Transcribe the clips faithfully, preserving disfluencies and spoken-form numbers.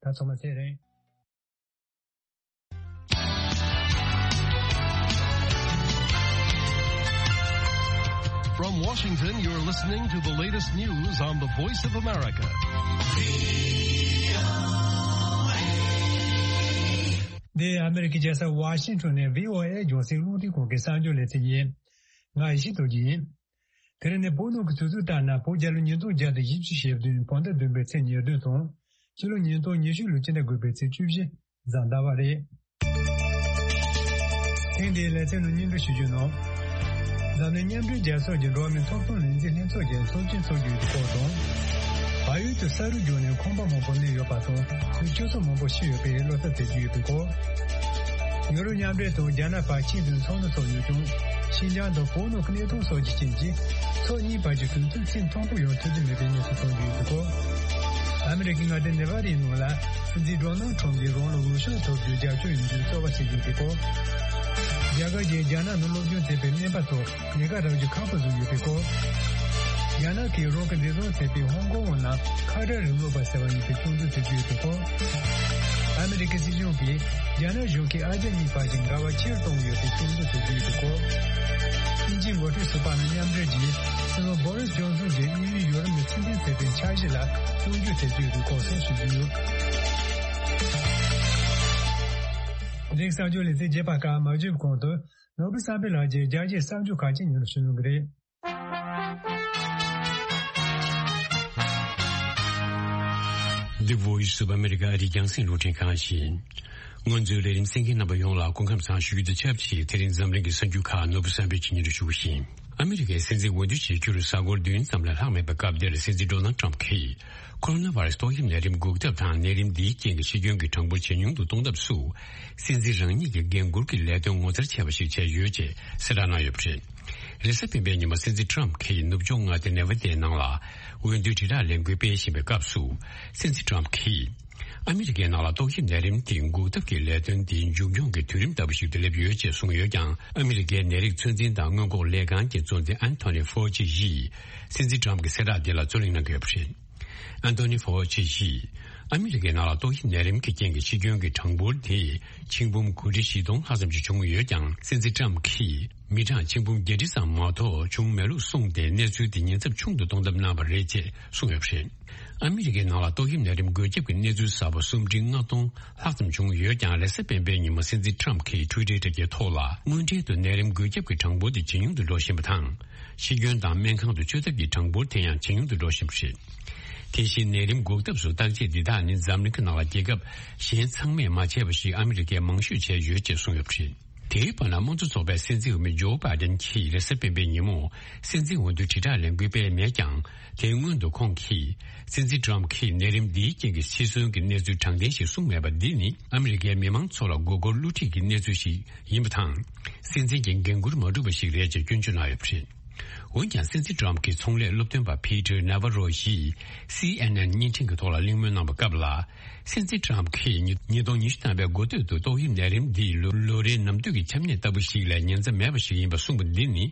ད་ཚང་མ་ཚེ་རིང་། From Washington, you're listening to the latest news on the Voice of America. འདི་ཨ་མེ་རི་ཀའི་རྒྱལ་ས་ཝ་ཤིང་ཊོན་ནས་བྷི་ཨོ་ཨེ་རྒྱང་སྲིང་རླུང་འཕྲིན་ཁང་གི་གསར་འགྱུར་ལས་ཚན་ཡིན། ང་ཡེ་ཤེས་རྡོ་རྗེ་ཡིན། དེ་རིང་ནི་བོད་ནང་གི་དུས་ཚོད་ལྟར་ན་བོད་རྒྱལ་ལོ་ཉིས་སྟོང་བརྒྱ་དང་བཞི་བཅུ་ཞེ་བདུན་བོད་ཟླ་བདུན་པའི་ཚེས་ཉེར་བདུན་དང་། ཕྱི་ལོ་ཉིས་སྟོང་ཉི་ཤུ་ལོའི་སྤྱི་ཟླ་དགུ་པའི་ཚེས་བཅུ་བཞི་གཟའ་ཟླ་བ་རེད། ཐེངས་འདིའི་ལེ་ཚན་ནང་སྙན་སྒྲོན་ཞུ་རྒྱུ་ནང་། འཛམ་གླིང་མཉམ་འབྲེལ་རྒྱལ་ཚོགས་ཀྱི་འགྲོ་བ་མིའི་ཐོབ་ཐང་ལས་འཛིན་ལྷན་ཚོགས་ཀྱི་ཚོགས་ཆེན་འཚོགས་རྒྱུ་ཡོད་པའི་སྐོར་དང་། བལ་ཡུལ་དུ་ས་རུད་རྒྱུག་ནས་ཁང་པ་མང་པོ་གནས་ཡོད་པ་དང་། མི་བཅུ་ཙམ་མང་པོ་ཤི་ཡོད་པའི་བློ་འཚབ་བྱེད་རྒྱུ་ཡོད་པའི་སྐོར། ཡུ་རོབ་མཉམ་འབྲེལ་དང་རྒྱ་ནག་བར་ཆིངས་དོན་ཚོགས་འདུ་འཚོགས་ཡོད་ཀྱང་། ཤིན་ཅང་དང་བོད་ནང་གི་གནས་སྟངས་སོགས་ཀྱི་རྐྱེན་གྱིས། ཕྱོགས་གཉིས་བར་གྱི་གྲོས་མཐུན་ཚད་མཐོན་པོ་ཡོང་ཐུབ་ཀྱི་མེད་པའི་གནས་ཚུལ་གསུངས་ཡོད་འདུག་གོ། ཨ་མི་རི་ཀའི་མངའ་སྡེ་ནེ་ཝ་ཌའི་ནང་ལ་སྲིད་འཛིན་ཌོ་ནལ་ཁྲོམ་གྱིས་རང་ལ་འོས་ཤོག་ཐོབ་རྒྱུའི་རྒྱབ་སྐྱོར་ཡོང་རྒྱུའི་རྩོད་པ་བྱེད་ཀྱི་ཡོད་འདུག་གོ། རྒྱ་གར་གྱིས་རྒྱ་ནག་ནང་སློབ་སྦྱོང་བྱེད་པའི་སྨན་པ་ཚོ་ཉེན་ཁ་རག་རྒྱུ་ཁག་པོ་བཟོས་ཡོད་པའི་སྐོར། རྒྱ་ནག་གིས་རང་གི་འདས་གྲོངས་ཐེབས་པའི་ཧོང་ཀོང་ནང་ཁ་བྲལ་རིང་ལུགས་པ་ཟེར་བ་ཡིན་པའི་སྐྱོན་འཛུགས་བྱེད་ཀྱི་ཡོད་པའི་སྐོར། ཨ་མི་རི་ཀའི་སྲིད་གཞུང་གིས་རྒྱ་ནག་གཞུང་གིས་ཨ་རྒྱ་གཉིས་བར་གྱི་འགལ་བ་ཆེ་རུ་གཏོང་གི་ཡོད་པའི་སྐྱོན་འཛུགས་བྱེད་ཀྱི་ཡོད་པའི་སྐོར། དབྱིན་ཇིའི་འགོ་ཁྲིད་ཟུར་པ་ནས་མཉམ་འབྲེལ་གྱིས་སྲིད་བློན་བྷོ་རིས་ཇོན་སོན་གྱིས་དབྱིན་ཡུལ་ཡུ་རོབ་ནས་ཕྱིར་འཐེན་བྱས་པའི་འཆར་གཞི་ལ་སྐྱོན་བརྗོད་བྱེད་ཀྱི་ཡོད་པའི་སྐོར་སོགས་ཞུ་རྒྱུ་ཡོད། འདི་གསར་འགྱུར་ལས་ཚན་རྒྱས་པ་ཁག་མ་བརྗོད་པའི་གོང་དུ། ནོར་བུ་བསམ་འཕེལ་ལགས་ཀྱིས་རྒྱལ་སྤྱིའི་གསར་འགྱུར་ཁག་ཅིག་སྙན་སྒྲོན་ཞུ་གནང་གི་རེད། The Voice of America ཨ་རིའི་རྒྱང་སྲིང་རླུང་འཕྲིན་ཁང་ཡིན། སྔོན་ཚུད་ལས་རིམ་གསན་མཁན་རྣམ་པ་ཡོངས་ལ་སྐུ་ཁམས་བཟང་ཞུ་རྒྱུ་དང་ཆབས་ཅིག་དེ་རིང་འཛམ་གླིང་གི་གསར་འགྱུར་ཁག་ནོར་བུ་བསམ་འཕེལ་གྱིས་སྙན་སྒྲོན་ཞུ་གི་ཡིན། ཨ་མི་རི་ཀའི་སྲིད་འཛིན་འོས་བསྡུ་བྱེད་རྒྱུར་གཟའ་འཁོར་བདུན་ཙམ་ལས་ལྷག་མེད་པའི་སྐབས་འདིར་སྲིད་འཛིན་ཌོ་ནལ་ཊམ་གྱིས། ཁོ་རོ་ན་བྷ་རེ་སི་ཏོག་དབྱིབས་ནད་རིམས་འགོག་ཐབས་དང་ནད་རིམས་འདིའི་རྐྱེན་གྱིས་འཆི་སྐྱོན་གྱི་གྲངས་འབོར་ཇེ་ཉུང་དུ་གཏོང་ཐབས་སུ། སྲིད་འཛིན་རང་ཉིད་ཀྱི་འགན་འཁུར་གྱི་ལས་དོན་ངོ་མཚར་ཆེ་བ་ཞིག་བྱས་ཡོད་ཅེས་གསལ་བསྒྲགས་གནང་ཡོད་པ་རེད། རེས་གཟའ་སྤེན་པའི་ཉིན་མོ་སྲིད་འཛིན་ཊམ་གྱིས་ནུབ་ཕྱོགས་མངའ་སྡེ་ནེ་ཝ་ཌའི་ནང་ལ་འོས་བསྡུའི་དྲིལ་བསྒྲགས་ལས་འགུལ་སྤེལ་བཞིན་པའི་སྐབས་སུ། སྲིད་འཛིན་ཊམ་གྱིས། ཨ་མི་རི་ཀའི་ནང་ལ་ཏོག་དབྱིབས་ནད་རིམས་དེ་འགོག་ཐབས་ཀྱི་ལས་དོན་དེ་མཇུག་སྐྱོང་གི་དུས་རིམ་ལྟ་བུ་ཞིག་ཏུ་སླེབས་ཡོད་ཅེས་གསུངས་ཡོད་ཀྱང་། ཨ་མི་རི་ཀའི་ནད་རིགས་ཚོད་འཛིན་དང་སྔོན་འགོག་ལས་ཁང་གི་གཙོ་འཛིན་ཨན་ཐོ་ནི་ཧྥོ་ཅི་ཡིས། སྲིད་འཛིན་ཊམ་གྱི་གསལ་བསྒྲགས་འདི་ལ་རྩོད་གླེང་གནང་གི་ཡོད་པ་རེད། ཨན་ཐོ་ནི་ཧྥོ་ཅི་ཡིས། ཨ་མི་རི་ཀའི་ནང་ལ་ཏོག་དབྱིབས་ནད་རིམས་ཀྱི་རྐྱེན་གྱིས་འཆི་སྐྱོན་གྱི་གྲངས་འབོར་དེ་ཆིག་འབུམ་དགུ་ཁྲི་བཞི་སྟོང་ལྷག་ཙམ་ཞིག་བྱུང་ཡོད་ཀྱང་། སྲིད་འཛིན་ཊམ་གྱིས་མི་གྲངས་ཆིག་འབུམ་བརྒྱད་ཁྲི་ཙམ་མ་གཏོགས་བྱུང་མེད་ལུགས་གསུངས་ཏེ། གནས་ཚུལ་དེ་ཉེན་ཚབས་ཆུང་དུ་གཏོང་ཐབས་གནང་བ་རེད་ཅེས་གསུངས་ཡོད་པ་རེད། ཨ་མི་རི་ཀའི་ནང་ལ་ཏོག་དབྱིབས་ནད་རིམས་འགོས་ཁྱབ་ཀྱི་གནས་ཚུལ་གསར་པ་སུམ་ཁྲི་ལྔ་སྟོང་ལྷག་ཙམ་བྱུང་ཡོད་ཀྱང་། རེས་གཟའ་སྤེན་པའི་ཉིན་མོ་སྲིད་འཛིན་ཊམ་གྱིས་ཊུའི་ཊར་དྲ་རྒྱའི་ཐོག་ལ། དངོས་འབྲེལ་དུ་ནད་རིམས་འགོས་ཁྱབ་ཀྱི་གྲངས་འབོར་དེ་ཇེ་ཉུང་དུ་འགྲོ་བཞིན་པ་དང་། འཆི་སྐྱོན་དང་སྨན་ཁང་དུ་བཅུག་ཐབས་ཀྱི་གྲངས་འབོར་དེ་ཡང་ཇེ་ཉུང་དུ་འགྲོ་བཞིན་པ་རེད། དེ་བཞིན་ནད་རིམས་འགོག་ཐབས་སུ་བརྟག་དཔྱད་འདི་དག་ནི་འཛམ་གླིང་གི་ནང་ལ་རྒྱལ་ཁབ་གཞན་ཚང་མས་མ་བྱས་པ་ཞིག་ཨ་མི་རི་ཀས་མང་ཤོས་བྱས་ཡོད་ཅེས་གསུངས་ཡོད་པ་རེད། དེའི་བར་ན་དམངས་གཙོ་ཚོགས་པའི་སྲིད་འཛིན་འོས་མི་ཇོ་བྷའི་ཌེན་གྱིས་རེས་གཟའ་སྤེན་པའི་ཉིན་མོ་སྲིད་འཛིན་འོས་བསྡུ་དྲིལ་བསྒྲགས་ལས་འགུལ་སྤེལ་མེད་ཀྱང་། དེའི་སྔོན་དུ་ཁོང་གིས། སྲིད་འཛིན་ཊམ་གྱིས་ནད་རིམས་འདིའི་རྐྱེན་གྱིས་འཆི་གསོན་གྱི་གནས་ཚུལ་དྲང་བདེན་ཞིག་གསུངས་མེད་པ་འདི་ནི་ཨ་མི་རི་ཀའི་མི་མང་ཚོ་ལ་མགོ་སྐོར་བསླུ་བྲིད་ཀྱི་གནས་ཚུལ་ཞིག་ཡིན་པ་དང་། སྲིད་འཛིན་གྱི་འགན་འཁུར་མ་འགྲུབ་པ་ཞིག་རེད་ཅེས་སྐྱོན་བརྗོད་གནང་ཡོད་པ་རེད། འོན་ཀྱང་། སྲིད་འཛིན་ཊམ་གྱི་ཚོང་ལས་སློབ་སྟོན་པ་ཕི་ཏར་ནཱ་ཝ་རོ་ཡིས་སི་ཨེན་ཨེན་བརྙན་འཕྲིན་གྱི་ཐོག་ལ་གླེང་མོལ་གནང་བའི་སྐབས་ལ། སྲིད་འཛིན་ཊམ་གྱིས་ཉིས་ཉིས་སྟོང་ཉི་ཤུ་ཐམ་པའི་འགོ་སྟོད་དུ་ཏོག་དབྱིབས་ནད་རིམས་འདིས་ལོ་ལོ་རེའི་ནམ་དུས་ཀྱི་ཆམ་ནད་ལྟ་བུ་ཞིག་ལས་ཉེན་ཚབས་མེད་པ་ཞིག་ཡིན་པ་གསུངས་པ་འདི་ནི།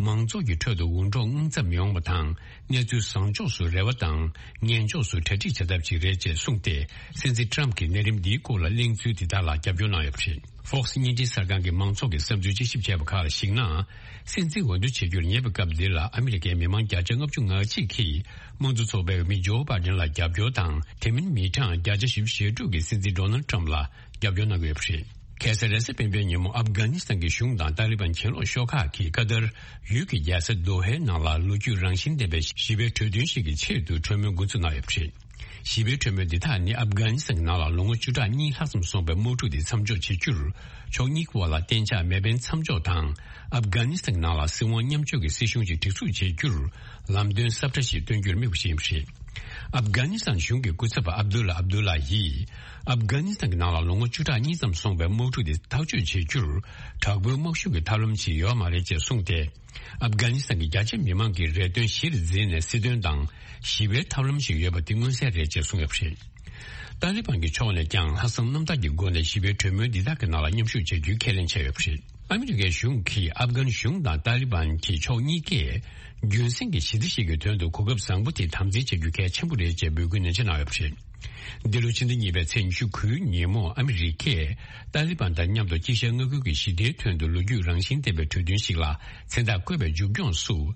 མང་ཚོགས་ཀྱི་ཁྲོད་དུ་འུར་སྒྲོག་དངངས་འཚབ་ཡོང་བ་དང་། གནས་ཚུལ་བཟང་ཕྱོགས་སུ་རེ་བ་དང་། ངན་ཕྱོགས་སུ་གྲ་སྒྲིག་བྱ་ཐབས་ཤིག་རེད་ཅེས་གསུངས་ཏེ། སྲིད་འཛིན་ཊམ་གྱིས་ནད་རིམས་འདིའི་སྐོར་ལ་གླེང་ཚུལ་འདི་དག་ལ་རྒྱབ་སྐྱོར་གནང་ཡོད་པ་རེད། Fox་བརྙན་འཕྲིན་གསར་ཁང་གི་མང་ཚོགས་ཀྱི་བསམ་ཚུལ་དཔྱད་ཞིབ་བྱས་པ་ཁག་ལ་གཞིགས་ན། སྲིད་འཛིན་འོས་བསྡུ་བྱེད་རྒྱུར་ཉེ་བའི་སྐབས་འདི་ལ་ཨ་མི་རི་ཀའི་མི་མང་བརྒྱ་ཆ་ལྔ་བཅུ་ང་གཅིག་གིས་དམངས་གཙོ་ཚོགས་པའི་འོས་མི་ཇོ་བྷའི་ཌེན་ལ་རྒྱབ་སྐྱོར་དང་། དེ་མིན་མི་གྲངས་བརྒྱ་ཆ་བཞི་བཅུ་ཞེ་དྲུག་གིས་སྲིད་འཛིན་ཌོ་ནལ་ཊམ་ལ་རྒྱབ་སྐྱོར་གནང་གི་ཡོད་པ་རེད། ཁ་སང་རེས་གཟའ་སྤེན་པའི་ཉིན་མོ་ཨབ་གྷ་ནི་སི་ཐན་གྱི་གཞུང་དང་ཏཱ་ལི་བན་གྱེན་ལོག་ཤོག་ཁག་གིས་ཀ་ཏར་ཡུལ་གྱི་རྒྱལ་ས་དོ་ཧའི་ནང་ལ་ལོ་རྒྱུས་རང་བཞིན་ལྡན་པའི་ཞི་བའི་གྲོས་མཐུན་ཞིག་གི་ཆེད་དུ་གྲོས་མོལ་འགོ་འཛུགས་གནང་ཡོད་པ་རེད། ཞི་བའི་གྲོས་མོལ་འདི་དག་ནི་ཨབ་གྷ་ནི་སི་ཐན་གྱི་ནང་ལ་ལོ་ངོ་བཅུ་ཕྲག་གཉིས་ལྷག་ཙམ་སོང་པའི་དམག་འཁྲུག་དེ་མཚམས་འཇོག་བྱེད་རྒྱུར་ཕྱོགས་གཉིས་ཀྱི་བར་ལ་གཏན་འཇགས་མེ་འཕེན་མཚམས་འཇོག་དང་། ཨབ་གྷ་ནི་སི་ཐན་གྱི་ནང་ལ་སྲིད་དབང་མཉམ་སྤྱོད་ཀྱི་སྲིད་གཞུང་ཞིག་སྒྲིག་འཛུགས་བྱེད་རྒྱུར་ལམ་སྟོན་གསར་པ་ཞིག་སྟོན་རྒྱུར་དམིགས་པ་ཞིག་ཡིན་པ་རེད། ཨབ་གྷ་ནི་སི་ཐན་གཞུང་གི་སྐུ་ཚབ་པ་ཨབ་དུ་ལ་ཨབ་དུ་ལ་ཡིས། ཨབ་གྷ་ནི་སི་ཐན་གྱི་ནང་ལ་ལོ་ངོ་བཅུ་ཕྲག་གཉིས་ཙམ་སོང་པའི་དམག་འཁྲུག་དེ་ཐག་གཅོད་བྱེད་རྒྱུར་དྲག་པོའི་དམག་ཤུགས་ཀྱི་ཐབས་ལམ་ཞིག་ཡོད་མ་རེད་ཅེས་གསུངས་ཏེ། ཨབ་གྷ་ནི་སི་ཐན་གྱི་རྒྱ་ཆེ་མི་མང་གི་རེ་འདུན་གཞིར་འཛིན་ནས་སྲིད་དོན་དང་ཞི་བའི་ཐབས་ལམ་ཞིག་ཡོད་པ་དེ་མངོན་གསལ་རེད་ཅེས་གསུངས་ཡོད་པ་རེད། ཏཱ་ལི་བན་གྱི་ཕྱོགས་ནས་ཀྱང་ལྷག་བསམ་རྣམ་དག་གི་སྒོ་ནས་ཞི་བའི་གྲོས་མོལ་འདི་དག་གི་ནང་ལ་མཉམ་ཞུགས་བྱ་རྒྱུའི་ཁས་ལེན་བྱས་ཡོད་པ་རེད། ཨ་མི་རི་ཀའི་གཞུང་གིས་ཨབ་གྷན་གཞུང་དང་ཏཱ་ལི་བན་གྱི་ཕྱོགས་གཉིས་ཀས་རྒྱུན་སྲིང་གི་ཞི་བདེ་ཞིག་གི་དོན་དུ་གོ་སྐབས་བཟང་པོ་དེ་དམ་འཛིན་བྱ་རྒྱུ་གལ་ཆེན་པོ་རེད་ཅེས་འབོད་སྐུལ་ནན་ཆེ་གནང་ཡོད་པ་རེད། འདི་ལོ་ཕྱི་ཟླ་གཉིས་པའི་ཚེས་ཉི་ཤུ་དགུའི་ཉིན་མོ་ཨ་མི་རི་ཀས་ཏཱ་ལི་བན་དང་མཉམ་དུ་དཀྱིལ་ཤར་མངའ་ཁུལ་གྱི་ཞི་བདེའི་དོན་དུ་ལོ་རྒྱུས་རང་བཞིན་ལྡན་པའི་གྲོས་མཐུན་ཞིག་ལ་མཚན་རྟགས་བཀོད་པའི་མཇུག་སྐྱོང་སུ།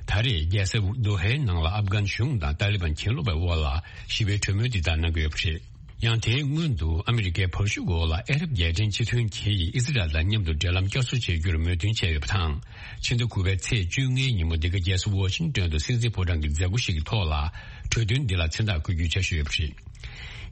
ད་རེས་རྒྱལ་ས་དོ་ཧའི་ནང་ལ་ཨབ་གྷན་གཞུང་དང་ཏཱ་ལི་བན་གྱེན་ལོག་པའི་དབར་ལ་ཞི་བའི་གྲོས་མོལ་འདི་དག་གནང་གི་ཡོད་པ་རེད། ཡང་དེའི་སྔོན་དུ་ཨ་མི་རི་ཀའི་བར་ཞུགས་འོག་ལ་ཨ་རབ་རྒྱལ་ཕྲན་སྤྱི་མཐུན་གྱིས་ཨི་ཟི་རལ་དང་མཉམ་དུ་འབྲེལ་ལམ་བསྐྱར་གསོ་བྱེད་རྒྱུར་མོས་མཐུན་བྱས་ཡོད་པ་དང་། ཕྱི་ཟླ་དགུ་པའི་ཚེས་བཅོ་ལྔའི་ཉིན་མོ་འདི་ག་རྒྱལ་ས་ཝོ་ཤིང་ཏོན་དུ་སྲིད་འཛིན་ཕོ་བྲང་གི་མཛད་སྒོ་ཞིག་གི་ཐོག་ལ་གྲོས་མཐུན་འདི་ལ་མཚན་རྟགས་བཀོད་རྒྱུའི་འཆར་གཞི་ཡོད་པ་རེད།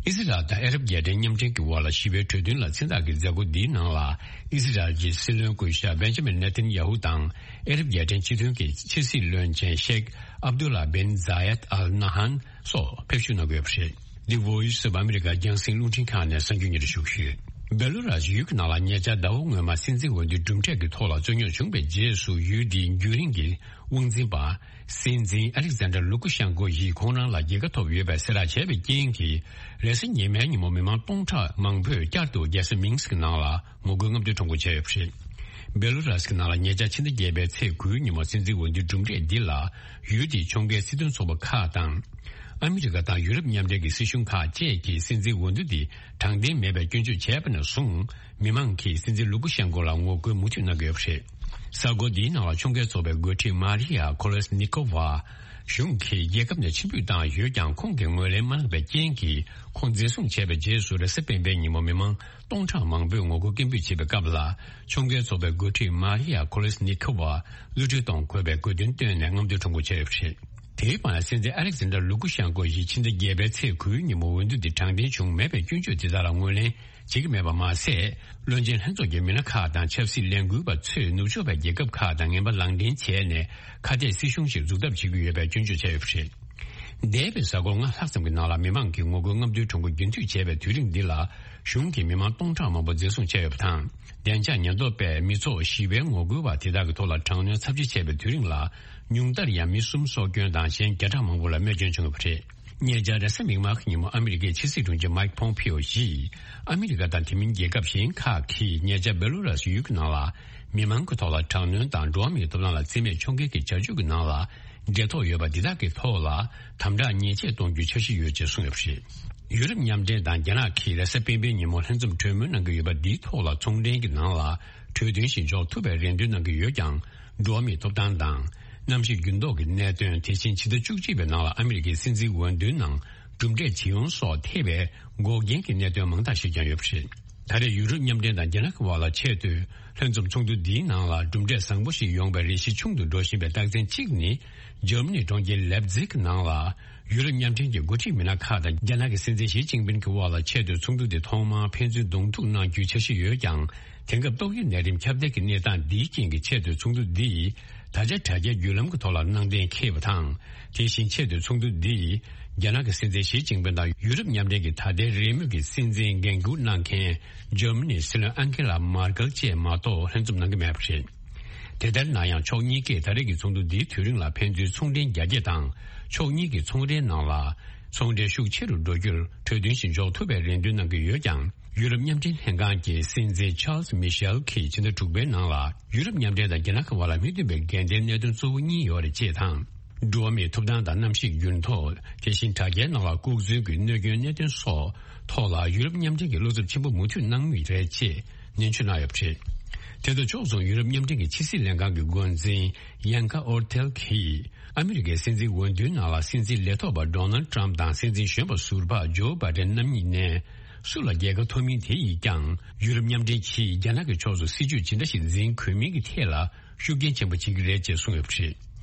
ཨི་ཟི་རལ་དང་ཨ་རབ་རྒྱལ་ཕྲན་མཉམ་འབྲེལ་གྱི་དབར་ལ་ཞི་བའི་གྲོས་མཐུན་ལ་མཚན་རྟགས་ཀྱི་མཛད་སྒོ་འདིའི་ནང་ལ་ཨི་ཟི་རལ་གྱི་སྲིད་བློན་སྐུ་ཞབས་བེན་ཇ་མིན་ནེ་ཐན་ཡ་ཧུ་དང་ཨ་རབ་རྒྱལ་ཕྲན་སྤྱི་མཐུན་གྱི་ཕྱི་སྲིད་བློན་ཆེན་ཤེག་ཨབ་དུ་ལ་བིན་ཛ་ཡད་ཨལ་ན་ཧན་སོགས་ཕེབས་བསུ་གནང་གི་ཡོད་པ་རེད། འདི་Voice of America་རྒྱང་སྲིང་རླུང་འཕྲིན་ཁང་ནས་གསར་འགྱུར་སྙན་སྒྲོན་ཞུ་གི་ཡོད། སྦེ་ལུ་རཱས་ཡུལ་གྱི་ནང་ལ་ཉེ་ཆར་ཟླ་བ་སྔོན་མ་སྲིད་འཛིན་འོས་བསྡུའི་གྲུབ་འབྲས་ཀྱི་ཐོག་ལ་རྩོད་རྙོག་བྱུང་བའི་རྗེས་སུ་ཡུལ་དེའི་རྒྱུན་རིང་གི་དབང་འཛིན་པ་སྲིད་འཛིན་ཨ་ལེག་ཛན་ཌར་ལུ་ཀུ་ཤན་ཀོ་ཡིས་ཁོང་རང་ལ་རྒྱལ་ཁ་ཐོབ་ཡོད་པའི་གསལ་བསྒྲགས་བྱས་པའི་རྐྱེན་གྱིས། རེས་གཟའ་ཉི་མའི་ཉིན་མོ་མི་མང་སྟོང་ཕྲག་མང་པོས་བསྐྱར་དུ་རྒྱལ་ས་མིན་སི་ཀི་ནང་ལ་ངོ་རྒོལ་རྔམ་སྟོན་ཁྲོམ་སྐོར་བྱས་ཡོད་པ་རེད། སྦེ་ལུ་རཱས་ཀྱི་ནང་ལ་ཉེ་ཆར་ཕྱི་ཟླ་བརྒྱད་པའི་ཚེས་དགུའི་ཉིན་མོ་སྲིད་འཛིན་འོས་བསྡུའི་གྲུབ་འབྲས་འདི་ལ་ཡུལ་དེའི་ཕྱོགས་འགལ་སྲིད་དོན་ཚོགས་པ་ཁག་དང་། ཨ་མི་རི་ཀ་དང་ཡུ་རོབ་མཉམ་འབྲེལ་གྱི་སྲིད་གཞུང་ཁག་བཅས་ཀྱིས་སྲིད་འཛིན་འོས་བསྡུ་འདི་དྲང་བདེན་མེད་པའི་སྐྱོན་བརྗོད་བྱས་པ་ནས་བཟུང་། མི་མང་གིས་སྲིད་འཛིན་ལུ་ཀུ་ཤན་ཀོ་ལ་ངོ་རྒོལ་མུ་མཐུད་གནང་གི་ཡོད་པ་རེད། གསར་འགོད་འདིའི་ནང་ལ་ཕྱོགས་འགལ་ཚོགས་པའི་འགོ་ཁྲིད་མཱ་རི་ཡ་ཁོ་ལེ་སི་ནི་ཁོ་ཝ་གཞུང་གིས་རྒྱལ་ཁབ་ནས་ཕྱིར་འབུད་བཏང་ཡོད་ཀྱང་། ཁོང་གིས་ངོས་ལེན་མ་གནང་བའི་རྐྱེན་གྱིས། ཁོང་འཛིན་བཟུང་བྱས་པའི་རྗེས་སུ་རེས་གཟའ་སྤེན་པའི་ཉིན་མོ་མི་མང་སྟོང་ཕྲག་མང་པོས་ངོ་རྒོལ་སྐད་འབོད་བྱེད་པའི་སྐབས་ལ། ཕྱོགས་འགལ་ཚོགས་པའི་འགོ་ཁྲིད་མཱ་རི་ཡ་ཁོ་ལེ་སི་ནི་ཁོ་ཝ་གློད་གྲོལ་གཏོང་དགོས་པའི་དགོས་འདུན་བཏོན་ནས་རྔམ་སྟོན་ཁྲོམ་སྐོར་བྱས་ཡོད་པ་རེད། དེའི་བར་སྲིད་འཛིན་ཨ་ལེག་ཛན་ཌར་ལུ་ཀུ་ཤན་ཀོ་ཡིས་ཕྱི་ཟླ་བརྒྱད་པའི་ཚེས་དགུའི་ཉིན་མོ་འོས་བསྡུ་འདི་དྲང་བདེན་བྱུང་མེད་པའི་སྐྱོན་བརྗོད་དེ་དག་ལ་ངོས་ལེན་བྱེད་ཀྱི་མེད་པ་མ་ཟད། བློན་ཆེན་ལྷན་ཚོགས་ཀྱི་མི་སྣ་ཁག་དང་ཆབ་སྲིད་ལས་འགུལ་བ་ཚོས་ནུབ་ཕྱོགས་པའི་རྒྱལ་ཁབ་ཁག་དང་ངན་པ་ལག་འདྲེན་བྱས་ནས་ཁ་གཏད་སྲིད་གཞུང་ཞིག་འཛུགས་ཐབས་བྱེད་ཀྱི་ཡོད་པའི་སྐྱོན་བརྗོད་བྱས་ཡོད་པ་རེད། འདས་པའི་གཟའ་འཁོར་ལྔ་ལྷག་ཙམ་གྱི་ནང་ལ་མི་མང་གིས་ངོ་རྒོལ་རྔམ་སྟོན་ཁྲོམ་སྐོར་རྒྱུན་མཐུད་བྱས་པའི་དུས་རིང་འདི་ལ་གཞུང་གིས་མི་མང་སྟོང་ཕྲག་མང་པོ་འཛིན་བཟུང་བྱས་ཡོད་པ་དང་། བདེ་འཇགས་ཉེན་རྟོག་པས་མི་ཚོགས་ཞི་བའི་ངོ་རྒོལ་བ་དེ་དག་གི་ཐོག་ལ་དྲག་གནོན་ཚབས་ཆེ་བྱས་པའི་དུས་རིང་ལ། ཉུང་མཐར་ཡང་མི་གསུམ་སྲོག་སྐྱོན་དང་གཞན་བརྒྱ་ཕྲག་མང་པོ་ལ་རྨས་སྐྱོན་བྱུང་ཡོད་པ་རེད། ཉེ་ཆར་རེས་གཟའ་མིག་དམར་གྱི་ཉིན་མོ་ཨ་མི་རི་ཀའི་ཕྱི་སྲིད་དྲུང་ཆེ་མའིག་ཕོམ་ཕིའོ་ཡིས། ཨ་མི་རི་ཀ་དང་དེ་མིན་རྒྱལ་ཁབ་གཞན་ཁག་གིས་ཉེ་ཆར་སྦེ་ལུ་རཱས་ཡུལ་གྱི་ནང་ལ་མི་མང་གི་ཐོག་ལ་དྲག་གནོན་དང་འགྲོ་བ་མིའི་ཐོབ་ཐང་ལ་བརྩི་མེད་ཕྱོགས་འགལ་གྱི་བྱ་སྤྱོད་ཀྱི་ནང་ལ། འབྲེལ་ཐོགས་ཡོད་པ་འདི་དག་གི་ཐོག་ལ་དམ་དྲག་ཉེས་ཆད་གཏོང་རྒྱུའི་འཆར་གཞི་ཡོད་ཅེས་གསུངས་ཡོད་པ་རེད། ཡུ་རོབ་མཉམ་འབྲེལ་དང་རྒྱ་ནག་གིས་རེས་གཟའ་སྤེན་པའི་ཉིན་མོ་ལྷན་འཛོམས་གྲོས་མོལ་གནང་གི་ཡོད་པ་འདིའི་ཐོག་ལ་ཚོང་འབྲེལ་གྱི་ནང་ལ་གྲོས་མཐུན་ཞིག་འཇོག་ཐུབ་པའི་རེ་འདུན་གནང་གི་ཡོད་ཀྱང་། འགྲོ་བ་མིའི་ཐོབ་ཐང་དང་། གནམ་གཤིས་འགྱུར་ལྡོག་གི་གནད་དོན། དེ་བཞིན་ཕྱི་ཟླ་བཅུ་གཅིག་པའི་ནང་ལ་ཨ་མི་རི་ཀའི་སྲིད་འཛིན་འོས་བསྡུའི་ནང་གྲུབ་འབྲས་ཇི་ཡོང་སོགས་ཐེ་བའི་འགོག་རྐྱེན་གྱི་གནད་དོན་མང་དག་ཞིག་ཀྱང་ཡོད་པ་རེད། ད་རེས་ཡུ་རོབ་མཉམ་འབྲེལ་དང་རྒྱ་ནག་གི་དབར་ལ་ཆེས་མཐོའི་ལྷན་འཛོམས་ཚོགས་འདུ་འདིའི་ནང་ལ་གྲུབ་འབྲས་བཟང་པོ་ཞིག་ཡོང་བའི་རེ་ཞིག་ཆུང་དུ་འགྲོ་བཞིན་པའི་རྟགས་མཚན་གཅིག་ནི། འཇར་མ་ནི་གྲོང་ཁྱེར་ལེབ་ཛིག་ནང་ལ་ཡུ་རོབ་མཉམ་འབྲེལ་གྱི་འགོ་ཁྲིད་མི་སྣ་ཁག་དང་རྒྱ་ནག་གི་སྲིད་འཛིན་ཞི་ཅིན་ཕིན་གྱི་དབར་ལ་ཆེས་མཐོའི་ཚོགས་འདུ་དེ་ཐོག་མར་ཕན་ཚུན་གདོང་ཐུག་གནང་རྒྱུའི་འཆར་གཞི་ཡོད་ཀྱང་། དེང་སྐབས་ཏོག་དབྱིབས་ནད་རིམས་ཁྱབ་གདལ་གྱི་གནས་སྟངས་འདིའི་རྐྱེན་གྱིས་ཆེས་མཐོའི་ཚོགས་འདུ་འདི་ད་ཆ་དྲ་རྒྱའི་བརྒྱུད་ལམ་གྱི་ཐོག་ལ་གནང་གཏན་འཁེལ་བ་དང་། དེ་བཞིན་ཆེས་མཐོའི་ཚོགས་འདུ་འདི་རྒྱ་ནག་གི་སྲིད་འཛིན་ཞི་ཅིན་ཕིན་དང་ཡུ་རོབ་མཉམ་འབྲེལ་གྱི་ད་ལྟའི་རེས་མོས་ཀྱི་སྲིད་འཛིན་འགན་འཁུར་གནང་མཁན་འཇར་མ་ནིའི་སྲིད་བློན་ཨན་ཁེ་ལ་མར་ཀེལ་བཅས་མ་གཏོགས་ལྷན་འཛོམས་གནང་གི་མེད་པ་རེད། དེ་ལྟར་ན་ཡང་ཕྱོགས་གཉིས་ཀས་ད་རེས་ཀྱི་ཚོགས་འདུ་འདིའི་དུས་རིང་ལ་ཕན་ཚུན་ཚོང་འབྲེལ་རྒྱ་སྐྱེད་དང་། ཕྱོགས་གཉིས་ཀྱི་ཚོང་འབྲེལ་ནང་ལ་ཚོང་འབྲེལ་ཤུགས་ཆེ་རུ་འགྲོ་རྒྱུར་གྲོས་མཐུན་ཞིག་འཇོག་ཐུབ་པའི་རེ་འདུན་གནང་གི་ཡོད་ཀྱང་། ཡུ་རོབ་མཉམ་འབྲེལ་ལྷན་ཁང་གི་སྲིད་འཛིན་ཆཱལ་སི་མི་ཤེལ་གྱིས་ཕྱི་ཟླ་དྲུག་པའི་ནང་ལ་ཡུ་རོབ་མཉམ་འབྲེལ་དང་རྒྱ་ནག་གི་དབར་ལ་མི་མཐུན་པའི་འགལ་ཟླའི་གནད་དོན་གཙོ་བོ་གཉིས་ཡོད་རེད་ཅེས་དང་། འགྲོ་བ་མིའི་ཐོབ་ཐང་དང་གནམ་གཤིས་འགྱུར་ལྡོག་དེ་བཞིན་དྲ་རྒྱའི་ནང་ལ་ལྐོག་འཛུལ་གྱི་གནོད་སྐྱོན་གནད་དོན་སོགས་ཐོག་ལ་ཡུ་རོབ་མཉམ་འབྲེལ་གྱིས་བློ་འཚབ་ཆེན་པོ་མུ་མཐུད་གནང་མུས་རེད་ཅེས་ནན་བརྗོད་གནང་ཡོད་པ་རེད། དེ་དང་ཕྱོགས་མཚུངས་ཡུ་རོབ་མཉམ་འབྲེལ་གྱི་ཕྱི་སྲིད་ལྷན་ཁང་གི་འགོ་འཛིན་ཡན་ཀ་ཨོར་ཐེལ་གྱིས་ཨ་མི་རི་ཀའི་སྲིད་འཛིན་འོས་བསྡུའི་ནང་ལ་སྲིད་འཛིན་ལས་ཐོག་པ་ཌོ་ནལ་ཏྲམ་དང་སྲིད་འཛིན་གཞོན་པ་ཟུར་པ་ཇོ་བྷ་ཌེན་རྣམ་གཉིས་ནས་སུ་ལ་རྒྱལ་ཁ་ཐོབ་མིན་དེ་ཡིས་ཀྱང་ཡུ་རོབ་མཉམ་འབྲེལ་གྱིས་རྒྱ་ནག་གི་ཕྱོགས་སུ་སྲིད་ཇུས་ཇི་འདྲ་ཞིག་འཛིན་དགོས་མིན་གྱི་ཐད་ལ་ཤུགས་རྐྱེན་ཆེན་པོ་བྱེད་ཀྱི་རེད་ཅེས་གསུངས་ཡོད་པ་རེད།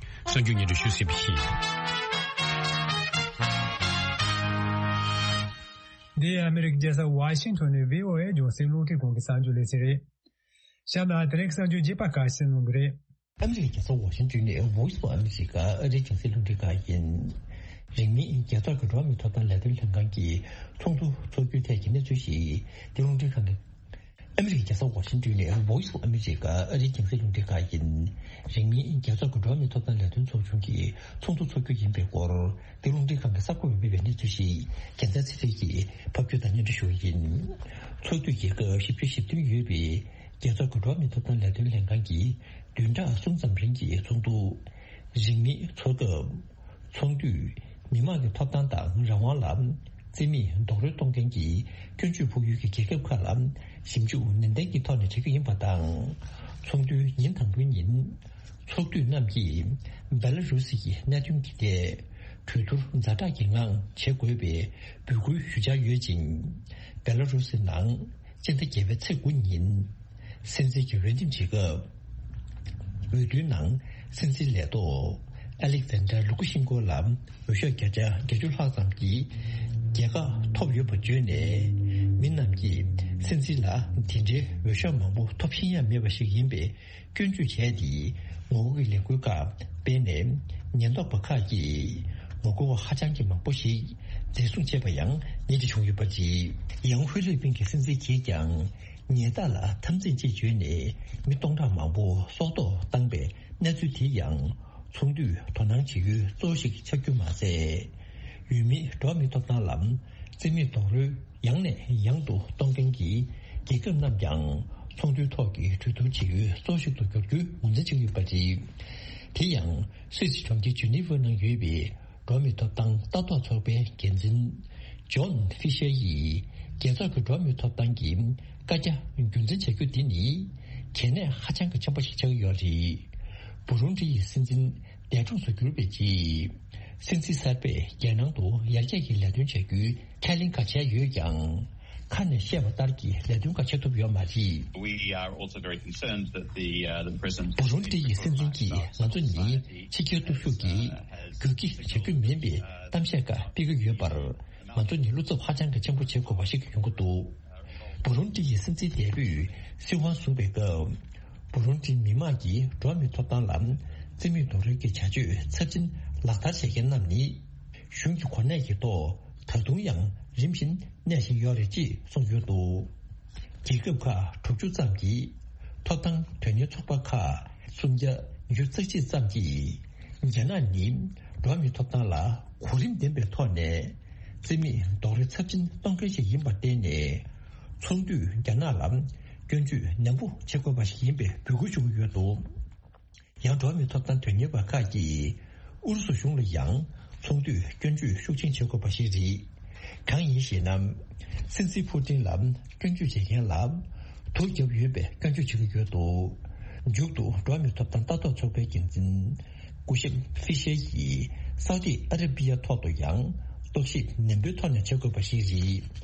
གསར་འགྱུར་སྙན་སྒྲོན་ཞུས་ཟིན་པ་ཡིན། འདི་ཨ་མི་རི་ཀའི་རྒྱལ་ས་ཝ་ཤིང་ཊོན་ནས་བྷི་ཨོ་ཨེ་རྒྱང་སྲིང་རླུང་འཕྲིན་ཁང་གི་གསར་འགྱུར་ལས་ཚན་རེད། གཤམ་ལ་དེ་རིང་གི་གསར་འགྱུར་རྒྱས་པ་ཁག་གསན་གནང་གི་རེད། ཨ་མི་རི་ཀའི་རྒྱལ་ས་ཝ་ཤིང་ཊོན་ནས་Voice of America ཨ་རིའི་རྒྱང་སྲིང་རླུང་འཕྲིན་ཁང་ཡིན། རིང་མིན་རྒྱལ་ཚོགས་ཀྱི་འགྲོ་བ་མིའི་ཐོབ་ཐང་ལས་དོན་ལྷན་ཁང་གི་ཚོགས་འདུ་འཚོགས་རྒྱུའི་ཐད་ཀྱི་གནས་ཚུལ་ཞིག་འདི་རླུང་འཕྲིན་ཁང་གི། ཨ་མི་རི་ཀའི་རྒྱལ་ས་ ཝ་ཤིང་ཏོན་ནས་Voice of America ཨ་རིའི་རྒྱང་སྲིང་རླུང་འཕྲིན་ཁང་ཡིན། རིང་མིན་རྒྱལ་ཚོགས་ཀྱི་འགྲོ་བ་མིའི་ཐོབ་ཐང་ལས་དོན་ཚོགས་ཆུང་གི་ཚོགས་འདུ་འཚོགས་རྒྱུ་ཡིན་པའི་སྐོར། འདི་རླུང་འཕྲིན་ཁང་གི་གསར་འགོད་པས་སྤེལ་བའི་གནས་ཚུལ་ཞིག་རྒྱལ་མཚན་ཚེ་རིང་གིས་ཕབ་སྒྱུར་དང་སྙན་སྒྲོན་ཞུ་བ་ཡིན། ཚོགས་དུས་རྒྱལ་ཁབ་བཞི་བཅུ་ཞེ་བདུན་ཡོད་པའི་རྒྱལ་ཚོགས་ཀྱི་འགྲོ་བ་མིའི་ཐོབ་ཐང་ལས་དོན་ལྷན་ཁང་གི་བདུན་ཕྲག་གསུམ་ཙམ་རིང་གི་ཚོགས་འདུ་རིང་མིན་འཚོགས་སྐབས། ཚོགས་འདུས་མི་མང་གི་ཐོབ་ཐང་དང་རང་དབང་ལ་བརྩི་མེད་རྡོག་རོལ་གཏོང་མཁན་གྱི་སྐྱོན་བརྗོད་ཕོག་ཡུལ་གྱི་རྒྱལ་ཁབ་ཁག་ལ་ཞིབ་འཇུག་ནན་ཏན་གྱི་ཐོག་ནས་བྱེད་རྒྱུ་ཡིན་པ་དང་། ཚོགས་འདུའི་ཉིན་དང་པོའི་ཉིན། ཚོགས་འདུས་རྣམས་ཀྱིས་བེ་ལ་རུ་སི་ཡི་གནད་དོན་གྱི་ཐད་གྲོས་བསྡུར་ཛ་དྲག་གི་ངང་བྱེད་དགོས་པའི་འབོད་སྐུལ་ཞུ་འཆར་ཡོད་ཅིང་། བེ་ལ་རུ་སི་ནང་སྤྱི་ཟླ་བརྒྱད་པའི་ཚེས་དགུ་ཉིན། སྲིད་འཛིན་གྱི་འོས་འདེམས་བྱེད་སྐབས། འོས་བསྡུའི་ནང་སྲིད་འཛིན་ལས་ཐོག་ཨ་ལེག་ཛན་ཌར་ལུ་ཀ་ཤིན་ཀོ་ལ་འོས་ཤོག་བརྒྱ་ཆ་བརྒྱད་ཅུ་ལྷག་ཙམ་གྱི་རྒྱལ་ཁ་ཐོབ་ཡོད་པ་བརྗོད་ནས། མི་རྣམས་ཀྱིས་སྲིད་འཛིན་ལ་འདི་འདྲའི་འོས་ཤོག་མང་པོ་ཐོབ་ཤེས་ཡ་མེད་པ་ཞིག་ཡིན་པའི་སྐྱོན་བརྗོད་བྱས་ཏེ། ངོ་རྒོལ་གྱི་ལས་འགུལ་ཁག་སྤེལ་ནས། ཉེན་རྟོག་པ་ཁག་གིས་ངོ་རྒོལ་བ་ཧ་ཅང་གི་མང་པོ་ཞིག་འཛིན་བཟུང་བྱས་པ་ཡང་ཉིན་གཅིག་བྱུང་ཡོད་པ་རེད། ཡང་ཧྥི་ལི་པིན་གྱི་སྲིད་འཛིན་གྱིས་ཀྱང་ཉེས་རྡུང་ལ་འཐབ་འཛིང་ཅེས་བརྗོད་ནས་མི་སྟོང་ཕྲག་མང་པོ་སྲོག་ཐོག་བཏང་པའི་གནས་ཚུལ་དེ་ཡང་ཚོགས་འདུས་དོ་སྣང་བྱེད་ཡུལ་གཙོ་བོ་ཞིག་ཆགས་རྒྱུ་མ་ཟད། འོས་མིའི་འགྲོ་བ་མིའི་ཐོབ་ཐང་ལ་བརྩི་མེད་རྡོག་རོལ་ཡང་ནས་ཡང་དུ་གཏོང་མཁན་གྱི་རྒྱལ་ཁབ་རྣམས་ཀྱང་ཚོགས་འདུའི་ཐོག་གི་གྲོས་བསྡུར་བྱེད་ཡུལ་གཙོ་བོ་ཞིག་ཏུ་འགྱུར་རྒྱུའི་ངོས་འཛིན་བྱེད་ཀྱི་ཡོད་པ་རེད། དེ་ཡང་སུད་སི་གྲོང་ཁྱེར་ཇི་ནི་ཝར་ནང་ཡོད་པའི་འགྲོ་བ་མིའི་ཐོབ་ཐང་ལྟ་རྟོག་ཚོགས་པའི་འགན་འཛིན་ཇོན་ཧྥི་ཤར་ཡིས། རྒྱལ་ཚོགས་ཀྱི་འགྲོ་བ་མིའི་ཐོབ་ཐང་གི་བཀའ་རྒྱ་རྒྱུན་འཛིན་བྱ་རྒྱུ་འདི་ནི་གལ་གནད་ཧ་ཅང་གི་ཆེན་པོ་ཞིག་ཆགས་ཀྱི་ཡོད་རེད། བུ་རུན་ཌི་ཡི་སྲིད་འཛིན་འདས་གྲོངས་སུ་གྱུར་པའི་རྗེས། སྲིད་འཛིན་གསར་པས་རྒྱལ་ནང་དུ་ཡར་རྒྱས་ཀྱི་ལས་དོན་བྱ་རྒྱུའི་ཁས་ལེན་ཁག་བྱས་ཡོད་ཀྱང་། ཁ་ནས་བཤད་པ་ལྟར་གྱི་ལས་དོན་ཁག་བྱེད་ཐུབ་ཡོད་མ་རེད། We are also very concerned that the, uh, the president བུ་རུན་ཌི་ཡི་སྲིད་འཛིན་གྱིས་ང་ཚོ་ནི་ཕྱི་རྒྱལ་སྟོབས་ཤུགས་ཀྱིས་རྒྱུག་ཁྱི་བྱ་རྒྱུ་མིན་པའི་གཏམ་བཤད་ཁག་སྤེལ་གྱི་ཡོད་པར། ང་ཚོ་ནི་བློ་འཚབ་ཧ་ཅང་གི་ཆེན་པོ་བྱེད་དགོས་པ་ཞིག་ཡོང་གི་འདུག་བུ་རུན་ཌི་ཡི་སྲིད་འཛིན་འདས་པོས་སྲིད་དབང་བཟུང་བའི་སྐབས། བུ་རུན་ཌི་མི་མང་གིས་འགྲོ་བ་མིའི་ཐོབ་ཐང་ལ་བརྩི་མེད་རྡོག་རོལ་གྱི་བྱ་སྤྱོད་ཚབས་ཆེན་ལག་བསྟར་བྱེད་མཁན་རྣམས་ནི། གཞུང་གི་གོ་གནས་ཀྱི་ཐོག་ད་དུང་ཡང་རིམ་བཞིན་གནས་བཞིན་ཡོད་རེད་ཅེས་གསུངས་ཡོད་འདུག་རྒྱལ་ཁབ་ཁག་དྲུག་ཅུ་ཙམ་གྱི་ཐོབ་ཐང་དོན་གཉེར་ཚོགས་པ་ཁག་སུམ་བརྒྱ་ཉི་ཤུ་རྩ་གཅིག་ཙམ་གྱིས། རྒྱ་ནག་ནི་འགྲོ་བ་མིའི་ཐོབ་ཐང་ལ་གོ་རིམ་ལྡན་པའི་ཐོག་ནས་བརྩི་མེད་རྡོག་རོལ་ཚབས་ཆེན་གཏོང་མཁན་ཞིག་ཡིན་པར་བརྟེན་ནས། ཚོགས་འདུས་རྒྱ་ནག་ལ་སྐྱོན་བརྗོད་ནན་པོ་བྱེད་དགོས་པ་ཞིག་ཡིན་པའི་འབོད་སྐུལ་ཞུ་གི་ཡོད་འདུག་ཡང་འགྲོ་བ་མིའི་ཐོབ་ཐང་དོན་གཉེར་བ་ཁག་གིས་ཨུ་རུ་སུ་གཞུང་ལ་ཡང་ཚོགས་འདུས་སྐྱོན་བརྗོད་ཤུགས་ཆེན་བྱེད་དགོས་པ་ཞིག་རེད། གང་ཡིན་ཞེ་ན། སྲིད་འཛིན་ཕུ་ཏིན་ལ་སྐྱོན་བརྗོད་བྱེད་མཁན་ལ་དུག་བརྒྱབ་ཡོད་པའི་སྐྱོན་བརྗོད་བྱེད་ཀྱི་ཡོད་འདུག་མཇུག་ཏུ་འགྲོ་བ་མིའི་ཐོབ་ཐང་ལྟ་རྟོག་ཚོགས་པའི་འགན་འཛིན་སྐུ་ཞབས་ཧྥི་ཤེ་ཡིས་སའུ་ཏི་ཨ་ར་པི་ཡ་ཐོག་ཏུ་ཡང་རྟོག་ཞིབ་ནན་པོའི་ཐོག་ནས་བྱེད་དགོས་པ་ཞིག་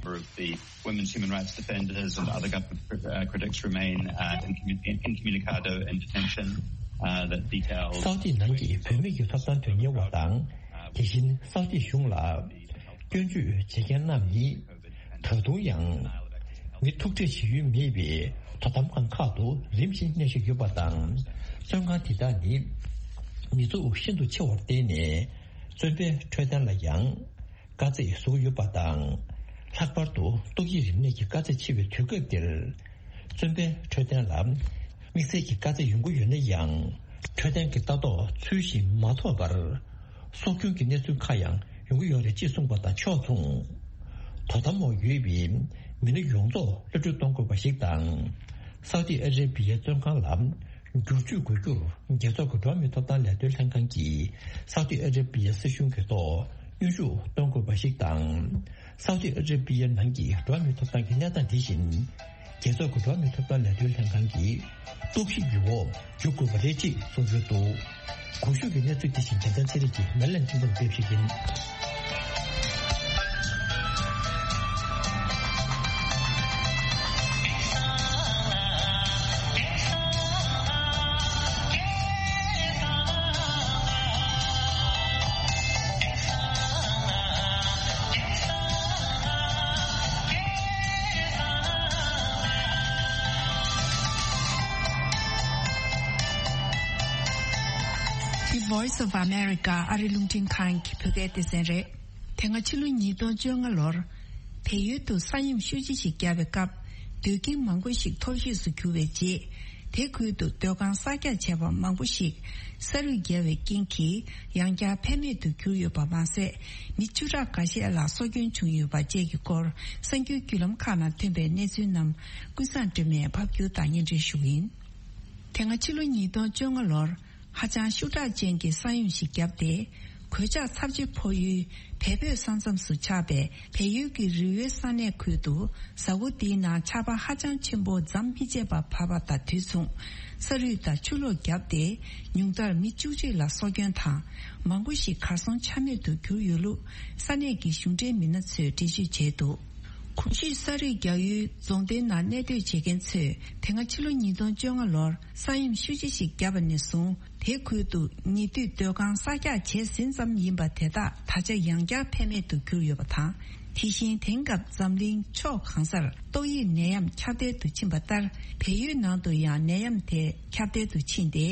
རེད། Women's human rights defenders and other government cri- uh, critics remain uh, incommu- incommunicado in detention uh, that details སའུ་ཏི་ནང་གི་བུད་མེད་ཀྱི་ཐོབ་ཐང་དོན་གཉེར་བ་དང་། དེ་བཞིན་སའུ་ཏི་གཞུང་ལ་སྐྱོན་བརྗོད་བྱེད་མཁན་རྣམས་ནི་ད་དུང་ཡང་མི་ཐུག་འཕྲད་བྱེད་ཡུལ་མེད་པའི་དོ་དམ་ཁང་ཁག་ཏུ་རིམ་བཞིན་གནས་བཞིན་ཡོད་པ་དང་། བཙོན་ཁང་དེ་དག་ནི་མི་ཚོགས་ཤིན་ཏུ་ཆེ་བར་བརྟེན་ནས་བཙོན་པའི་འཕྲོད་བསྟེན་ལ་ཡང་དཀའ་ཚེགས་བཟོ་གི་ཡོད་པ་དང་། ལྷག་པར་དུ་ཏོག་དབྱིབས་རིམས་ནད་ཀྱི་དཀའ་ཚེགས་ཆེ་བའི་དུས་སྐབས་འདིར། བཙོན་པའི་འཕྲོད་བསྟེན་ལ་དམིགས་བསལ་གྱི་དཀའ་ཚེགས་ཡོང་གི་ཡོད་ན་ཡང་། འཕྲོད་བསྟེན་གྱི་ལྟ་རྟོག་ཚུལ་བཞིན་མ་ཐོབ་པར། སྲོག་སྐྱོན་གྱི་གནས་ཚུལ་ཁག་ཡང་ཡོང་གི་ཡོད་རེད་ཅེས་གསུངས་པ་དང་ཕྱོགས་མཚུངས། དོ་དམ་འོག་ཡོད་པའི་མི་སྣ་ཡོངས་རྫོགས་གློད་གྲོལ་གཏོང་དགོས་པ་ཞིག་དང་། སའུ་ཏི་ཨ་ར་པི་ཡའི་བཙོན་ཁང་ལ་བསྒྱུར་བཅོས་དགོས་རྒྱུར། རྒྱལ་ཚོགས་ཀྱི་འགྲོ་བ་མིའི་ཐོབ་ཐང་ལས་དོན་ལྷན་ཁང་གིས་སའུ་ཏི་ཨ་ར་པི་ཡའི་སྲིད་གཞུང་གི་ཐོག་གནོན་ཤུགས་གཏོང་དགོས་པ་ཞིག་དང་། སའུ་ཏི་ཨ་ར་པི་ཡའི་ནང་གི་འགྲོ་བ་མིའི་ཐོབ་ཐང་གི་གནས་སྟངས་འདི་བཞིན། རྒྱལ་ཚོགས་ཀྱི་འགྲོ་བ་མིའི་ཐོབ་ཐང་ལས་དོན་ལྷན་ཁང་གི་རྟོག་ཞིབ་ཀྱི་འོག་འཇུག་དགོས་པ་རེད་ཅེས་གསུངས་ཡོད་འདུག་གོང་ཞུས་ཀྱི་གནས་ཚུལ་དེ་བཞིན་རྒྱལ་མཚན་ཚེ་རིང་གིས་མེ་ལན་ཁྲིན་ཏུའུ་ཕབ་བཤད་ཀྱིན། འདི་Voice of America ཨ་རི་རླུང་འཕྲིན་ཁང་གི་བོད་སྐད་སྡེ་ཚན་རེད། དེ་སྔ་ཕྱི་ལོ་ཉིས་སྟོང་བཅོ་ལྔ་ལོར། བལ་ཡུལ་དུ་ས་ཡོམ་ཤུགས་ཆེ་ཞིག་བརྒྱབ་པའི་སྐབས། སྡོད་ཁྱིམ་མང་པོ་ཞིག་འཐོར་ཞིག་ཏུ་གྱུར་བའི་རྗེས། དེ་ཁུལ་དུ་སྡོད་ཁང་གསར་རྒྱག་བྱས་པ་མང་པོ་ཞིག་ས་རུད་བརྒྱབ་པའི་རྐྱེན་གྱིས་ཡང་བསྐྱར་ཕན་མེད་དུ་གྱུར་ཡོད་པ་མ་ཟད། མི་བཅུ་ཕྲག་འགའ་ཤས་ལ་སྲོག་སྐྱོན་བྱུང་ཡོད་པ་བཅས་ཀྱི་སྐོར་གསར་འགྱུར་བརྒྱུད་ལམ་ཁག་ནང་ཐོན་པའི་གནས་ཚུལ་རྣམས་ཀུན་བཟང་སྒྲོལ་མས་ཕབ་སྒྱུར་དང་སྙན་སྒྲོན་ཞུ་གི་ཡིན། དེ་སྔ་ཕྱི་ལོ་ཉིས་སྟོང་བཅོ་ལྔ་ལོར་ཧ་ཅང་ཤུགས་དྲག་ཅན་གྱི་ས་ཡོམ་ཞིག་བརྒྱབ་སྟེ། གོད་ཆག་ཚབས་ཆེ་ཕོག་ཡུལ་བལ་བོད་ས་མཚམས་སུ་ཆགས་པའི་བལ་ཡུལ་གྱི་རི་བོའི་ས་གནས་ཁུལ་དུ་གཟའ་འཁོར་འདིའི་ནང་ཆར་པ་ཧ་ཅང་ཆེན་པོ་མཚམས་མི་ཆད་པར་བབས་པ་དང་དུས་མཚུངས། ས་རུད་དང་ཆུ་ལོག་བརྒྱབ་སྟེ། ཉུང་མཐར་མི་བཅུ་གཅིག་ལ་སྲོག་སྐྱོན་དང་། མང་པོ་ཞིག་གར་སོང་ཆ་མེད་དུ་གྱུར་ཡོད་ལུགས་ས་གནས་ཀྱི་གཞུང་འབྲེལ་མི་སྣ་ཚོས་འགྲེལ་བརྗོད་བྱས་འདུག་གོང་ཞུས་ས་རུད་རྒྱག་ཡུལ་རྫོང་སྡེའི་ནང་གནས་སྡོད་བྱེད་མཁན་ཚོས་དེ་སྔ་ཕྱི་ལོ་ཉིས་སྟོང་བཅོ་ལྔ་ལོར་ས་ཡོམ་ཤུགས་ཆེ་ཞིག་བརྒྱབ་པ་ནས་བཟུང་དེ་ཁུལ་དུ་ཉེ་དུས་སྡོད་ཁང་གསར་རྒྱག་བྱས་ཟིན་ཙམ་ཡིན་པ་དེ་དག་ད་ཆ་ཡང་བསྐྱར་ཕན་མེད་དུ་གྱུར་ཡོད་པ་དང་། དེ་བཞིན་དེང་སྐབས་འཛམ་གླིང་ཕྱོགས་གང་སར་ཏོག་དབྱིབས་ནད་ཡམས་ཁྱབ་གདལ་དུ་ཕྱིན་པ་ལྟར་བལ་ཡུལ་ནང་དུ་ཡང་ནད་ཡམས་དེ་ཁྱབ་གདལ་དུ་ཕྱིན་ཏེ།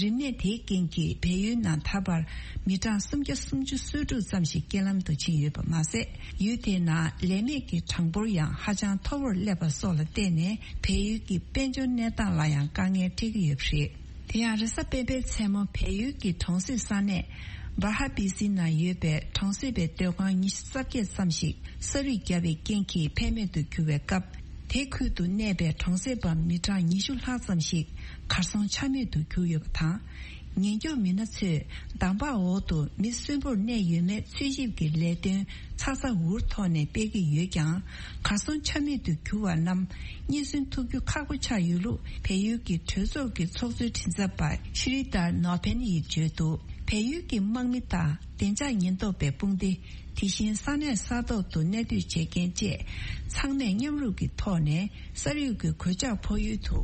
རིམས་ནད་དེའི་རྐྱེན་གྱིས་བལ་ཡུལ་ནང་ད་བར་མི་གྲངས་སུམ་བརྒྱ་སུམ་ཅུ་སོ་དྲུག་ཙམ་ཞིག་རྐྱེན་ལམ་དུ་ཕྱིན་ཡོད་པ་མ་ཟད། ཡུལ་དེའི་ནང་ལས་མེད་ཀྱི་གྲངས་འབོར་ཡང་ཧ་ཅང་མཐོ་བོར་སླེབས་པ་སོགས་ལ་བརྟེན་ནས་བལ་ཡུལ་གྱི་དཔལ་འབྱོར་གནས་སྟངས་ལ་ཡང་དཀའ་ངལ་འཕྲད་ཀྱི་ཡོད་པ་རེད། དེ་ཡང་རེས་གཟའ་སྤེན་པའི་མཚན་མོ་བལ་ཡུལ་གྱི་གྲོང་གསེབ་ས་གནས་བར་ཧ་པི་སི་ནང་ཡོད་པའི་གྲོང་གསེབ་པའི་སྡོད་ཁང་ཉི་ཤུ་རྩ་བརྒྱད་ཙམ་ཞིག་ས་རུད་བརྒྱབ་པའི་རྐྱེན་གྱིས་ཕན་མེད་དུ་གྱུར་བའི་སྐབས། དེ་ཁུལ་དུ་གནས་པའི་གྲོང་གསེབ་པ་མི་གྲངས་ཉི་ཤུ་ལྷག་ཙམ་ཞིག་གར་སོང་ཆ་མེད་དུ་གྱུར་ཡོད་པ་དང་། ཉེན་སྐྱོབ་མི་སྣ་ཚོས་འདམ་བག་འོག་ཏུ་མི་གསོན་པོར་གནས་ཡོད་མེད་འཚོལ་ཞིབ་ཀྱི་ལས་དོན་ཚ་ཚ་འུར་ཐོག་ནས་སྤེལ་གྱི་ཡོད་ཀྱང་། གར་སོང་ཆ་མེད་དུ་གྱུར་བ་རྣམས་རྙེད་སོན་ཐུབ་རྒྱུ་ཁག་པོ་ཆགས་ཡོད་ལུགས་བལ་ཡུལ་གྱི་གྲོས་ཚོགས་ཀྱི་ཚོགས་གཙོའི་མགྲིན་ཚབ་པ་ཤི་རི་ཏར་ནོ་ཕེན་ཡིས་བརྗོད་འདུག་བལ་ཡུལ་གྱི་དམག་མི་དང་བདེ་འཇགས་ཉེན་རྟོག་པའི་དཔུང་སྡེ། དེ་བཞིན་ས་གནས་ས་ཐོག་ཏུ་གནས་སྡོད་བྱེད་མཁན་བཅས་ཚང་མས་མཉམ་རུབ་ཀྱི་ཐོག་ནས་ས་རུད་ཀྱི་གོད་ཆག་ཕོག་ཡུལ་དུ་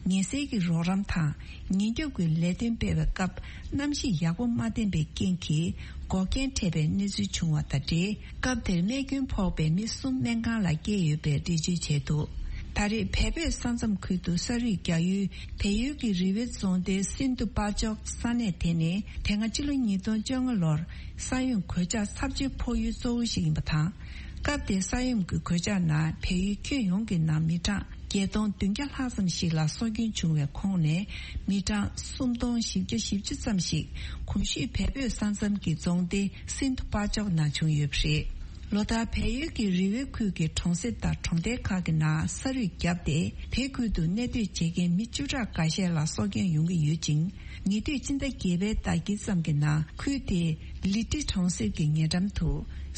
ངལ་སེལ་གྱི་རོགས་རམ་དང་ཉེན་སྐྱོབ་ཀྱི་ལས་དོན་སྤེལ་བའི་སྐབས་གནམ་གཤིས་ཡག་པོ་མ་བསྟན་པའི་རྐྱེན་གྱིས་འགོག་རྐྱེན་འཕྲད་པའི་གནས་ཚུལ་བྱུང་བ་དང་འབྲེལ། སྐབས་དེར་རྨས་སྐྱོན་ཕོག་པའི་མི་གསུམ་སྨན་ཁང་ལ་བསྐྱལ་ཡོད་པའི་འགྲེལ་བརྗོད་བྱས་འདུག་ད་རེས་བལ་བོད་ས་མཚམས་ཁུལ་དུ་ས་རུད་རྒྱག་ཡུལ་བལ་ཡུལ་གྱི་རི་བོའི་རྫོང་སྡེ་སིན་དུ་པ་ཅོག་ས་གནས་དེ་ནི་དེ་སྔ་ཕྱི་ལོ་ཉིས་སྟོང་བཅོ་ལྔ་ལོར་ས་ཡོམ་གོད་ཆག་ཚབས་ཆེ་ཕོག་ཡུལ་གཙོ་བོ་ཞིག་ཡིན་པ་དང་། སྐབས་དེའི་ས་ཡོམ་གྱི་གོད་ཆག་ནང་བལ་ཡུལ་ཁྱོན་ཡོངས་ཀྱི་ནང་མི་གྲངས་བརྒྱད་སྟོང་བདུན་བརྒྱ་ལྷག་ཙམ་ཞིག་ལ་སྲོག་སྐྱོན་བྱུང་བའི་ཁོངས་ནས་མི་གྲངས་སུམ་སྟོང་བཞི་བརྒྱ་བཞི་བཅུ་ཙམ་ཞིག་གོང་ཞུས་བལ་བོད་ས་མཚམས་ཀྱི་རྫོང་སྡེ་སིན་དུ་པ་ཅོག་ནང་བྱུང་ཡོད་པ་རེད། ལོ་ལྟར་བལ་ཡུལ་གྱི་རི་བོའི་ཁུལ་གྱི་གྲོང་གསེབ་དང་གྲོང་རྡལ་ཁག་གི་ནང་ས་རུད་བརྒྱབ་སྟེ། དེ་ཁུལ་དུ་གནས་སྡོད་བྱེད་མཁན་མི་བཅུ་ཕྲག་འགའ་ཤས་ལ་སྲོག་སྐྱོན་ཡོང་གི་ཡོད་ཅིང་། ཉེ་དུས་སྤྱི་ཟླ་བརྒྱད་པའི་ཟླ་དཀྱིལ་ཙམ་གྱི་ནང་ཁུལ་དེའི་ལི་ཏི་གྲོང་གསེབ་ཀྱི་ཉེ་འགྲམ་དུ་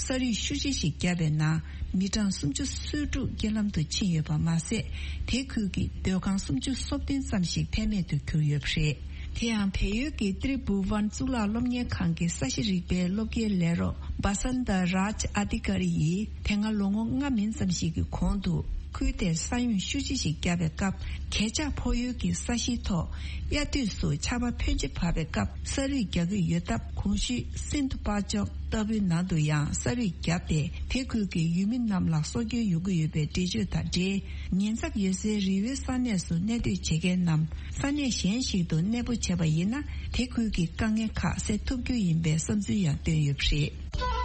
ས་རུད་ཤུགས་ཆེ་ཞིག་བརྒྱབ་པའི་ནང་མི་གྲངས་སུམ་ཅུ་སོ་དྲུག་རྐྱེན་ལམ་དུ་ཕྱིན་ཡོད་པ་མ་ཟད། དེ་ཁུལ་གྱི་སྡོད་ཁང་སུམ་ཅུ་སོ་བདུན་ཙམ་ཞིག་ཕན་མེད་དུ་གྱུར་ཡོད་པ་རེད། དེ་ཡང་བལ་ཡུལ་གྱི་ཏྲི་བྷུ་ཝན་གཙུག་ལག་སློབ་གཉེར་ཁང་གི་ས་གཤིས་རིག་པའི་སློབ་དགེའི་ལས་རོགས་བྷ་སན་ཏ་རཱཇ་ཨ་ཏི་ཀ་རི་ཡིས་དེ་སྔ་ལོ་ངོ་ལྔ་མིན་ཙམ་ཞིག་གི་གོང་དུ་ཁུལ་དེར་ས་ཡོམ་ཤུགས་ཆེ་ཞིག་བརྒྱབ་པའི་སྐབས། གོད་ཆག་ཕོག་ཡུལ་གྱི་ས་གཞིའི་ཐོག་དབྱར་དུས་སུ་ཆར་པ་ཕོན་ཆེ་བབས་པའི་སྐབས་ས་རུད་རྒྱག་གི་ཡོད་སྟབས། གོང་ཞུས་སིན་དུ་པ་ཅོག་ལྟ་བུའི་ནང་དུ་ཡང་ས་རུད་བརྒྱབ་སྟེ། དེ་ཁུལ་གྱི་ཡུལ་མི་རྣམས་ལ་སྲོག་སྐྱོན་ཡོང་གི་ཡོད་པའི་འགྲེལ་བརྗོད་དང་འབྲེལ། ཉེན་ཚབས་ཡོད་སའི་རི་བོའི་ས་གནས་སུ་གནས་སྡོད་བྱེད་མཁན་རྣམས་ས་གནས་གཞན་ཞིག་ཏུ་གནས་སྤོ་བྱས་པ་ཡིན་ན། དེ་ཁུལ་གྱི་དཀའ་ངལ་ཁག་སེལ་ཐུབ་རྒྱུ་ཡིན་པའི་བསམ་ཚུལ་ཡང་བཏོན་ཡོད་པ་རེད།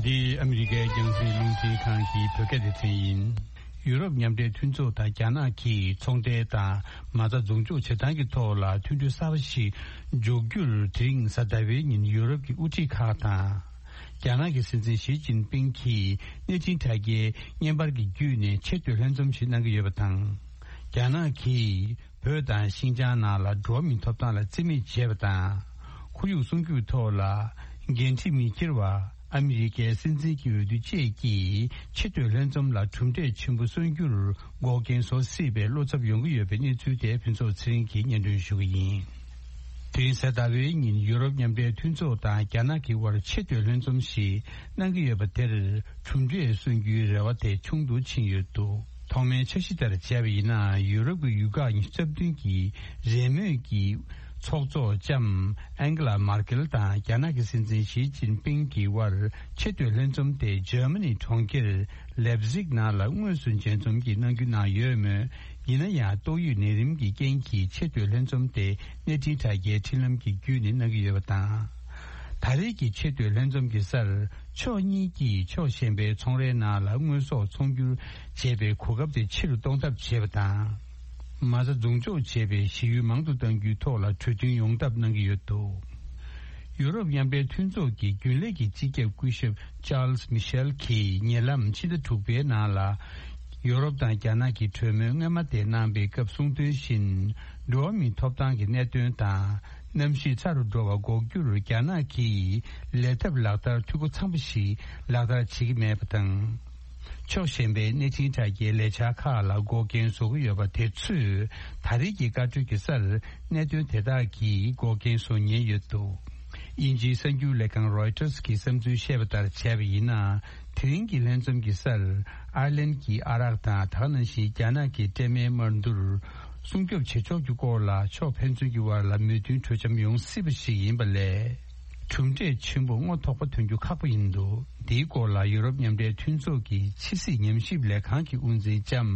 འདི་ཨ་མི་རི་ཀའི་རྒྱང་སྲིང་རླུང་འཕྲིན་ཁང་གི་བོད་སྐད་སྡེ་ཚན་ཡིན། ཡུ་རོབ་མཉམ་འབྲེལ་མཐུན་ཚོགས་དང་རྒྱ་ནག་གིས་ཚོང་འབྲེལ་དང་མ་རྩ་འཛུགས་འཇོག་བྱེད་སྟངས་ཀྱི་ཐོག་ལ་མཐུན་གྲོས་གསར་པ་ཞིག་འཇོག་རྒྱུར། དེ་རིང་གཟའ་ཟླ་བའི་ཉིན་ཡུ་རོབ་ཀྱི་དབུ་ཁྲིད་ཁག་དང་། རྒྱ་ནག་གི་སྲིད་འཛིན་ཞི་ཅིན་ཕིང་གིས་གནས་ཆེན་དྲ་རྒྱའི་བརྙན་པར་གྱི་བརྒྱུད་ནས་ཆེས་མཐོའི་ལྷན་འཛོམས་ཤིག་གནང་གི་ཡོད་པ་དང་། རྒྱ་ནག་གིས་བོད་དང་ཤིན་ཅང་ནང་ལ་འགྲོ་བ་མིའི་ཐོབ་ཐང་ལ་བརྩི་མེད་བྱས་པ་དང་། ཁོར་ཡུག་སྲུང་སྐྱོབ་ཐོག་ལ་འགན་འཁྲི་མི་འཁྱེར་བ། ཨ་མི་རི་ཀའི་སྲིད་འཛིན་གྱི་འོས་བསྡུ་བཅས་ཀྱིས་ཆེས་མཐོའི་ལྷན་འཛོམས་ལ་གྲུབ་འབྲས་ཆེན་པོ་སོན་རྒྱུར་འགོག་རྐྱེན་བཟོ་སྲིད་པའི་བློ་འཚབ་ཡོང་གི་ཡོད་པའི་གནས་ཚུལ་དེ་ཕུན་ཚོགས་ཚེ་རིང་གིས་སྙན་སྒྲོན་ཞུ་གི་ཡིན། དེ་རིང་གཟའ་ཟླ་བའི་ཉིན་ཡུ་རོབ་མཉམ་འབྲེལ་མཐུན་ཚོགས་དང་རྒྱ་ནག་གི་དབར་ཆེས་མཐོའི་ལྷན་འཛོམས་ཤིག་གནང་གི་ཡོད་པ་དེར་གྲུབ་འབྲས་སོན་རྒྱུའི་རེ་བ་དེ་ཆུང་དུ་ཕྱིན་ཡོད་འདུག་ཐོག་མའི་འཆར་གཞི་ལྟར་བྱས་པ་ཡིན་ན། ཡུ་རོབ་ཀྱི་ཡུལ་ཁག་ཉི་ཤུ་རྩ་བདུན་གྱི་རེས་མོས་ཀྱི་ ཚོགས་གཙོ་ལྕམ་ཨན་གྷི་ལ་མར་ཀེལ་དང་རྒྱ་ནག་གི་སྲིད་འཛིན་ཞི་ཅིན་ཕིང་གི་དབར་ཆེས་མཐོའི་ལྷན་འཛོམས་དེ་འཇར་མ་ནི་གྲོང་ཁྱེར་ལེབ་ཟིག་ནང་ལ་དངོས་སུ་མཇལ་འཛོམས་ཀྱིས་གནང་རྒྱུ་གནང་ཡོད་མོད། ཡིན་ན་ཡང་ཏོག་དབྱིབས་ནད་རིམས་ཀྱི་རྐྱེན་གྱིས་ཆེས་མཐོའི་ལྷན་འཛོམས་དེ་གནས་འཕྲིན་དྲ་རྒྱའི་འཕྲིན་ལམ་གྱི་བརྒྱུད་ནས་གནང་གི་ཡོད་པ་དང་། ད་རེས་ཀྱི་ཆེས་མཐོའི་ལྷན་འཛོམས་ཀྱི་སར་ཕྱོགས་གཉིས་ཀྱིས་ཕྱོགས་གཞན་པའི་ཚོང་རའི་ནང་ལ་དངོས་ཟོག་ཚོང་སྒྱུར་བྱེད་པའི་གོ་སྐབས་དེ་ཆེ་རུ་གཏོང་ཐབས་བྱས་པ་དང་། མ་རྩ་རྫོང་འཇོག་བྱས་པའི་གཞི་ཡུལ་མང་དུ་གཏང་རྒྱུའི་ཐོག་ལ་གྲོས་མཐུན་ཡོང་ཐབས་གནང་གི་ཡོད་འདུག་ཡུ་རོབ་མཉམ་འབྲེལ་མཐུན་ཚོགས་ཀྱི་རྒྱུན་ལས་ཀྱི་སྤྱི་ཁྱབ་སྐུ་ཞབས་ཅཱལ་སི་མི་ཤེལ་གྱིས་ཉེ་ལམ་ཕྱི་ཟླ་དྲུག་པའི་ནང་ལ། ཡུ་རོབ་དང་རྒྱ་ནག་གི་གྲོས་མོལ་སྔོན་མ་དེ་གནང་པའི་སྐབས་གསུངས་དོན་བཞིན། འགྲོ་བ་མིའི་ཐོབ་ཐང་གི་གནད་དོན་དང་། གནམ་གཤིས་ཚ་རུ་འགྲོ་བ་འགོག་རྒྱུར་རྒྱ་ནག་གིས་ལས་ཐབས་ལག་བསྟར་འཐུས་སྒོ་ཚང་པ་ཞིག་ལག་བསྟར་བྱེད་ཀྱི་མེད་པ་དང་། ཕྱོགས་གཞན་པའི་གནས་འཕྲིན་དྲ་རྒྱའི་ལས་འཆར་ཁག་ལ་འགོག་རྐྱེན་བཟོ་གི་ཡོད་པ་དེ་ཚོས་ད་རེས་ཀྱི་བཀའ་གྲོས་ཀྱི་སར་གནད་དོན་དེ་དག་གིས་འགོག་རྐྱེན་བཟོ་ཉེན་ཡོད་འདུག་དབྱིན་ཇིའི་གསར་འགྱུར་ལས་ཁང་རོའི་ཊར་གྱི་བསམ་ཚུལ་བཤད་པ་ལྟར་བྱས་པ་ཡིན་ན། དེ་རིང་གི་ལྷན་འཛོམས་ཀྱི་སར་ཨར་ལན་གྱི་ཨ་རག་དང་དེ་ག་ནང་བཞིན་རྒྱ་ནག་གི་སྤྲད་མའི་དམར་འདུལ་སྲུང་སྐྱོབ་བྱེད་ཕྱོགས་ཀྱི་སྐོར་ལ་ཕྱོགས་ཕན་ཚུན་གྱི་དབར་ལ་མོས་མཐུན་གྲོས་འཆམ་ཡོང་སྲིད་པ་ཞིག་ཡིན་པ་ལས། གྲུབ་འབྲས་ཆེན་པོ་རྔོ་ཐོགས་པ་ཐོན་རྒྱུ་ཁག་པོ་ཡིན་འདུག་འདིའི་སྐོར་ལ་ཡུ་རོབ་མཉམ་འབྲེལ་མཐུན་ཚོགས་ཀྱི་ཕྱི་སྲིད་ཉམས་ཞིབ་ལས་ཁང་གི་དབུ་འཛིན་ལྕམ་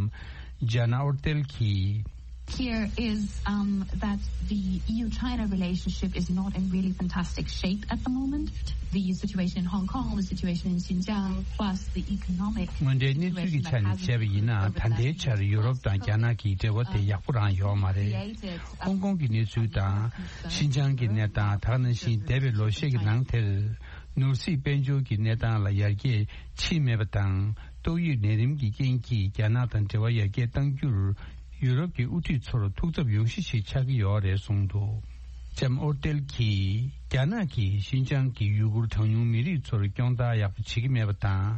ཇཱ་ན་ཨོར་ཏེལ་གྱིས། Here is, um, that the E U China relationship is not in really fantastic shape at the moment. The situation in Hong Kong, the situation in Xinjiang, plus the economic དངོས་འབྲེལ་གནས་ཚུལ་གྱི་ཆ་ནས་བྱས་པ་ཡིན་ན། ད་ལྟའི་ཆར་ཡུ་རོབ་དང་རྒྱ་ནག་གི་འབྲེལ་བ་དེ་ཡག་པོ་རང་ཡོད་མ་རེད། ཧོང་ཀོང་གི་གནས་ཚུལ་དང་། ཤིན་ཅང་གི་གནས་སྟངས། ད་ག་ནང་བཞིན་འདས་པའི་ལོ་ཤས་ཀྱི་ནང་དེར་ནོར་སྲིད་དཔལ་འབྱོར་གྱི་གནས་སྟངས་ལ་ཡར་རྒྱས་ཕྱིན་མེད་པ་དང་། ཏོག་དབྱིབས་ནད་རིམས་ཀྱི་རྐྱེན་གྱིས་རྒྱ་ནག་དང་འབྲེལ་བ་ཡར་རྒྱས་གཏང་རྒྱུར་ཡུ་རོབ་ཀྱི་དབུ་ཁྲིད་ཚོར་ཐུགས་འཚབ་ཡོང་གཞི་ཞིག་ཆགས་ཀྱི་ཡོད་རེད་གསུངས་འདུག་ལྕམ་ཨོར་ཏེལ་གྱིས། རྒྱ་ནག་གིས་ཤིན་ཅང་གི་ཡུ་གུར་གྲངས་ཉུང་མི་རིགས་ཚོར་སྐྱོང་བརྡར་ཡག་པོ་བྱེད་ཀྱི་མེད་པ་དང་།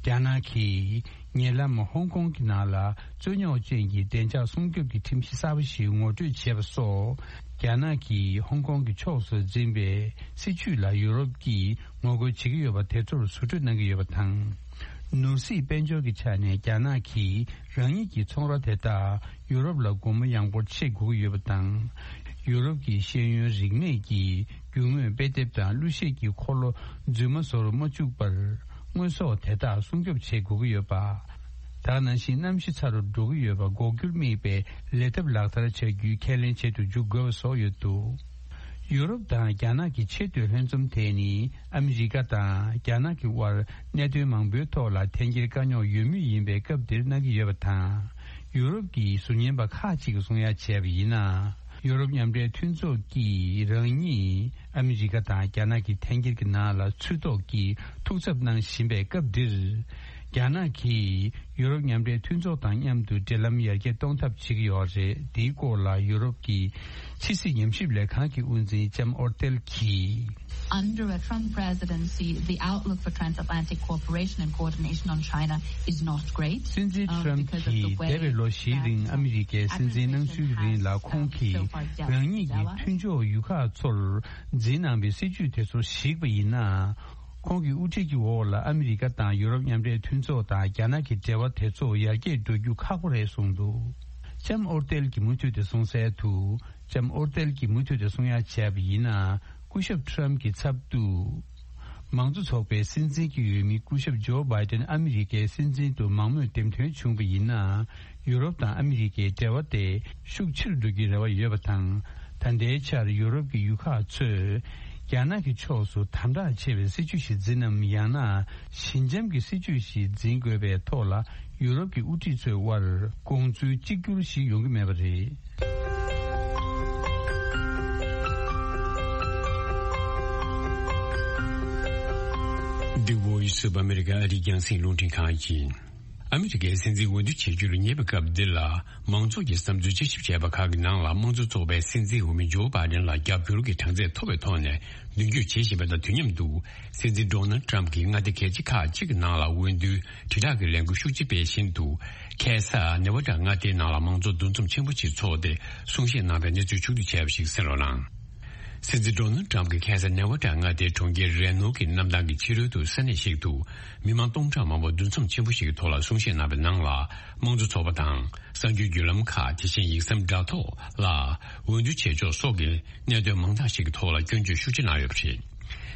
རྒྱ་ནག་གིས་ཉེ་ལམ་ཧོང་ཀོང་གི་ནང་ལ་རྩོད་རྙོག་ཅན་གྱི་བདེ་འཇགས་སྲུང་སྐྱོབ་ཀྱི་ཁྲིམས་གཞི་གསར་པ་ཞིག་ངོ་སྤྲོད་བྱས་པ་སོགས། རྒྱ་ནག་གིས་ཧོང་ཀོང་གི་ཕྱོགས་སུ་འཛིན་པའི་སྲིད་བྱུས་ལ་ཡུ་རོབ་ཀྱིས་ངོ་རྒོལ་བྱེད་ཀྱི་ཡོད་པ་དེ་ཚོར་ཟུར་གྲོས་གནང་གི་ཡོད་པ་དང་། ནོར་སྲིད་དཔལ་འབྱོར་གྱི་ཆ་ནས་རྒྱ་ནག་གིས་རང་ཉིད་ཀྱི་ཚོང་ར་དེ་དག་ཡུ་རོབ་ལ་སྒོ་མོ་ཡངས་པོར་ཕྱེ་དགོས་ཀྱི་ཡོད་པ་དང་། ཡུ་རོབ་ཀྱི་ཤེས་ཡོན་རིག་གནས་ཀྱི་རྒྱུ་དངོས་དཔེ་དེབ་དང་གླུ་གཞས་ཀྱི་འཁོར་ལོ་རྫུན་མ་བཟོ་རུ་མ་བཅུག་པར། དངོས་ཟོག་དེ་དག་སྲུང་སྐྱོབ་བྱེད་དགོས་ཀྱི་ཡོད་པ། ད་ག་ནང་བཞིན་གནམ་གཤིས་ཚ་རུ་འགྲོ་གི་ཡོད་པ་འགོག་རྒྱུར་དམིགས་པའི་ལས་ཐབས་ལག་བསྟར་བྱ་རྒྱུའི་ཁས་ལེན་བྱེད་དུ་འཇུག་དགོས་པ་སོགས་ཡོད་འདུག་ཡུ་རོབ་དང་རྒྱ་ནག་གི་ཆེས་མཐོའི་ལྷན་འཛོམས་དེ་ནི་ཨ་མི་རི་ཀ་དང་རྒྱ་ནག་གི་དབར་གནད་དོན་མང་པོའི་ཐོག་ལ་འཐེན་འཁྱེར་དཀའ་རྙོག་ཡོད་མུས་ཡིན་པའི་སྐབས་འདིར་གནང་གི་ཡོད་པ་དང་། ཡུ་རོབ་ཀྱི་ཟུར་ཉན་པ་ཁག་ཅིག་གིས་གསུང་ཡ་བྱས་པ་ཡིན་ན། ཡུ་རོབ་མཉམ་འབྲེལ་མཐུན་ཚོགས་ཀྱིས་རང་ཉིད་ཨ་མི་རི་ཀ་དང་རྒྱ་ནག་གི་འཐེན་འཁྱེར་གྱི་ནང་ལ་ཚུད་ཐོག་གི་ཐུགས་འཚབ་གནང་བཞིན་པའི་སྐབས་འདིར། རྒྱ་ནག་གིས་ཡུ་རོབ་མཉམ་འབྲེལ་མཐུན་ཚོགས་དང་མཉམ་དུ་འབྲེལ་ལམ་ཡར་རྒྱས་གཏོང་ཐབས་བྱེད་ཀྱི་ཡོད་རེད། འདིའི་སྐོར་ལ་ཡུ་རོབ་ཀྱི་ཕྱི་སྲིད་ཉམས་ཞིབ་ལས་ཁང་གི་དབུ་འཛིན་ལྕམ་ཨོར་ཏེལ་གྱིས། Under a Trump presidency, the outlook for transatlantic cooperation and coordination on China is not great. སྲིད་འཛིན་ཊམ་གྱིས་འདས་པའི་ལོ་བཞིའི་རིང་ཨ་མི་རི་ཀའི་སྲིད་འཛིན་གནང་ཚུལ་རིང་ལ་ཁོང་གིས་རང་ཉིད་ཀྱི་མཐུན་ཕྱོགས་ཡུལ་ཁག་ཚོར་འཛིན་གནང་བའི་སྲིད་ཇུས་དེ་ཚོ་གཞིགས་པ་ཡིན་ན། ཁོང་གི་དབུ་ཁྲིད་ཀྱི་འོག་ལ་ཨ་མི་རི་ཀ་དང་ཡུ་རོབ་མཉམ་འབྲེལ་མཐུན་ཚོགས་དང་རྒྱ་ནག་གི་འབྲེལ་བ་དེ་ཚོ་ཡར་རྒྱས་འགྲོ་རྒྱུ་ཁག་པོ་རེད་གསུངས་འདུག་ལྕམ་ཨོར་ཏེལ་གྱིས་མུ་མཐུད་དེ་གསུངས་གསལ་དུ། ལྕམ་ཨོར་ཏེལ་གྱིས་མུ་མཐུད་དེ་གསུང་ཡ་བྱས་པ་ཡིན་ན། སྐུ་ཞབས་ཊམ་གྱི་ཚབ་ཏུ། མང་གཙོ་ཚོགས་པའི་སྲིད་འཛིན་གྱི་འོས་མི་སྐུ་ཞབས་ཇོ་བྷའི་ཏན་ཨ་མི་རི་ཀའི་སྲིད་འཛིན་དུ་མང་མོས་འདེམས་ཐོན་བྱུང་བ་ཡིན་ན། ཡུ་རོབ་དང་ཨ་མི་རི་ཀའི་འབྲེལ་བ་དེ་ཤུགས་ཆེ་རུ་འགྲོ་རྒྱུའི་རེ་བ་ཡོད་པ་དང་། ད་ལྟའི་ཆར་ཡུ་རོབ་ཀྱི་ཡུལ་ཁག་ཚོས་རྒྱ་ནག་གི་ཕྱོགས་སུ་དམ་དྲག་ཆེ་བའི་སྲིད་ཇུས་ཤིག་འཛིན་ནམ། ཡང་ན་ཞི་འཇམ་གྱི་སྲིད་ཇུས་ཤིག་འཛིན་དགོས་པའི་ཐོག་ལ་ཡུ་རོབ་ཀྱི་དབུ་ཁྲིད་ཚོའི་དབར་དགོངས་ཚུལ་གཅིག་གྱུར་ཞིག་ཡོང་གི་མེད་པ་རེད། The Voice of America ཨ་རིའི་རྒྱང་སྲིང་རླུང་འཕྲིན་ཁང་ཡིན། ཨ་མི་རི་ཀའི་སྲིད་འཛིན་འོས་བསྡུ་བྱེད་རྒྱུར་ཉེ་བའི་སྐབས་འདི་ལ། མང་ཚོགས་ཀྱི་བསམ་ཚུལ་དཔྱད་ཞིབ་བྱས་པ་ཁག་གི་ནང་ལ། དམངས་གཙོ་ཚོགས་པའི་སྲིད་འཛིན་འོས་མི་ཇོ་བྷའི་ཌེན་ལ་རྒྱབ་སྐྱོར་གྱི་གྲངས་ཚད་མཐོ་བའི་ཐོག་ནས་མདུན་སྐྱོད་བྱེད་བཞིན་པ་དང་དུས་མཉམ་དུ། སྲིད་འཛིན་ཌོ་ནལ་ཌི་ཊམ་གྱིས་མངའ་སྡེ་གལ་ཆེ་ཁག་ཅིག་གི་ནང་ལ་འོས་བསྡུའི་དྲིལ་བསྒྲགས་ཀྱི་ལས་འགུལ་ཤུགས་ཆེ་སྤེལ་བཞིན་དུ། ཁ་སང་ནེ་བྷ་ཌ་མངའ་སྡེའི་ནང་ལ་མང་གཙོ་འདུ་འཛོམས་ཆེན་པོ་ཞིག་འཚོགས་ཏེ། གསུང་བཤད་གནང་པའི་གནས་ཚུལ་ཕྱོགས་བསྡུས་བྱས་པ་ཞིག་གསན་རོགས་གནང་། སྲིད་འཛིན་ཌོ་ནལ་ཊམ་གྱིས་ཁ་སང་ནེ་ཝ་ཌ་མངའ་སྡེའི་གྲོང་ཁྱེར་རེ་ནོ་གི་གནམ་ཐང་གི་ཕྱི་རོལ་དུ་ས་གནས་ཤིག་ཏུ་མི་མང་སྟོང་ཕྲག་མང་པོ་འདུ་འཛོམས་ཆེན་པོ་ཞིག་གི་ཐོག་ལ་གསུང་བཤད་གནང་བའི་ནང་ལ། དམངས་གཙོ་ཚོགས་པ་དང་གསར་འགྱུར་བརྒྱུད་ལམ་ཁག་དེ་བཞིན་ཡིག་ཟམ་དྲ་ཐོག་ལ་འོས་བསྡུ་བྱེད་ཕྱོགས་སོགས་ཀྱི་གནད་དོན་མང་དག་ཞིག་གི་ཐོག་ལ་སྐྱོན་བརྗོད་ཤུགས་ཆེ་གནང་ཡོད་པ་རེད།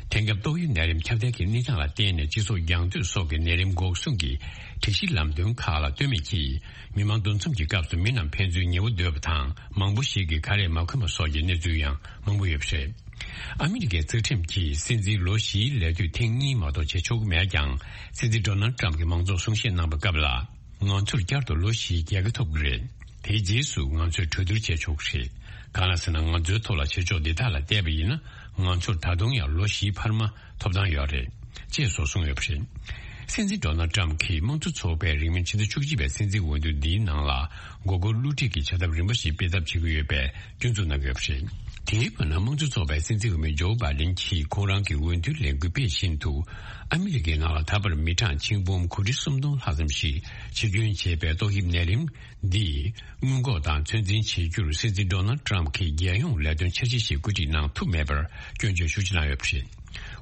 དེང་སྐབས་ཏོག་དབྱིབས་ནད་རིམས་ཁྱབ་གདལ་གྱི་གནས་སྟངས་ལ་བརྟེན་ནས་སྤྱི་ཚོགས་རྒྱང་སྡོད་སོགས་ཀྱི་ནད་རིམས་འགོག་སྲུང་གི་སྒྲིག་གཞི་ལམ་སྟོན་ཁག་ལ་ལྟོས་མེད་ཀྱིས། མི་མང་འདུ་འཛོམས་ཀྱི་སྐབས་སུ་མི་རྣམས་ཕན་ཚུན་ཉེ་བོ་སྡོད་པ་དང་། མང་པོ་ཞིག་གིས་ཁ་རས་མ་གོན་པ་སོགས་ཀྱི་གནས་ཚུལ་ཡང་མང་པོ་ཡོད་པ་རེད། ཨ་མི་རི་ཀའི་རྩ་ཁྲིམས་ཀྱིས་སྲིད་འཛིན་ལོ་བཞིའི་ལས་དུས་ཐེངས་གཉིས་མ་གཏོགས་བྱེད་ཆོག་གི་མེད་ཀྱང་། སྲིད་འཛིན་ཌོ་ནལ་ཊམ་གྱིས་མང་ཚོགས་གསུང་བཤད་གནང་པའི་སྐབས་ལ། ང་ཚོར་བསྐྱར་དུ་ལོ་བཞིའི་རྒྱལ་ཁ་ཐོབ་ཀྱི་རེད། དེའི་རྗེས་སུ་ང་ཚོས་གྲོས་བསྡུར་བྱེད་ཆོག་གི་རེད། གང་ལ་ཟེར་ན། ང་ཚོའི་ཐོག་ལ་བྱེད་ཕྱོགས་འདི་དག་ལ་བལྟས་པ་ཡིན་ན། ང་ཚོར་ད་དུང་ཡང་ལོ་བཞིའི་འཕར་མ་ཐོབ་ཐང་ཡོད་རེད། ཅེས་སོགས་གསུངས་ཡོད་པ་རེད། སྲིད་འཛིན་ཌོ་ནལ་ཊམ་གྱིས་དམངས་གཙོ་ཚོགས་པས་རིང་མིན་ཕྱི་ཟླ་བཅུ་གཅིག་པའི་སྲིད་འཛིན་འོས་བསྡུ་འདིའི་ནང་ལ་མགོ་སྐོར་བསླུ་བྲིད་ཀྱི་བྱ་ཐབས་རིམ་པ་ཞིག་སྤེལ་ཐབས་བྱེད་ཀྱི་ཡོད་པའི་སྐྱོན་འཛུགས་གནང་གི་ཡོད་པ་རེད། དེའི་བར་ན། དམངས་གཙོ་ཚོགས་པའི་སྲིད་འཛིན་འོས་མི་ཇོ་བྷའི་ཌེན་གྱིས་ཁོང་རང་གི་འོས་བསྡུའི་ལས་འགུལ་སྤེལ་བཞིན་དུ། ཨ་མི་རི་ཀའི་ནང་ལ་ད་བར་མི་གྲངས་ཆིག་འབུམ་གོ་ཁྲི་སུམ་སྟོང་ལྷག་ཙམ་ཞིག་འཆི་སྐྱོན་བྱས་པའི་ཏོག་དབྱིབས་ནད་རིམས་འདིས་སྔོན་འགོག་དང་ཚོད་འཛིན་བྱེད་རྒྱུར་སྲིད་འཛིན་ཌོ་ནལ་ཊམ་གྱིས་རྒྱལ་ཡོངས་ལས་དོན་འཆར་གཞི་ཞིག་བཀོད་སྒྲིག་གནང་ཐུབ་མེད་པར་སྐྱོན་བརྗོད་ཤུགས་ཆེ་གནང་ཡོད་པ་རེད།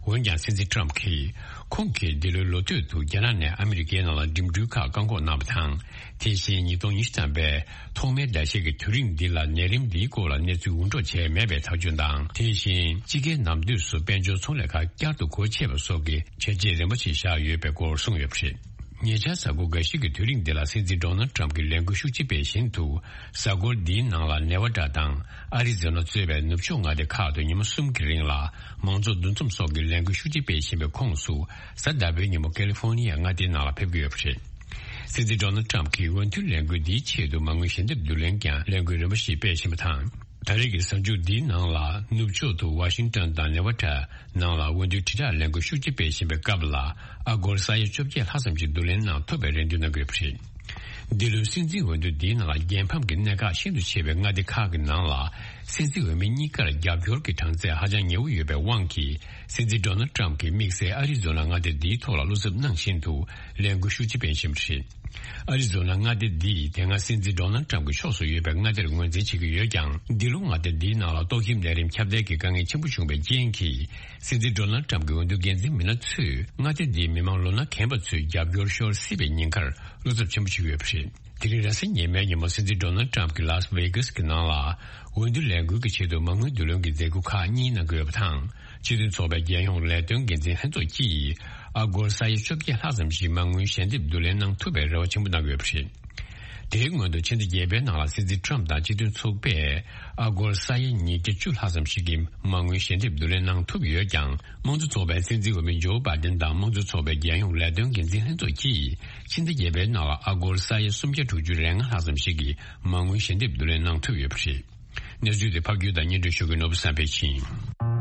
འོན་ཀྱང་། སྲིད་འཛིན་ཊམ་གྱིས་ཁོང་གིས་འདི་ལོའི་ལོ་སྟོད་དུ་རྒྱ་ནག་ནས་ཨ་མི་རི་ཀའི་ནང་ལ་འགྲིམ་འགྲུལ་ཁག་བཀག་འགོག་གནང་བ་དང་། དེ་བཞིན་ཉིས་སྟོང་ཉི་ཤུ་ཐམ་པའི་ཐོག་མའི་ཟླ་ཤས་ཀྱི་དུས་རིང་འདི་ལ་ནད་རིམས་འདིའི་སྐོར་ལ་གནས་ཚུལ་འུར་སྒྲོག་བྱས་མེད་པའི་ཐག་གཅོད་དང་། དེ་བཞིན་དཔྱིད་ཀའི་ནམ་དུས་སུ་དཔལ་འབྱོར་ཚོང་ལས་ཁག་བསྐྱར་དུ་སྒོ་ཕྱེ་བ་སོགས་ཀྱི་བྱས་རྗེས་རིམ་པ་ཞིག་བཞག་ཡོད་པའི་སྐོར་གསུངས་ཡོད་པ་རེད། ཉེ་ཆར་གཟའ་འཁོར་འགའ་ཞིག་གི་དུས་རིང་འདི་ལ་སྲིད་འཛིན་ཌོ་ནལ་ཊམ་གྱིས་ལས་འགུལ་ཤུགས་ཆེ་སྤེལ་བཞིན་དུ། གཟའ་འཁོར་འདིའི་ནང་ལ་ནེ་ཝ་ཌ་དང་ཨ་རི་ཛོ་ན་གཙོས་པའི་ནུབ་ཕྱོགས་མངའ་སྡེ་ཁག་ཏུ་ཉིན་མོ་གསུམ་གྱི་རིང་ལ་མང་ཚོགས་འདུ་འཛོམས་སོགས་ཀྱི་ལས་འགུལ་ཤུགས་ཆེ་སྤེལ་བཞིན་པའི་ཁོངས་སུ། གཟའ་ཟླ་བའི་ཉིན་མོ་ཀ་ལི་ཧྥོ་ནི་ཡ་མངའ་སྡེའི་ནང་ལ་ཕེབས་ཀྱི་ཡོད་པ་རེད། སྲིད་འཛིན་ཌོ་ནལ་ཊམ་གྱིས་འོས་བསྡུའི་ལས་འགུལ་འདིའི་ཆེད་དུ་མ་དངུལ་ཞལ་འདེབས་བསྡུ་ལེན་ཀྱང་ལས་འགུལ་རིམ་པ་ཞིག་སྤེལ་བཞིན་པ་དང་། ད་རེས་ཀྱི་གཟའ་མཇུག་འདིའི་ནང་ལ་ནུབ་ཕྱོགས་དུ་ཝ་ཤིང་ཏོན་དང་ནེ་ཝ་ཌ་ནང་ལ་འོས་བསྡུའི་དྲིལ་བསྒྲགས་ལས་འགུལ་ཤུགས་ཆེ་སྤེལ་བཞིན་པའི་སྐབས་ལ། ཨ་སྒོར་ས་ཡ་བཅོ་བརྒྱད་ལྷག་ཙམ་ཞིག་བསྡུ་ལེན་གནང་ཐུབ་པའི་རེ་འདུན་གནང་གི་ཡོད་པ་རེད། འདི་ལོའི་སྲིད་འཛིན་འོས་བསྡུ་འདིའི་ནང་ལ་རྒྱལ་ཕམ་གྱི་གནད་འགག་ཤིན་ཏུ་ཆེ་བའི་མངའ་སྡེ་ཁག་གི་ནང་ལ། སྲིད་འཛིན་འོས་མི་གཉིས་ཀར་རྒྱབ་སྐྱོར་གྱི་གྲངས་ཚད་ཧ་ཅང་ཉེ་བོ་ཡོད་པའི་དབང་གིས། སྲིད་འཛིན་ཌོ་ནལ་ཊམ་གྱིས་དམིགས་བསལ་ཨ་རི་ཛོ་ན་མངའ་སྡེ་འདིའི་ཐོག་ལ་བློ་འཚབ་གནང་བཞིན་དུ་ལས་འགུལ་ཤུགས་ཆེ་སྤེལ་བཞིན་པ་རེད། ཨ་རི་ཛོ་ན་མངའ་སྡེ་འདིས་དེ་སྔ་སྲིད་འཛིན་ཌོ་ནལ་ཊམ་གྱི་ཕྱོགས་སུ་ཡོད་པའི་མངའ་སྡེར་ངོས་འཛིན་བྱེད་ཀྱི་ཡོད་ཀྱང་། འདི་ལོ་མངའ་སྡེ་འདིའི་ནང་ལ་ཏོག་དབྱིབས་ནད་རིམས་ཁྱབ་གདལ་གྱི་དཀའ་ངལ་ཆེན་པོ་བྱུང་བའི་རྐྱེན་གྱིས། སྲིད་འཛིན་ཌོ་ནལ་ཊམ་གྱི་འོས་བསྡུ་འགན་འཛིན་མི་སྣ་ཚོས་མངའ་སྡེ་འདིའི་མི་མང་ལོ་ན་རྒན་པ་ཚོའི་རྒྱབ་སྐྱོར་ཤོར་སྲིད་པའི་ཉེན་ཁར་བློ་འཚབ་ཆེན་པོ་བྱེད་ཀྱི་ཡོད་པ་རེད། དེ་རིང་རེས་གཟའ་ཉི་མའི་ཉིན་མོ་སྲིད་འཛིན་ཌོ་ནལ་ཊམ་གྱིས་ལཱ་སི་ཝེ་གྷ་སི་གི་ནང་ལ་འོས་བསྡུ་ལས་འགུལ་གྱི་ཆེད་དུ་མ་དངུལ་བསྡུ་ལེན་གྱི་མཛད་སྒོ་ཁག་གཉིས་གནང་གི་ཡོད་པ་དང་། སྤྱི་མཐུན་ཚོགས་པའི་རྒྱལ་ཡོངས་ལས་དོན་འགན་འཛིན་ལྷན་ཚོགས་ཀྱིས་ཨ་སྒོར་ས་ཡ་བཅོ་བརྒྱད་ལྷག་ཙམ་ཞིག་མ་དངུལ་ཞལ་འདེབས་བསྡུ་ལེན་གནང་ཐུབ་པའི་རེ་བ་ཆེན་པོ་གནང་གི་ཡོད་པ་རེད། དེའི་སྔོན་དུ་ཕྱི་ཟླ་བརྒྱད་པའི་ནང་ལ་སྲིད་འཛིན་ཊམ་དང་སྤྱི་མཐུན་ཚོགས་པས་ཨ་སྒོར་ས་ཡ་ཉིས་བརྒྱ་བཅུ་ལྷག་ཙམ་ཞིག་གི་མ་དངུལ་ཞལ་འདེབས་བསྡུ་ལེན་གནང་ཐུབ་ཡོད་ཀྱང་། དམངས་གཙོ་ཚོགས་པའི་སྲིད་འཛིན་འོས་མི་ཇོ་བྷའི་ཌེན་དང་དམངས་གཙོ་ཚོགས་པའི་རྒྱལ་ཡོངས་ལས་དོན་འགན་འཛིན་ལྷན་ཚོགས་ཀྱིས་ཕྱི་ཟླ་བརྒྱད་པའི་ནང་ལ་ཨ་སྒོར་ས་ཡ་སུམ་བརྒྱ་དྲུག་ཅུ་རེ་ལྔ་ལྷག་ཙམ་ཞིག་གི་མ་དངུལ་ཞལ་འདེབས་བསྡུ་ལེན་གནང་ཐུབ་ཡོད་པ་རེད། གནས་ཚུལ་དེ་ཕབ་སྒྱུར་དང་སྙན་སྒྲོན་ཞུ་མཁན་ནོར་བུ་བསམ་འཕེལ་ཡིན།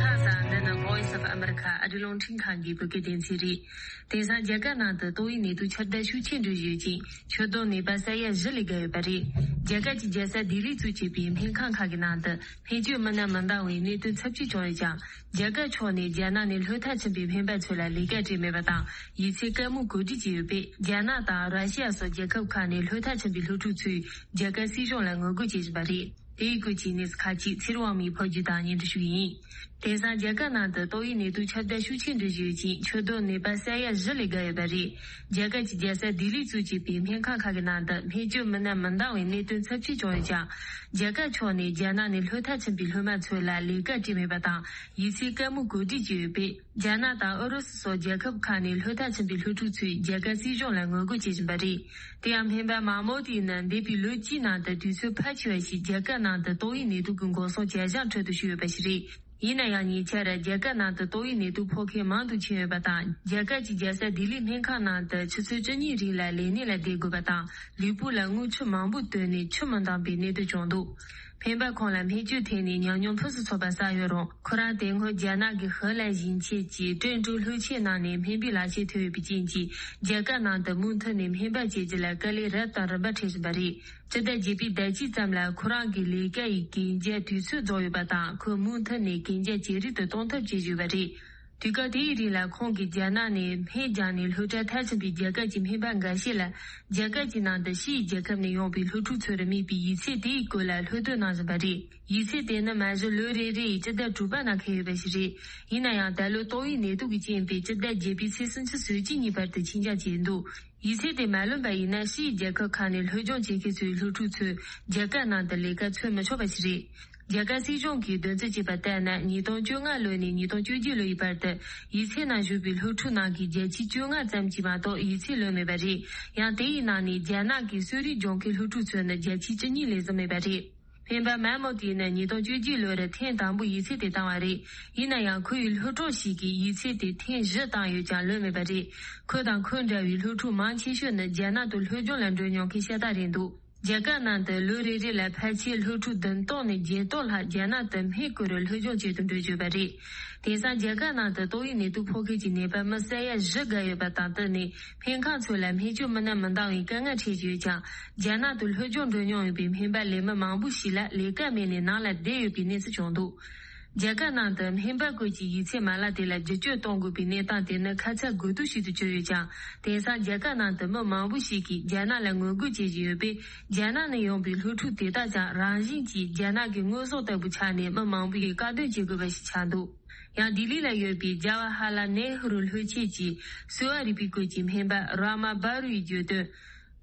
ཁ་སང་འདི་ནི་Voice of America ཨ་རི་རླུང་འཕྲིན་ཁང་གི་བོད་སྐད་སྡེ་ཚན་རེད། དེང་སང་རྒྱ་གར་ནང་དུ་ཏོག་དབྱིབས་ནད་དུག་ཁྱབ་གདལ་ཤུགས་ཆེ་འགྲོ་བཞིན་ཡོད་ཅིང་། ཆུ་དོག་ནད་པ་ས་ཡ་བཞི་ལས་བརྒལ་ཡོད་པ་རེད། རྒྱ་གར་གྱི་རྒྱལ་ས་ལྡི་ལི་གཙོས་བྱས་པའི་སྨན་ཁང་ཁག་གི་ནང་དུ་སྨན་བཅོས་མི་སྣ་མི་འདང་བའི་གནད་དོན་ཚབས་ཆེ་བྱུང་ཡོད་ཀྱང་། རྒྱ་གར་ཕྱོགས་ནས་རྒྱ་ནག་ནས་ལྷོད་ཐག་ཆོད་པའི་སྨན་པ་ཚོ་ལ་ལས་ཀ་སྤྲད་མེད་པ་དང་། ཡིག་ཚད་བཀའ་མོལ་གོ་སྒྲིག་བྱས་ཡོད་པས། རྒྱ་ནག་དང་ར་ཤི་ཡ་སོགས་རྒྱལ་ཁབ་ཁག་ནས་ལྷོད་ཐག་ཆོད་པའི་སློབ་ཕྲུག་ཚོས་རྒྱ་གར་སྲིད་གཞུང་ལ་ངོ་རྒོལ་བྱེད་བཞིན་པ་རེད། དེའི་སྐོར་གྱི་གནས་ཚུལ་ཁག་ཅིག་ཚེ་རིང་དབང་མོས་ཕབ་སྒྱུར་དང་སྙན་སྒྲོན་ཞུ་གི་ཡིན། དེང་སང་རྒྱ་གར་ནང་དུ་ཏོག་དབྱིབས་ནད་དུག་ཁྱབ་གདལ་ཤུགས་ཆེ་འགྲོ་བཞིན་ཡོད་ཅིང་། ཆུ་དོག་ནད་པ་ས་ཡ་བཞི་ལས་བརྒལ་ཡོད་པ་རེད། རྒྱ་གར་གྱི་རྒྱལ་ས་ལྡི་ལི་གཙོས་བྱས་པའི་སྨན་ཁང་ཁག་གི་ནང་དུ་སྨན་བཅོས་མི་སྣ་མི་འདང་བའི་གནད་དོན་ཚབས་ཆེ་བྱུང་ཡོད་ཀྱང་། རྒྱ་གར་ཕྱོགས་ནས་རྒྱ་ནག་ནས་ལྷོད་ཐག་ཆོད་པའི་སློབ་མ་ཚོ་ལ་ལས་ཀ་སྤྲད་མེད་པ་དང་། ཡིག་ཚད་བཀའ་མོལ་གོ་སྒྲིག་བྱས་ཡོད་པས། རྒྱ་ནག་དང་ཨུ་རུ་སུ་སོགས་རྒྱལ་ཁབ་ཁག་ནས་ལྷོད་ཐག་ཆོད་པའི་སློབ་ཕྲུག་ཚོས་རྒྱ་གར་སྲིད་གཞུང་ལ་ངོ་རྒོལ་བྱེད་བཞིན་པ་རེད། དེ་ཡང་སྨན་པ་མ་མོ་ཏི་ནི་འདས་པའི་ལོ་གཅིག་ནང་དུ་དུས་ཚོད་ཕལ་ཆེ་བ་ཞིག་རྒྱ་གར་ནང་དུ་ཏོག་དབྱིབས་ནད་དུག་གི་འགོག་སྲུང་བྱ་གཞག་ཁྲོད་དུ་ཞུགས་ཡོད་པ་ཞིག་རེད། ཡིན་ན་ཡང་ཉེ་ཆར་རྒྱ་གར་ནང་དུ་ཏོག་དབྱིབས་ནད་དུག་ཕོག་མཁན་མང་དུ་ཕྱིན་ཡོད་པ་དང་། རྒྱ་གར་གྱི་རྒྱལ་ས་ལྡི་ལིའི་སྨན་ཁང་ནང་དུ་ཆུ་ཚོད་བཅུ་གཉིས་རིང་ལ་ལས་གནས་ལ་བསྡད་དགོས་པ་དང་། ལུས་པོ་ལ་རྔུལ་ཆུ་མང་པོ་བཏོན་ནས་ཆུ་མི་འདང་པའི་གནད་དོན་བྱུང་འདུག་སྨན་པ་ཁོང་ལ་སྨན་བཅོས་ཐད་ནས་ཉམས་མྱོང་ཕུན་སུམ་ཚོགས་པ་བསགས་ཡོད་རུང་། ཁོ་རང་དེ་སྔོན་རྒྱ་ནག་གི་ཧི་ལན་ཞིང་ཆེན་གྱི་ཀྲེན་ཀྲུའུ་ལྷོ་ཆེན་ནང་ནས་སྨན་པའི་ལག་ཁྱེར་ཐོབ་ཡོད་པའི་རྐྱེན་གྱིས། རྒྱ་གར་ནང་དུ་མུ་མཐུད་ནས་སྨན་པ་བྱེད་རྒྱུ་ལ་དཀའ་ལས་རབ་དང་རིམ་པ་འཕྲད་བཞིན་པ་རེད། སྤྱི་ཟླ་བརྒྱད་པའི་ཟླ་གཅིག་ཙམ་ལ་ཁོ་རང་གི་ལས་ཀ་ཡི་གན་རྒྱ་དུས་ཚོད་རྫོགས་ཡོད་པ་དང་། ཁོས་མུ་མཐུད་ནས་གན་རྒྱ་ཇེ་རིང་དུ་གཏོང་ཐབས་བྱེད་བཞིན་པ་རེད། དུས་སྐབས་དེའི་རིང་ལ་ཁོང་གིས་རྒྱ་ནག་ནས་སྨན་རྒྱག་ནས་སློབ་གྲྭ་མཐར་ཕྱིན་པའི་རྒྱ་གར་གྱི་སྨན་པ་འགའ་ཤས་ལ། རྒྱ་གར་གྱི་ནང་དུ་ཕྱིའི་རྒྱལ་ཁབ་ནས་ཡོང་པའི་སློབ་ཕྲུག་ཚོར་དམིགས་པའི་ཡིག་ཚད་དེའི་སྐོར་ལ་སློབ་སྟོན་གནང་བཞིན་པ་རེད། ཡིག་ཚད་དེ་ནི་མ་གཞི་ལོ་རེ་རེ་ཡི་སྤྱི་ཟླ་དྲུག་པ་ནང་འཁེལ་ཡོད་པ་ཞིག་རེད། ཡིན་ན་ཡང་། ད་ལོ་ཏོག་དབྱིབས་ནད་དུག་གི་རྐྱེན་པས་སྤྱི་ཟླ་བརྒྱད་པའི་ཚེས་སུམ་ཅུ་སོ་གཅིག་ཉིན་བར་དུ་ཕྱིན་རྒྱ་བྱས་འདུག་ཡིག་ཚད་དེ་མ་ལོན་པ་ཡིན་ན། ཕྱིའི་རྒྱལ་ཁབ་ཁག་ནས་སློབ་སྦྱོང་བྱེད་མཁན་ཚོའི་སློབ་ཕྲུག་ཚོས་རྒྱ་གར་ནང་དུ་ལས་ཀ་འཚོལ་མི་ཆོག་པ་ཞིག་རེད། རྒྱ་གར་སྲིད་གཞུང་གིས་འདོན་རྩིས་བྱས་པ་ལྟར་ན། ཉིས་སྟོང་བཅོ་ལྔ་ལོ་ནས་ཉིས་སྟོང་བཅོ་བརྒྱད་ལོ་ཡི་བར་དུ་ཡིག་ཚད་ནང་ཞུགས་པའི་སློབ་ཕྲུག་ནང་གི་བརྒྱ་ཆ་བཅོ་ལྔ་ཙམ་གྱིས་མ་གཏོགས་ཡིག་ཚད་ལོན་མེད་པ་རེད། ཡང་། དེ་ཡི་ནང་ནས་རྒྱ་ནག་གི་གསོ་རིག་སྦྱོང་མཁན་སློབ་ཕྲུག་ཚོ་ནི་བརྒྱ་ཆ་བཅུ་གཉིས་ལས་བཟང་མེད་པ་རེད། སྨན་པ་མན་མོ་ཏི་ནི་ཉིས་སྟོང་བཅོ་བརྒྱད་ལོར་ཐེངས་དང་པོ་ཡིག་ཚད་དེ་བཏང་བ་རེད། ཡིན་ན་ཡང་། ཁོ་ཡི་སློབ་གྲོགས་ཤིག་གིས་ཡིག་ཚད་དེ་ཐེངས་བཞི་བཏང་ཡོད་ཀྱང་ལོན་མེད་པ་རེད། ཁོ་དང་ཁོ་འདྲ་བའི་སློབ་ཕྲུག་མང་ཆེ་ཤོས་ནི་རྒྱ་ནག་ཏུ་སློབ་སྦྱོང་ལ་འགྲོ་མྱོང་མཁན་ཤ་སྟག་རེད་འདུག་རྒྱ་གར་ནང་དུ་ལོ་རེ་རེ་ལ་ཕལ་ཆེར་སློབ་ཕྲུག་བདུན་སྟོང་ནས་བརྒྱད་སྟོང་ལྷག་རྒྱ་ནག་ཏུ་སྨན་བཀོལ་རུ་སློབ་སྦྱོང་བྱེད་དུ་འགྲོ་བཞིན་པ་རེད། དེང་སང་རྒྱ་གར་ནང་དུ་ཏོག་དབྱིབས་ནད་དུག་ཕོག་མཁན་གྱི་ནད་པ་མི་ས་ཡ་བཞི་བརྒལ་ཡོད་པ་དང་། དེ་ནི་སྨན་ཁང་ཚོ་ལ་སྨན་བཅོས་མི་སྣ་མི་འདང་བའི་དཀའ་ངལ་འཕྲད་ཀྱི་ཡོད་ཀྱང་། རྒྱ་ནག་ཏུ་སློབ་སྦྱོང་འགྲོ་མྱོང་ཡོད་པའི་སྨན་པ་ལས་མི་མང་པོ་ཞིག་ལ་ལས་ཀ་མེད་ནས་ནང་ལ་བསྡད་ཡོད་པའི་གནས་ཚུལ་བྱུང་འདུག་རྒྱ་གར་ནང་དུ་སྨན་པ་བཀོལ་གྱི་ཡིག་ཚད་མ་ལག་དེ་ལ་བསྒྱུར་བཅོས་གཏོང་དགོས་པའི་གནས་སྟངས་དེ་ནི་ཁ་ཚ་དགོས་གཏུག་ཞིག་ཏུ་གྱུར་ཡོད་ཀྱང་། དེང་སང་རྒྱ་གར་ནང་དུ་མི་མང་པོ་ཞིག་གིས་རྒྱ་ནག་ལ་ངོ་རྒོལ་བྱེད་བཞིན་ཡོད་པས། རྒྱ་ནག་ནས་ཡོང་པའི་སློབ་ཕྲུག་དེ་དག་ཀྱང་རང་བཞིན་གྱིས་རྒྱ་ནག་གི་དངོས་ཟོག་ལྟ་བུ་ཆགས་ནས། མི་མང་པོས་དཀའ་སྡུག་བྱེད་དགོས་པ་ཞིག་ཆགས་འདུག་ཡང་ལྡི་ལི་ལ་ཡོད་པའི་ཇ་ཝ་ཧ་ལ་ནེ་ཧུ་རུ་ལྷོ་ཆེན་གྱི་གསོ་བ་རིག་པའི་སྐོར་གྱི་སྨན་པ་ར་མ་བྷ་རུ་ཡིས་བརྗོད་དོན།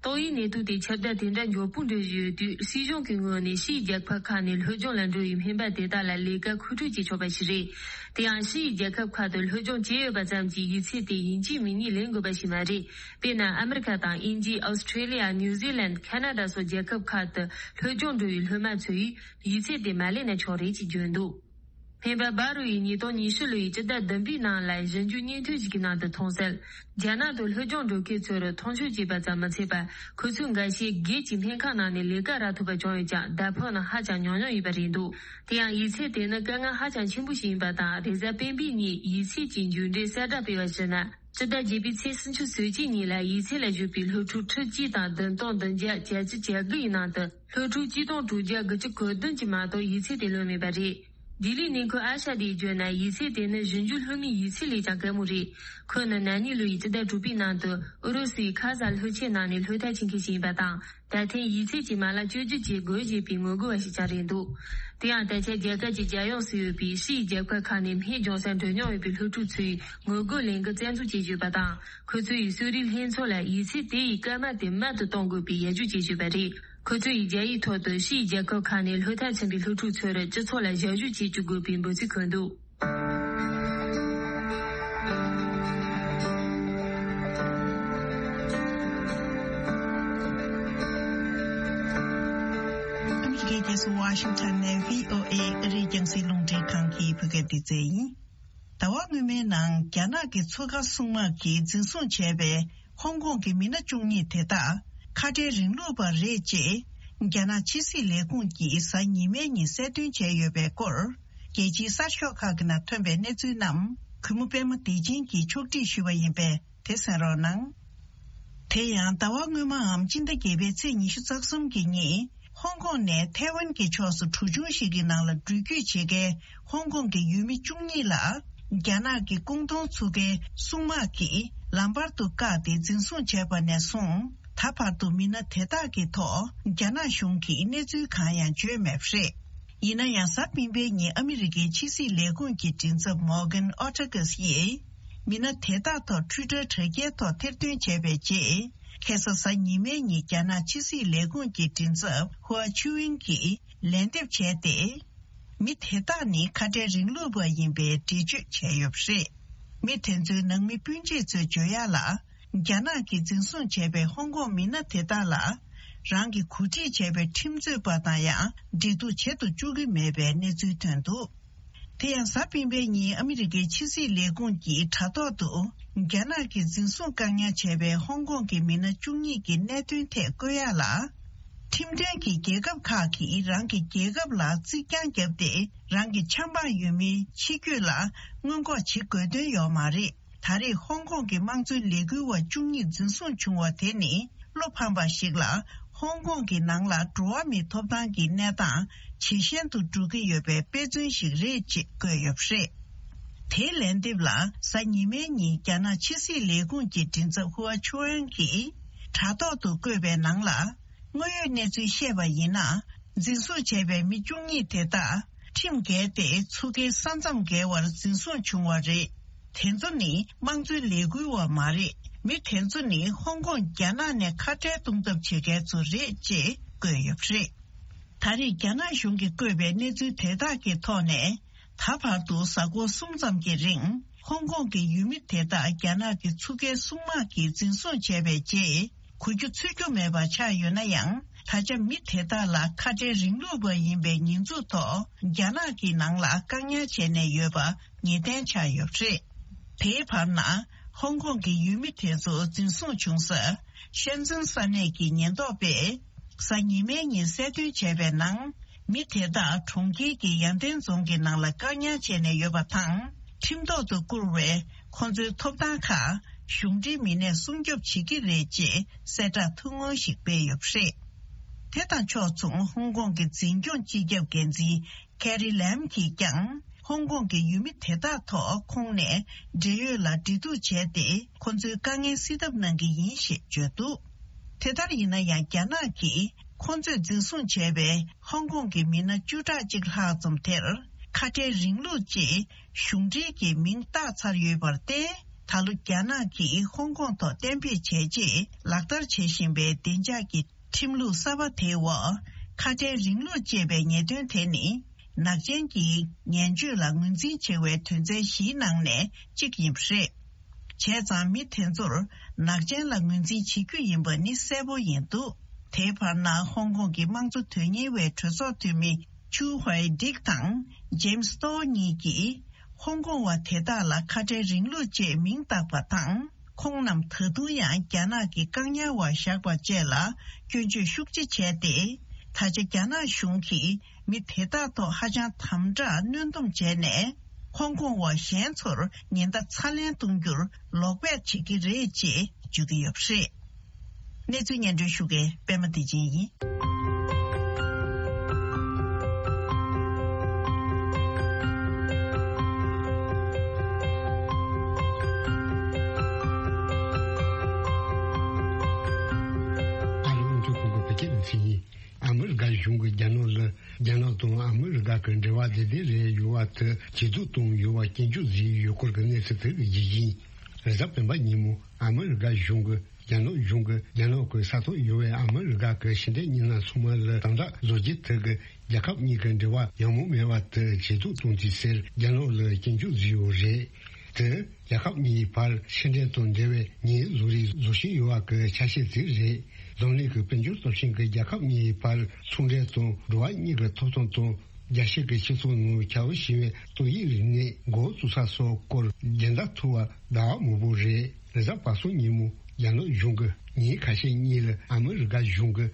ཏོག་དབྱིབས་ནད་དུག་དེ་ཁྱབ་གདལ་དེ་འདྲ་མགྱོགས་པོ་འགྲོ་བཞིན་ཡོད་དུས། སྲིད་གཞུང་གི་ངོས་ནས་ཕྱིའི་རྒྱལ་ཁབ་ཁག་ནས་སློབ་སྦྱོང་ལ་འགྲོ་བའི་སྨན་པ་དེ་དག་ལ་ལས་ཀ་མཁོ་སྤྲོད་བྱེད་ཆོག་པ་ཞིག་རེད། དེ་ཡང་། ཕྱིའི་རྒྱལ་ཁབ་ཁག་ཏུ་སློབ་སྦྱོང་བྱས་ཡོད་པ་ཙམ་གྱིས་ཡིག་ཚད་དེ་ཡིན་གཅིག་མིན་གཉིས་ལེན་དགོས་པ་ཞིག་མ་རེད། དཔེར་ན། ཨ་མི་རི་ཁ་དང་། དབྱིན་ཇི། ཨོ་སི་ཁྲེ་ལི་ཡ། ནིའུ་ཛི་ལན། ཁ་ན་ཌ་སོགས་རྒྱལ་ཁབ་ཁག་ཏུ་སློབ་སྦྱོང་འགྲོ་བའི་སློབ་མ་ཚོས་ཡིག་ཚད་དེ་མ་ལེན་ན་ཆོག་རེད་ཅེས་བརྗོད་འདུག་སྨན་པ་བྷ་རུ་ཡིས་ཉིས་སྟོང་ཉི་ཤུ་ལོ་ཡི་སྤྱི་ཟླ་བདུན་པའི་ནང་ལ་གཞིས་འགྱུར་སྙན་ཐོ་ཞིག་གི་ནང་དུ་མཐོང་གསལ། རྒྱ་ནག་ཏུ་སློབ་སྦྱོང་འགྲོ་མཁན་ཚོར་མཐོང་ཆུང་བྱས་པ་ཙམ་མ་ཚད་པར། ཁོ་ཚོའི་འགའ་ཤས་སྒེར་གྱི་སྨན་ཁང་ནང་ནས་ལས་ཀ་རག་ཐུབ་པ་བྱུང་ཡོད་ཀྱང་། བརྡ་ཕབ་ནི་ཧ་ཅང་ཉུང་ཉུང་ཡིན་པ་རེད་འདུག་དེ་ཡང་། ཡིག་ཚད་དེ་ནི་དཀའ་ངལ་ཧ་ཅང་ཆེན་པོ་ཞིག་ཡིན་པ་དང་། རེས་གཟའ་སྤེན་པའི་ཉིན་ཡིག་ཚད་ཀྱི་མཇུག་འབྲས་གསལ་བསྒྲགས་སྤེལ་བར་གཞིགས་ན། སྤྱི་ཟླ་བརྒྱད་པའི་ཚེས་སུམ་ཅུ་སོ་གཅིག་ཉིན་ལ་ཡིག་ཚད་ལ་ཞུགས་པའི་སློབ་ཕྲུག་ཁྲི་གཅིག་དང་བདུན་སྟོང་བདུན་བརྒྱ་གྱ་གཅིག་གྱ་དགུ་ཡི་ནང་དུ། སློབ་ཕྲུག་གཅིག་སྟོང་དྲུག་བརྒྱ་དགུ་བཅུ་གོ་བདུན་གྱིས་མ་གཏོགས་ཡིག་ཚད་དེ་ལོན་མེད་པ་རེད། ལྡི་ལིའི་གནས་འཁོད་ཨ་ཤ་དེས་བརྗོད་ན། ཡིག་ཚད་དེ་ནི་གཞིས་འགྱུར་སློབ་མའི་ཡིག་ཚད་ལས་ཀྱང་དཀའ་མོ་རེད། ཁོ་ནི་ན་ནིང་ལོ་ཡི་སྤྱི་ཟླ་དྲུག་པའི་ནང་དུ་ཨུ་རུ་སུའི་ཁ་ཟ་ལྷོ་ཆེན་ནང་ནས་སློབ་མཐར་ཕྱིན་མཁན་ཞིག་ཡིན་པ་དང་། ད་ཐེངས་ཡིག་ཚད་ཀྱི་མ་ལག་བཅོས་བསྒྱུར་བྱེད་དགོས་ཞེས་པའི་ངོ་རྒོལ་བ་ཞིག་ཀྱང་རེད་འདུག་དེ་ཡང་། ད་ཆ་རྒྱ་གར་གྱི་རྒྱལ་ཡོངས་སུ་ཡོད་པའི་ཕྱིའི་རྒྱལ་ཁབ་ཁག་ནས་སྨན་སྦྱོང་སར་འགྲོ་མྱོང་ཡོད་པའི་སློབ་ཕྲུག་ཚོས་ངོ་རྒོལ་ལས་འགུལ་རྩ་འཛུགས་བྱེད་བཞིན་ཡོད་པ་དང་། ཁོ་ཚོ་ཡིས་གསོ་རིག་ལྷན་ཚོགས་ལ་ཡིག་ཚད་དེ་ཡི་སྐར་མ་དེ་མལ་དུ་གཏོང་དགོས་པའི་ཡར་ཞུ་བྱེད་བཞིན་པ་རེད། ཁོ་ཚོ་ཡིས་རྒྱ་ཡིག་ཐོག་ཏུ་ཕྱིའི་རྒྱལ་ཁབ་ཁག་ནས་སློབ་མཐར་ཕྱིན་པའི་སློབ་ཕྲུག་ཚོར་སྤྱི་ཚོགས་ལ་ཞབས་ཞུ་བྱེད་བཅུག་དགོས་པའི་འབོད་ཚིག་འཁོད་འདུག་ཨ་མི་རི་ཀའི་རྒྱལ་ས་ཝ་ཤིང་ཊོན་ནས་བྷི་ཨོ་ཨེ་ཨ་རིའི་རྒྱང་སྲིང་རླུང་འཕྲིན་ཁང་གི་བོད་སྐད་སྡེ་ཚན་ཡིན། ཟླ་བ་སྔོན་མའི་ནང་རྒྱ་ནག་གི་མཚོ་ཁ་སྲུང་དམག་གིས་འཛིན་བཟུང་བྱས་པའི་ཧོང་ཀོང་གི་མི་སྣ་བཅུ་གཉིས་དེ་དག་ཁ་བྲལ་རིང་ལུགས་པ་རེད་ཅེས་རྒྱ་ནག་ཕྱི་སྲིད་ལས་ཁུངས་ཀྱིས་གཟའ་ཉི་མའི་ཉིན་གསལ་སྟོན་བྱས་ཡོད་པའི་སྐོར། རྒྱལ་སྤྱིའི་གསར་ཤོག་ཁག་གི་ནང་ཐོན་པའི་གནས་ཚུལ་རྣམས་གུས་མོ་པད་མ་བདེ་ཆེན་གྱིས་ཕྱོགས་སྒྲིག་ཞུས་པ་ཡིན་པས། དེ་གསན་རོགས་གནང་། དེ་ཡང་ཟླ་བ་སྔོན་མའམ་སྤྱི་ཟླ་བརྒྱད་པའི་ཚེས་ཉི་ཤུ་རྩ་གསུམ་གྱི་ཉིན། ཧོང་ཀོང་ནས་ཐའེ་ཝན་གྱི་ཕྱོགས་སུ་གྲུ་ཆུང་ཞིག་གི་ནང་ལ་འགྲུལ་སྐྱོད་བྱེད་མཁན་ཧོང་ཀོང་གི་ཡུལ་མི་བཅུ་གཉིས་ལ། རྒྱ་ནག་གི་ཀུང་ཏུང་མཚོ་ཁའི་སྲུང་དམག་གིས་ལམ་བར་དུ་བཀག་སྟེ་འཛིན་བཟུང་བྱས་པ་ནས་བཟུང་། ད་བར་དུ་མི་སྣ་དེ་དག་གི་ཐོག་རྒྱ་ནག་གཞུང་གིས་གནས་ཚུལ་གང་ཡང་བརྗོད་མེད་པ་རེད། ཡིན་ན་ཡང་། གཟའ་སྤེན་པའི་ཉིན་ཨ་མི་རི་ཀའི་ཕྱི་སྲིད་ལས་ཁུངས་ཀྱི་མགྲིན་ཚབ་མོར་གན་ཨོ་ཊ་གྷས་ཡིས། མི་སྣ་དེ་དག་ཐོག་ཊུའི་ཊར་དྲ་རྒྱའི་ཐོག་ཐེར་འདོན་བྱས་པའི་རྗེས། ཁ་སང་གཟའ་ཉི་མའི་ཉིན་རྒྱ་ནག་ཕྱི་སྲིད་ལས་ཁུངས་ཀྱི་མགྲིན་ཚབ་ཧུའ་ཆུ་ཝིང་གིས་ལན་འདེབས་བྱས་ཏེ། མི་དེ་དག་ནི་ཁ་བྲལ་རིང་ལུགས་པ་ཡིན་པའི་འགྲེལ་བརྗོད་བྱས་ཡོད་པ་རེད། མི་དེ་ཚོའི་ནང་མི་སྤུན་མཆེད་ཚོས་བརྗོད་ཡག་ལ། རྒྱ་ནག་གིས་འཛིན་བཟུང་བྱས་པའི་ཧོང་ཀོང་མི་སྣ་དེ་དག་ལ། རང་གིས་གོ་སྒྲིག་བྱས་པའི་ཁྲིམས་རྩོད་པ་དང་ཡང་འབྲེལ་གཏུག་བྱེད་དུ་བཅུག་གི་མེད་པའི་གནས་ཚུལ་ཐོན་འདུག་དེ་ཡང་། གཟའ་སྤེན་པའི་ཉིན་ཨ་མི་རི་ཀའི་ཕྱི་སྲིད་ལས་ཁུངས་ཀྱི་དྲ་ཐོག་ཏུ། རྒྱ་ནག་གིས་འཛིན་བཟུང་བཀག་ཉར་བྱས་པའི་ཧོང་ཀོང་གི་མི་སྣ་བཅུ་གཉིས་ཀྱི་གནད་དོན་ཐད་བཀོད་ཡག་ལ། ཁྲིམས་མཐུན་གྱི་རྒྱལ་ཁབ་ཁག་གིས་རང་གི་རྒྱལ་ཁབ་ལ་རྩིག་གྱང་བརྒྱབ་སྟེ། རང་གི་ཆབ་འབངས་ཡུལ་མིའི་ཕྱི་སྐྱོད་ལ་སྔོན་འགོག་བྱེད་དགོས་དོན་ཡོད་མ་རེད། ད་རེས་ཧོང་ཀོང་གི་དམངས་གཙོའི་ལས་འགུལ་བ་བཅུ་གཉིས་འཛིན་བཟུང་བྱུང་བ་དེ་ནི། བློ་ཕམ་པ་ཞིག་ལ། ཧོང་ཀོང་གི་ནང་ལ་འགྲོ་བ་མིའི་ཐོབ་ཐང་གི་གནས་སྟངས་ཇེ་ཞན་དུ་འགྲོ་གི་ཡོད་པའི་དཔེ་མཚོན་ཞིག་རེད་ཅེས་བཀོད་ཡོད་པ་རེད། དེའི་ལན་འདེབས་ལ། གཟའ་ཉི་མའི་ཉིན་རྒྱ་ནག་ཕྱི་སྲིད་ལས་ཁུངས་ཀྱི་མགྲིན་ཚབ་ཧུའ་ཆུའུ་ཨན་གྱིས་དྲ་ཐོག་ཏུ་བཀོད་པའི་ནང་ལ། དངོས་ཡོད་གནས་ཚུལ་བཤད་པ་ཡིན་ན། འཛིན་བཟུང་བྱས་པའི་མི་བཅུ་གཉིས་དེ་དག་ཁྲིམས་འགལ་ཏེ་ཚུགས་ཀའི་ས་མཚམས་བརྒལ་བར་འཛིན་བཟུང་བྱུང་བ་རེད། དེ་ཚོ་ནི་དམངས་གཙོའི་ལས་འགུལ་བ་མ་རེད། མི་དེ་ཚོ་ནི་ཧོང་ཀོང་རྒྱ་ནག་ནས་ཁ་བྲལ་གཏོང་ཐབས་བྱེད་མཁན་ཚོ་རེད་ཅེས་བཀོད་ཡོད་པ་རེད། ད་རེས་རྒྱ་ནག་གཞུང་གིས་བཀོད་པའི་གནས་ཚུལ་དེ་དག་གི་ཐོག་ནས། ད་བར་དུ་གཟའ་འཁོར་གསུམ་ཙམ་གྱི་རིང་། ཧོང་ཀོང་གི་ཡུལ་མི་དེ་དག་རྒྱ་ནག་གི་ཚུགས་ཀའི་སྲུང་དམག་གིས་འཛིན་བཟུང་བྱས་པའི་རྗེས། གོ་རྒྱུ་ཚོད་རྒྱུ་མེད་པ་ཆགས་ཡོད་ན་ཡང་། ད་ཆ་མི་དེ་དག་ལ་ཁ་བྲལ་རིང་ལུགས་པ་ཡིན་པའི་ཉེས་འཛུགས་ཐོག་རྒྱ་ནག་གི་ནང་ལ་བཀག་ཉར་བྱས་ནས་ཡོད་པ་ངེས་གཏན་ཆགས་ཡོད་པ་རེད། དེའི་བར་ན། ཧོང་ཀོང་གི་ཡུལ་མི་དེ་ཚོ་འཛིན་བཟུང་བྱུང་ས། ཤན་ཙུན་ས་གནས་ཀྱི་ཉེན་རྟོག་པས། གཟའ་ཉི་མའི་ཉིན་གསལ་སྟོན་བྱས་པའི་ནང་། མི་དེ་དག་གྲོང་ཁྱེར་གྱི་ཡང་ཐེན་རྫོང་གི་ནང་ལ་བཀག་ཉར་བྱས་ནས་ཡོད་པ་དང་། ཁྲིམས་ཐོག་ཏུ་བཀུར་བའི་ཁོང་ཚོའི་ཐོབ་ཐང་ཁག་གཞུང་འབྲེལ་མི་སྣས་སྲུང་སྐྱོབ་བྱེད་ཀྱི་རེད་ཅེས་གསལ་བསྒྲགས་ཐུང་ངུ་ཞིག་སྤེལ་ཡོད་པ་རེད། དེ་དང་ཕྱོགས་མཚུངས་ཧོང་ཀོང་གི་འཛིན་སྐྱོང་སྤྱི་ཁྱབ་འགན་འཛིན་ཀེ་རི་ལེམ་གྱིས་ཀྱང་། ཧོང་ཀོང་གི་ཡུལ་མི་དེ་དག་ཐོག་ཁོང་ནས་འབྲེལ་ཡོད་ལ་འབྲེལ་གཏུག་བྱས་ཏེ། ཁོ་ཚོའི་དཀའ་ངལ་སེལ་ཐབས་གནང་གི་ཡིན་ཞེས་བརྗོད་འདུག་དེ་ལྟར་ཡིན་ན་ཡང་། རྒྱ་ནག་གིས་ཁོ་ཚོས་འཛིན་བཟུང་བྱས་པའི་ཧོང་ཀོང་གི་མི་སྣ་བཅུ་ཕྲག་གཅིག་ལྷག་ཙམ་དེར། ཁ་བྲལ་རིང་ལུགས་ཅེས་གཞུང་འབྲེལ་གྱི་མིང་བཏགས་ཚར་ཡོད་པར་བརྟེན། ད་ལོ་རྒྱ་ནག་གིས་ཧོང་ཀོང་ཐོག་གཏན་འབེབས་བྱས་རྗེས་ལག་བསྟར་བྱེད་བཞིན་པའི་བདེ་འཇགས་ཀྱི་ཁྲིམས་ལུགས་གསར་པ་དེའི་འོག་ཁ་བྲལ་རིང་ལུགས་ཅེས་པའི་ཉེས་དོན་དེ་ནི། ནག་ཅན་གྱི་ངན་སྤྱོད་ལ་ངོས་འཛིན་བྱེད་པའི་དོན་ཚན་བཞིའི་ནང་ནས་གཅིག་ཡིན་པ་རེད། བྱས་ཙང་མི་དེ་ཚོར་ནག་ཅན་ལ་ངོས་འཛིན་བྱེད་རྒྱུ་ཡིན་པ་ནི་གསལ་པོ་ཡིན་འདུག་དེའི་བར་ན། ཧོང་ཀོང་གི་དམངས་གཙོ་དོན་གཉེར་བའི་གྲོས་ཚོགས་འཐུས་མི་ཆུ་ཧུའེ་ཌིག་དང་ཇེམ་སི་ཏོ་གཉིས་ཀྱིས། ཧོང་ཀོང་བ་དེ་དག་ལ་ཁ་བྲལ་རིང་ལུགས་ཅེས་མིང་བཏགས་པ་དང་། ཁོང་རྣམས་ད་དུང་ཡང་རྒྱ་ནག་གི་བཀག་ཉར་འོག་བཞག་པ་བཅས་ལ་སྐྱོན་བརྗོད་ཤུགས་ཆེ་བྱས་ཏེ། ད་ཆ་རྒྱ་ནག་གཞུང་གིས་མི་དེ་དག་ཐོག་ཧ་ཅང་དམ་དྲག་གནོན་སྡོམ་བྱས་ནས། ཧོང་ཀོང་བ་གཞན་ཚོར་ཉེན་བརྡ་ཚ་ལན་གཏོང་རྒྱུར་ལོག་པས་བྱེད་ཀྱི་རེད་ཅེས་བརྗོད་ཀྱི་ཡོད་པ་རེད། གནས་ཚུལ་སྙན་སྒྲོན་ཞུ་མཁན་པད་མ་བདེ་ཆེན་ཡིན། ཨ་རི་རླུང་འཕྲིན་ཁང་གི་བོད་སྐད་སྡེ་ཚན་ཡིན། ཨ་མི་རི་ཀ་གཞུང་གིས་རྒྱ་ནག་ལ། རྒྱ་ནག་དང་ཨ་མི་རི་ཀ་གི་འབྲེལ་བ་བདེ་བདེ་རེད་ཡོད་པ་དེ་ཇེ་སྡུག་བཏང་ཡོད་པ་སྐྱོན་བརྗོད་བཟོས་ཡོད་སྐོར་གྱི་གནས་ཚུལ་དེ་གི་རྒྱུ་རྐྱེན། རེས་གཟའ་སྤེན་པ་ཉིན་མོ་ཨ་མི་རི་ཀ་གཞུང་གིས་རྒྱ་ནག་གཞུང་གིས་རྒྱ་ནག་གི་ས་ཐོག་ཡོད་པའི་ཨ་མི་རི་ཀ་གི་ཕྱི་འབྲེལ་མི་སྣ་ཚང་མ་ལ་དམ་དྲག་བཟོ་རྒྱུ་དེ་གིས་རྒྱལ་ཁབ་གཉིས་ཀྱི་འབྲེལ་བ་ཡག་མོ་མེད་པ་དེ་ཇེ་སྡུག་གཏོང་རྒྱུ་ཟེར་རྒྱ་ནག་ལ་སྐྱོན་བརྗོད་བཟོས་ཡོད་རེད། དེ་རྒྱལ་ཁབ་གཉིས་བར་ཕྱི་འབྲེལ་དང་འབྲེལ་བའི་ཉེས་བཟོ་རིགས་བཟོ་བཞིན་ཡོད་པ་གི་ཆ་ཤས་ཅིག་རེད། འཛམ་གླིང་གི་དཔལ་འབྱོར་སྟོབས་ཆེན་གྱི་རྒྱལ་ཁབ་གཉིས་བར་ཚོང་འབྲེལ་དང་འགྲོ་བ་མིའི་ཐོབ་ཐང་དང་། རྒྱལ་སྤྱི་གི་སྤྱི་ཚོགས་ནང་ཁྱབ་ཆེ་བའི་ཏོག་དབྱིབས་རིམས་ནད་འགོ་བཙུགས་ས་སོགས་སྐོར་སྦྱིན་བདག་ཐུག་པ་ཟླ་བ་མང་པོ་རེད། རེས་གཟའ་པ་སངས་ཉིན་མོ་རྒྱ་ནག་གཞུང་གིས་ཉིན་ཁ་ཤས་གཉིས་ལ་ཨ་མི་རི་ཀ་གཞུང་གིས་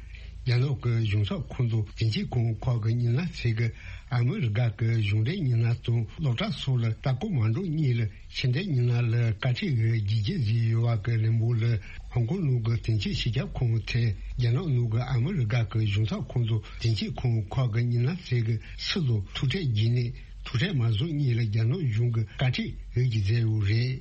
རྒྱ་ནག་གི་གཞུང་ཚབ་ཁང་དང་དེ་འབྲེལ་ཁང་ཁག་གི་མི་སྣ་ཚོས་ཀྱིས་ཨ་མི་རི་ཀ་གི་གཞུང་འབྲེལ་མི་སྣ་དང་སློབ་གྲྭ་སོགས་ལ་ལྟ་སྐོར་མ་འགྲོ་སྔོན་ལ། ཕྱི་འབྲེལ་མི་སྣ་ལ་བཀའ་ཁྲིད་འོས་བསྒྱུར་བརྗོད་བཟོས་ཡོད་པ་གི་ལན་འབོར་ལ། ཧོང་ཀོང་ནང་གི་དེང་ཆེན་སྤྱི་ཁྱབ་ཁང་དེས་རྒྱ་ནག་ནང་གི་ཨ་མི་རི་ཀ་གི་གཞུང་ཚབ་ཁང་དང་དེང་ཆེན་ཁང་ཁག་གི་མི་སྣ་ཚོས་ཀྱིས་སུ་དང་ཐུག་འཕྲད་བགྱིས་ནས། ཐུག་འཕྲད་མ་བཟོ་སྔོན་ལ་རྒྱ་ནག་གཞུང་གིས་བཀའ་ཁྲིད་འོས་བསྒྱུར་མཛད་ཡོད་རེད།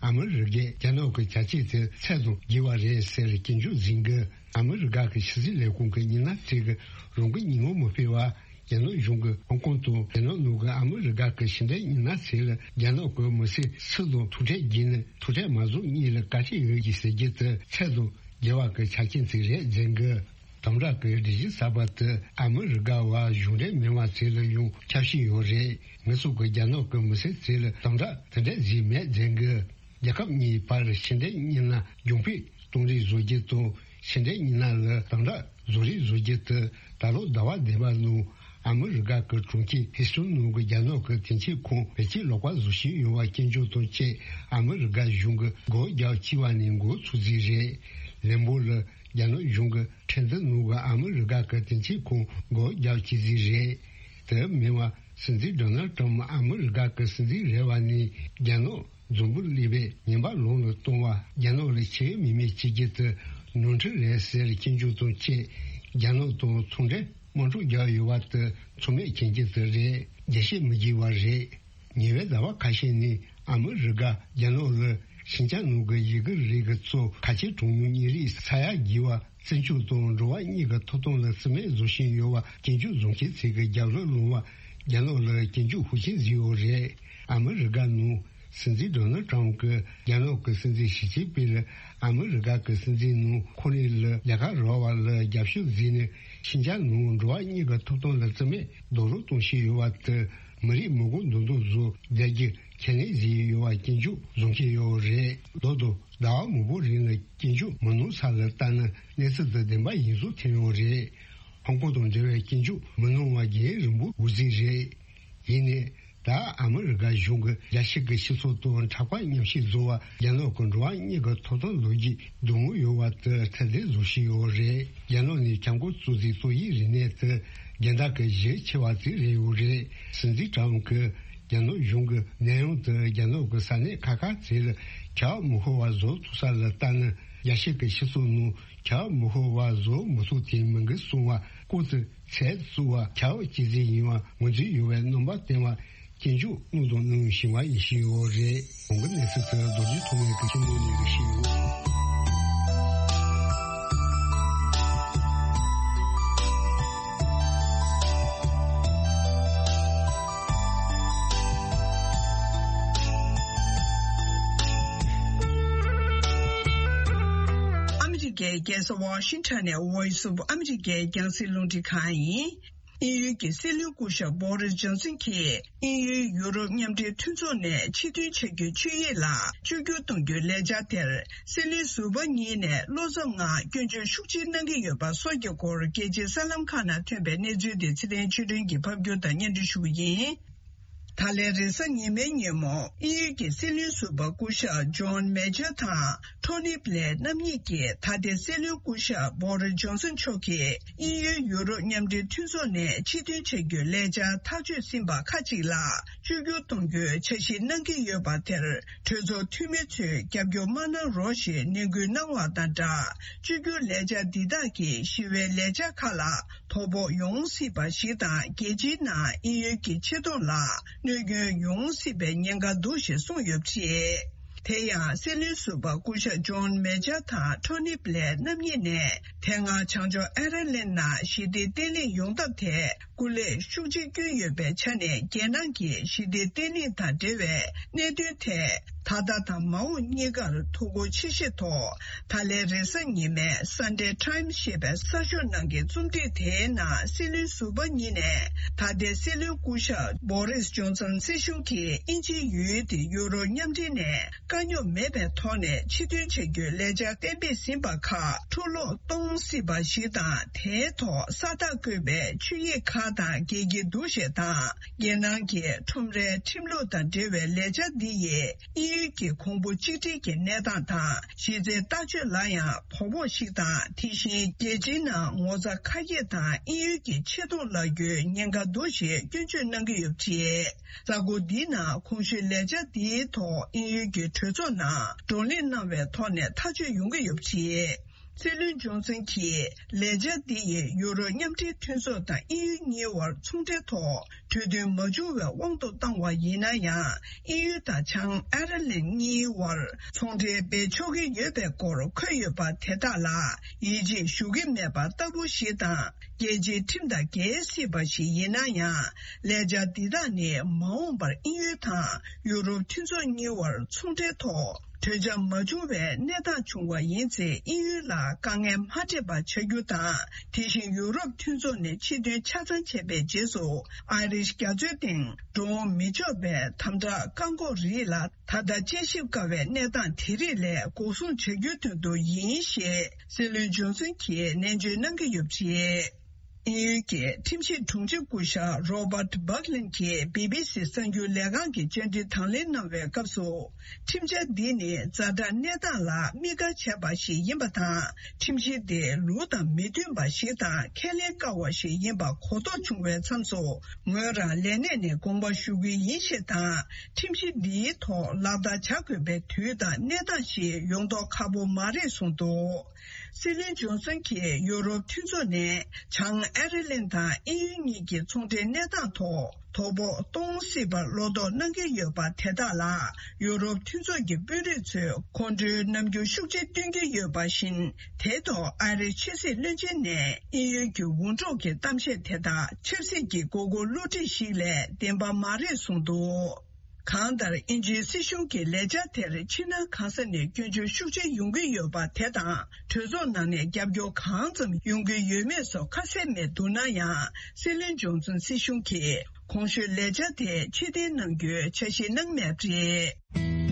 ཨ་མི་རི་ཀས་རྒྱ་ནག་གི་བྱ་སྤྱོད་དེ་ཚད་དང་བརྒལ་བ་རེད་ཟེར་སྐྱོན་བརྗོད་བཟོས་འདུག་ཨ་མི་རི་ཀ་གི་ཕྱི་སྲིད་ལས་ཁུངས་ཀྱི་མི་སྣ་ཚོས་ཀྱིས་རང་འགུལ་ཉིན་མོ་མ་སྤེལ་བར། རྒྱ་ནག་གཞུང་གིས་ཧོང་ཀོང་དང་རྒྱ་ནག་ནང་གི་ཨ་མི་རི་ཀ་གི་ཕྱི་འབྲེལ་མི་སྣ་ཚོས་ལ་རྒྱ་ནག་གི་མི་སེར་སུ་དང་ཐུག་འཕྲད་བགྱིས་ནས་ཐུག་འཕྲད་མ་བཟོ་སྔོན་ལ་བཀའ་ཁྲིད་འོས་བསྒྱུར་ཟེར་རྒྱུ་དེ་ཚད་དང་བརྒལ་བ་གི་ཆ་རྐྱེན་ཅིག་རེད་ཟེར་གི། དམ་དྲག་གི་སྒྲིག་གཞི་གསར་པ་དེ་ཨ་མི་རི་ཀ་བ་གཞུང་འབྲེལ་མིན་པ་ཚོ་ལ་ཡང་ཁྱབ་བཞིན་ཡོད་རེད། ངེད་ཚོ་གི་རྒྱ་ནག་གི་མི་སེར་ཚོ་ལ་དམ་དྲག་དེ་འདྲ་བཟོས་མེད་ཟེར་གི། རྒྱལ་ཁབ་གཉིས་བར་ཕྱི་འབྲེལ་མི་སྣ་གྱོང་སྤུས་གཏོང་རིགས་བཟོ་རྒྱུ་དང་། ཕྱི་འབྲེལ་མི་སྣ་ལ་དམ་དྲག་བཟོ་རིགས་བཟོ་རྒྱུ་དེ་ད་ལོ་ཟླ་བ་བདུན་པ་ནང་ཨ་མི་རི་ཀ་གི་གྲོང་ཁྱེར་ཧི་སུན་ནང་གི་རྒྱ་ནག་གི་དེང་ཆེན་ཁང་བེད་སྤྱོད་ལོག་པ་བཟོ་བཞིན་ཡོད་པ་སྐྱོན་བརྗོད་དང་བཅས་ཨ་མི་རི་ཀ་གཞུང་གིས་འགོག་རྒྱག་བྱས་པ་ནས་འགོ་ཚུགས་རྩིས་རེད། ལན་འབོར་ལ། རྒྱ་ནག་གཞུང་གི་ཁྲིམས་འཛིན་ནང་གི་ཨ་མི་རི་ཀ་གི་དེ་འཆི་ཁོངས་སྒོ་རྒྱག་བྱེད་རྩིས་རེད། དེ་མིན་པ་སྲིད་འཛིན་ཌོ་ནལ་ཊམ་ཨ་མི་རི་ཀ་གི་སྲིད་འཛིན་རེད་པ་ནས་རྒྱ་ནག་འཛམ་བུ་གླིང་པའི་ཉེན་པ་ལམ་ལ་གཏོང་བ། རྒྱ་ནག་ལ་ཆེས་མི་མེད་བྱེད་རྒྱུ་དེ་ནོར་འཁྲུལ་རེད་ཟེར་སྐྱོན་བརྗོད་དང་བཅས་རྒྱ་ནག་དང་ཚོང་འབྲེལ་དམག་འཁྲུག་བརྒྱབ་ཡོད་པ་དེ་ཚང་མས་མཁྱེན་རྒྱུ་དེ་རེད། རྒྱས་བཤད་མི་བགྱི་བ་རེད། ཉེ་བའི་ཟླ་བ་ཁ་ཤས་ནས་ཨ་མི་རི་ཀ་རྒྱ་ནག་ལ་ཤིན་ཅང་ནང་གི་ཡི་གེ་རིགས་ཀྱི་གཙོ་ཁ་ཆེ་གྲངས་ཉུང་གཉན་རིགས་ས་ཡ་རྒྱས་པ་བཙན་སྐྱོབ་དང་འགྲོ་བ་མིའི་ཐོབ་ཐང་ལ་རྩིས་མེད་བཟོ་བཞིན་ཡོད་པ་སྐྱོན་བརྗོད་བཟོ་མཁན་ཚོས་ཀྱི་རྒྱབ་ལོགས་ལངས་པ་རྒྱ་ནག་ལ་སྐྱོན་བརྗོད་ཤུགས་ཆེན་བཟོས་ཡོད་རེད། ཨ་མི་རི་ཀ་ནང་སྲིད་འཛིན་ཌོ་ནལ་ཊམ་གྱིས་རྒྱ་ནག་གི་སྲིད་འཛིན་ཞི་ཅིན་ཕིང་ལ་ཨ་མི་རི་ཀ་གི་སྲིད་འཛིན་ནང་ཁོ་རང་ལ་ལས་ཀ་རག་པ་ལ་རྒྱབ་སྐྱོར་བཟོས་ནས་ཤིན་ཅང་ནང་འགྲོ་བ་མིའི་ཐོབ་ཐང་ལ་རྩིས་མེད་རྡོག་རོལ་གཏོང་བཞིན་ཡོད་པ་དེ་མི་རིགས་མི་མགོ་འདོན་སྡོད་བཟོ་རྒྱག་རྒྱུ་ཁས་ལེན་བཟོས་ཡོད་པ་སྐྱོན་བརྗོད་བཟོ་མཁན་ཡོད་རེད། རྡོག་རྡོག་ཟླ་བ་མང་པོ་རིང་ལ་སྐྱོན་བརྗོད་མི་གནང་ས་ལ་ལྟ་ན་གནས་ཚུལ་དེ་བདེན་པ་ཡིན་བཟོ་ཐོན་ཡོད་རེད། ཧོང་ཀོང་དང་འབྲེལ་བའི་སྐྱོན་བརྗོད་མི་གནང་བ་རྒྱུན་རིང་པོ་འགོར་རྩིས་རེད། ཡིན་ནའི་ད་ཨ་མི་རི་ཀ་གཞུང་གི་རྒྱལ་སྤྱི་གི་སྤྱི་ཚོགས་དང་འཁྲུག་པ་མཉམ་བཞག་བཟོ་བ་རྒྱ་ནག་གི་འགྲོ་བ་མིའི་ཐོབ་ཐང་ལོ་རྒྱུས་སྡུག་བསྔལ་ཡོད་པ་དེ་ཐེར་འདོན་བཟོ་བཞིན་ཡོད་རེད། རྒྱ་ནག་ནས་ཁྱབ་ཁོངས་གཙོ་ཆེ་ཏོག་དབྱིབས་རིམས་ནད་དེ་རྒྱལ་ཟླ་གི་བཞི་ཆེ་བ་དེ་རེད་ཡོད་རེད། སྲིད་འཛིན་ཊམ་གྱིས་རྒྱ་ནག་གཞུང་གི་ནད་ཡམས་དེ་རྒྱ་ནག་གི་ས་གནས་ཁག་ཁག་ཚོ་ལ་ཁྱབ་མི་ཤོར་བ་བཟོ་ཐུབ་ས་ལ་ལྟ་ན་རྒྱལ་སྤྱི་གི་སྤྱི་ཚོགས་ནང་ཁྱབ་མི་ཤོར་བ་བཟོ་མི་ཐུབ་དེ་མི་འགི་གསུང་བ་ལྐོག་ཏུ་ཚད་བཙུགས་པ་ཁྱབ་སྤྱི་ཚིག་ཡིན་པ་ངོས་འཛིན་ཡོད་པའི་རྣམ་པ་བསྟན་པ་སྐྱོན་བརྗོད་གནང་དང་གནང་བཞིན་པ་ཡིན་བཞིན་ཡོད་རེད། གོང་གི་གནས་ཚུལ་དེ་རྡོ་རྗེ་ཐོགས་མེད་ཀྱིས་ཁྱིམ་ནང་ནས་རེ་ཞིག་ཡོད། ཨ་མི་རི་ཀའི་རྒྱལ་ས་ཝ་ཤིང་ཊོན་ནས་Voice of America་རྒྱང་སྲིང་རླུང་འཕྲིན་ཁང་ཡིན། དབྱིན་ཡུལ་གྱི་སྲིད་བློན་སྐུ་ཞབས་བྷོ་རིས་ཇོན་སན་གྱིས་དབྱིན་ཡུལ་ཡུ་རོབ་མཉམ་འབྲེལ་མཐུན་ཚོགས་ནས་ཕྱིར་ཐོན་བྱ་རྒྱུའི་ཆོད་ཡིག་ལ་བཅོས་བསྒྱུར་གཏོང་རྒྱུའི་ལས་འཆར་དེར་སྲིད་བློན་ཟུར་པ་གཉིས་ནས་བློ་འཚབ་ངང་སྐྱོན་བརྗོད་ཤུགས་ཆེ་གནང་གི་ཡོད་པ་སོགས་ཀྱི་སྐོར་རྒྱལ་སྤྱིའི་གསར་ལམ་ཁག་ནང་ཐོན་པའི་གནས་ཚུལ་དེ་ཚེ་བརྟན་ཆོས་སྒྲོན་གྱིས་ཕབ་སྒྱུར་དང་སྙན་སྒྲོན་ཞུ་གི་ཡིན། ད་ལན་རེས་གཟའ་ཉི་མའི་ཉིན་མོ་དབྱིན་ཡུལ་གྱི་སྲིད་བློན་ཟུར་པ་སྐུ་ཞབས་ཇོན་མེ་ཇར་དང་ཊོ་ནི་བྷི་ལེར་རྣམ་གཉིས་ཀྱིས་ད་ལྟའི་སྲིད་བློན་སྐུ་ཞབས་བྷོ་རིས་ཇོན་སན་མཆོག་གིས་དབྱིན་ཡུལ་ཡུ་རོབ་མཉམ་འབྲེལ་མཐུན་ཚོགས་ནས་ཕྱིར་འཐེན་བྱ་རྒྱུའི་ལས་འཆར་ཐག་གཅོད་ཟིན་པ་ཁག་ཅིག་ལ་བཅོས་བསྒྱུར་གཏོང་རྒྱུའི་འཆར་གཞི་གནང་གི་ཡོད་པ་དེར་གྲོས་ཚོགས་འཐུས་མི་ཚོས་རྒྱབ་སྐྱོར་མ་གནང་རོགས་ཞེས་ནན་སྐུལ་གནང་བ་དང་སྦྲགས། བཅོས་བསྒྱུར་ལས་འཆར་འདི་དག་གིས་ཞི་བའི་ལས་འཆར་ཁག་ལ་དོ་ཕོག་ཡོང་སྲིད་པ་ཞིག་དང་རྒྱལ་སྤྱིའི་ནང་དབྱིན་ཡུལ་གྱི་ཆེ་མཐོང་ལ་གནོད་སྐྱོན་ཡོང་སྲིད་པའི་ཉེན་ཁ་འདུག་ཞེས་གསུངས་ཡོད་པ་རེད། དེ་ཡང་སྲིད་བློན་ཟུར་པ་སྐུ་ཞབས་ཇོན་མེ་ཇར་དང་ཊོ་ནི་བྷི་ལེར་རྣམ་གཉིས་ནས་དེ་སྔ་བྱང་ཕྱོགས་ཨེར་ལན་ནང་ཞི་བདེ་བརྟན་ལྷིང་ཡོང་ཐབས་ཐད་སྐུ་ལས་ཤུགས་ཆེ་བསྐྱོན་ཡོད་པའི་ཆ་ནས་རྒྱལ་ནང་གི་ཞི་བདེ་བརྟན་ལྷིང་དང་འབྲེལ་བའི་གནད་དོན་ཐད་ད་ལྟ་དང་མ་འོངས་གཉིས་ཀར་ཐུགས་ཁུར་ཆེ་བཞེས་ཐོག་ད་ལན་རེས་གཟའ་ཉི་མའི་Sunday Times་ཞེས་པའི་གསར་ཤོག་ནང་གི་རྩོམ་བྲིས་དེའི་ནང་སྲིད་བློན་ཟུར་པ་གཉིས་ནས་ད་ལྟའི་སྲིད་བློན་སྐུ་ཞབས་བྷོ་རིས་ཇོན་སན་སྲིད་གཞུང་གིས་དབྱིན་ཇིའི་ཡུལ་དེ་ཡུ་རོབ་མཉམ་འབྲེལ་ནས་དཀའ་རྙོག་མེད་པའི་ཐོག་ནས་ཕྱིར་ཐོན་བྱ་རྒྱུའི་ལས་འཆར་གཏན་འབེབས་ཟིན་པ་ཁག་འཕྲོ་བརླག་གཏོང་སྲིད་པ་ཞིག་དང་། དེའི་ཐོག་ས་རྟགས་བཀོད་པའི་ཆོད་ཡིག་ཁག་དང་འགལ་གྱི་འདུག་ཞེས་དང་། རྒྱལ་ནང་གི་ཁྲོམ་རའི་ཁྲིམས་ལུགས་དང་འབྲེལ་བའི་ལས་འཆར་འདི་ཡིས་དབྱིན་ཡུལ་གྱི་གོང་བུ་གཅིག་སྒྲིལ་གྱི་གནས་སྟངས་དང་། གཞི་རྩའི་ལྟ་སྤྱོད་ལ་ཡང་དོ་ཕོག་ཞིག་དང་། དེ་བཞིན་རྒྱལ་སྤྱིའི་ནང་ངོ་ཚ་ཁ་ཡིག་དང་དབྱིན་ཡུལ་གྱི་ཆེ་མཐོང་ལ་རྒོལ་ཉེན་ཁ་འདུག་ཞེས་སྐྱོན་བརྗོད་གནང་གི་ཡོད་པ་རེད། གཟའ་འཁོར་འདིའི་ནང་གོང་ཞུས་ལས་འཆར་འདིའི་ཐོག་དབྱིན་ཡུལ་གྱི་གྲོས་ཚོགས་ནང་བགྲོ་གླེང་གནང་བའི་ཐོག་ནས་ཐག་གཅོད་ཡོང་གི་ཡོད་པ་རེད། སྲིད་བློན་ཇོན་སན་གྱིས་ལས་འཆར་འདི་ཡིས་ཡུ་རོབ་མཉམ་འབྲེལ་མཐུན་ཚོགས་དང་དབྱིན་ཡུལ་གཉིས་དབར་ཚོང་འབྲེལ་ཐོག་གྲོས་མཐུན་མ་བྱུང་བའི་དབང་དུ་བཏང་བ་ཡིན་ན་ཡང་། དབྱིན་ཡུལ་དང་བྱང་ཨེར་ལན་གཉིས་དབར་ཚོང་འབྲེལ་སྤེལ་ཆོག་གི་ཡོད་པའི་སྐོར་འཁོད་ཡོད་པ་དེ་དག་ལ་ཡིད་ཆེས་ཞུ་གི་མེད་པ་ལྟ་བུ་ཞིག་དང་། རྒྱལ་སྤྱིའི་ཁྲིམས་དང་འགལ་སྲིད་པ་ཞིག་ཡིན་ན་ཡང་། ལས་འཆར་འདི་དག་ནི་མ་འོངས་པར་དབྱིན་ཡུལ་དང་ཡུ་རོབ་མཐུན་ཚོགས་གཉིས་དབར་ཚོང་འབྲེལ་ཐོག་གྲོས་འཆམ་མ་བྱུང་བའི་གནས་སྟངས་བྱུང་བ་ཡིན་ཚེ། དབྱིན་ཡུལ་ལ་དཀའ་ངལ་མ་འཕྲད་པ་བྱ་རྒྱུ་དང་། དེ་བཞིན་ཡུ་རོབ་མཐུན་ཚོགས་ནས་ཕྱིར་ཐོན་ཆ་ཚང་བྱས་པའི་རྗེས་སུ། ཨའི་རིཤ་རྒྱ་མཚོའི་སྟེང་འགྲོ་འོང་མི་ཆོག་པའི་དམ་དྲག་བཀག་འགོག་རིགས་ལ་ད་ལྟ་དཔྱད་ཞིབ་དཀའ་བའི་གནས་སྟངས་དེ་རིགས་ལས་འགོག་སྲུང་བྱ་རྒྱུའི་དོན་དུ་ཡིན་ཞེས་སྲིད་བློན་ཇོན་སན་གྱིས་ནན་བརྗོད་གནང་གི་ཡོད་པ་རེད། དབྱིན་ཡུལ་གྱི་ཁྲིམས་ཞིབ་དྲུང་ཆེ་སྐུ་ཞབས་Robert Berlin གྱིས་བྷི་བྷི་སི་གསར་འགྱུར་ལས་ཁང་གི་བཅར་འདྲི་དང་ལེན་གནང་བའི་སྐབས་སུ། ཁྲིམས་འཆར་འདི་ནི་ཛ་དྲག་གནས་སྟངས་ལ་དམིགས་བཀར་བྱས་པ་ཞིག་ཡིན་པ་དང་། ཁྲིམས་གཞི་དེ་ལུགས་དང་མི་མཐུན་པ་ཞིག་དང་ཁས་ལེན་དཀའ་བ་ཞིག་ཡིན་པ་གོ་རྟོགས་བྱུང་བའི་མཚམས་སུ། ངོས་རང་ལས་གནས་ནས་དགོངས་པ་ཞུ་གི་ཡིན་ཞེས་དང་། ཁྲིམས་གཞི་འདིའི་ཐོག་ལག་བསྟར་བྱ་དགོས་པའི་དུས་དང་གནས་སྟངས་ཤིག་ཡོང་མདོག་ཁ་པོ་མ་རེད་གསུངས་འདུག། སྲིད་བློན་ཇོན་སན་གྱིས་ཡུ་རོབ་མཐུན་ཚོགས་ནས་བྱང་ཨེ་རི་ལན་དང་དབྱིན་ཡུལ་གཉིས་ཀྱི་ཚོང་འབྲེལ་གནས་སྟངས་ཐོག་དོ་ཕོག་གཏོང་སྲིད་པར་བློ་དོགས་གནང་གི་ཡོད་པ་དེ་དག་ལ། ཡུ་རོབ་མཐུན་ཚོགས་ཀྱི་དཔོན་རིགས་ཚོས་ཁོང་ཁྲོའི་རྣམ་འགྱུར་ཤུགས་ཆེ་སྟོན་གྱི་ཡོད་པ་བཞིན། དེའི་ཐོག་ཨ་རིའི་ཕྱི་སྲིད་བློན་ཆེན་ནས་དབྱིན་ཡུལ་གྱི་འུར་སྒྲོག་གི་གཏམ་བཤད་དེ་དག་ཆབ་སྲིད་ཀྱི་དགོས་མཁོ་བསླུ་བྲིད་ཞིག་ལས་བདེན་པ་མ་རེད་གསུངས་འདུག། གང་ལྟར། དབྱིན་ཇིའི་སྲིད་གཞུང་གི་ལས་འཆར་དེར་ཕྱི་ནང་གང་ས་ནས་སྐྱོན་བརྗོད་ཤུགས་ཆེ་ཡོང་གི་ཡོད་པ་དེ་དང་། གྲོས་ཚོགས་ནང་ནས་རྒྱབ་སྐྱོར་གང་ཙམ་ཡོང་གི་ཡོད་མེད་སོགས་ཁ་གསལ་མེད་འདུག་ན་ཡང་། སྲིད་བློན་ཇོན་སན་སྲིད་གཞུང་གིས་གོང་ཞུས་ལས་འཆར་དེ་ཕྱིར་འཐེན་གནང་རྒྱུའི་འཆར་གཞི་གནང་མེད་པ་རེད།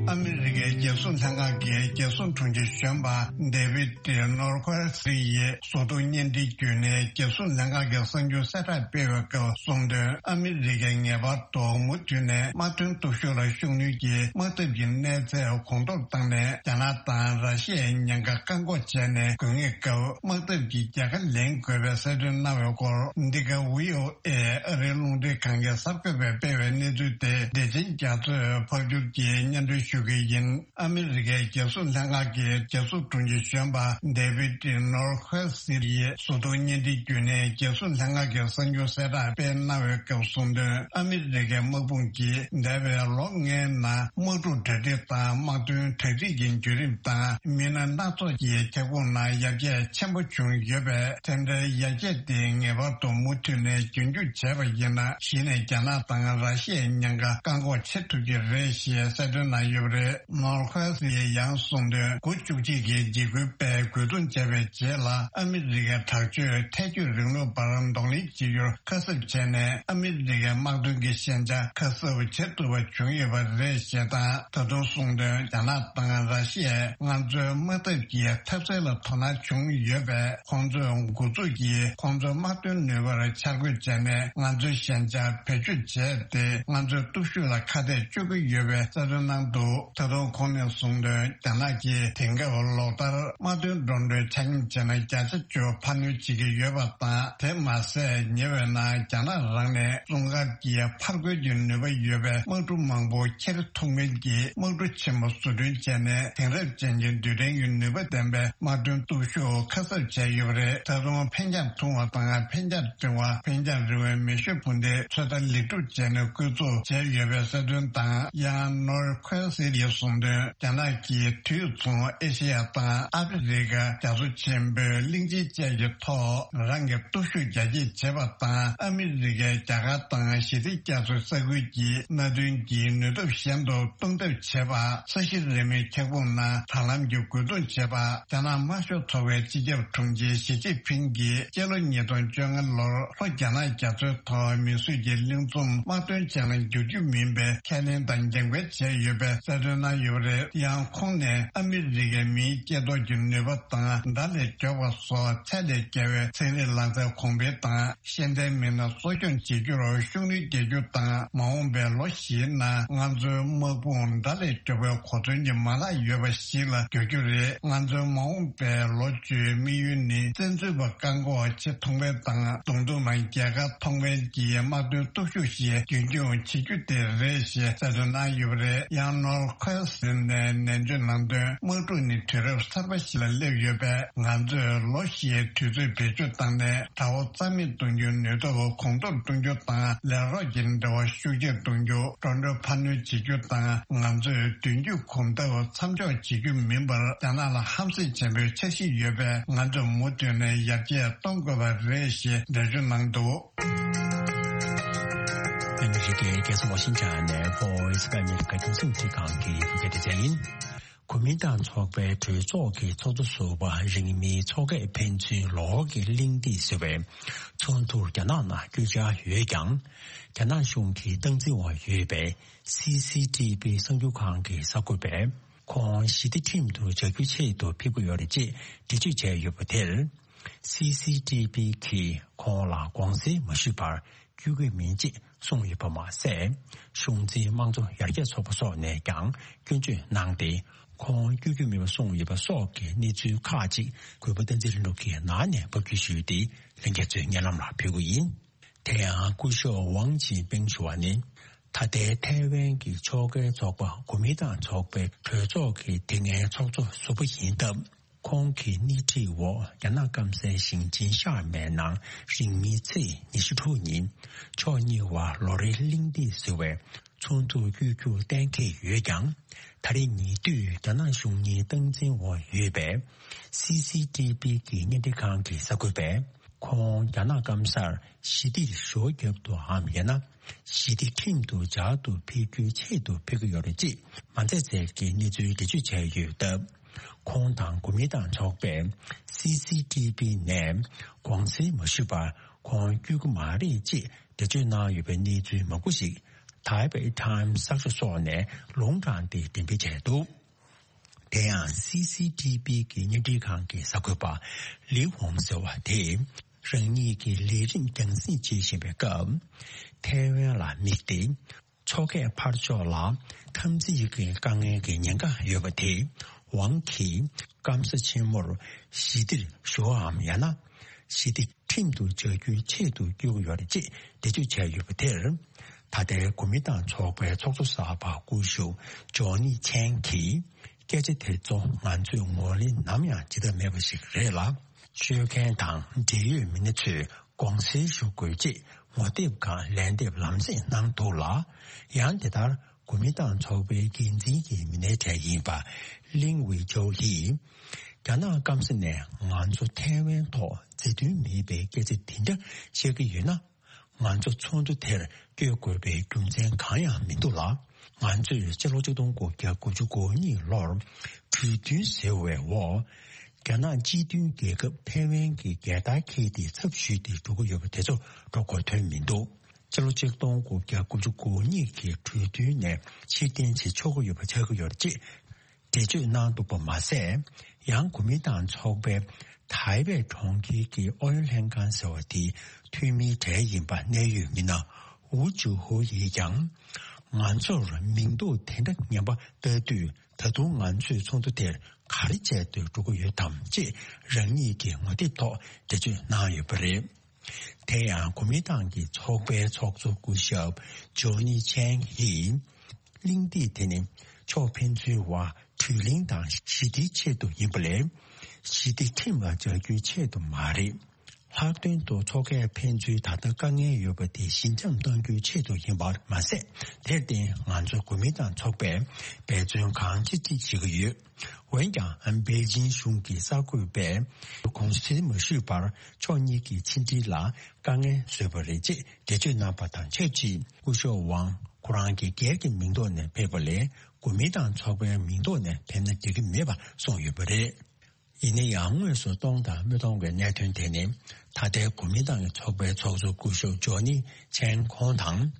ཨ་མི་རི་ཀའི་རྒྱལ་སྲུང་ལྷན་ཁང་གིས་རྒྱལ་སྲུང་དྲུང་ཆེ་གཞོན་པ་ཌེ་བིད་ནོར་ཁོལ་སི་ཡི་ཟུར་གཏོགས་བརྙན་འཕྲིན་བརྒྱུད་ནས་རྒྱལ་སྲུང་ལྷན་ཁང་གི་གསར་འགྱུར་གསལ་བསྒྲགས་སྤེལ་བའི་སྐབས་གསུངས་དོན། ཨ་མི་རི་ཀས་ངེས་པར་དུ་མུ་མཐུད་ནས་དམག་དོན་སྟོབས་ཤུགས་ལ་ཤུགས་སྣོན་གྱིས་དམག་འཐབ་ཀྱི་གནས་ཚད་གོང་མཐོར་བཏང་ནས། རྒྱ་ནག་དང་ར་ཤི་ཡའི་ཉེན་ཁ་བཀག་འགོག་བྱས་ནས། དགོས་ངེས་སྐབས་དམག་འཐབ་ཀྱི་རྒྱལ་ཁ་ལེན་དགོས་པའི་གསལ་སྟོན་གནང་བའི་སྐོར། འདི་ག་བྷི་ཨོ་ཨེ་ཨ་རིའི་རླུང་འཕྲིན་ཁང་གི་གསར་འགོད་པས་སྤེལ་བའི་གནས་ཚུལ་དེ་བདེ་ཆེན་རྒྱ་མཚོས་ཕབ་སྒྱུར་གྱིས་སྙན་སྒྲོན་ཞུ་གི་ཡིན། ཨ་མི་རི་ཀའི་རྒྱལ་སྲུང་ལྷན་ཁང་གི་རྒྱལ་སྲུང་དྲུང་ཆེ་གཞོན་པ་ཌེ་བིད་ནོར་ཁོལ་སི་ཡིས་ཟུར་གཏོགས་བརྙན་འཕྲིན་བརྒྱུད་ནས་རྒྱལ་སྲུང་ལྷན་ཁང་གི་གསར་འགྱུར་གསལ་བསྒྲགས་སྤེལ་གནང་བའི་སྐབས་གསུངས་དོན། ཨ་མི་རི་ཀའི་དམག་དཔུང་གིས་འདས་པའི་ལོ་ལྔའི་ནང་དམག་འཁྲུག་གྲ་སྒྲིག་དང་དམག་དོན་གྲ་སྒྲིག་གི་བརྒྱུད་རིམ་དང་། མི་སྣ་སྣ་ཚོགས་ཀྱི་ཁྱབ་ཁོངས་ནང་ཡར་རྒྱས་ཆེན་པོ་བྱུང་ཡོད་པས། དེ་འདྲའི་ཡར་རྒྱས་དེ་ངེས་པར་དུ་མུ་མཐུད་ནས་རྒྱུན་སྐྱོང་བྱས་པ་ཡིན་ན། གཞི་ནས་རྒྱ་ནག་དང་ར་ཤི་ཡའི་ཉེན་ཁ་བཀག་འགོག་བྱེད་ཐུབ་ཀྱི་རེད་ཞེས་གསལ་སྟོན་གནང་ཡོད་པ་རེད། ནོར་ཁོལ་སི་ཡིས་ཡང་གསུངས་དོན། དགུ་བཅུ་གཅིག་གི་འཇིགས་སྐུལ་པས་རྒོལ་རྡུང་བྱས་པའི་རྗེས་ལ། ཨ་མི་རི་ཀའི་དྲག་སྤྱོད་ཐལ་སྐྱོད་རིང་ལུགས་པར་གདོང་ལེན་བྱེད་རྒྱུར་ཁ་གསབ་བྱས་ནས། ཨ་མི་རི་ཀའི་དམག་དོན་གྱི་ཞན་ཆ་ཁ་གསབ་བྱེད་ཐུབ་པ་བྱུང་ཡོད་པ་རེད་ཞེས་དང་། ད་དུང་གསུངས་དོན། རྒྱ་ནག་དང་ར་ཤི་ཡས་ང་ཚོའི་དམག་འཐབ་ཀྱི་འཐབ་སའི་ལ་དོ་སྣང་བྱུང་ཡོད་པས། ཁོང་ཚོས་འགོ་འཛུགས་ཀྱིས་ཁོང་ཚོའི་དམག་དོན་ནུས་པར་འཆར་འགོད་བྱས་ནས། ང་ཚོའི་ཞན་ཆ་བེད་སྤྱོད་བྱས་ཏེ། ང་ཚོའི་སྟོབས་ཤུགས་ལ་ཁ་གཏད་གཅོག་གི་ཡོད་པའི་གསལ་སྟོན་གནང་འདུག། ད་དུང་ཁོང་ནས་གསུངས་དོན། རྒྱ་ནག་གིས་དེང་སྐབས་ལོ་ལྟར་དམག་དོན་འགྲོ་གྲོན་ཆ་སྙོམས་བྱས་ན་བརྒྱ་ཆ་བཅུ་འཕར་སྣོན་བྱེད་ཀྱི་ཡོད་པ་དང་། དེ་མ་ཟད། ཉེ་བའི་ནང་རྒྱ་ནག་རང་ནས་སྲུང་སྐར་གྱི་ཕར་རྒོལ་གྱི་ནུས་པ་ཡོད་པའི་དམག་གྲུ་མང་པོ་འཁྱེར་ཐུབ་མཁན་གྱི་དམག་གྲུ་ཆེན་མོ་བཟོ་སྐྲུན་བྱས་ནས། དེང་རབས་ཅན་གྱི་རྡུལ་ཕྲན་གྱི་ནུས་པ་ལྡན་པའི་དམག་དོན་སྟོབས་ཤུགས་ཁ་གསབ་བྱས་ཡོད་པ་རེད། ད་དུང་འཕེན་རྒྱང་ཐུང་བ་དང་འཕེན་རྒྱང་འབྲིང་བ། འཕེན་རྒྱང་རིང་བའི་མེ་ཤུགས་འཕུར་མདེལ་ཚོད་ལྟ་ལེགས་གྲུབ་བྱས་ནས་བཀོལ་སྤྱོད་བྱས་ཡོད་པའི་གསལ་སྟོན་དང་། ཡང་ནོར་ཁོལ་སི་ཡིས་གསུངས་དོན། རྒྱ་ནག་གིས་དུས་མཚུངས་ཨེ་ཤེ་ཡ་དང་ཨ་ཕི་རི་ཀ། རྒྱ་མཚོ་ཆེན་པོའི་གླིང་ཆེན་བཅས་ཀྱི་ཐོག་རང་གི་སྟོབས་ཤུགས་རྒྱ་སྐྱེད་བྱེད་པ་དང་། ཨ་མི་རི་ཀའི་རྒྱ་གར་དང་ཞི་བདེ་རྒྱ་མཚོའི་ས་ཁུལ་གྱི་མནའ་མཐུན་གྱི་ནུས་སྟོབས་གཞན་དུ་གཏོང་ཐབས་བྱེད་པ། ས་གཞི་རིལ་མོའི་ཁྱབ་ཁོངས་ནང་ད་ལམ་གྱི་རྒོལ་རྡུང་བྱེད་པ། རྒྱ་ནག་དམར་ཤོག་ཚོགས་པའི་སྤྱི་ཁྱབ་དྲུང་ཆེ་ཞི་ཅིན་ཕིང་གིས་སྤྱི་ལོ་ཉིས་སྟོང་བཅོ་ལྔ་ལོར་ལྷོ་རྒྱ་ནག་རྒྱ་མཚོའི་ཐོག་མིས་བཟོས་ཀྱི་གླིང་ཚོམ་དམག་དོན་ཅན་ལ་འགྱུར་རྒྱུ་མིན་པའི་ཁས་ལེན་དང་འགན་འཁུར་བྱས་ཡོད་པའི་གསལ་སྟོན་གནང་ཡོད་པ་རེད། ཡང་ཁོང་ནས་ཨ་མི་རི་ཀའི་མིའི་སྐྱེ་སྟོབས་ཀྱི་ནུས་པ་དང་། མདའ་ལས་མགྱོགས་པ་སོགས་ཚད་ལས་བརྒལ་བའི་ཚན་རིག་ལག་རྩལ་གོང་འཕེལ་དང་། ཤེས་ལྡན་མི་སྣ་གསོ་སྐྱོང་བྱེད་རྒྱུར་ཤུགས་སྣོན་རྒྱག་རྒྱུ་དང་། མ་འོངས་པའི་ལོ་བཞིའི་ནང་ང་ཚོའི་དམག་དཔུང་མདའ་ལས་མགྱོགས་པའི་གོ་མཚོན་གྱི་མ་ལག་ཡོད་པ་ཞིག་ལ་འགྱུར་རྒྱུ་རེད། ང་ཚོའི་མ་འོངས་པའི་ལོ་བཅུའི་དམིགས་ཡུལ་ནི། བཙན་འཛུལ་པ་བཀག་འགོག་བྱེད་ཐུབ་མཁན་དང་། མདུང་ཐུང་ལ་རྒྱལ་ཁ་ཐོབ་མཁན་གྱི་དམག་དོན་སྟོབས་ཤུགས་ཤིག་རྒྱུན་འཁྱོངས་བྱེད་རྒྱུ་དེ་རེད་ཞེས་གསལ་སྟོན་གནང་ཡོད་པ་རེད། ཡང་ནོར་ཁོལ་སི་ནས་ནན་བརྗོད་གནང་དོན། དམག་འཁྲུག་ནི་དུས་རབས་གསར་པ་ཞིག་ལ་སླེབས་ཡོད་པས། ང་ཚོས་ལོ་བཞིའི་དུས་ཚོད་བེད་སྤྱོད་བཏང་ནས། དགྲ་བོ་རྩ་མེད་གཏོང་རྒྱུའི་ནུས་སྟོབས་གོང་མཐོར་གཏོང་རྒྱུ་དང་། ལས་རོགས་ཀྱི་འབྲེལ་བ་ཤུགས་ཆེར་གཏོང་རྒྱུ། འགྲོ་གྲོན་འཕར་སྣོན་བྱེད་རྒྱུ་དང་། ང་ཚོས་མདུན་སྐྱོད་གོམ་སྟབས་མཚམས་འཇོག་བྱེད་རྒྱུ་མིན་པར། རྒྱ་ནག་ལ་ཧམ་སེམས་ཆེན་པོའི་འཆར་གཞི་ཡོད་པས། ང་ཚོས་མུ་མཐུད་ནས་ཡར་རྒྱས་གཏོང་དགོས་པ་རེད་ཞེས་འགྲེལ་བརྗོད་གནང་འདུག། ཨ་མི་རི་ཀའི་རྒྱལ་ས་ཝ་ཤིང་ཊོན་ནས་Voice of America རྒྱང་སྲིང་རླུང་འཕྲིན་ཁང་གི་བོད་སྐད་སྡེ་ཚན་ཡིན། གོ་མིན་ཏང་ཚོགས་པའི་གྲོས་ཚོགས་ཀྱི་ཚོགས་གཙོ་ཟུར་པ་རིང་མིན་ཚོགས་ཁག་ཕན་ཚུན་ལོགས་ཀྱི་གླེང་སྟེགས་ཟེར་བའི་ཚོགས་འདུར་རྒྱ་ནག་ནང་བསྐྱོད་འཆར་ཡོད་ཀྱང་། རྒྱ་ནག་གཞུང་གི་སྟངས་འཛིན་འོག་ཡོད་པའི་སི་སི་ཊི་བི་གསར་འགྱུར་ཁང་གི་གསར་འགོད་པས། ཁོང་ཞི་བདེ་ཁྲིམས་དུ་འཇལ་རྒྱུའི་ཆེད་དུ་ཕེབས་ཀྱི་ཡོད་རེད་ཅེས་འགྲེལ་བརྗོད་བྱས་ཡོད་པ་དེར། སི་སི་ཊི་བི་གིས་ཁོང་ལ་དགོངས་སེལ་མ་ཞུས་པར་བསྐྱོད་ཀྱི་མིན་ཅེས་གསུངས་ཡོད་པ་མ་ཟད། གཞུང་འཛིན་དམངས་གཙོ་ཡར་རྒྱས་ཚོགས་པ་སོགས་ནས་ཀྱང་སྐྱོན་བརྗོད་གནང་སྟེ། ཁོང་བསྐྱོད་རྒྱུ་མིན་པ་གསུངས་ཡོད་པ་སོགས་ཀྱི་གནས་ཚུལ་ཁག་ཅིག་གུས་པ་བསྟན་འཛིན་ལྷུན་གྲུབ་ཀྱིས་ནང་ནས་ཕབ་སྒྱུར་ཞུས་ཏེ། ལྷན་རྒྱས་ཚོས་སྙན་ལམ་ལ་ཕུལ་གྱི་ཡིན། དེ་ཡང་སྐུ་ཞབས་ཝང་ཅིན་ཕིང་ཞུ་བ་ནི། ད་ལྟའི་ཐའེ་ཝན་གྱི་ཕྱོགས་འགལ་ཚོགས་པ་གོ་མིན་ཏང་ཚོགས་པའི་གྲོས་ཚོགས་ཀྱི་དེ་སྔའི་ཚོགས་གཙོ་ཟུར་པ་ཡིན་སྟབས། ཁོང་གི་སྣེ་ཁྲིད་འོག་རྒྱ་ནག་སྐམ་སའི་ཞིང་ཆེན་ཤར་མའི་ནང་རིང་མིན་ཚེས་ཉི་ཤུ་དྲུག་ཉིན་ཕྱོགས་གཉིས་བར་ལོ་རེའི་གླེང་སྟེགས་ཟེར་བའི་ཚོགས་འདུར་བསྐྱོད་རྒྱུ་གཏན་འཁེལ་ཡོད་ཀྱང་། ད་རེས་ཉེ་དུས་རྒྱ་ནག་གཞུང་གཉིས་སྟངས་འཛིན་འོག་ཡོད་པའི་སི་སི་ཊི་བི་གི་བརྙན་འཕྲིན་ཁང་གི་གསར་འགོད་པས། ཁོང་རྒྱ་ནག་སྐམ་སར་ཞི་བདེར་ཞི་བ་རྒྱབ་ཏུའམ་ཡང་ན་ཞི་བདེ་ཁྲིམས་དུ་སྦྱར་དུ་ཕེབས་རྒྱུའི་ཆེད་དུ་ཕེབས་ཀྱི་ཡོད་རེད་ཅེས་མ་འཛེམས་ཟེར་གྱི་གནས་ཚུལ་འགྲེལ་བརྗོད་བྱས་ཡོད་སྟབས། ཁོང་དང་གོ་མིན་ཏང་ཚོགས་པས་སི་སི་ཊི་བི་ནས་དགོངས་སེལ་མ་ཞུས་པར་ཁོང་བསྐྱོད་ཀྱི་མ་རེད་ཅེས་འགྲེལ་བརྗོད་གནང་ཡོད་པའི་གནས་ཚུལ་མང་པོ་ཞིག་ཐའེ་པེ་ཊའེམ་གསར་ཤོག་སོགས་ནས་ལུང་དྲངས་ཏེ་འགྲེམས་སྤེལ་བྱས་འདུག་དེ་ཡང་སི་སི་ཊི་བི་གི་བརྙན་འཕྲིན་ཁང་གི་གསར་འགོད་པ་ལི་ཝང་ཟེར་བ་དེས་རང་ཉིད་ཀྱི་ལས་རིམ་རྒྱང་སྲིང་བྱེད་བཞིན་པའི་སྐབས། ཐའེ་ཝན་ལ་དམིགས་ཏེ། མཚོ་ཁའི་ཕར་ཕྱོགས་ལ་འཐབ་འཛིང་གི་དཀའ་ངལ་གྱི་ཉེན་ཁ་ཡོད་པ་དེས། ཝང་གིས་སྐམ་ས་ཆེན་མོར་ཞི་བདེར་ཞུ་བའམ་ཡང་ན་ཞི་བདེ་ཁྲིམས་དུ་འཇགས་རྒྱུའི་ཆེད་དུ་བསྐྱོད་ཀྱི་ཡོད་རེད་ཅེས་འགྲེལ་བརྗོད་བྱས་ཡོད་པ་དེར། ད་ལྟའི་གོ་མིན་ཏང་ཚོགས་པའི་ཚོགས་གཙོ་གསར་པ་སྐུ་ཞབས་ཇོ་ནི་ཆན་གྱིས། སྐད་ཆ་དེ་ཚོ་ང་ཚོས་ངོས་ལེན་ནམ་ཡང་བྱེད་ཐབས་མེད་པ་ཞིག་རེད་ལ། ཤོད་མཁན་དང་འབྲེལ་ཡོད་མི་སྣ་ཚོས་དགོངས་སེལ་ཞུ་དགོས་ཅེས་ངོ་དེབ་སྒང་ལན་འདེབས་ལམ་སེང་གནང་འདུག་ལ། ཡང་དེ་ལྟར་གོ་མིན་ཏང་ཚོགས་པའི་འགན་འཛིན་གྱི་མི་སྣའི་གྲས་ཡིན་པ་ལིང་ཝེ་ཅའོ་ཡིས། རྒྱ་ནག་སྐམ་ས་ནས་ང་ཚོ་ཐའེ་ཝན་ཐོག་མཛའ་མཐུན་མེད་པའི་སྐད་ཆ་དེ་འདྲ་བཤད་ཀྱི་ཡོད་ན། ང་ཚོ་ཚོགས་འདུ་དེར་བསྐྱོད་དགོས་པའི་རྒྱུ་མཚན་གང་ཡང་མི་འདུག་ལ། ང་ཚོས་སྤྱི་ལོ་ཆིག་སྟོང་དགུ་བརྒྱ་དགུ་བཅུ་གོ་གཉིས་ལོར་གྲོས་མཐུན་ཟེར་བའི་འོག་རྒྱ་ནག་སྤྱི་མཐུན་རྒྱལ་ཁབ་ཐའེ་ཝན་གྱི་རྒྱལ་དར་འཁྱེར་ཏེ་ཚབ་ཞུས་ཏེ་འགྲོ་གི་ཡོད་པ་དེ་ཚོ་འགྲོ་དགོས་དོན་མི་འདུག་སྤྱི་ལོ་ཆིག་སྟོང་དགུ་བརྒྱ་དགུ་བཅུ་གོ་གཉིས་ཀྱི་གྲོས་མཐུན་ནས་ཕྱིར་འཐེན་བྱེད་ཆོག་གི་ཡོད་པ་ཆགས་ཀྱི་ཡོད་རེད་ཅེས། འགྲེལ་བརྗོད་གནང་འདུག་པ་མ་ཟད། ཡང་གོ་མིན་ཏང་ཚོགས་པའི་ཐའེ་པེ་གྲོང་ཁྱེར་གྱི་ཨུ་ཡོན་ལྷན་ཁང་ཟེར་བ་དེའི་འཐུས་མིའི་གྲས་ཡིན་པ་གནད་ཡོད་མི་སྣ་ཝུ་ཅུ་ཧོ་ཡིས་ཀྱང་། ང་ཚོར་མིང་འདོགས་དེ་འདྲ་ངན་པ་ལྟ་དུས། ད་དུང་ང་ཚོས་ཚོགས་འདུ་དེར་ག་རེ་བྱས་ཏེ་འགྲོ་གི་ཡོད་དམ་ཅེས་རང་ཉིད་ཀྱི་ངོ་དེབ་ཐོག་འགྲེལ་བརྗོད་གནང་ཡོད་པ་རེད། དེ་ཡང་གོ་མིན་ཏང་གི་ཚོགས་པའི་ཚོགས་གཙོ་སྐུ་ཞབས་ཇོ་ནི་ཆན་ཡིས། གླེང་སྟེགས་དེ་ནི་ཕྱོགས་ཕན་ཚུན་བར་གྲོས་གླེང་དང་ཞི་བདེའི་ཆེད་དུ་ཡིན་པ་ལས། ཞི་བདེ་ཁྲིམས་ལ་སྦྱར་རྒྱུའི་ཆེད་དུ་མ་རེད། ལྷག་དོན་དུ་མཚོ་ཁའི་ཕན་ཚུན་ད་ལྟ་དཀའ་ངལ་ཡོད་པ་དེ་ཞི་འཇམ་གཏོང་རྒྱུའི་ཆེད་དུ་ཡིན་པར་མ་ཟད། དེར་བརྟེན་ང་ཚོ་གོ་མིན་ཏང་ཚོགས་པས་འབད་བརྩོན་གང་ཅི་ཅི་བྱེད་ཀྱི་ཡོད། འོན་ཀྱང་པེ་ཅིན་གཞུང་གི་གསར་འགོད་པས་དགོངས་སེལ་མ་ཞུས་པར་ཕྱོགས་གཉིས་ཀྱི་ཕྱི་འབྲེལ་ལ་དཀའ་ངལ་བཟོས་པ་རེད་ཅེས་འགྲེལ་བརྗོད་གནང་པ་དང་ཆབས་ཅིག་སྐུ་ཞབས་ཝང་ཁོ་རང་གི་སྒེར་གྱི་མིང་ཐོག་ནས་ཕེབས་པ་ལས་གོ་མིན་ཏང་ཚོགས་པའི་མིང་ཐོག་ནས་ཕེབས་ན་འགྲིག་གི་མེད་པ་གསུངས་ཡོད་པ་རེད། ཡིན་ན་ཡང་དངོས་སུ་གཏོང་དང་མི་གཏོང་གི་གནད་དོན་དེ་ནི། ད་ལྟའི་གོ་མིན་ཏང་གི་ཚོགས་པའི་ཚོགས་གཙོ་སྐུ་ཞབས་ཇོ་ནི་ཆན་ཁོང་དང་།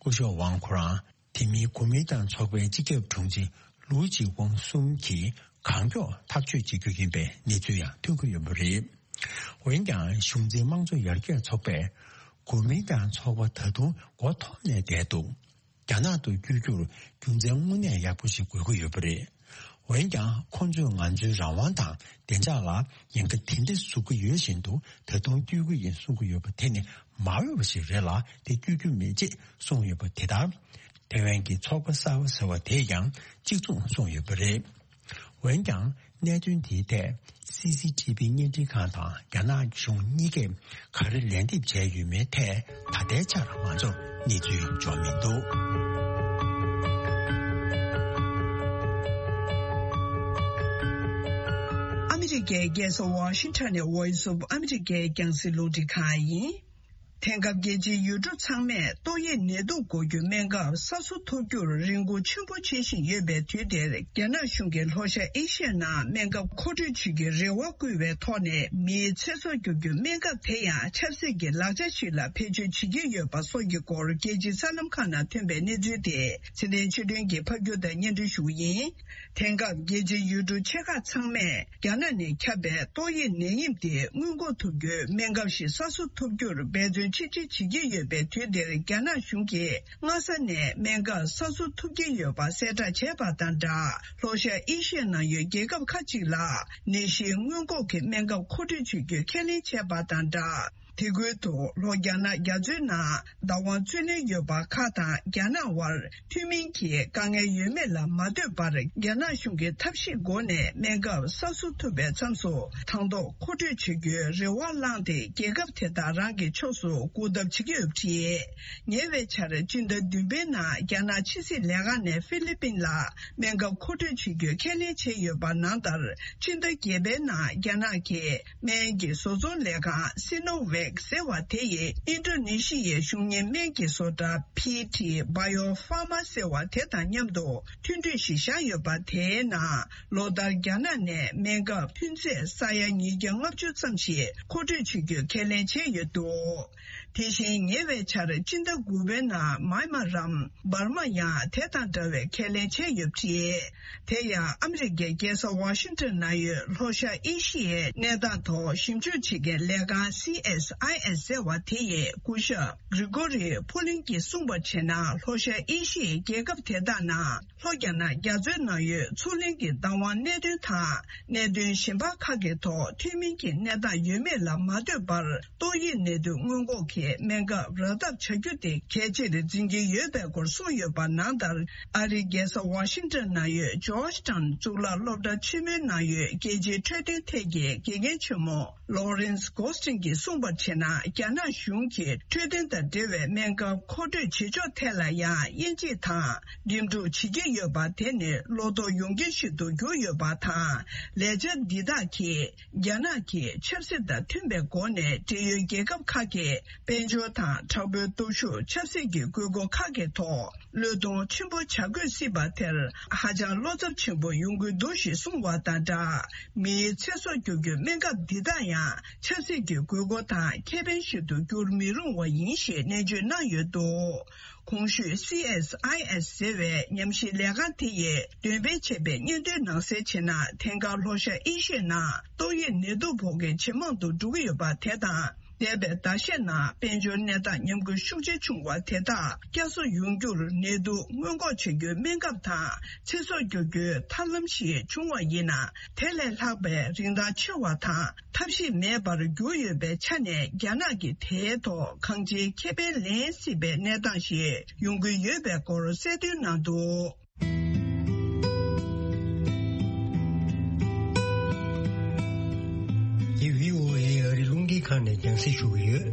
སྐུ་ཞབས་ཝང་ཁོ་རང་། དེ་མིན་གོ་མིན་ཏང་ཚོགས་པའི་སྤྱི་ཁྱབ་དྲུང་ཆེ་ལུའུ་ཅི་ཝང་གསུམ་གྱིས་གང་མགྱོགས་ཐག་གཅོད་བྱེད་རྒྱུ་ཡིན་པའི་གནས་ཚུལ་ཡང་ཐོན་གྱི་ཡོད་པ་རེད། འོན་ཀྱང་གཞུང་འཛིན་དམངས་གཙོ་ཡར་རྒྱས་ཚོགས་པས་གོ་མིན་ཏང་ཚོགས་པ་ད་དུང་མགོ་འཐོམས་ནས་བསྡད་འདུག་རྒྱ་ནག་ཏུ་བསྐྱོད་རྒྱུར་རྒྱུ་མཚན་དངོས་གནས་ཡག་པོ་ཞིག་དགོས་ཀྱི་ཡོད་པ་རེད། འོན་ཀྱང་ཁོང་ཚོས་ང་ཚོའི་རང་དབང་དང་བདེ་འཇགས་ལ་ཉེན་ཁ་དེ་འདྲ་བཟོ་གི་ཡོད་བཞིན་དུ་ད་དུང་བསྐྱོད་ཀྱི་ཡིན་གསུང་གི་ཡོད་པ་དེ་ནི་མ་འོས་པ་ཞིག་རེད་ལ། དེ་བསྐྱོད་རྒྱུ་མེད་ཅེས་གསུངས་ཡོད་པ་དེ་ལྟར། ཐེ་ཝན་གྱི་ཚོགས་པ་གསར་པ་ཟེར་བ་དེས་ཀྱང་གཅིག་མཚུངས་གསུངས་ཡོད་པ་རེད། འོན་ཀྱང་། གནད་དོན་དེའི་ཐད་སི་སི་ཊི་བི་བརྙན་འཕྲིན་ཁང་དང་རྒྱ་ནག་གཞུང་གཉིས་ཀས་ག་རེ་ལན་འདེབས་བྱས་ཡོད་མེད་ཐད་ད་ལྟའི་ཆར་ང་ཚོར་གནས་ཚུལ་འབྱོར་མི་འདུག་ཨ་མི་རི་ཀའི་རྒྱལ་ས་ཝ་ཤིང་ཊོན་ནས་Voice of America་རྒྱང་སྲིང་རླུང་འཕྲིན་ཁང་ཡིན། དེང་སྐབས་རྒྱལ་སྤྱིའི་ཡུལ་གྲུ་ཚང་མས་ཏོག་དབྱིབས་ནད་དུག་འགོག་རྒྱུའི་སྨན་ཁབ་གསར་བཟོ་ཐུབ་རྒྱུར་རེ་སྒུག་ཆེན་པོ་བྱེད་བཞིན་ཡོད་པའི་དུས་འདིར། རྒྱ་ནག་གཞུང་གིས་ལྷོ་ཤར་ཨེ་ཤི་ཡའི་ནང་སྨན་ཁབ་མཁོ་སྤྲོད་བྱེད་རྒྱུའི་རེ་བ་བསྐུལ་བའི་ཐོག་ནས། མིའི་ཚེ་སྲོག་སྐྱོབ་རྒྱུའི་སྨན་ཁབ་དེ་ཡང་ཆབ་སྲིད་ཀྱི་ལག་ཆ་ཞིག་ལ་བེད་སྤྱོད་བྱེད་ཀྱི་ཡོད་པ་སོགས་ཀྱི་སྐོར། རྒྱལ་སྤྱིའི་གསར་ལམ་ཁག་ནང་ཐོན་པའི་གནས་ཚུལ་དེ་ཚེ་བརྟན་ཆོས་སྒྲོན་གྱིས་ཕབ་སྒྱུར་དང་སྙན་སྒྲོན་ཞུ་བ་ཡིན། དེང་སྐབས་རྒྱལ་སྤྱིའི་ཡུལ་གྲུ་ཆེ་ཁག་ཚང་མས་རྒྱ་ནག་ནས་ཁྱབ་པའི་ཏོག་དབྱིབས་ནད་ཡམས་དེ་སྔོན་འགོག་ཐུབ་རྒྱུའི་སྨན་ཁབ་ཞིག་གསར་བཟོ་ཐུབ་རྒྱུར་འབད་བརྩོན་ཆེ་བསྐྱེད་བྱེད་ཀྱི་ཡོད་པའི་དུས་འདིར། རྒྱ་ནག་གཞུང་གིས་སྔ་ས་ནས་སྨན་ཁབ་གསར་བཟོ་ཐུབ་ཀྱི་ཡོད་པ་གསལ་བསྒྲགས་བྱས་པ་དང་སྦྲགས། ལྷོ་ཤར་ཨེ་ཤི་ཡའི་ནང་ཡོད་རྒྱལ་ཁབ་ཁག་ཅིག་ལ་ནད་གཞི་སྔོན་འགོག་གི་སྨན་ཁབ་མཁོ་སྤྲོད་བྱེད་རྒྱུའི་ཁས་ལེན་བྱས་པ་དང་སྦྲགས། དེ་ཁུལ་དུ་ལྷོ་རྒྱ་ནག་རྒྱ་མཚོའི་ནང་བདག་དབང་རྩོད་ལེན་ཡོད་པ་ཁག་དང་རྒྱ་ནག་དབར་མཐུན་མིན་གྱི་དཀའ་ངལ་ཡོད་མེད་ལ་མ་ལྟོས་པར། རྒྱ་ནག་གཞུང་གིས་ཐབས་ཤེས་སྒོ་ནས་སྨན་ཁབ་གསར་བཟོ་ཐུབ་པའི་མཚམས་སུ་དང་ཐོག་མཁོ་སྤྲོད་བྱེད་རྒྱུའི་རེ་བ་བསླངས་ཏེ། རྒྱལ་ཁབ་དེ་དག་རང་གི་ཕྱོགས་སུ་སྒུག་ཐབས་བྱེད་ཀྱི་ཡོད་པ་རེད། ཉེ་བའི་ཆར་སྤྱི་ཟླ་བདུན་པའི་ནང་རྒྱ་ནག་ཕྱི་སྲིད་ལས་ཁང་ནས་ཧྥི་ལི་པིན་ལ་སྨན་ཁབ་མཁོ་སྤྲོད་བྱེད་རྒྱུའི་ཁས་ལེན་བྱས་ཡོད་པ་ནང་ལྟར། སྤྱི་ཟླ་བརྒྱད་པའི་ནང་རྒྱ་ནག་གི་སྨན་གྱི་བཟོ་ཚོང་ལས་ཁང་སི་ནོ་ཝེག་ཟེར་བ་དེ་ཡིས་ཨིན་ཌོ་ནེ་ཤི་ཡའི་གཞུང་གཉེར་སྨན་གྱི་བཟོ་གྲྭ་ཕི་ཏི་བྷ་ཡོ་ཧྥ་མ་ཟེར་བ་དེ་དང་མཉམ་དུ་མཐུན་གྲོས་ཤིག་བཞག་ཡོད་པ། དེའི་ནང་ལོ་ལྟར་རྒྱ་ནག་ནས་སྨན་ཁབ་ཐོན་རྫས་ས་ཡ་ཉིས་བརྒྱ་ལྔ་བཅུ་ཙམ་ཞིག་མཁོ་སྤྲོད་བྱེད་རྒྱུའི་ཁས་ལེན་བྱས་ཡོད་འདུག་དེ་བཞིན་ཉེ་བའི་ཆར་སྤྱི་ཟླ་དགུ་པའི་ནང་མཱི་མ་རམ་འབར་མ་ཡང་དེ་དང་འདྲ་བའི་ཁས་ལེན་བྱས་ཡོད་པ་རེད། དེ་ཡང་ཨ་མི་རི་ཀའི་རྒྱལ་ས་ཝ་ཤིང་ཏོན་ནང་ཡོད་ལྷོ་ཤར་ཨེ་ཤི་ཡའི་གནས་སྟངས་ཐོག་ཞིབ་འཇུག་བྱེད་མཁན་ལས་ཁང་སི་ཨེས་ཨའི་ཨེས་ཟེར་བ་དེ་ཡི་སྐུ་ཞབས་གྷི་རི་གོ་རི་ཕུ་ལིན་གྱིས་གསུངས་པར་བྱས་ན། ལྷོ་ཤར་ཨེ་ཤི་ཡའི་རྒྱལ་ཁབ་དེ་དག་ནང་ལྷོ་རྒྱ་ནག་རྒྱ་མཚོའི་ནང་ཡོད་མཚོ་གླིང་གི་བདག་དབང་གནད་དོན་དང་། གནད་དོན་གཞན་པ་ཁག་གི་ཐོག་མཐུན་མིན་གྱི་གནས་སྟངས་ཡོད་མེད་ལ་མ་ལྟོས་པར། ཏོག་དབྱིབས་ནད་དུག་སྔོན་འགོག་གི་སྨན་ཁབ་རག་ཐབས་བྱ་རྒྱུ་དེ་གལ་ཆེར་འཛིན་གྱི་ཡོད་པའི་སྐོར་གསུངས་ཡོད་པ་ནང་ལྟར། ཨ་རིའི་རྒྱལ་ས་ཝ་ཤིང་ཏོན་ནང་ཡོད་ཇོརྗ་ཊའུན་གཙུག་ལག་སློབ་གྲྭ་ཆེན་མོའི་ནང་ཡོད་རྒྱལ་སྤྱིའི་འཕྲོད་བསྟེན་ཐད་ཀྱི་དགེ་རྒན་ཆེན་མོ་ལོ་རེན་སི་གོ་སི་ཏིན་གྱིས་གསུངས་པར་བྱས་ན། རྒྱ་ནག་གཞུང་གིས་འཕྲོད་བསྟེན་དང་འབྲེལ་བའི་སྨན་ཁབ་མཁོ་སྤྲོད་བྱེད་ཕྱོགས་ཐད་ལ་ཡང་དབྱེ་འབྱེད་དང་འགྲིམ་འགྲུལ་བྱེད་ཀྱི་ཡོད་པ་དེ་ནི་བློ་དོགས་ཡོང་རྐྱེན་ཞིག་ཏུ་གྱུར་ཡོད་པ་དང་། ལས་འཆར་འདི་དག་གིས་རྒྱ་ནག་གིས་ཆབ་སྲིད་དང་མཐུན་པའི་སྒོ་ནས་འབྲེལ་ཡོད་རྒྱལ་ཁབ་ཁག་གི་དཔལ་འབྱོར་དང་དྲག་པོའི་སྟོབས་ཤུགས། ཆབ་སྲིད་ཀྱི་དགོས་མཁོ་ཁག་གི་ཐོག་བློས་གཏོང་ཆེན་པོ་བྱ་དགོས་སྲིད་པ་དེར་ཧ་ཅང་བློ་འཚབ་ཆེན་པོ་ཡོང་གི་འདུག་ཞེས་གསུངས་པ་དང་སྦྲགས། མིའི་ཚེ་སྲོག་སྐྱོབ་རྒྱུའི་སྨན་ཁབ་འདི་དག་ཡང་ཆབ་སྲིད་ཀྱི་དགོས་མཁོ་དང་ཁེ་ཕན་ཞིག་ཏུ་འགྱུར་མི་རུང་བ་ཡིན་ཞེས་ནན་བརྗོད་གནང་ཡོད་འདུག་གོང་ཞུས་སི་ཨེས་ཨའི་ཨེས་ཟེར་བའི་ཉམས་ཞིབ་ལས་ཁང་དེ་ཡིས་འདོན་སྤེལ་བྱས་པའི་སྙན་ཐོའི་ནང་གསལ་བྱས་ན། དེང་སྐབས་ལྷོ་ཤར་ཨེ་ཤི་ཡའི་ནང་ཏོག་དབྱིབས་ནད་དུག་ཕོག་མཁན་ཇེ་མང་དུ་འགྲོ་གི་ཡོད་པ་དེ་དང་། འདས་པའི་ཟླ་ཤས་ནང་དཔལ་འབྱོར་གནས་སྟངས་ཉམས་རྒུད་ཤུགས་ཆེ་བྱུང་བ་དེ་དག་བསྐྱར་གསོ་ཡོང་རྒྱུར་ནད་དུག་སྔོན་འགོག་བྱ་རྒྱུའི་སྨན་ཁབ་དང་ཚེ་སྲོག་སྐྱོབ་རྒྱུའི་ཐབས་ལམ་ཞིག་བྱུང་བ་ཡིན་ན། དེ་ལས་ལྷག་པའི་རིན་ཐང་ཆེ་བ་དང་ཐབས་ཤེས་མེད་པར་གྱུར་ཡོད་པའི་ཆ་ནས། རྒྱ་ནག་གིས་དེའི་ཐོག་གང་ཅིའི་ཁེ་ཕན་ལེན་སྲིད་པའི་གནས་སྟངས་ཤིག་ཡོང་གི་ཡོད་པའི་སྐོར་གསལ་སྟོན་གནང་འདུག་འདི་བྷི་ཨོ་ཨེ་ཨ་རི་རླུང་འཕྲིན་ཁང་ནས་རྒྱང་སྲིང་ཞུ་གི་ཡོད།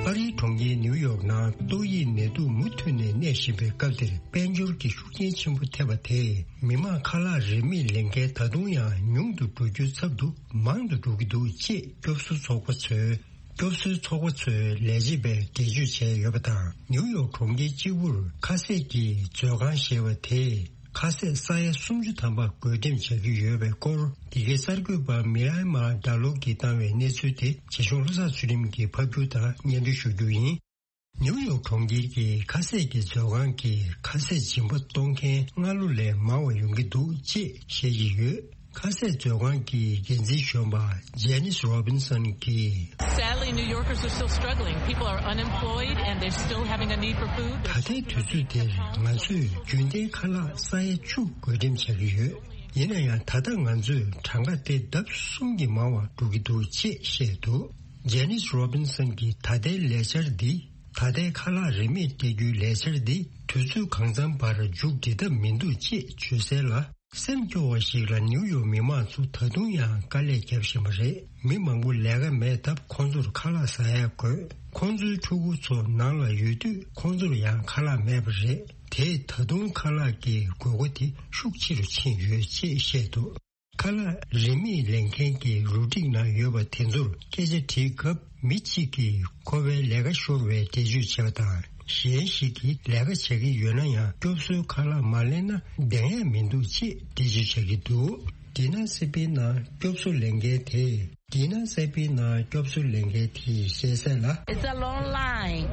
ཨ་རིའི་གྲོང་ཁྱེར་ནིའུ་ཡོག་ནང་ཏོག་དབྱིབས་ནད་དུག་མུ་མཐུད་ནས་གནས་བཞིན་པའི་སྐབས་འདིར། དཔལ་འབྱོར་གྱི་ཤུགས་རྐྱེན་ཆེན་པོ་ཐེབས་པ་དེས། མི་མང་ཁ་ལག་རིན་མེད་ལེན་མཁན་ད་དུང་ཡང་ཉུང་དུ་འགྲོ་རྒྱུའི་ཚབ་ཏུ་མང་དུ་འགྲོ་གི་འདུག་ཅེས་སྐྱོབ་གསོའི་ཚོགས་པ་ཚོས། སྐྱོབ་གསོའི་ཚོགས་པ་ཚོའི་ལས་བྱེད་པས་འགྲེལ་བརྗོད་བྱས་ཡོད་པ་དང་། ནིའུ་ཡོག་གྲོང་ཁྱེར་གཅིག་པུར་ཁ་ཟས་ཀྱི་མཛོད་ཁང་ཞེས་པ་དེས་ཁ་ཟས་ས་ཡ་སུམ་ཅུ་ཐམ་པ་བགོ་འགྲེམས་བྱ་རྒྱུ་ཡོད་པའི་སྐོར། འདི་གའི་གསར་འགོད་པ་མི་རའི་མ་ཌ་ལོ་གིས་བཏང་བའི་གནས་ཚུལ་དེ། རྒྱ་གཞུང་བློ་བཟང་ཚུལ་ཁྲིམས་ཀྱིས་ཕབ་སྒྱུར་དང་སྙན་སྒྲོན་ཞུ་རྒྱུ་ཡིན། ནིའུ་ཡོག་གྲོང་ཁྱེར་གྱི་ཁ་ཟས་ཀྱི་མཛོད་ཁང་གིས་ཁ་ཟས་སྦྱིན་པ་གཏོང་མཁན་སྔ་ལོ་ལས་མང་བ་ཡོང་གི་འདུག་ཅེས་བཤད་ཀྱི་ཡོད། ཁ་ཟས་མཛོད་ཁང་གི་འགན་འཛིན་གཞོན་པ་ཇེ་ནིས་རོ་བིན་སན་གྱིས། Sadly, New Yorkers are still struggling. People are unemployed and they're still having a need for food. ད་ལྟའི་དུས་ཚོད་འདིར་ང་ཚོས་རྒྱུན་ལྡན་ཁ་ལག་ས་ཡ་བཅུ་བགོ་འགྲེམས་བྱ་གི་ཡོད། ཡིན་ན་ཡང་ད་ལྟ་ང་ཚོས་གྲངས་ཀ་དེ་ལྡབ་གསུམ་གྱིས་མང་བ་འགྲོ་གི་འདུག་ཅེས་བཤད་འདུག་ཇེ་ནིས་རོ་བིན་སན་གྱིས་ད་ལྟའི་ལས་འཆར་འདི། ད་ལྟའི་ཁ་ལག་རིན་མེད་སྤྲད་རྒྱུའི་ལས་འཆར་འདི་དུས་ཚོད་གང་འཚམ་བར་མཇུག་སྒྲིལ་ཐབས་མི་འདུག་ཅེས་བརྗོད་གསལ་ལ། སེམས་སྐྱོ་བ་ཞིག་ལ་ནིའུ་ཡོག་མི་མང་ཚོ་ད་དུང་ཡང་དཀའ་ལས་བརྒྱབ་བཞིན་པ་རེད། མི་མང་པོ་ལས་ཀ་མེད་སྟབས་ཁོང་ཚོར་ཁ་ལག་ཟ་ཡག་དགོས། ཁོང་ཚོའི་ཕྲུ་གུ་ཚོ་ནང་ལ་ཡོད་དུས་ཁོང་ཚོར་ཡང་ཁ་ལག་མེད་པ་རེད། དེས་ད་དུང་ཁ་ལག་གི་དགོས་མཁོ་དེ་ཤུགས་ཆེ་རུ་ཕྱིན་ཡོད་ཅེས་བཤད་འདུག་ཁ་ལག་རིན་མེད་ལེན་མཁན་གྱི་རུ་སྒྲིག་ནང་ཡོད་པ་དེ་ཚོར་སྐད་ཆ་དྲིས་སྐབས། མི་གཅིག་གིས་ཁོ་པའི་ལས་ཀ་ཤོར་བའི་འགྲེལ་བརྗོད་བྱས་པ་དང་། གཞན་ཞིག་གིས་ལས་ཀ་བྱ་གི་ཡོད་ན་ཡང་། སྐྱོབ་གསོའི་ཁ་ལག་མ་ལེན་ན་བདེ་ཡག་མི་འདུག་ཅེས་འགྲེལ་བརྗོད་བྱ་གི་འདུག། དི་ན་སེ་པིའི་ནང་སྐྱོབ་གསོ་ལེན་མཁན་དེས། དི་ན་སེ་པིའི་ནང་སྐྱོབ་གསོ་ལེན་མཁན་དེས་བཤད་གསལ་ལ། It's a long line,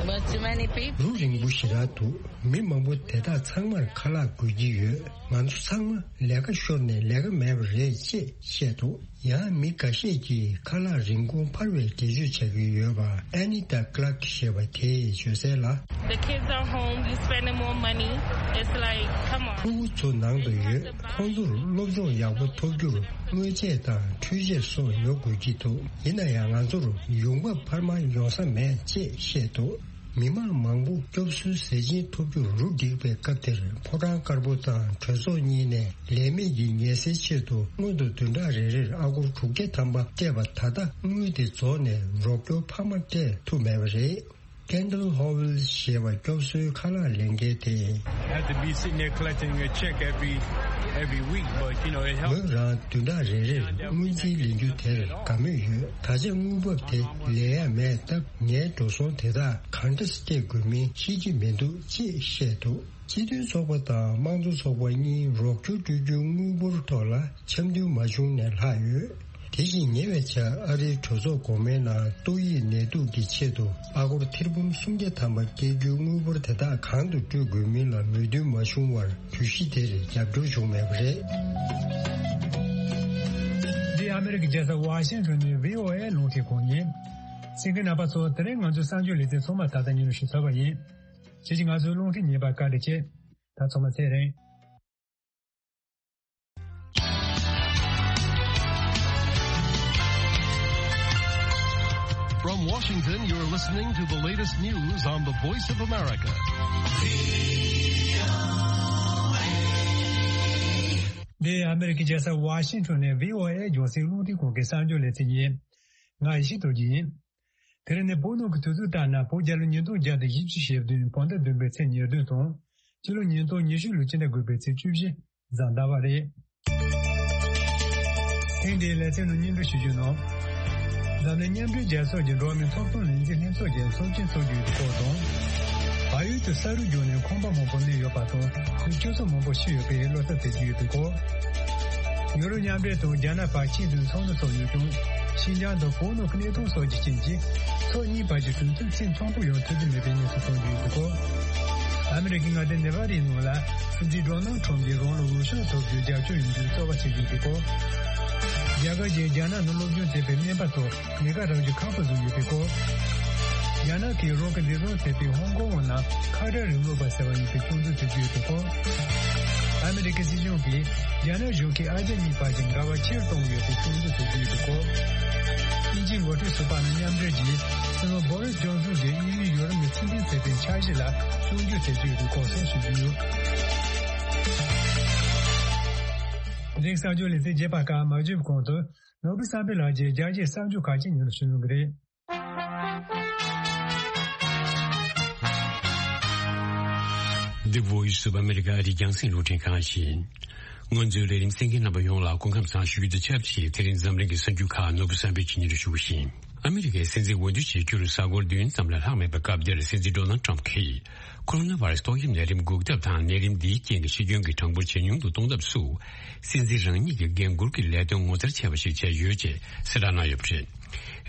but too many people. རུ་རིང་པོ་ཞེ་དྲག་འདུག། མི་མང་པོ་དེ་དག་ཚང་མར་ཁ་ལག་དགོས་ཀྱི་ཡོད། ང་ཚོ་ཚང་མ་ལས་ཀ་ཤོར་ནས་ལས་ཀ་མེད་པ་རེད་ཅེས་བཤད་འདུག། ཡང་མི་འགའ་ཤས་ཀྱིས་ཁ་ལག་རིན་གོང་འཕར་བའི་འགྲེལ་བརྗོད་བྱ་གི་ཡོད་པ། ཨེ་ནི་ཏཱ་ཀླག་ཞེས་པ་དེས་བརྗོད་གསལ་ལ། The kids are home, you spending more money. It's like, come on. ཕྲུ་གུ་ཚོ་ནང་དུ་ཡོད། ཁོང་ཚོར་སློབ་སྦྱོང་ཡག་པོ་ཐོབ་རྒྱུར་དངོས་ཆས་དང་འཕྲུལ་ཆས་སོགས་ཉོ་དགོས་ཀྱི་འདུག། ཡིན་ན་ཡང་ང་ཚོར་ཡོང་འབབ་འཕར་མ་ཡོང་ས་མེད་ཅེས་བཤད་འདུག། མི་མང་མང་པོ་སྐྱོབ་གསོའི་ཟས་སྦྱིན་ཐོབ་རྒྱུར་རུ་སྒྲིག་པའི་སྐབས་དེར། ཕོ་བྲང་དཀར་པོ་དང་གྲོས་ཚོགས་གཉིས་ནས་ལས་མེད་ཀྱི་ངལ་སེལ་ཆེད་དུ་སྔོན་དུ་བདུན་ཕྲག་རེ་རེར་ཨ་སྒོར་དྲུག་བརྒྱ་ཐམ་པ་སྤྲད་པ། ད་ལྟ་དངུལ་དེ་རྫོགས་ནས་རོགས་སྐྱོར་འཕར་མ་སྤྲད་ཐུབ་མེད་པ་རེད། Kendall Howell ཞེས་པ་སྐྱོབ་གསོའི་ཁ་ལག་ལེན་མཁན་དེས། Have to be sitting there collecting a check every every week, but you know, it helps. ངོས་རང་བདུན་ཕྲག་རེ་རེར་སྔོན་རྩིས་ལེན་རྒྱུ་དེར་དགའ་མོས་ཡོད། ད་ཆ་དངུལ་འབབ་དེ་ལེན་ཡ་མེད་སྟབས། ངའི་འགྲོ་སོང་དེ་དག་གང་འདྲ་སྤྲད་དགོས་མིན་ཤེས་ཀྱི་མི་འདུག་ཅེས་བཤད་འདུག། སྤྱི་མཐུན་ཚོགས་པ་དང་དམངས་གཙོ་ཚོགས་པ་གཉིས་རོགས་སྐྱོར་སྤྲོད་རྒྱུའི་དངུལ་འབོར་ཐོག་ལ་འཆམ་མཐུན་མ་བྱུང་ནས་ལྷག་ཡོད། དེ་བཞིན་ཉེ་བའི་ཆར་ཨ་རིའི་གྲོས་ཚོགས་གོང་མའི་ནང་ཏོག་དབྱིབས་ནད་དུག་གི་ཆེད་དུ་ཨ་སྒོར་ཐེར་འབུམ་སུམ་བརྒྱ་ཐམ་པ་སྤྲད་རྒྱུའི་དངུལ་འབོར་དེ་དག་གང་དུ་སྤྲོད་དགོས་མིན་ལ་མོས་མཐུན་མ་བྱུང་བར། གྲོས་གཞི་དེར་རྒྱབ་སྐྱོར་བྱུང་མེད་པ་རེད། འདི་ཨ་མི་རི་ཀའི་རྒྱལ་ས་ཝ་ཤིང་ཊོན་ནས་བྷི་ཨོ་ཨེ་རླུང་འཕྲིན་ཁང་ཡིན། གསན་མཁན་རྣམ་པ་ཚོ། དེ་རིང་ང་ཚོའི་གསར་འགྱུར་ལེ་ཚན་ཚང་མ་ད་ལྟ་སྙན་སྒྲོན་ཞུ་ཚར་བ་ཡིན། ཁྱེད་ཀྱིས་ང་ཚོའི་རླུང་འཕྲིན་ཉན་པར་བཀའ་དྲིན་ཆེ། ད་ཚང་མ་ཚེ་རིང་། From Washington, you're listening to the latest news on the Voice of America. འདི་ཨ་མི་རི་ཀའི་རྒྱལ་ས་ཝ་ཤིང་ཊོན་ནས་བྷི་ཨོ་ཨེ་རྒྱང་སྲིང་རླུང་འཕྲིན་ཁང་གི་གསར་འགྱུར་ལེ་ཚན་ཡིན། ང་ཡེ་ཤེས་རྡོ་རྗེ་ཡིན། དེ་རིང་ནི་བོད་ནང་གི་དུས་ཚོད་ལྟར་ན། བོད་རྒྱལ་ལོ་ཉིས་སྟོང་བརྒྱ་དང་བཞི་བཅུ་ཞེ་བདུན་བོད་ཟླ་བདུན་པའི་ཚེས་ཉེར་བདུན་དང་། སྤྱི་ལོ་ཉིས་སྟོང་ཉི་ཤུ་ལོའི་སྤྱི་ཟླ་དགུ་པའི་ཚེས་བཅུ་བཞི་གཟའ་ཟླ་བ་རེད། ཐེངས་འདིའི་ལེ་ཚན་ནང་སྙན་སྒྲོན་ཞུ་རྒྱུ་ནང་། འཛམ་གླིང་མཉམ་འབྲེལ་རྒྱལ་ཚོགས་ཀྱི་འགྲོ་བ་མིའི་ཐོབ་ཐང་ལས་འཛིན་ལྷན་ཚོགས་ཀྱི་ཚོགས་ཆེན་འཚོགས་རྒྱུ་ཡོད་པའི་སྐོར་དང་། བལ་ཡུལ་དུ་ས་རུད་བརྒྱུགས་ནས་ཁང་པ་མང་པོ་གནས་ཡོད་པ་དང་། དེར་སྐྱོ་ཚོགས་མང་པོ་ཤི་ཡོད་པའི་བློ་འཚབ་བྱེད་ཀྱི་ཡོད་པའི་སྐོར། ཡུ་རོབ་མཉམ་འབྲེལ་དང་རྒྱ་ནག་བར་ཆིངས་དོན་ཚོགས་འདུ་ཚོགས་ཡོད་ཀྱང་། ཤིན་ཅང་དང་བོད་ནང་གི་གནས་སྟངས་སོགས་ཀྱི་རྐྱེན་གྱིས། ཕྱོགས་གཉིས་བར་གྱི་གྲོས་མཐུན་ཚད་མཐོན་པོ་ཡོང་ཐུབ་ཀྱི་མེད་པའི་གནས་ཚུལ་གཏོང་རྒྱུ་ཡོད་པའི་སྐོར། ཨ་མི་རི་ཀའི་མངའ་སྡེ་ནེ་བྷ་རའི་ནང་ལ། སྲིད་འཛིན་ཌོ་ནལ་ཁྲོམ་གྱིས་རང་ལ་འོས་ཤོག་ཐོབ་རྒྱུའི་རྒྱབ་སྐྱོར་ཡོང་རྒྱུའི་རྩོད་པ་བྱེད་ཀྱི་ཡོད་པའི་སྐོར། རྒྱ་གར་གྱིས་རྒྱ་ནག་ནང་སློབ་སྦྱོང་བྱེད་པའི་སྨན་པ་ཚོ་ཉེན་ཁ་རག་རྒྱུ་ཁག་པོ་བཟོས་ཡོད་པའི་སྐོར། རྒྱ་ནག་གིས་རང་གི་འདས་གྲོངས་ཐེབས་པའི་ཧོང་ཀོང་བ་རྣམས་ཁ་བྲལ་རིང་ལུགས་པ་ཟེར་བ་ཡིན་པའི་སྐྱོན་འཛུགས་བྱེད་ཀྱི་ཡོད་པའི་སྐོར། ཨ་མི་རི་ཀའི་སྲིད་གཞུང་གིས་རྒྱ་ནག་གཞུང་གིས་ཨ་རྒྱ་གཉིས་བར་གྱི་འགལ་བ་ཆེ་རུ་གཏོང་གི་ཡོད་པའི་སྐྱོན་འཛུགས་བྱེད་ཀྱི་ཡོད་པའི་སྐོར། དབྱིན་ཇིའི་འགོ་ཁྲིད་ཟུར་པ་ནས་མཉམ་འབྲེལ་གྱིས་སྲིད་བློན་བོ་རིས་ཇོན་སོན་གྱིས་དབྱིན་ཡུལ་ཡུལ་རིམ་ནས་ཚུལ་ཁྲིམས་ཟེར་བའི་འཆར་གཞི་ལ་སྲུང་སྐྱོབ་བྱེད་ཀྱི་ཡོད་པའི་སྐོར་སོགས་ཞུ་རྒྱུ་ཡོད། འདིའི་གསར་འགྱུར་ལེ་ཚན་རྒྱས་པ་ཁག་མ་བརྗོད་པའི་གོང་དུ། ནོར་བུ་བསམ་འཕེལ་ལགས་ཀྱིས་རྒྱ་ཆེའི་གསར་འགྱུར་ཁག་ཅིག་སྙན་སྒྲོན་ཞུ་གནང་གི་རེད། The Voice of America ཨ་རིའི་རྒྱང་སྲིང་རླུང་འཕྲིན་ཁང་ཡིན། ང་ཚོའི་ལས་རིམ་གསན་མཁན་རྣམ་པ་ཡོངས་ལ་སྐུ་ཁམས་བཟང་ཞུ་རྒྱུ་དང་ཆབས་ཅིག་དེ་རིང་འཛམ་གླིང་གི་གསར་འགྱུར་ཁག་ནོར་བུ་བསམ་འཕེལ་གྱིས་སྙན་སྒྲོན་ཞུ་བཞིན། ཨ་མི་རི་ཀའི་སྲིད་འཛིན་འོས་བསྡུ་བྱེད་རྒྱུར་གཟའ་འཁོར་བདུན་ཙམ་ལས་ལྷག་མེད་པའི་སྐབས་འདིར། སྲིད་འཛིན་ཌོ་ནལ་ཊམ་གྱིས་ཁོ་རོ་ན་བྷ་ར་སི་ཏོག་དབྱིབས་ནད་རིམས་འགོག་ཐབས་དང་། ནད་རིམས་འདིའི་རྐྱེན་གྱིས་ཤི་སྐྱོན་གྱི་གྲངས་འབོར་ཇེ་ཉུང་དུ་གཏོང་ཐབས་སུ། སྲིད་འཛིན་རང་ཉིད་ཀྱི་འགན་འཁུར་གྱི་ལས་དོན་ངོ་མཚར་ཆེ་བ་ཞིག་བྱས་ཡོད་ཅེས་གསལ་བསྒྲགས་གནང་ཡོད་པ་རེད།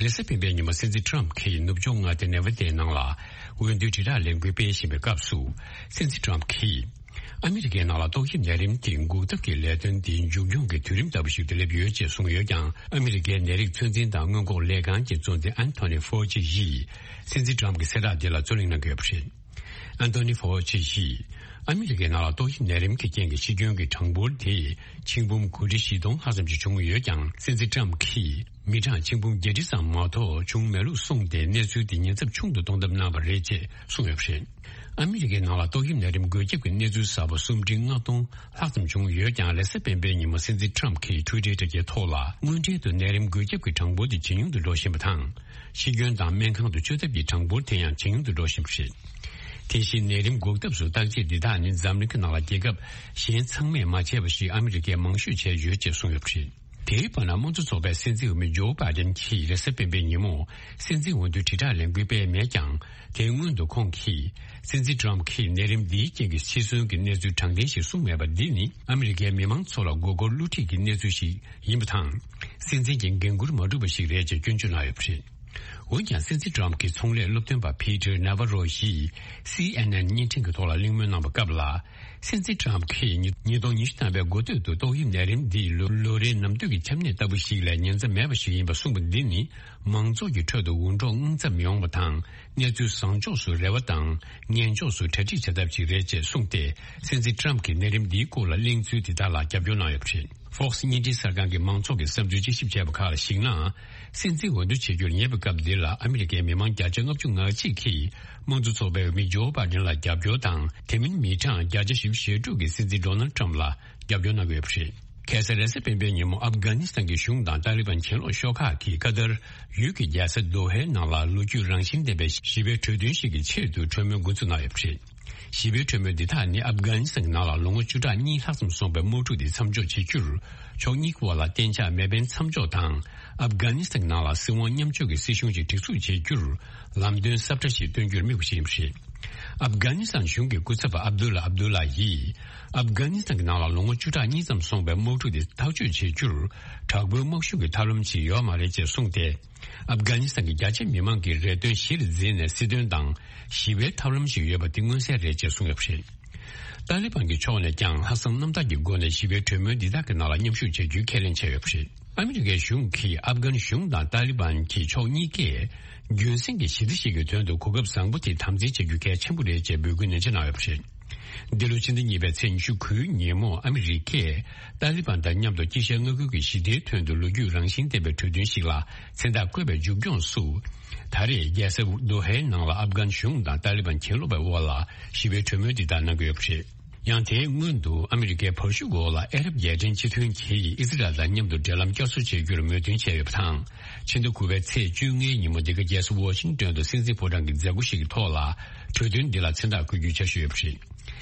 རེས་གཟའ་སྤེན་པའི་ཉིན་མོ་སྲིད་འཛིན་ཊམ་གྱིས་ནུབ་ཕྱོགས་མངའ་སྡེ་ནེ་ཝ་དའི་ནང་ལ་འོས་བསྡུའི་དྲིལ་བསྒྲགས་ལས་འགུལ་སྤེལ་བཞིན་པའི་སྐབས་སུ། སྲིད་འཛིན་ཊམ་གྱིས། ཨ་མི་རི་ཀའི་ནང་ལ་ཏོག་དབྱིབས་ནད་རིམས་དེ་འགོག་ཐབས་ཀྱི་ལས་དོན་འདི་མཇུག་སྐྱོང་གི་དུས་རིམ་ལྟ་བུ་ཞིག་ཏུ་སླེབས་ཡོད་ཅེས་གསུངས་ཡོད་ཀྱང་། ཨ་མི་རི་ཀའི་ནད་རིགས་ཚོད་འཛིན་དང་སྔོན་འགོག་ལས་ཁང་གི་གཙོ་འཛིན་ཨན་ཐོ་ནི་ཧྥོ་ཅི་ཡིས་སྲིད་འཛིན་ཊམ་གྱི་གསལ་བསྒྲགས་འདི་ལ་རྩོད་གླེང་གནང་གི་ཡོད་པ་རེད། ཨན་ཐོ་ནི་ཧྥོ་ཅི་ཡིས་ཨ་མི་རི་ཀའི་ནང་ལ་ཏོག་དབྱིབས་ནད་རིམས་ཀྱི་རྐྱེན་གྱིས་ཤི་སྐྱོན་གྱི་གྲངས་འབོར་དེ་ཆིག་འབུམ་དགུ་ཁྲི་བཞི་སྟོང་ལྷག་ཙམ་ཞིག་བྱུང་ཡོད་ཀྱང་། སྲིད་འཛིན་ཊམ་གྱིས། མི་གྲངས་ཆིག་འབུམ་བརྒྱད་ཁྲི་ཙམ་མ་གཏོགས་བྱུང་མེད་ལུགས་གསུངས་ཏེ། གནས་ཚུལ་འདི་ཉེན་ཚབས་ཆུང་དུ་གཏོང་ཐབས་གནང་བ་རེད་ཅེས་གསུངས་ཡོད་པ་རེད། ཨ་མི་རི་ཀའི་ནང་ལ་ཏོག་དབྱིབས་ནད་རིམས་འགོས་ཁྱབ་ཀྱི་གནས་ཚུལ་གསར་པ་སུམ་ཁྲི་ལྔ་སྟོང་ལྷག་ཙམ་བྱུང་ཡོད་ཀྱང་། རེས་གཟའ་སྤེན་པའི་ཉིན་མོ་སྲིད་འཛིན་ཊམ་གྱིས་ཊུའི་ཊར་དྲ་རྒྱའི་ཐོག་ལ། དངོས་འབྲེལ་དུ་ནད་རིམས་འགོས་ཁྱབ་ཀྱི་གྲངས་འབོར་དེ་ཇེ་ཉུང་དུ་འགྲོ་བཞིན་པ་དང་། ཤི་སྐྱོན་དང་སྨན་ཁང་དུ་བཅུག་ཐབས་ཀྱི་གྲངས་འབོར་དེ་ཡང་ཇེ་ཉུང་དུ་འགྲོ་བཞིན་པ་རེད། དེ་བཞིན་ནད་རིམས་འགོག་ཐབས་སུ་བརྟག་དཔྱད་འདི་དག་ནི་འཛམ་གླིང་གི་ནང་ལ་རྒྱལ་ཁབ་གཞན་ཚང་མས་མ་བྱས་པ་ཞིག་ཨ་མི་རི་ཀས་མང་ཤོས་བྱས་ཡོད་ཅེས་གསུངས་ཡོད་པ་རེད། དེའི་བར་ན་དམངས་གཙོ་ཚོགས་པའི་སྲིད་འཛིན་འོས་མི་ཇོ་བྷའི་ཌེན་གྱིས་རེས་གཟའ་སྤེན་པའི་ཉིན་མོ་སྲིད་འཛིན་འོས་བསྡུའི་དྲིལ་བསྒྲགས་ལས་འགུལ་སྤེལ་མེད་ཀྱང་། དེའི་སྔོན་དུ་ཁོང་གིས་སྲིད་འཛིན་ཊམ་གྱིས་ནད་རིམས་འདིའི་རྐྱེན་གྱིས་འཆི་གསོན་གྱི་གནས་ཚུལ་དྲང་བདེན་ཞིག་གསུངས་མེད་པ་འདི་ནི་ཨ་མི་རི་ཀའི་མི་མང་ཚོ་ལ་མགོ་སྐོར་བསླུ་བྲིད་ཀྱི་གནས་ཚུལ་ཞིག་ཡིན་པ་དང་། སྲིད་འཛིན་གྱི་འགན་འཁུར་མ་འགྲུབ་པ་ཞིག་རེད་ཅེས་སྐྱོན་བརྗོད་གནང་ཡོད་པ་རེད། འོན་ཀྱང་སྲིད་འཛིན་ཊམ་གྱི་ཚོང་ལས་སློབ་སྟོན་པ་ཕི་ཏར་ནཱ་ཝ་རོ་ཡིས་སི་ཨེན་ཨེན་བརྙན་འཕྲིན་གྱི་ཐོག་ལ་གླེང་མོལ་གནང་བའི་སྐབས་ལ། སྲིད་འཛིན་ཊམ་གྱིས་ཉིས་སྟོང་ཉི་ཤུ་ཐམ་པའི་འགོ་སྟོད་དུ་ཏོག་དབྱིབས་ནད་རིམས་འདིས་ལོ་ལོ་རེའི་ནམ་དུས་ཀྱི་ཆམ་ནད་ལྟ་བུ་ཞིག་ལས་ཉེན་ཚབས་མེད་པ་ཞིག་ཡིན་པ་གསུངས་པ་འདི་ནི་མང་ཚོགས་ཀྱི་ཁྲོད་དུ་འུར་སྒྲོག་དངངས་འཚབ་མི་ཡོང་བ་དང་། གནས་ཚུལ་བཟང་ཕྱོགས་སུ་རེ་བ་དང་ངན་ཕྱོགས་སུ་གྲ་སྒྲིག་བྱ་ཐབས་ཤིག་རེད་ཅེས་གསུངས་ཏེ། སྲིད་འཛིན་ཊམ་གྱིས་ནད་རིམས་འདིའི་སྐོར་ལ་གླེང་ཚུལ་དེ་དག་ལ་རྒྱབ་སྐྱོར་གནང་ཡོད་པ་རེད། Fox་བརྙན་འཕྲིན་གསར་ཁང་གི་མང་ཚོགས་ཀྱི་བསམ་ཚུལ་དཔྱད་ཞིབ་བྱས་པ་ཁག་ལ་གཞིགས་ན། སྲིད་འཛིན་འོས་བསྡུ་བྱེད་རྒྱུར་ཉེ་བའི་སྐབས་འདི་ལ་ཨ་མི་རི་ཀའི་མི་མང་བརྒྱ་ཆ་ལྔ་བཅུ་ང་གཅིག་གིས་དམངས་གཙོ་ཚོགས་པའི་འོས་མི་ཇོ་བྷའི་ཌེན་ལ་རྒྱབ་སྐྱོར་དང་། དེ་མིན་མི་གྲངས་བརྒྱ་ཆ་བཞི་བཅུ་ཞེ་དྲུག་གིས་སྲིད་འཛིན་ཌོ་ནལ་ཊམ་ལ་རྒྱབ་སྐྱོར་གནང་གི་ཡོད་པ་རེད། ཁ་སང་རེས་གཟའ་སྤེན་པའི་ཉིན་མོ་ཨབ་གྷ་ནི་སི་ཐན་གྱི་གཞུང་དང་ཏཱ་ལི་བན་གྱེན་ལོག་ཤོག་ཁག་གིས་ཀ་ཏར་ཡུལ་གྱི་རྒྱལ་ས་དོ་ཧའི་ནང་ལ་ལོ་རྒྱུས་རང་བཞིན་ལྡན་པའི་ཞི་བའི་གྲོས་མཐུན་ཞིག་གི་ཆེད་དུ་གྲོས་མོལ་འགོ་འཛུགས་གནང་ཡོད་པ་རེད། ཞི་བའི་གྲོས་མོལ་འདི་དག་ནི་ཨབ་གྷ་ནི་སི་ཐན་གྱི་ནང་ལ་ལོ་ངོ་བཅུ་ཕྲག་གཉིས་ལྷག་ཙམ་སོང་པའི་དམག་འཁྲུག་དེ་མཚམས་འཇོག་བྱེད་རྒྱུར། ཕྱོགས་གཉིས་ཀྱི་དབར་ལ་གཏན་འཇགས་མེ་འཕེན་མཚམས་འཇོག་དང་། ཨབ་གྷ་ནི་སི་ཐན་གྱི་ནང་ལ་སྲིད་དབང་མཉམ་སྤྱོད་ཀྱི་སྲིད་གཞུང་ཞིག་སྒྲིག་འཛུགས་བྱེད་རྒྱུར་ལམ་སྟོན་གསལ་བསྒྲགས་ཤིག་སྟོན་རྒྱུར་དམིགས་པ་ཞིག་ཡིན་པ་རེད། ཨབ་གྷ་ནི་སི་ཐན་གཞུང་གི་སྐུ་ཚབ་པ་ཨབ་དུ་ལ་ཨབ་དུ་ལ་ཡིས། ཨབ་གྷ་ནི་སི་ཐན་གྱི་ནང་ལ་ལོ་ངོ་བཅུ་ཕྲག་གཉིས་ཙམ་སོང་པའི་དམག་འཁྲུག་དེ་ཐག་གཅོད་བྱེད་རྒྱུར། དྲག་པོའི་དམག་ཤུགས་ཀྱི་ཐབས་ལམ་ཞིག་ཡོད་མ་རེད་ཅེས་གསུངས་ཏེ། ཨབ་གྷ་ནི་སི་ཐན་གྱི་རྒྱ་ཆེ་མི་མང་གི་རེ་འདུན་གཞིར་འཛིན་ནས་སྲིད་དོན་དང་ཞི་བའི་ཐབས་ལམ་ཞིག་ཡོད་པ་དེ་མངོན་གསལ་རེད་ཅེས་གསུངས་ཡོད་པ་རེད། ཏཱ་ལི་བན་གྱི་ཕྱོགས་ནས་ཀྱང་ལྷག་བསམ་རྣམ་དག་གི་སྒོ་ནས་ཞི་བའི་གྲོས་མོལ་འདི་དག་གི་ནང་ལ་མཉམ་ཞུགས་བྱ་རྒྱུའི་ཁས་ལེན་བྱས་ཡོད་པ་རེད། ཨ་མི་རི་ཀའི་གཞུང་གིས་ཨབ་གྷན་གཞུང་དང་ཏཱ་ལི་བན་གྱི་ཕྱོགས་གཉིས་ཀས་རྒྱུན་སྲིང་གི་ཞི་བདེ་ཞིག་གི་དོན་དུ་གོ་སྐབས་བཟང་པོ་དེ་དམ་འཛིན་བྱ་རྒྱུ་གལ་ཆེན་པོ་རེད་ཅེས་འབོད་སྐུལ་ནན་ཆེ་གནང་ཡོད་པ་རེད། འདི་ལོ་ཕྱི་ཟླ་གཉིས་པའི་ཚེས་ཉི་ཤུ་དགུའི་ཉིན་མོ་ཨ་མི་རི་ཀས་ཏཱ་ལི་བན་དང་མཉམ་དུ་དཀྱིལ་ཤར་མངའ་ཁུལ་གྱི་ཞི་བདེའི་དོན་དུ་ལོ་རྒྱུས་རང་བཞིན་ལྡན་པའི་གྲོས་མཐུན་ཞིག་ལ་མཚན་རྟགས་བཀོད་པའི་མཇུག་སྐྱོང་སུ། ད་རེས་རྒྱལ་ས་དོ་ཧའི་ནང་ལ་ཨབ་གྷན་གཞུང་དང་ཏཱ་ལི་བན་གྱེན་ལོག་པའི་དབར་ལ་ཞི་བའི་གྲོས་མོལ་འདི་དག་གནང་གི་ཡོད་པ་རེད། ཡང་དེའི་སྔོན་དུ་ཨ་མི་རི་ཀའི་བར་ཞུགས་འོག་ལ་ཨ་རབ་རྒྱལ་ཕྲན་སྤྱི་མཐུན་གྱིས་ཨི་ཟི་རལ་དང་མཉམ་དུ་འབྲེལ་ལམ་བསྐྱར་གསོ་བྱེད་རྒྱུར་མོས་མཐུན་བྱས་ཡོད་པ་དང་། ཕྱི་ཟླ་དགུ་པའི་ཚེས་བཅོ་ལྔའི་ཉིན་མོ་འདི་ག་རྒྱལ་ས་ཝོ་ཤིང་ཏོན་དུ་སྲིད་འཛིན་ཕོ་བྲང་གི་མཛད་སྒོ་ཞིག་གི་ཐོག་ལ་གྲོས་མཐུན་འདི་ལ་མཚན་རྟགས་བཀོད་རྒྱུའི་འཆར་གཞི་ཡོད་པ་རེད།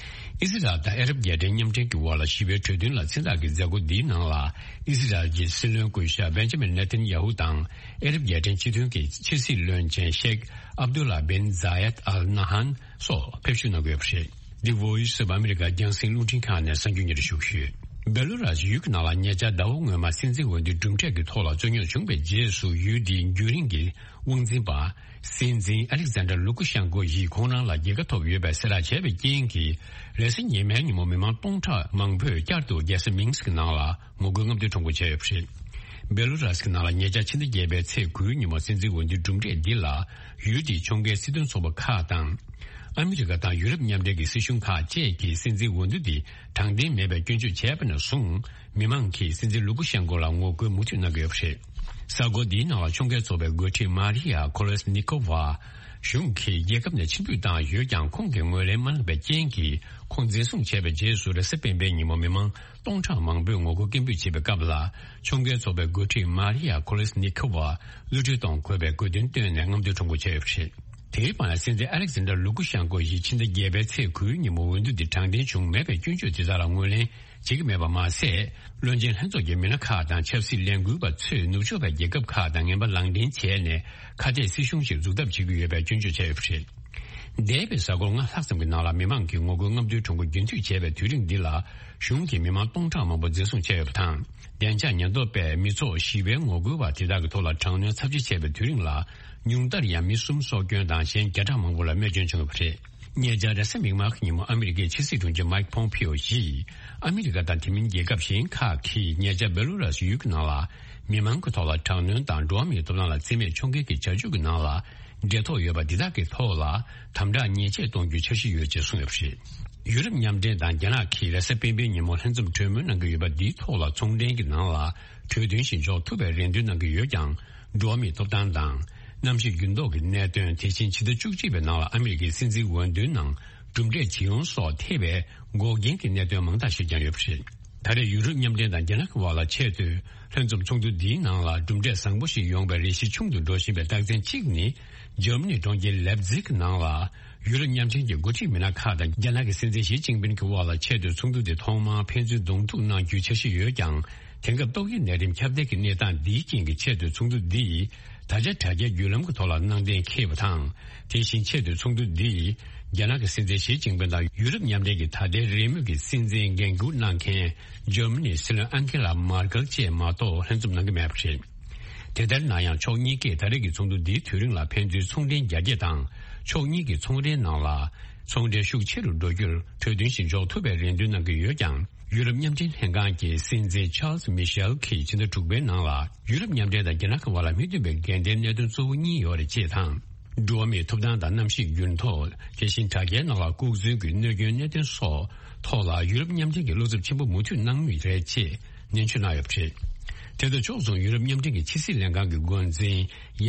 ཨི་ཟི་རལ་དང་ཨ་རབ་རྒྱལ་ཕྲན་མཉམ་འབྲེལ་གྱི་དབར་ལ་ཞི་བའི་གྲོས་མཐུན་ལ་མཚན་རྟགས་ཀྱི་མཛད་སྒོ་འདིའི་ནང་ལ་ཨི་ཟི་རལ་གྱི་སྲིད་བློན་སྐུ་ཞབས་བེན་ཇ་མིན་ནེ་ཐན་ཡ་ཧུ་དང་ཨ་རབ་རྒྱལ་ཕྲན་སྤྱི་མཐུན་གྱི་ཕྱི་སྲིད་བློན་ཆེན་ཤེག་ཨབ་དུ་ལ་བིན་ཛ་ཡད་ཨལ་ན་ཧན་སོགས་ཕེབས་བསུ་གནང་གི་ཡོད་པ་རེད། འདི་Voice of America་རྒྱང་སྲིང་རླུང་འཕྲིན་ཁང་ནས་གསར་འགྱུར་སྙན་སྒྲོན་ཞུ་གི་ཡོད། སྦེ་ལུ་རཱས་ཡུལ་གྱི་ནང་ལ་ཉེ་ཆར་ཟླ་བ་སྔོན་མ་སྲིད་འཛིན་འོས་བསྡུའི་གྲུབ་འབྲས་ཀྱི་ཐོག་ལ་རྩོད་རྙོག་བྱུང་བའི་རྗེས་སུ་ཡུལ་དེའི་རྒྱུན་རིང་གི་དབང་འཛིན་པ། སྲིད་འཛིན་ཨ་ལེག་ཛན་ཌར་ལུ་ཀུ་ཤན་ཀོ་ཡིས་ཁོང་རང་ལ་རྒྱལ་ཁ་ཐོབ་ཡོད་པའི་གསལ་བསྒྲགས་བྱས་པའི་རྐྱེན་གྱིས། རེས་གཟའ་ཉི་མའི་ཉིན་མོ་མི་མང་སྟོང་ཕྲག་མང་པོས་བསྐྱར་དུ་རྒྱལ་ས་མིན་སི་ཀི་ནང་ལ་ངོ་རྒོལ་རྔམ་སྟོན་ཁྲོམ་སྐོར་བྱས་ཡོད་པ་རེད། སྦེ་ལུ་རཱས་ཀྱི་ནང་ལ་ཉེ་ཆར་ཕྱི་ཟླ་བརྒྱད་པའི་ཚེས་དགུའི་ཉིན་མོ་སྲིད་འཛིན་འོས་བསྡུའི་གྲུབ་འབྲས་འདི་ལ་ཡུལ་དེའི་ཕྱོགས་འགལ་སྲིད་དོན་ཚོགས་པ་ཁག་དང་། ཨ་མི་རི་ཀ་དང་ཡུ་རོབ་མཉམ་འབྲེལ་གྱི་སྲིད་གཞུང་ཁག་བཅས་ཀྱིས་སྲིད་འཛིན་འོས་བསྡུ་འདི་དྲང་བདེན་མེད་པའི་སྐྱོན་བརྗོད་བྱས་པ་ནས་བཟུང་། མི་མང་གིས་སྲིད་འཛིན་ལུ་ཀུ་ཤན་ཀོ་ལ་ངོ་རྒོལ་མུ་མཐུད་གནང་གི་ཡོད་པ་རེད། གསར་འགོད་འདིའི་ནང་ལ་ཕྱོགས་འགལ་ཚོགས་པའི་འགོ་ཁྲིད་མཱ་རི་ཡ་ཁོ་ལེས་ནི་ཁོ་ཝ་གཞུང་གིས་རྒྱལ་ཁབ་ནས་ཕྱིར་འབུད་བཏང་ཡོད་ཀྱང་། ཁོང་གིས་ངོས་ལེན་མ་གནང་པའི་རྐྱེན་གྱིས། ཁོང་འཛིན་བཟུང་བྱས་པའི་རྗེས་སུ་རེས་གཟའ་སྤེན་པའི་ཉིན་མོ་མི་མང་སྟོང་ཕྲག་མང་པོས་ངོ་རྒོལ་སྐད་འབོད་བྱེད་པའི་སྐབས་ལ། ཕྱོགས་འགལ་ཚོགས་པའི་འགོ་ཁྲིད་མཱ་རི་ཡ་ཁོ་ལེས་ནི་ཁོ་ཝ་གློད་གྲོལ་གཏོང་དགོས་པའི་དགོས་འདུན་བཏོན་ནས་རྔམ་སྟོན་ཁྲོམ་སྐོར་བྱས་ཡོད་པ་རེད། དེའི་བར་ན་སྲིད་འཛིན་ཨ་ལེག་ཛན་ཌར་ལུ་ཀུ་ཤན་ཀོ་ཡིས་ཕྱི་ཟླ་བརྒྱད་པའི་ཚེས་དགུའི་ཉིན་མོ་འོས་བསྡུ་འདི་དྲང་བདེན་བྱུང་མེད་པའི་སྐྱོན་བརྗོད་དེ་དག་ལ་ངོས་ལེན་བྱེད་ཀྱི་མེད་པ་མ་ཟད། བློན་ཆེན་ལྷན་ཚོགས་ཀྱི་མི་སྣ་ཁག་དང་ཆབ་སྲིད་ལས་འགུལ་བ་ཚོས་ནུབ་ཕྱོགས་པའི་རྒྱལ་ཁབ་ཁག་དང་ངན་པ་ལག་འབྲེལ་བྱས་ནས་ཁ་གཏད་སྲིད་གཞུང་ཞིག་འཛུགས་ཐབས་བྱེད་ཀྱི་ཡོད་པའི་སྐྱོན་བརྗོད་བྱས་ཡོད་པ་རེད། འདས་པའི་གཟའ་འཁོར་ལྔ་ལྷག་ཙམ་གྱི་ནང་ལ་མི་མང་གིས་ངོ་རྒོལ་རྔམ་སྟོན་ཁྲོམ་སྐོར་རྒྱུན་མཐུད་བྱས་པའི་དུས་རིང་འདི་ལ་གཞུང་གིས་མི་མང་སྟོང་ཕྲག་མང་པོ་འཛིན་བཟུང་བྱས་ཡོད་པ་དང་། བདེ་འཇགས་ཉེན་རྟོག་པས་མི་ཚོགས་ཞི་བའི་ངོ་རྒོལ་བ་དེ་དག་གི་ཐོག་ལ་དྲག་གནོན་ཚབས་ཆེ་བྱས་པའི་དུས་རིང་ལ། ཉུང་མཐར་ཡང་མི་གསུམ་སྲོག་སྐྱོན་དང་གཞན་བརྒྱ་ཕྲག་མང་པོ་ལ་རྨས་སྐྱོན་བྱུང་ཡོད་པ་རེད། ཉེ་ཆར་རེས་གཟའ་མིག་དམར་གྱི་ཉིན་མོ་ཨ་མི་རི་ཀའི་ཕྱི་སྲིད་དྲུང་ཆེ་མའིག་ཕོམ་ཕིའོ་ཡིས། ཨ་མི་རི་ཀ་དང་དེ་མིན་རྒྱལ་ཁབ་གཞན་ཁག་གིས་ཉེ་ཆར་སྦེ་ལུ་རཱས་ཡུལ་གྱི་ནང་ལ་མི་མང་གི་ཐོག་ལ་དྲག་གནོན་དང་འགྲོ་བ་མིའི་ཐོབ་ཐང་ལ་བརྩི་མེད་ཕྱོགས་འགལ་གྱི་བྱ་སྤྱོད་ཀྱི་ནང་ལ། འབྲེལ་ཐོགས་ཡོད་པ་འདི་དག་གི་ཐོག་ལ་དམ་དྲག་ཉེས་ཆད་གཏོང་རྒྱུའི་འཆར་གཞི་ཡོད་ཅེས་གསུངས་ཡོད་པ་རེད། ཡུ་རོབ་མཉམ་འབྲེལ་དང་རྒྱ་ནག་གིས་རེས་གཟའ་སྤེན་པའི་ཉིན་མོ་ལྷན་འཛོམས་གྲོས་མོལ་གནང་གི་ཡོད་པ་འདིའི་ཐོག་ལ་ཚོང་འབྲེལ་གྱི་ནང་ལ་གྲོས་མཐུན་ཞིག་འཇོག་ཐུབ་པའི་རེ་འདུན་གནང་གི་ཡོད་ཀྱང་། འགྲོ་བ་མིའི་ཐོབ་ཐང་དང་། གནམ་གཤིས་འགྱུར་ལྡོག་གི་གནད་དོན། དེ་བཞིན་ཕྱི་ཟླ་བཅུ་གཅིག་པའི་ནང་ལ་ཨ་མི་རི་ཀའི་སྲིད་འཛིན་འོས་བསྡུའི་ནང་གྲུབ་འབྲས་ཇི་ཡོང་སོགས་ཐེ་བའི་འགོག་རྐྱེན་གྱི་གནད་དོན་མང་དག་ཞིག་ཀྱང་ཡོད་པ་རེད། ད་རེས་ཡུ་རོབ་མཉམ་འབྲེལ་དང་རྒྱ་ནག་གི་དབར་ལ་ཆེས་མཐོའི་ལྷན་འཛོམས་ཚོགས་འདུ་འདིའི་ནང་ལ་གྲུབ་འབྲས་བཟང་པོ་ཞིག་ཡོང་བའི་རེ་ཞིག་ཆུང་དུ་འགྲོ་བཞིན་པའི་རྟགས་མཚན་གཅིག་ནི། འཇར་མ་ནིའི་གྲོང་ཁྱེར་ལེབ་ཛིག་ནང་ལ་ཡུ་རོབ་མཉམ་འབྲེལ་གྱི་འགོ་ཁྲིད་མི་སྣ་ཁག་དང་རྒྱ་ནག་གི་སྲིད་འཛིན་ཞི་ཅིན་ཕིན་གྱི་དབར་ལ་ཆེས་མཐོའི་ཚོགས་འདུ་དེ་ཐོག་མར་ཕན་ཚུན་གདོང་ཐུག་གནང་རྒྱུའི་འཆར་གཞི་ཡོད་ཀྱང་། དེང་སྐབས་ཏོག་དབྱིབས་ནད་རིམས་ཁྱབ་གདལ་གྱི་གནས་སྟངས་འདིའི་རྐྱེན་གྱིས་ཆེད་དུ་ཚོགས་འདུ་འདི་ད་ཆ་དྲ་རྒྱའི་བརྒྱུད་ལམ་གྱི་ཐོག་ལ་གནང་གཏན་འཁེལ་བ་དང་། དེ་བཞིན་ཆེད་དུ་ཚོགས་འདུ་འདི་རྒྱ་ནག་གི་སྲིད་འཛིན་ཞི་ཅིན་ཕིང་དང་ཡུ་རོབ་མཉམ་འབྲེལ་གྱི་ད་ལྟའི་རེས་མོས་ཀྱི་སྲིད་འཛིན་འགན་འཁུར་གནང་མཁན་འཇར་མ་ནིའི་སྲིད་བློན་ཨན་ཁེ་ལ་མར་ཀེལ་བཅས་མ་གཏོགས་ལྷན་འཛོམས་གནང་གི་མེད་པ་རེད། དེ་ལྟར་ན་ཡང་ཕྱོགས་གཉིས་ཀས་ད་རེས་ཀྱི་ཚོགས་འདུ་འདིའི་དུས་རིང་ལ་ཕན་ཚུན་ཚོང་འབྲེལ་རྒྱ་སྐྱེད་དང་ཕྱོགས་གཉིས་ཀྱི་ཚོང་རའི་ནང་ལ་ཚོང་འབྲེལ་ཤུགས་ཆེ་རུ་འགྲོ་རྒྱུར་གྲོས་མཐུན་ཞིག་འཇོག་ཐུབ་པའི་རེ་འདུན་གནང་གི་ཡོད་ཀྱང་། ཡུ་རོབ་མཉམ་འབྲེལ་ལྷན་ཁང་གི་སྲིད་འཛིན་ཆཱལ་སི་མི་ཤེལ་གྱིས་ཕྱི་ཟླ་དྲུག་པའི་ནང་ལ་ཡུ་རོབ་མཉམ་འབྲེལ་དང་རྒྱ་ནག་གི་བར་ལ་མི་མཐུན་པའི་འགལ་ཟླའི་གནད་དོན་གཙོ་བོ་གཉིས་ཡོད་རེད་ཅེས་དང་། འགྲོ་བ་མིའི་ཐོབ་ཐང་དང་གནམ་གཤིས་འགྱུར་ལྡོག་དེ་བཞིན་དྲ་རྒྱའི་ནང་ལ་ལྐོག་འཛུལ་གྱི་གནོད་སྐྱོན་གནད་དོན་སོགས་ཐོག་ལ་ཡུ་རོབ་མཉམ་འབྲེལ་གྱིས་བློ་འཚབ་ཆེན་པོ་མུ་མཐུད་གནང་མུས་རེད་ཅེས་ནན་བརྗོད་གནང་ཡོད་པ་རེད། དེ་དང་ཕྱོགས་མཚུངས་ཡུ་རོབ་མཉམ་འབྲེལ་གྱི་ཕྱི་སྲིད་ལྷན་ཁང་གི་འགོ་འཛིན་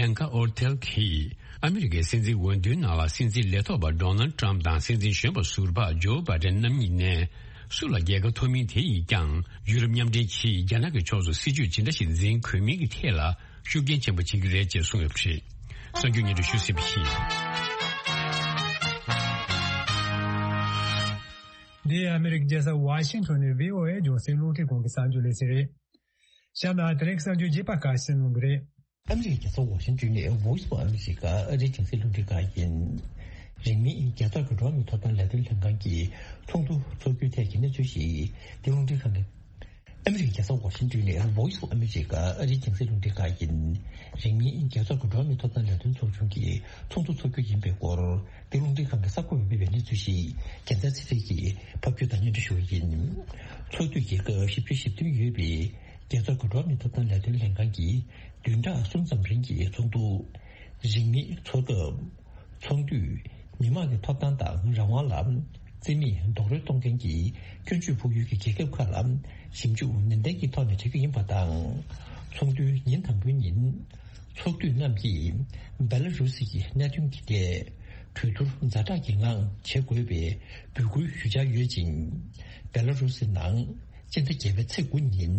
ཡན་ཀ་ཨོར་ཐེལ་གྱིས་ཨ་མི་རི་ཀའི་སྲིད་འཛིན་འོས་བསྡུའི་ནང་ལ་སྲིད་འཛིན་ལས་ཐོག་པ་ཌོ་ནལ་ཏྲམ་དང་སྲིད་འཛིན་གཞོན་པ་ཟུར་པ་ཇོ་བྷ་ཌེན་རྣམ་གཉིས་ནས་སུ་ལ་རྒྱལ་ཁ་ཐོབ་མིན་དེ་ཡིས་ཀྱང་ཡུ་རོབ་མཉམ་འབྲེལ་གྱིས་རྒྱ་ནག་གི་ཕྱོགས་སུ་སྲིད་ཇུས་ཇི་འདྲ་ཞིག་འཛིན་དགོས་མིན་གྱི་ཐད་ལ་ཤུགས་རྐྱེན་ཆེན་པོ་བྱེད་ཀྱི་རེད་ཅེས་གསུངས་ཡོད་པ་རེད། གསར་འགྱུར་སྙན་སྒྲོན་ཞུ་ཟིན་པ་ཡིན། འདི་ཨ་མི་རི་ཀའི་རྒྱལ་ས་ཝ་ཤིང་ཊོན་ནས་བྷི་ཨོ་ཨེ་རྒྱང་སྲིང་རླུང་འཕྲིན་ཁང་གི་གསར་འགྱུར་ལས་ཚན་རེད། གཤམ་ལ་དེ་རིང་གསར་འགྱུར་རྒྱས་པ་ཁག་གསན་གནང་གི་རེད། ཨ་མི་རི་ཀའི་རྒྱལ་ས་ཝ་ཤིང་ཊོན་ནས་Voice of America ཨ་རིའི་རྒྱང་སྲིང་རླུང་འཕྲིན་ཁང་ཡིན། རིང་མིན་རྒྱལ་ཚོགས་ཀྱི་འགྲོ་བ་མིའི་ཐོབ་ཐང་ལས་དོན་ལྷན་ཁང་གི་ཚོགས་འདུ་འཚོགས་རྒྱུའི་ཐད་ཀྱི་གནས་ཚུལ་ཞིག་འདི་རླུང་འཕྲིན་ཁང་གི། ཨ་མི་རི་ཀའི་རྒྱལ་ས་ཝ་ཤིང་ཊོན་ནས་Voice of America ཨ་རིའི་རྒྱང་སྲིང་རླུང་འཕྲིན་ཁང་ཡིན། རིང་མིན་རྒྱལ་ཚོགས་ཀྱི་འགྲོ་བ་མིའི་ཐོབ་ཐང་ལས་དོན་ཚོགས་ཆུང་གི་ཚོགས་འདུ་འཚོགས་རྒྱུ་ཡིན་པའི་སྐོར་འདི་རླུང་འཕྲིན་ཁང་གི་གསར་འགོད་པས་སྤེལ་བའི་གནས་ཚུལ་ཞིག་རྒྱལ་མཚན་ཚེ་རིང་གིས་ཕབ་སྒྱུར་དང་སྙན་སྒྲོན་ཞུ་བ་ཡིན། ཚོགས་དུས་རྒྱལ་ཁབ་བཞི་བཅུ་ཞེ་བདུན་ཡོད་པའི་རྒྱལ་ཚོགས་ཀྱི་འགྲོ་བ་མིའི་ཐོབ་ཐང་ལས་དོན་ལྷན་ཁང་གི་བདུན་ཕྲག་གསུམ་ཙམ་རིང་གི་ཚོགས་འདུ། རིང་མིན་ཚོགས་སྐབས། ཚོགས་དུས། མི་དམངས་ཀྱི་ཐོབ་ཐང་དང་རང་དབང་ལ་རྩིས་མེད་རྡོག་རོལ་གཏོང་མཁན་གྱི་སྐྱོན་བརྗོད་ཕོག་ཡུལ་གྱི་རྒྱལ་ཁབ་ཁག་ལ་ཞིབ་འཇུག་ནན་ཏན་གྱི་ཐོག་ནས་བྱེད་རྒྱུ་ཡིན་པ་དང་། ཚོགས་དུས་ཉིན་དང་པོའི་ཉིན། ཚོགས་དུས་རྣམས་ཀྱིས་བེ་ལ་རུ་སི་ཡི་གནད་དོན་གྱི་ཐད་གྲོས་བསྡུར་ཛ་དྲག་གི་ངང་བྱེད་དགོས་པའི་འབོད་སྐུལ་ཞུ་འཆར་ཡོད་ཅིང་། བེ་ལ་རུ་སི་ནང་། སྤྱི་ཟླ་བརྒྱད་པའི་ཚེས་དགུ་ཉིན།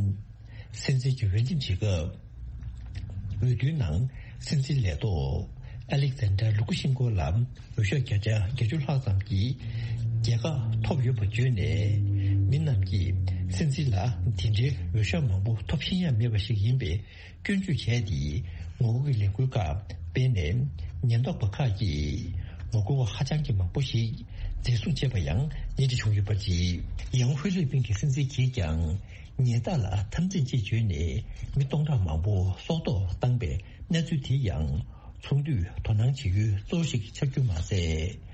སྲིད་འཛིན་གྱི་འོས་འདེམས་བྱེད་སྐབས། འོས་བསྡུའི་ནང་སྲིད་འཛིན་ལས་ཐོག་ཨ་ལེག་ཛན་ཌར་ལུ་ཀུ་ཤིན་ཀོ་ལ་འོས་ཤོག་བརྒྱ་ཆ་བརྒྱད་ཅུ་ལྷག་ཙམ་གྱི་རྒྱལ་ཁ་ཐོབ་ཡོད་པ་བརྗོད་ནས། མི་རྣམས་ཀྱིས་སྲིད་འཛིན་ལ་དེ་འདྲའི་འོས་ཤོག་མང་པོ་ཐོབ་ཤེས་ཡ་མེད་པ་ཞིག་ཡིན་པའི་སྐྱོན་བརྗོད་བྱས་ཏེ། ངོ་རྒོལ་གྱི་ལས་འགུལ་ཁག་སྤེལ་ནས། ཉེན་རྟོག་པ་ཁག་གིས་ངོ་རྒོལ་བ་ཧ་ཅང་གི་མང་པོ་ཞིག་འཛིན་བཟུང་བྱས་པ་ཡང་ཉེ་འདྲ་བྱུང་ཡོད་པ་རེད། ཡང་ཧྥི་ལི་པིན་གྱི་སྲིད་འཛིན་གྱིས་ཀྱང་ཉེས་རྟགས་ལ་འཐབ་འཛིང་ཅེས་བརྗོད་ནས་མི་སྟོང་ཕྲག་མང་པོ་སྲོག་ཐོག་བཏང་པའི་གནས་ཚུལ་དེ་ཡང་ཚོགས་འདུས་དོ་སྣང་བྱེད་ཡུལ་གཙོ་བོ་ཞིག་ཆགས་རྒྱུ་མ་ཟད།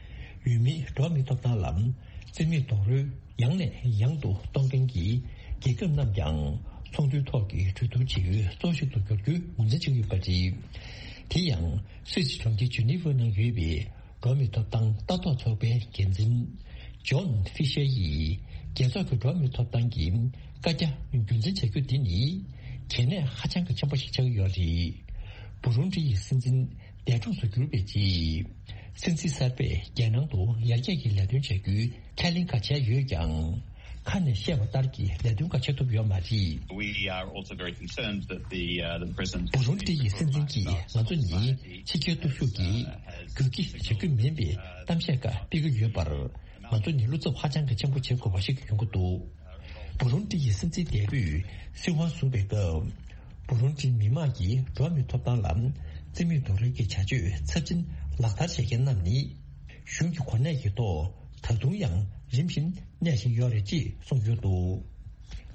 ཡུལ་མིའི་འགྲོ་བ་མིའི་ཐོབ་ཐང་ལ་རྩིས་མེད་རྡོག་རོལ་ཡང་ནས་ཡང་དུ་གཏོང་མཁན་གྱི་རྒྱལ་ཁབ་རྣམས་ཀྱང་ཚོགས་འདུའི་ཐོག་གི་གྲོས་བསྡུར་བྱེད་ཡུལ་གཙོ་བོ་ཞིག་ཏུ་གྱུར་རྒྱུའི་ངོས་འཛིན་བྱེད་ཀྱི་ཡོད་པ་རེད། དེ་ཡང་སུད་སི་གྲོང་ཁྱེར་ཇི་ནི་ཝར་ནང་ཡོད་པའི་འགྲོ་བ་མིའི་ཐོབ་ཐང་ལྟ་རྟོག་ཚོགས་པའི་འགན་འཛིན་ཇོན་ཧྥི་ཤར་ཡིས་རྒྱལ་ཚོགས་ཀྱི་འགྲོ་བ་མིའི་ཐོབ་ཐང་གི་བཀའ་རྒྱ་རྒྱུན་འཛིན་བྱ་རྒྱུ་འདི་ནི་གལ་གནད་ཧ་ཅང་གི་ཆེན་པོ་ཞིག་ཆགས་ཀྱི་ཡོད་རེད། བུ་རུན་ཌི་ཡི་སྲིད་འཛིན་འདས་གྲོངས་སུ་གྱུར་པའི་རྗེས། སྲིད་འཛིན་གསར་པས་རྒྱལ་ནང་དུ་ཡར་རྒྱས་ཀྱི་ལས་དོན་བྱ་རྒྱུའི་ཁས་ལེན་ཁ་བྱས་ཡོད་ཀྱང་། ཁ་ནས་བཤད་པ་ལྟར་གྱི་ལས་དོན་ཁ་བྱེད་ཐུབ་ཡོད་མ་རེད། We are also very concerned that the, uh, the president བུ་རུན་ཌི་ཡི་སྲིད་འཛིན་གྱིས་ང་ཚོ་ནི་ཕྱི་རྒྱལ་སྟོབས་ཤུགས་ཀྱིས་རྒྱུད་སྐྱེད་བྱ་རྒྱུ་མིན་པའི་གཏམ་བཤད་ཁག་སྤེལ་གྱི་ཡོད་པར། ང་ཚོ་ནི་བློ་འཚབ་ཧ་ཅང་གི་ཆེན་པོ་བྱེད་དགོས་པ་ཞིག་ཡོང་གི་འདུག་བུ་རུན་ཌི་ཡི་སྲིད་འཛིན་འདས་པོས་སྲིད་དབང་བཟུང་བའི་སྐབས། བུ་རུན་ཌིའི་མི་དམངས་ཀྱིས་འགྲོ་བ་མིའི་ཐོབ་ཐང་ལ་རྩིས་མེད་རྡོག་རོལ་གྱི་བྱ་སྤྱོད་ཚབས་ཆེན་ལག་བསྟར་བྱེད་མཁན་རྣམས་ནི། གཞུང་གི་གོ་གནས་ཀྱི་ཐོག་ད་དུང་ཡང་རིམ་བཞིན་གནས་བཞིན་ཡོད་རེད་ཅེས་གསུངས་ཡོད་འདུག་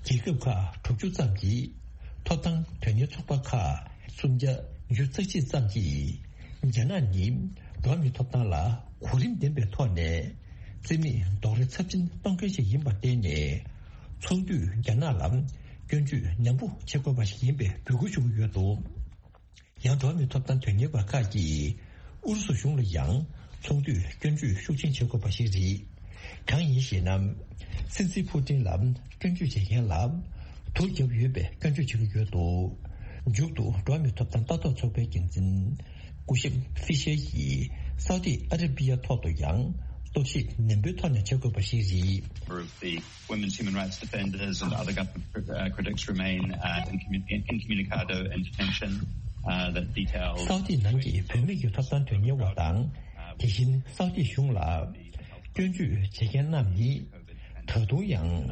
རྒྱལ་ཁབ་ཁག་དྲུག་ཅུ་ཙམ་གྱིས། ཐོབ་ཐང་དོན་གཉེར་ཚོགས་པ་ཁག་སུམ་བརྒྱ་བདུན་ཅུ་རྩ་གཅིག་ཙམ་གྱིས། རྒྱ་ནག་ནི་འགྲོ་བ་མིའི་ཐོབ་ཐང་ལ་གོ་རིམ་ལྡན་པའི་ཐོག་ནས་རྩིས་མེད་རྡོག་རོལ་ཚབས་ཆེན་གཏོང་མཁན་ཞིག་ཡིན་པར་བརྟེན་ནས། ཚོགས་འདུས་རྒྱ་ནག་ལ་སྐྱོན་བརྗོད་ནན་པོ་བྱེད་དགོས་པ་ཞིག་ཡིན་པའི་འབོད་སྐུལ་ཞུ་གི་ཡོད་འདུག་ཡང་འགྲོ་བ་མིའི་ཐོབ་ཐང་དོན་གཉེར་བ་ཁག་གིས་ཨུ་རུ་སུ་གཞུང་ལ་ཡང་ཚོགས་འདུས་སྐྱོན་བརྗོད་ཤུགས་ཆེན་བྱེད་དགོས་པ་ཞིག་རེད། གང་ཡིན་ཞེ་ན། སྲིད་འཛིན་ཕུ་ཏིན་ལ་སྐྱོན་བརྗོད་བྱེད་མཁན་ལ་དུག་བརྒྱབ་ཡོད་པའི་སྐྱོན་བརྗོད་བྱེད་ཀྱི་ཡོད་འདུག་མཇུག་ཏུ་འགྲོ་བ་མིའི་ཐོབ་ཐང་ལྟ་རྟོག་ཚོགས་པའི་འགན་འཛིན་སྐུ་ཞབས་ཧྥི་ཤེ་ཡིས་སའུ་ཏི་ཨ་ར་པི་ཡ་ཐོག་ཏུ་ཡང་རྟོག་ཞིབ་ནན་པོའི་ཐོག་ནས་བྱེད་དགོས་པ་ཞིག་རེད། Women's human rights defenders and other government cri- uh, critics remain uh, incommun- incommunicado in detention uh, that details སའུ་ཏི་ནང་གི་བུད་མེད་ཀྱི་ཐོབ་ཐང་དོན་གཉེར་བ་དང་། དེ་བཞིན་སའུ་ཏི་གཞུང་ལ་སྐྱོན་བརྗོད་བྱེད་མཁན་རྣམས་ནི་ད་དུང་ཡང་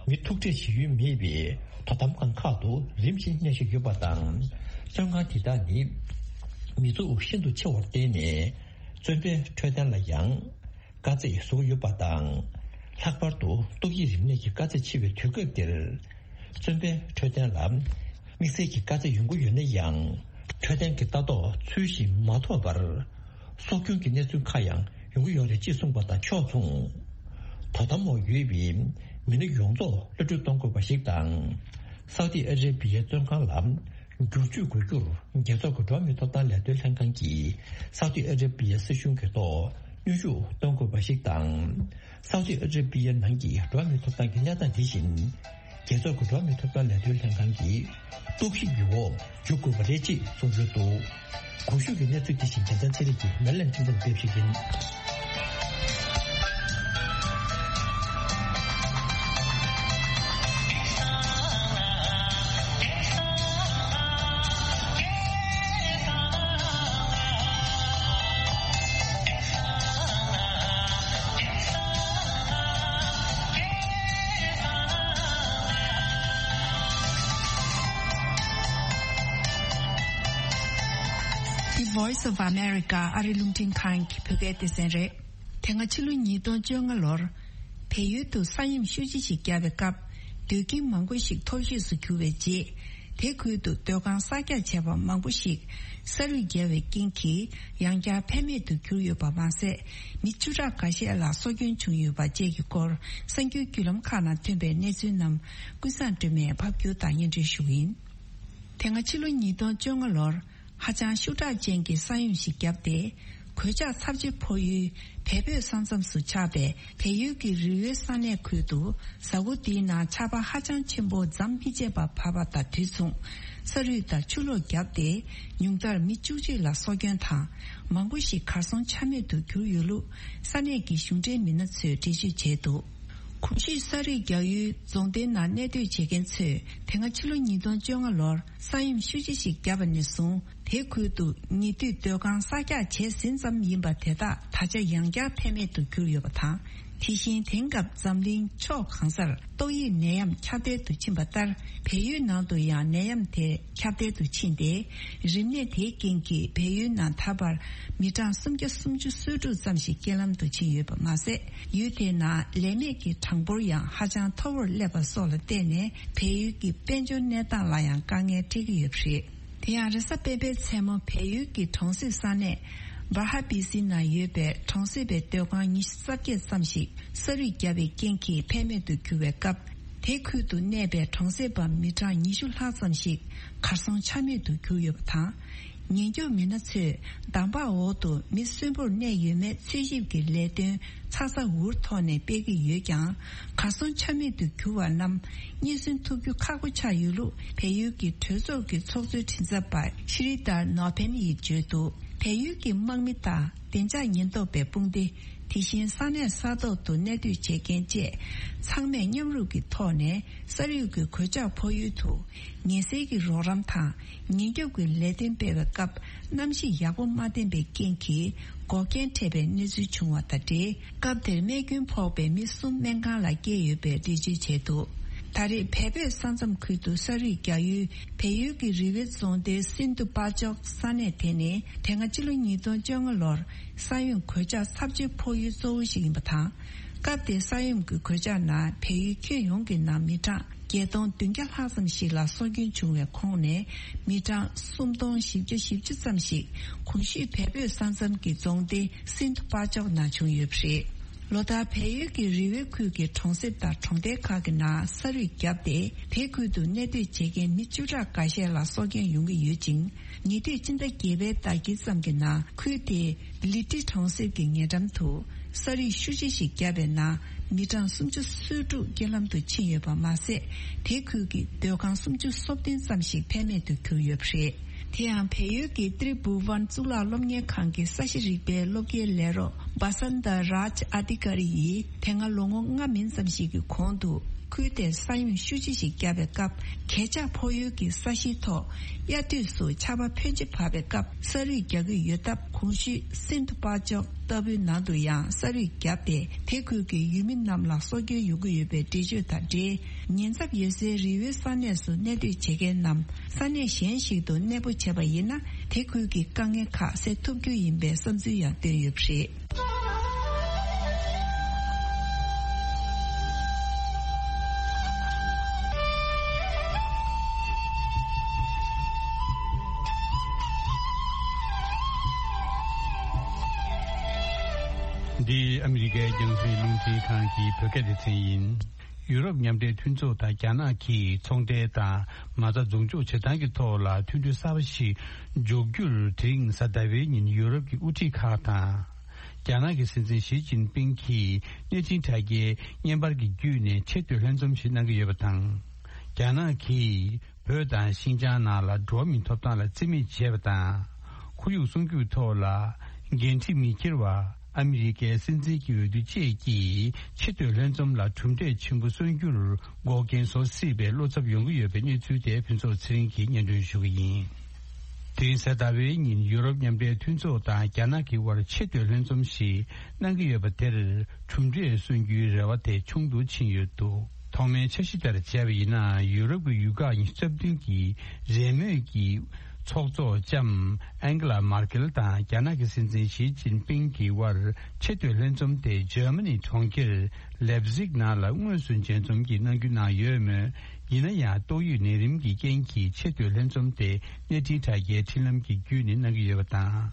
མི་ཐུག་འཕྲད་བྱེད་ཡུལ་མེད་པའི་དོ་དམ་ཁང་ཁག་ཏུ་རིམ་བཞིན་གནས་བཞིན་ཡོད་པ་དང་། བཙོན་ཁང་དེ་དག་ནི་མི་ཚོགས་ཤིན་ཏུ་ཆེ་བར་བརྟེན་ནས། བཙོན་པའི་འཕྲོད་བསྟེན་ལ་ཡང་དཀའ་ཚེགས་བཟོ་གི་ཡོད་པ་དང་། ལྷག་པར་དུ་ཏོག་དབྱིབས་རིམས་ནད་ཀྱི་དཀའ་ཚེགས་ཆེ་བའི་དུས་སྐབས་འདིར། བཙོན་པའི་འཕྲོད་བསྟེན་ལ་དམིགས་བསལ་གྱི་དཀའ་ཚེགས་ཡོང་གི་ཡོད་ན་ཡང་། འཕྲོད་བསྟེན་གྱི་ལྟ་རྟོག་ཚུལ་བཞིན་མ་ཐོབ་པར། སྲོག་སྐྱོན་གྱི་གནས་ཚུལ་ཁག་ཡང་ཡོང་གི་ཡོད་རེད་ཅེས་གསུངས་པ་དང་ཕྱོགས་མཚུངས། དོ་དམ་འོག་ཡོད་པའི་མི་སྣ་ཡོངས་རྫོགས་གློད་གྲོལ་གཏོང་དགོས་པ་ཞིག་དང་། སའུ་ཏི་ཨ་རེ་བི་ཡའི་བཙོན་ཁང་ལ་བསྒྱུར་བཅོས་དགོས་རྒྱུར། རྒྱལ་ཚོགས་ཀྱི་འགྲོ་བ་མིའི་ཐོབ་ཐང་ལས་དོན་ལྷན་ཁང་གིས་སའུ་ཏི་ཨ་རེ་བི་ཡའི་སྲིད་གཞུང་གི་ཐོག་གནོན་ཤུགས་གཏོང་དགོས་པ་ཞིག་དང་། སའུ་ཏི་ཨ་རེ་བི་ཡའི་ནང་གི་འགྲོ་བ་མིའི་ཐོབ་ཐང་གི་གནས་སྟངས་དེ་བཞིན། རྒྱལ་ཚོགས་ཀྱི་འགྲོ་བ་མིའི་ཐོབ་ཐང་ལས་དོན་ལྷན་ཁང་གི་རྟོག་ཞིབ་ཀྱི་འོག་འཇུག་དགོས་པ་རེད་ཅེས་གསུངས་ཡོད་འདུག། གོང་ཞུས་ཀྱི་གནས་ཚུལ་དེ་བཞིན་རྒྱལ་མཚན་ཚེ་རིང་གིས་མེ་ལན་ཁྲིན་ཏུར་ཕེབས་ཞིག་ཡིན། The Voice of America ཨ་རི་རླུང་འཕྲིན་ཁང་གི་བོད་སྐད་སྡེ་ཚན་རེད། དེ་སྔ་ཕྱི་ལོ་ཉིས་སྟོང་བཅོ་ལྔ་ལོར། བལ་ཡུལ་དུ་ས་ཡོམ་ཤུགས་ཆེ་ཞིག་བརྒྱབ་པའི་སྐབས། སྡོད་ཁྱིམ་མང་པོ་ཞིག་ཐོར་ཞིག་ཏུ་གྱུར་བའི་རྗེས། དེ་ཁུལ་དུ་སྡོད་ཁང་གསར་རྒྱག་བྱས་པ་མང་པོ་ཞིག་ས་རུད་བརྒྱབ་པའི་རྐྱེན་གྱིས་ཡང་བསྐྱར་ཕན་མེད་དུ་གྱུར་ཡོད་པ་མ་ཟད། མི་བཅུ་ཕྲག་འགའ་ཤས་ལ་སྲོག་སྐྱོན་བྱུང་ཡོད་པ་བཅས་ཀྱི་སྐོར་གསར་འགྱུར་བརྒྱུད་ལམ་ཁག་ནང་ཐོན་པའི་གནས་ཚུལ་རྣམས་ཀུན་བཟང་སྒྲོལ་མས་ཕབ་སྒྱུར་དང་སྙན་སྒྲོན་ཞུ་གི་ཡིན། དེ་སྔ་ཕྱི་ལོ་ཉིས་སྟོང་བཅོ་ལྔ་ལོར་ཧ་ཅང་ཤུགས་དྲག་ཅན་གྱི་ས་ཡོམ་ཞིག་བརྒྱབ་སྟེ། གོད་ཆག་ཚབས་ཆེ་ཕོག་ཡུལ་བལ་བོད་ས་མཚམས་སུ་ཆགས་པའི་བལ་ཡུལ་གྱི་རི་བོའི་ས་གནས་ཁུལ་དུ་གཟའ་འཁོར་འདིའི་ནང་ཆར་པ་ཧ་ཅང་ཆེན་པོ་མཚམས་མི་ཆད་པར་བབས་པ་དང་དུས་མཚུངས་ས་རུད་དང་ཆུ་ལོག་བརྒྱབ་སྟེ། ཉུང་མཐར་མི་བཅུ་གཅིག་ལ་སྲོག་སྐྱོན་དང་མང་པོ་ཞིག་གར་སོང་ཆ་མེད་དུ་གྱུར་ཡོད་ལུགས་ས་གནས་ཀྱི་གཞུང་འབྲེལ་མི་སྣ་ཚོས་འགྲེལ་བརྗོད་བྱས་འདུག། གོང་ཞུས་ས་རུད་རྒྱག་ཡུལ་རྫོང་སྡེའི་ནང་གནས་སྡོད་བྱེད་མཁན་ཚོས་དེ་སྔ་ཕྱི་ལོ་ཉིས་སྟོང་བཅོ་ལྔ་ལོར་ས་ཡོམ་ཤུགས་ཆེ་ཞིག་བརྒྱབ་པ་ནས་བཟུང་དེ་ཁུལ་དུ་ཉེ་དུས་སྡོད་ཁང་གསར་རྒྱག་བྱས་ཟིན་ཙམ་ཡིན་པ་དེ་དག་ད་ཆ་ཡང་བསྐྱར་ཕན་མེད་དུ་གྱུར་ཡོད་པ་དང་། དེ་བཞིན་དེང་སྐབས་འཛམ་གླིང་ཕྱོགས་གང་སར་ཏོག་དབྱིབས་ནད་ཡམས་ཁྱབ་གདལ་དུ་ཕྱིན་པ་ལྟར་བལ་ཡུལ་ནང་དུ་ཡང་ནད་ཡམས་དེ་ཁྱབ་གདལ་དུ་ཕྱིན་ཏེ། རིམས་ནད་དེའི་རྐྱེན་གྱིས་བལ་ཡུལ་ནང་ད་བར་མི་གྲངས་སུམ་བརྒྱ་སུམ་ཅུ་སོ་དྲུག་ཙམ་ཞིག་རྐྱེན་ལམ་དུ་ཕྱིན་ཡོད་པ་མ་ཟད། ཡུལ་དེའི་ནང་ལས་མེད་ཀྱི་གྲངས་འབོར་ཡང་ཧ་ཅང་མཐོ་བོར་སླེབས་པ་སོགས་ལ་བརྟེན་ནས་བལ་ཡུལ་གྱི་དཔལ་འབྱོར་གནས་སྟངས་ལ་ཡང་དཀའ་ངལ་འཕྲད་ཀྱི་ཡོད་པ་རེད། དེ་ཡང་རེས་གཟའ་སྤེན་པའི་མཚན་མོ་བལ་ཡུལ་གྱི་གྲོང་གསེབ་ས་གནས་བར་ཧ་བི་སི་ནང་ཡོད་པའི་གྲོང་གསེབ་པའི་སྡོད་ཁང་ཉི་ཤུ་རྩ་བརྒྱད་ཙམ་ཞིག་ས་རུད་བརྒྱབ་པའི་རྐྱེན་གྱིས་ཕན་མེད་དུ་གྱུར་བའི་སྐབས། དེ་ཁུལ་དུ་གནས་པའི་གྲོང་གསེབ་པ་མི་གྲངས་ཉི་ཤུ་ལྷག་ཙམ་ཞིག་གར་སོང་ཆ་མེད་དུ་གྱུར་ཡོད་པ་དང་། ཉེན་སྐྱོབ་མི་སྣ་ཚོས་འདམ་བག་འོག་ཏུ་མི་གསོན་པོར་གནས་ཡོད་མེད་འཚོལ་ཞིབ་ཀྱི་ལས་དོན་ཚ་ཚ་འུར་ཐོག་ནས་སྤེལ་གྱི་ཡོད་ཀྱང་། གར་སོང་ཆ་མེད་དུ་གྱུར་བ་རྣམས་རྙེད་སོན་ཐུབ་རྒྱུ་ཁག་པོ་ཆགས་ཡོད་ལུགས་བལ་ཡུལ་གྱི་གྲོས་ཚོགས་ཀྱི་ཚོགས་གཙོའི་མགྲིན་ཚབ་པ་ཤི་རི་དར་ནོ་ཕེན་ཡིས་བརྗོད་འདུག། བལ་ཡུལ་གྱི་དམག་མི་དང་བདེ་འཇགས་ཉེན་རྟོག་པའི་དཔུང་སྡེ། དེ་བཞིན་ས་གནས་ས་ཐོག་ཏུ་གནས་སྡོད་བྱེད་མཁན་བཅས་ཚང་མས་མཉམ་རུབ་ཀྱི་ཐོག་ནས་ས་རུད་ཀྱི་གོད་ཆག་ཕོག་ཡུལ་དུ་ཉེན་སེལ་གྱི་རོགས་རམ་དང་ཉེན་སྐྱོབ་ཀྱི་ལས་དོན་སྤེལ་བའི་སྐབས་གནམ་གཤིས་ཡག་པོ་མ་ལྡན་པའི་རྐྱེན་གྱིས་འགོག་རྐྱེན་འཕྲད་པའི་གནས་ཚུལ་བྱུང་བ་དང་འབྲེལ། སྐབས་དེར་རྨས་སྐྱོན་ཕོག་པའི་མི་གསུམ་སྨན་ཁང་ལ་བསྐྱལ་ཡོད་པའི་འགྲེལ་བརྗོད་བྱས་འདུག། ད་རེས་བལ་བོད་ས་མཚམས་ཁུལ་དུ་ས་རུད་རྒྱག་ཡུལ་བལ་ཡུལ་གྱི་རི་བོའི་རྫོང་སྡེའི་སིན་དུ་པ་ཅོག་ས་གནས་དེ་ནི་དེ་སྔ་ཕྱི་ལོ་ཉིས་སྟོང་བཅོ་ལྔ་ལོར་ས་ཡོམ་གོད་ཆག་ཚབས་ཆེ་ཕོག་ཡུལ་གཙོ་བོ་ཞིག་ཡིན་པ་དང་། སྐབས་དེའི་ས་ཡོམ་གྱི་གོད་ཆག་ནང་བལ་ཡུལ་ཁྱོན་ཡོངས་ཀྱི་ནང་མི་གྲངས་བརྒྱད་སྟོང་བདུན་བརྒྱ་ལྷག་ཙམ་ཞིག་ལ་སྲོག་སྐྱོན་བྱུང་བའི་ཁོངས་ནས་མི་གྲངས་སུམ་སྟོང་བཞི་བརྒྱ་བཞི་བཅུ་ཙམ་ཞིག་གོང་ཞུས་བལ་བོད་ས་མཚམས་ཀྱི་རྫོང་སྡེ་སིན་དུ་པ་ཅོག་ནང་བྱུང་ཡོད་པ་རེད། ལོ་ལྟར་བལ་ཡུལ་གྱི་རི་བོའི་ཁུལ་གྱི་གྲོང་གསེབ་དང་གྲོང་རྡལ་ཁག་གི་ནང་ས་རུད་བརྒྱབ་སྟེ། དེ་ཁུལ་དུ་གནས་སྡོད་བྱེད་མཁན་མི་བཅུ་ཕྲག་འགའ་ཤས་ལ་སྲོག་སྐྱོན་ཡོང་གི་ཡོད་ཅིང་། ཉེ་དུས་ཕྱི་ཟླ་བརྒྱད་པའི་ཟླ་དཀྱིལ་ཙམ་གྱི་ནང་ཁུལ་དེའི་ལི་ཏི་གྲོང་གསེབ་ཀྱི་ཉེ་འགྲམ་དུ་ས་རུད་ཤུགས་ཆེ་ཞིག་བརྒྱབ་པའི་ནང་མི་གྲངས་སུམ་ཅུ་སོ་དྲུག་རྐྱེན་ལམ་དུ་ཕྱིན་ཡོད་པ་མ་ཟད། དེ་ཁུལ་གྱི་སྡོད་ཁང་སུམ་ཅུ་སོ་བདུན་ཙམ་ཞིག་ཕན་མེད་དུ་གྱུར་ཡོད་པ་རེད། དེ་ཡང་བལ་ཡུལ་གྱི་ཏྲི་བྷུ་ཝན་གཙུག་ལག་སློབ་གཉེར་ཁང་གི་ས་གཤིས་རིག་པའི་སློབ་དགེའི་ལས་རོགས་ བ་སན་ཏཱ་རཱཇ་ཨ་ཏི་ཀ་རི་ཡིས་དེ་སྔ་ལོ་ངོ་ལྔ་མིན་ཙམ་ཞིག་གི་གོང་དུ་ཁུལ་དེར་ས་ཡོམ་ཤུགས་ཆེ་ཞིག་བརྒྱབ་པའི་སྐབས། གས་ཆག་ཕོག་ཡུལ་གྱི་ས་གཞིའི་ཐོག་དབྱར་དུས་སུ་ཆར་པ་ཕོན་ཆེ་བབས་པའི་སྐབས་ས་རུད་རྒྱག་གི་ཡོད་སྟབས། གོང་ཞུས་སིན་དྷུ་པ་ཅོག་ལྟ་བུའི་ནང་དུ་ཡང་ས་རུད་བརྒྱབ་སྟེ། དེ་ཁུལ་གྱི་ཡུལ་མི་རྣམས་ལ་སྲོག་སྐྱོན་ཡོང་གི་ཡོད་པའི་འགྲེལ་བརྗོད་དང་འབྲེལ། ཉེན་ཚབས་ཡོད་སའི་རི་བོའི་ས་གནས་སུ་གནས་སྡོད་བྱེད་མཁན་རྣམས་ས་གནས་གཞན་ཞིག་ཏུ་གནས་སྤོ་བྱས་པ་ཡིན་ན། དེ་ཁུལ་གྱི་དཀའ་ངལ་ཁག་སེལ་ཐུབ་རྒྱུ་ཡིན་པའི་བསམ་ཚུལ་ཡང་བཏོན་ཡོད་པ་རེད། འདི་ཨ་མི་རི་ཀའི་རྒྱང་སྲིང་རླུང་འཕྲིན་ཁང་གི་བོད་སྐད་སྡེ་ཚན་ཡིན། ཡུ་རོབ་མཉམ་འབྲེལ་མཐུན་ཚོགས་དང་རྒྱ་ནག་གིས་ཚོང་འབྲེལ་དང་མ་རྩ་འཛུགས་འཇོག་བྱེད་སྟངས་ཀྱི་ཐོག་ལ་མཐུན་གྲོས་གསར་པ་ཞིག་འཇོག་རྒྱུར། དེ་རིང་གཟའ་ཟླ་བའི་ཉིན་ཡུ་རོབ་ཀྱི་དབུ་ཁྲིད་ཁག་དང་། རྒྱ་ནག་གི་སྲིད་འཛིན་ཞི་ཅིན་ཕིང་གིས་གནས་ཆེན་དྲ་རྒྱའི་བརྙན་པར་གྱི་བརྒྱུད་ནས་ཆེ་བསྟོད་ལྷན་འཛོམས་ཤིག་གནང་གི་ཡོད་པ་དང་། རྒྱ་ནག་གིས་བོད་དང་ཤིན་ཅང་ནང་ལ་འགྲོ་བ་མིའི་ཐོབ་ཐང་ལ་བརྩི་མེད་བྱས་པ་དང་། ཁོར་ཡུག་སྲུང་སྐྱོབ་ཐོག་ལ་འགན་འཁྲི་མི་འཁྱེར་བ། ཨ་མི་རི་ཀའི་སྲིད་འཛིན་གྱི་འོས་བསྡུ་བཅས་ཀྱིས་ཆེ་བསྟོད་ལྷན་འཛོམས་ལ་གྲུབ་འབྲས་ཆེན་པོ་སོན་རྒྱུར་འགོག་རྐྱེན་བཟོ་སྲིད་པའི་བློ་འཚབ་ཡོང་གི་ཡོད་པའི་གནས་ཚུལ་དེ་ཕུན་ཚོགས་ཚེ་རིང་གིས་སྙན་སྒྲོན་ཞུ་གི་ཡིན། དེ་རིང་གཟའ་ཟླ་བའི་ཉིན་ཡུ་རོབ་མཉམ་འབྲེལ་མཐུན་ཚོགས་དང་རྒྱ་ནག་གི་དབར་ཆེ་བསྟོད་ལྷན་འཛོམས་ཤིག་གནང་གི་ཡོད་པ་དེར་གྲུབ་འབྲས་སོན་རྒྱུའི་རེ་བ་དེ་ཆུང་དུ་ཕྱིན་ཡོད་འདུག་ཐོག་མའི་འཆར་གཞི་ལྟར་བྱས་པ་ཡིན་ན། ཡུ་རོབ་ཀྱི་ཡུལ་ཁག་ཉི་ཤུ་རྩ་བདུན་གྱི་རེས་མོས་ཀྱི་ཚོགས་གཙོ་ལྕམ་ཨན་གྷི་ལ་མར་ཀེལ་དང་རྒྱ་ནག་གི་སྲིད་འཛིན་ཞི་ཅིན་ཕིང་གི་དབར་ཆེ་བསྟོད་ལྷན་འཛོམས་དེ་འཇར་མ་ནི་གྲོང་ཁྱེར་ལེབ་ཟིག་ནང་ལ་དངོས་སུ་མཇལ་འཛོམས་ཀྱིས་གནང་རྒྱུ་གནང་ཡོད་མོད། ཡིན་ན་ཡང་ཏོག་དབྱིབས་ནད་རིམས་ཀྱི་རྐྱེན་གྱིས་ཆེ་བསྟོད་ལྷན་འཛོམས་དེ་གནས་འཕྲིན་དྲ་རྒྱའི་འཕྲིན་ལམ་གྱི་བརྒྱུད་ནས་གནང་གི་ཡོད་པ་དང་།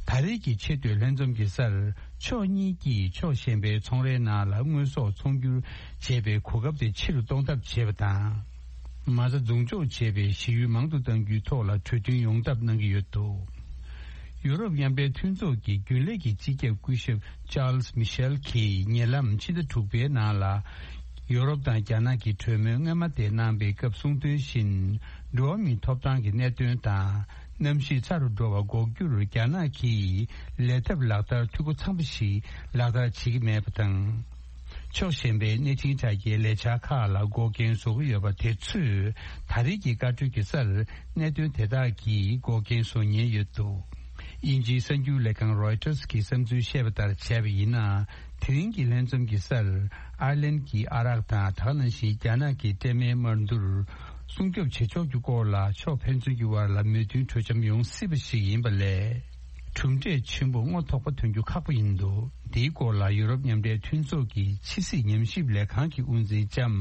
ད་རེས་ཀྱི་ཆེ་བསྟོད་ལྷན་འཛོམས་ཀྱི་སར། ཕྱོགས་གཉིས་ཀྱིས་ཕྱོགས་གཞན་པའི་ཚོང་རའི་ནང་ལ་དངོས་ཟོག་ཚོང་སྒྱུར་བྱེད་པའི་གོ་སྐབས་དེ་ཆེ་རུ་གཏོང་ཐབས་བྱས་པ་དང་། མ་རྩ་འཛུགས་འཇོག་བྱས་པའི་གཞི་ཡུལ་མང་དུ་གཏང་རྒྱུའི་ཐོག་ལ་གྲོས་མཐུན་ཡོང་ཐབས་གནང་གི་ཡོད་འདུག་ཡུ་རོབ་མཉམ་འབྲེལ་མཐུན་ཚོགས་ཀྱི་རྒྱུན་ལས་ཀྱི་སྤྱི་ཁྱབ་སྐུ་ཞབས་ཅཱལ་སི་མི་ཤེལ་གྱིས་ཉེ་ལམ་ཕྱི་ཟླ་དྲུག་པའི་ནང་ལ། ཡུ་རོབ་དང་རྒྱ་ནག་གི་གྲོས་མོལ་སྔོན་མ་དེ་གནང་པའི་སྐབས་གསུངས་དོན་བཞིན། འགྲོ་བ་མིའི་ཐོབ་ཐང་གི་གནད་དོན་དང་། གནམ་གཤིས་ཚ་རུ་འགྲོ་བ་འགོག་རྒྱུར་རྒྱ་ནག་གིས་ལས་ཐབས་ལག་བསྟར་འཐུས་སྒོ་ཚང་པ་ཞིག་ལག་བསྟར་བྱེད་ཀྱི་མེད་པ་དང་། ཕྱོགས་གཞན་པའི་གནས་འཕྲིན་དྲ་རྒྱའི་ལས་འཆར་ཁག་ལ་འགོག་རྐྱེན་བཟོ་གི་ཡོད་པ་དེ་ཚོས། ད་རེས་ཀྱི་བཀའ་འཁྲོལ་གྱི་སར་གནད་དོན་དེ་དག་གིས་འགོག་རྐྱེན་བཟོ་ཉེན་ཡོད་འདུག་དབྱིན་ཇིའི་གསར་འགྱུར་ལས་ཁང་རོའི་ཊར་གྱིས་བསམ་ཚུལ་བཤད་པ་ལྟར་བྱས་པ་ཡིན་ན། དེ་རིང་གི་ལྷན་འཛོམས་ཀྱི་སར། ཨར་ལན་གྱི་ཨ་རག་དང་དེ་ནང་བཞིན་རྒྱ་ནག་གི་སྤྲད་མའི་དམར་འདུལ་སྲུང་སྐྱོབ་བྱེད་ཕྱོགས་ཀྱི་སྐོར་ལ་ཕྱོགས་ཕན་ཚུན་གྱི་དབར་ལ་མོས་མཐུན་གྲོས་འཆམ་ཡོང་སྲིད་པ་ཞིག་ཡིན་པ་ལས། གྲུབ་འབྲས་ཆེན་པོ་རྔོ་ཐོགས་པ་ཐོན་རྒྱུ་ཁག་པོ་ཡིན་འདུག་འདིའི་སྐོར་ལ་ཡུ་རོབ་མཉམ་འབྲེལ་མཐུན་ཚོགས་ཀྱི་ཕྱི་སྲིད་ཉམས་ཞིབ་ལས་ཁང་གི་དབུ་འཛིན་ལྕམ་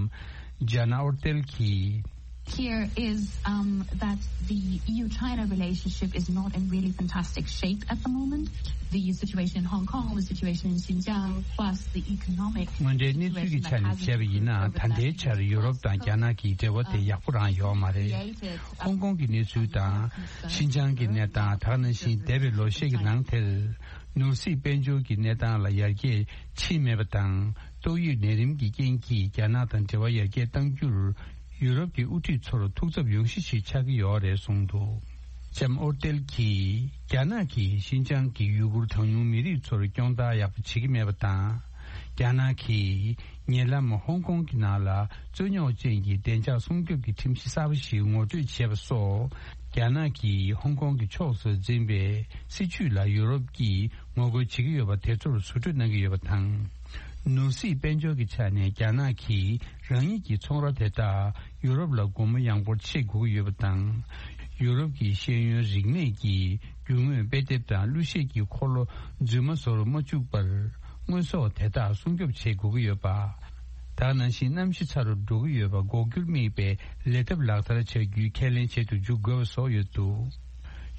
ཇཱ་ན་ཨོར་ཏེལ་གྱིས། Here is, um, that the E U China relationship is not in really fantastic shape at the moment. The situation in Hong Kong, the situation in Xinjiang, plus the economic སྔོན་འགྲོའི་གནས་ཚུལ་གྱི་ཆ་ནས་བྱས་པ་ཡིན་ན། ད་ལྟའི་ཆར་ཡུ་རོབ་དང་རྒྱ་ནག་གི་འབྲེལ་བ་དེ་ཡག་པོ་རང་ཡོད་མ་རེད། ཧོང་ཀོང་གི་གནས་ཚུལ་དང་། ཤིན་ཅང་གི་གནས་སྟངས། དེ་ནང་བཞིན་འདས་པའི་ལོ་ཤས་ཀྱི་ནང་དེར་ནོར་སྲིད་དཔལ་འབྱོར་གྱི་གནས་སྟངས་ལ་ཡར་རྒྱས་ཕྱིན་མེད་པ་དང་། ཏོག་དབྱིབས་ནད་རིམས་ཀྱི་རྐྱེན་གྱིས་རྒྱ་ནག་དང་འབྲེལ་བ་ཡར་རྒྱས་གཏང་རྒྱུར། ཡུ་རོབ་ཀྱི་དབུ་ཁྲིད་ཚོར་ཐུགས་འཚབ་ཡོང་གཞི་ཞིག་ཆགས་ཀྱི་ཡོད་རེད་གསུངས་འདུག་ལྕམ་ཨོར་ཏེལ་གྱིས། རྒྱ་ནག་གིས་ཤིན་ཅང་གི་ཡུ་གུར་གྲངས་ཉུང་མི་རིགས་ཚོར་སྐྱོང་བརྡར་ཡག་པོ་བྱེད་ཀྱི་མེད་པ་དང་། རྒྱ་ནག་གིས་ཉེ་ལམ་ཧོང་ཀོང་གི་ནང་ལ་རྩོད་རྙོག་ཅན་གྱི་བདེ་འཇགས་སྲུང་སྐྱོབ་ཀྱི་ཁྲིམས་གཞི་གསར་པ་ཞིག་ངོ་སྤྲོད་བྱས་པ་སོགས། རྒྱ་ནག་གིས་ཧོང་ཀོང་གི་ཕྱོགས་སུ་འཛིན་པའི་སྲིད་བྱུས་ལ་ཡུ་རོབ་ཀྱིས་ངོ་རྒོལ་བྱེད་ཀྱི་ཡོད་པ་དེ་ཚོར་ཟུར་གྲོས་གནང་གི་ཡོད་པ་དང་། ནོར་སྲིད་དཔལ་འབྱོར་གྱི་ཆ་ནས་རྒྱ་ནག་གིས་རང་ཉིད་ཀྱི་ཚོང་ར་དེ་དག་ཡུ་རོབ་ལ་སྒོ་མོ་ཡངས་པོར་ཕྱེ་དགོས་ཀྱི་ཡོད་པ་དང་། ཡུ་རོབ་ཀྱི་ཤེས་ཡོན་རིག་གནས་ཀྱི་རྒྱུ་དངོས་དཔེ་དེབ་དང་གླུ་གཞས་ཀྱི་འཁོར་ལོ་རྫུན་མ་བཟོ་རུ་མ་བཅུག་པར། དངོས་ཟོག་དེ་དག་སྲུང་སྐྱོབ་བྱེད་དགོས་ཀྱི་ཡོད་པ། དེ་ནང་བཞིན་གནམ་གཤིས་ཚ་རུ་འགྲོ་གི་ཡོད་པ་འགོག་རྒྱུར་དམིགས་པའི་ལས་ཐབས་ལག་བསྟར་བྱ་རྒྱུའི་ཁས་ལེན་བྱེད་དུ་འཇུག་དགོས་པ་སོགས་ཡོད་འདུག་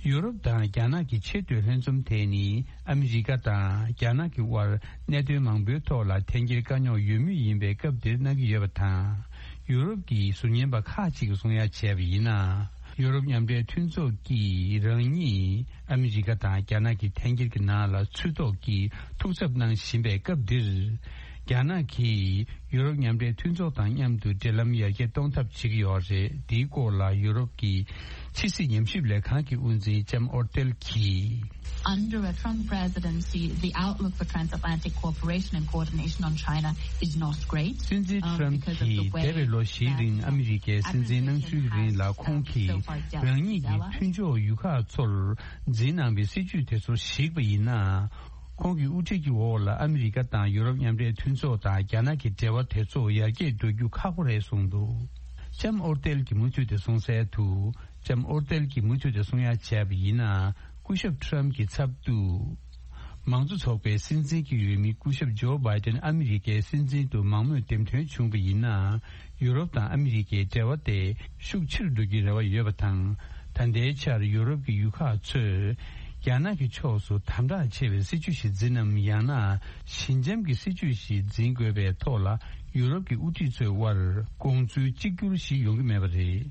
ཡུ་རོབ་དང་རྒྱ་ནག་གི་ཆེས་མཐོའི་ལྷན་འཛོམས་དེ་ནི་ཨ་མི་རི་ཀ་དང་རྒྱ་ནག་གི་དབར་གནད་དོན་མང་པོའི་ཐོག་ལ་འཐེན་འཁྱེར་དཀའ་རྙོག་ཡོད་མུས་ཡིན་པའི་སྐབས་འདིར་གནང་གི་ཡོད་པ་དང་། ཡུ་རོབ་ཀྱི་ཟུར་ཉན་པ་ཁག་ཅིག་གིས་གསུང་ཡ་བྱས་པ་ཡིན་ན། ཡུ་རོབ་མཉམ་འབྲེལ་མཐུན་ཚོགས་ཀྱིས་རང་ཉིད་ཨ་མི་རི་ཀ་དང་རྒྱ་ནག་གི་འཐེན་འཁྱེར་གྱི་ནང་ལ་ཚུད་ཐོག་གིས་ཐུགས་འཚབ་གནང་བཞིན་པའི་སྐབས་འདིར། རྒྱ་ནག་གིས་ཡུ་རོབ་མཉམ་འབྲེལ་མཐུན་ཚོགས་དང་མཉམ་དུ་འབྲེལ་ལམ་ཡར་རྒྱས་གཏོང་ཐབས་བྱེད་ཀྱི་ཡོད་རེད། འདིའི་སྐོར་ལ་ཡུ་རོབ་ཀྱི་ ཕྱི་སྲིད་ཉམས་ཞིབ་ལས་ཁང་གི་དབུ་འཛིན་ལྕམ་ཨོར་ཏེལ་གྱིས། Under a Trump presidency, the outlook for transatlantic cooperation and coordination on China is not great. སྲིད་འཛིན་ཊམ་གྱིས་འདས་པའི་ལོ་བཞིའི་རིང་ཨ་མི་རི་ཀའི་སྲིད་འཛིན་གནང་ཚུལ་གྱི་རིང་ལ་ཁོང་གིས་རང་ཉིད་ཀྱི་མཐུན་ཕྱོགས་ཡུལ་ཁག་ཚོར་འཛིན་གནང་བའི་སྲིད་ཇུས་དེ་ཚོར་གཞིགས་པ་ཡིན་ན། ཁོང་གི་དབུ་ཁྲིད་ཀྱི་འོག་ལ་ཨ་མི་རི་ཀ་དང་ཡུ་རོབ་མཉམ་འབྲེལ་མཐུན་ཚོགས་དང་རྒྱ་ནག་གི་འབྲེལ་བ་དེ་ཚོ་ཡར་རྒྱས་འགྲོ་རྒྱུ་ཁག་པོ་རེད་གསུངས་འདུག་ལྕམ་ཨོར་ཏེལ་གྱིས་མུ་མཐུད་དེ་གསུངས་གསལ་དུ། ལྕམ་ཨོར་ཏེལ་གྱིས་མུ་མཐུད་དུ་གསུང་ཡ་བྱས་པ་ཡིན་ན། སྐུ་ཞབས་ཊམ་གྱི་ཚབ་ཏུ། མང་གཙོ་ཚོགས་པའི་སྲིད་འཛིན་གྱི་འོས་མི་སྐུ་ཞབས་ཇོ་བྷའི་ཏན་ཨ་མི་རི་ཀའི་སྲིད་འཛིན་དུ་མང་མོས་འདེམས་ཐོན་བྱུང་བ་ཡིན་ན། ཡུ་རོབ་དང་ཨ་མི་རི་ཀའི་འབྲེལ་བ་དེ་ཤུགས་ཆེར་འགྲོ་རྒྱུའི་རེ་བ་ཡོད་པ་དང་། ད་ལྟའི་ཆར་ཡུ་རོབ་ཀྱི་ཡུལ་ཁག་ཚོས་རྒྱ་ནག་གི་ཕྱོགས་སུ་དམ་དྲག་ཆེ་བའི་སྲིད་ཇུས་ཤིག་འཛིན་ནམ། ཡང་ན་ཞི་འཇམ་གྱི་སྲིད་ཇུས་ཤིག་འཛིན་དགོས་པའི་ཐོག་ལ། ཡུ་རོབ་ཀྱི་དབུ་ཁྲིད་ཚོའི་དབར་དགོངས་ཚུལ་གཅིག་གྱུར་ཞིག་ཡོང་གི་མེད་པ་རེད།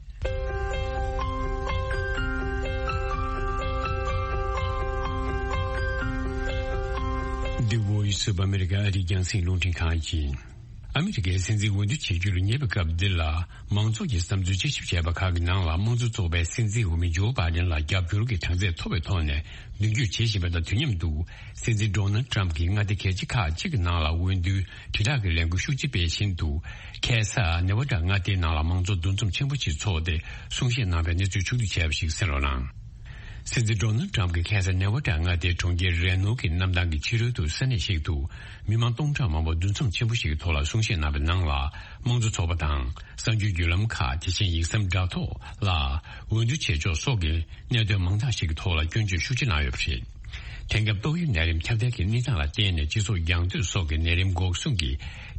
The Voice of America ཨ་རིའི་རྒྱང་སྲིང་རླུང་འཕྲིན་ཁང་ཡིན། ཨ་མི་རི་ཀའི་སྲིད་འཛིན་འོས་བསྡུ་བྱེད་རྒྱུར་ཉེ་བའི་སྐབས་འདི་ལ། མང་ཚོགས་ཀྱི་བསམ་ཚུལ་དཔྱད་ཞིབ་བྱས་པ་ཁག་གི་ནང་ལ། དམངས་གཙོ་ཚོགས་པའི་སྲིད་འཛིན་འོས་མི་ཇོ་བྷའི་ཌེན་ལ་རྒྱབ་སྐྱོར་གྱི་གྲངས་ཚད་མཐོ་བའི་ཐོག་ནས་མདུན་སྐྱོད་བྱེད་བཞིན་པ་དང་། དུས་མཉམ་དུ་སྲིད་འཛིན་ཌོ་ནལ་ཊམ་གྱིས་མངའ་སྡེ་གལ་ཆེ་ཁག་ཅིག་གི་ནང་ལ་འོས་བསྡུའི་དྲིལ་བསྒྲགས་ཀྱི་ལས་འགུལ་ཤུགས་ཆེ་སྤེལ་བཞིན་དུ། ཁ་སང་ནེ་ཝ་ཌ་མངའ་སྡེའི་ནང་ལ་མང་གཙོ་འདུ་འཛོམས་ཆེན་པོ་ཞིག་འཚོགས་ཏེ། གསུང་བཤད་གནང་བའི་གནས་ཚུལ་ཕྱོགས་བསྡུས་བྱས་པ་ཞིག་གསན་རོགས་གནང་། སྲིད་འཛིན་ཌོ་ནལ་ཊམ་གྱིས་ཁ་སང་ནེ་ཝ་ཌ་མངའ་སྡེའི་གྲོང་ཁྱེར་རེ་ནོ་གི་གནམ་ཐང་གི་ཕྱི་རོལ་དུ་ས་གནས་ཤིག་ཏུ། མི་མང་སྟོང་ཕྲག་མང་པོ་འདུ་འཛོམས་ཆེན་པོ་ཞིག་གི་ཐོག་ལ་གསུང་བཤད་གནང་བའི་ནང་ལ། དམངས་གཙོ་ཚོགས་པ་དང་། གསར་འགྱུར་བརྒྱུད་ལམ་ཁག་དེ་བཞིན་ཡིག་ཟམ་དྲ་ཐོག་ལ་འོས་བསྡུ་བྱེད་ཕྱོགས་སོགས་ཀྱི་གནད་དོན་མང་དག་ཞིག་གི་ཐོག་ལ་སྐྱོན་བརྗོད་ཤུགས་ཆེ་གནང་ཡོད་པ་རེད། དེང་སྐབས་ཏོག་དབྱིབས་ནད་རིམས་ཁྱབ་གདལ་གྱི་གནས་སྟངས་ལ་བརྟེན་ནས་སྤྱི་ཚོགས་རྒྱང་མཐུད་སོགས་ཀྱི་ནད་རིམས་འགོག་སྲུང་གི་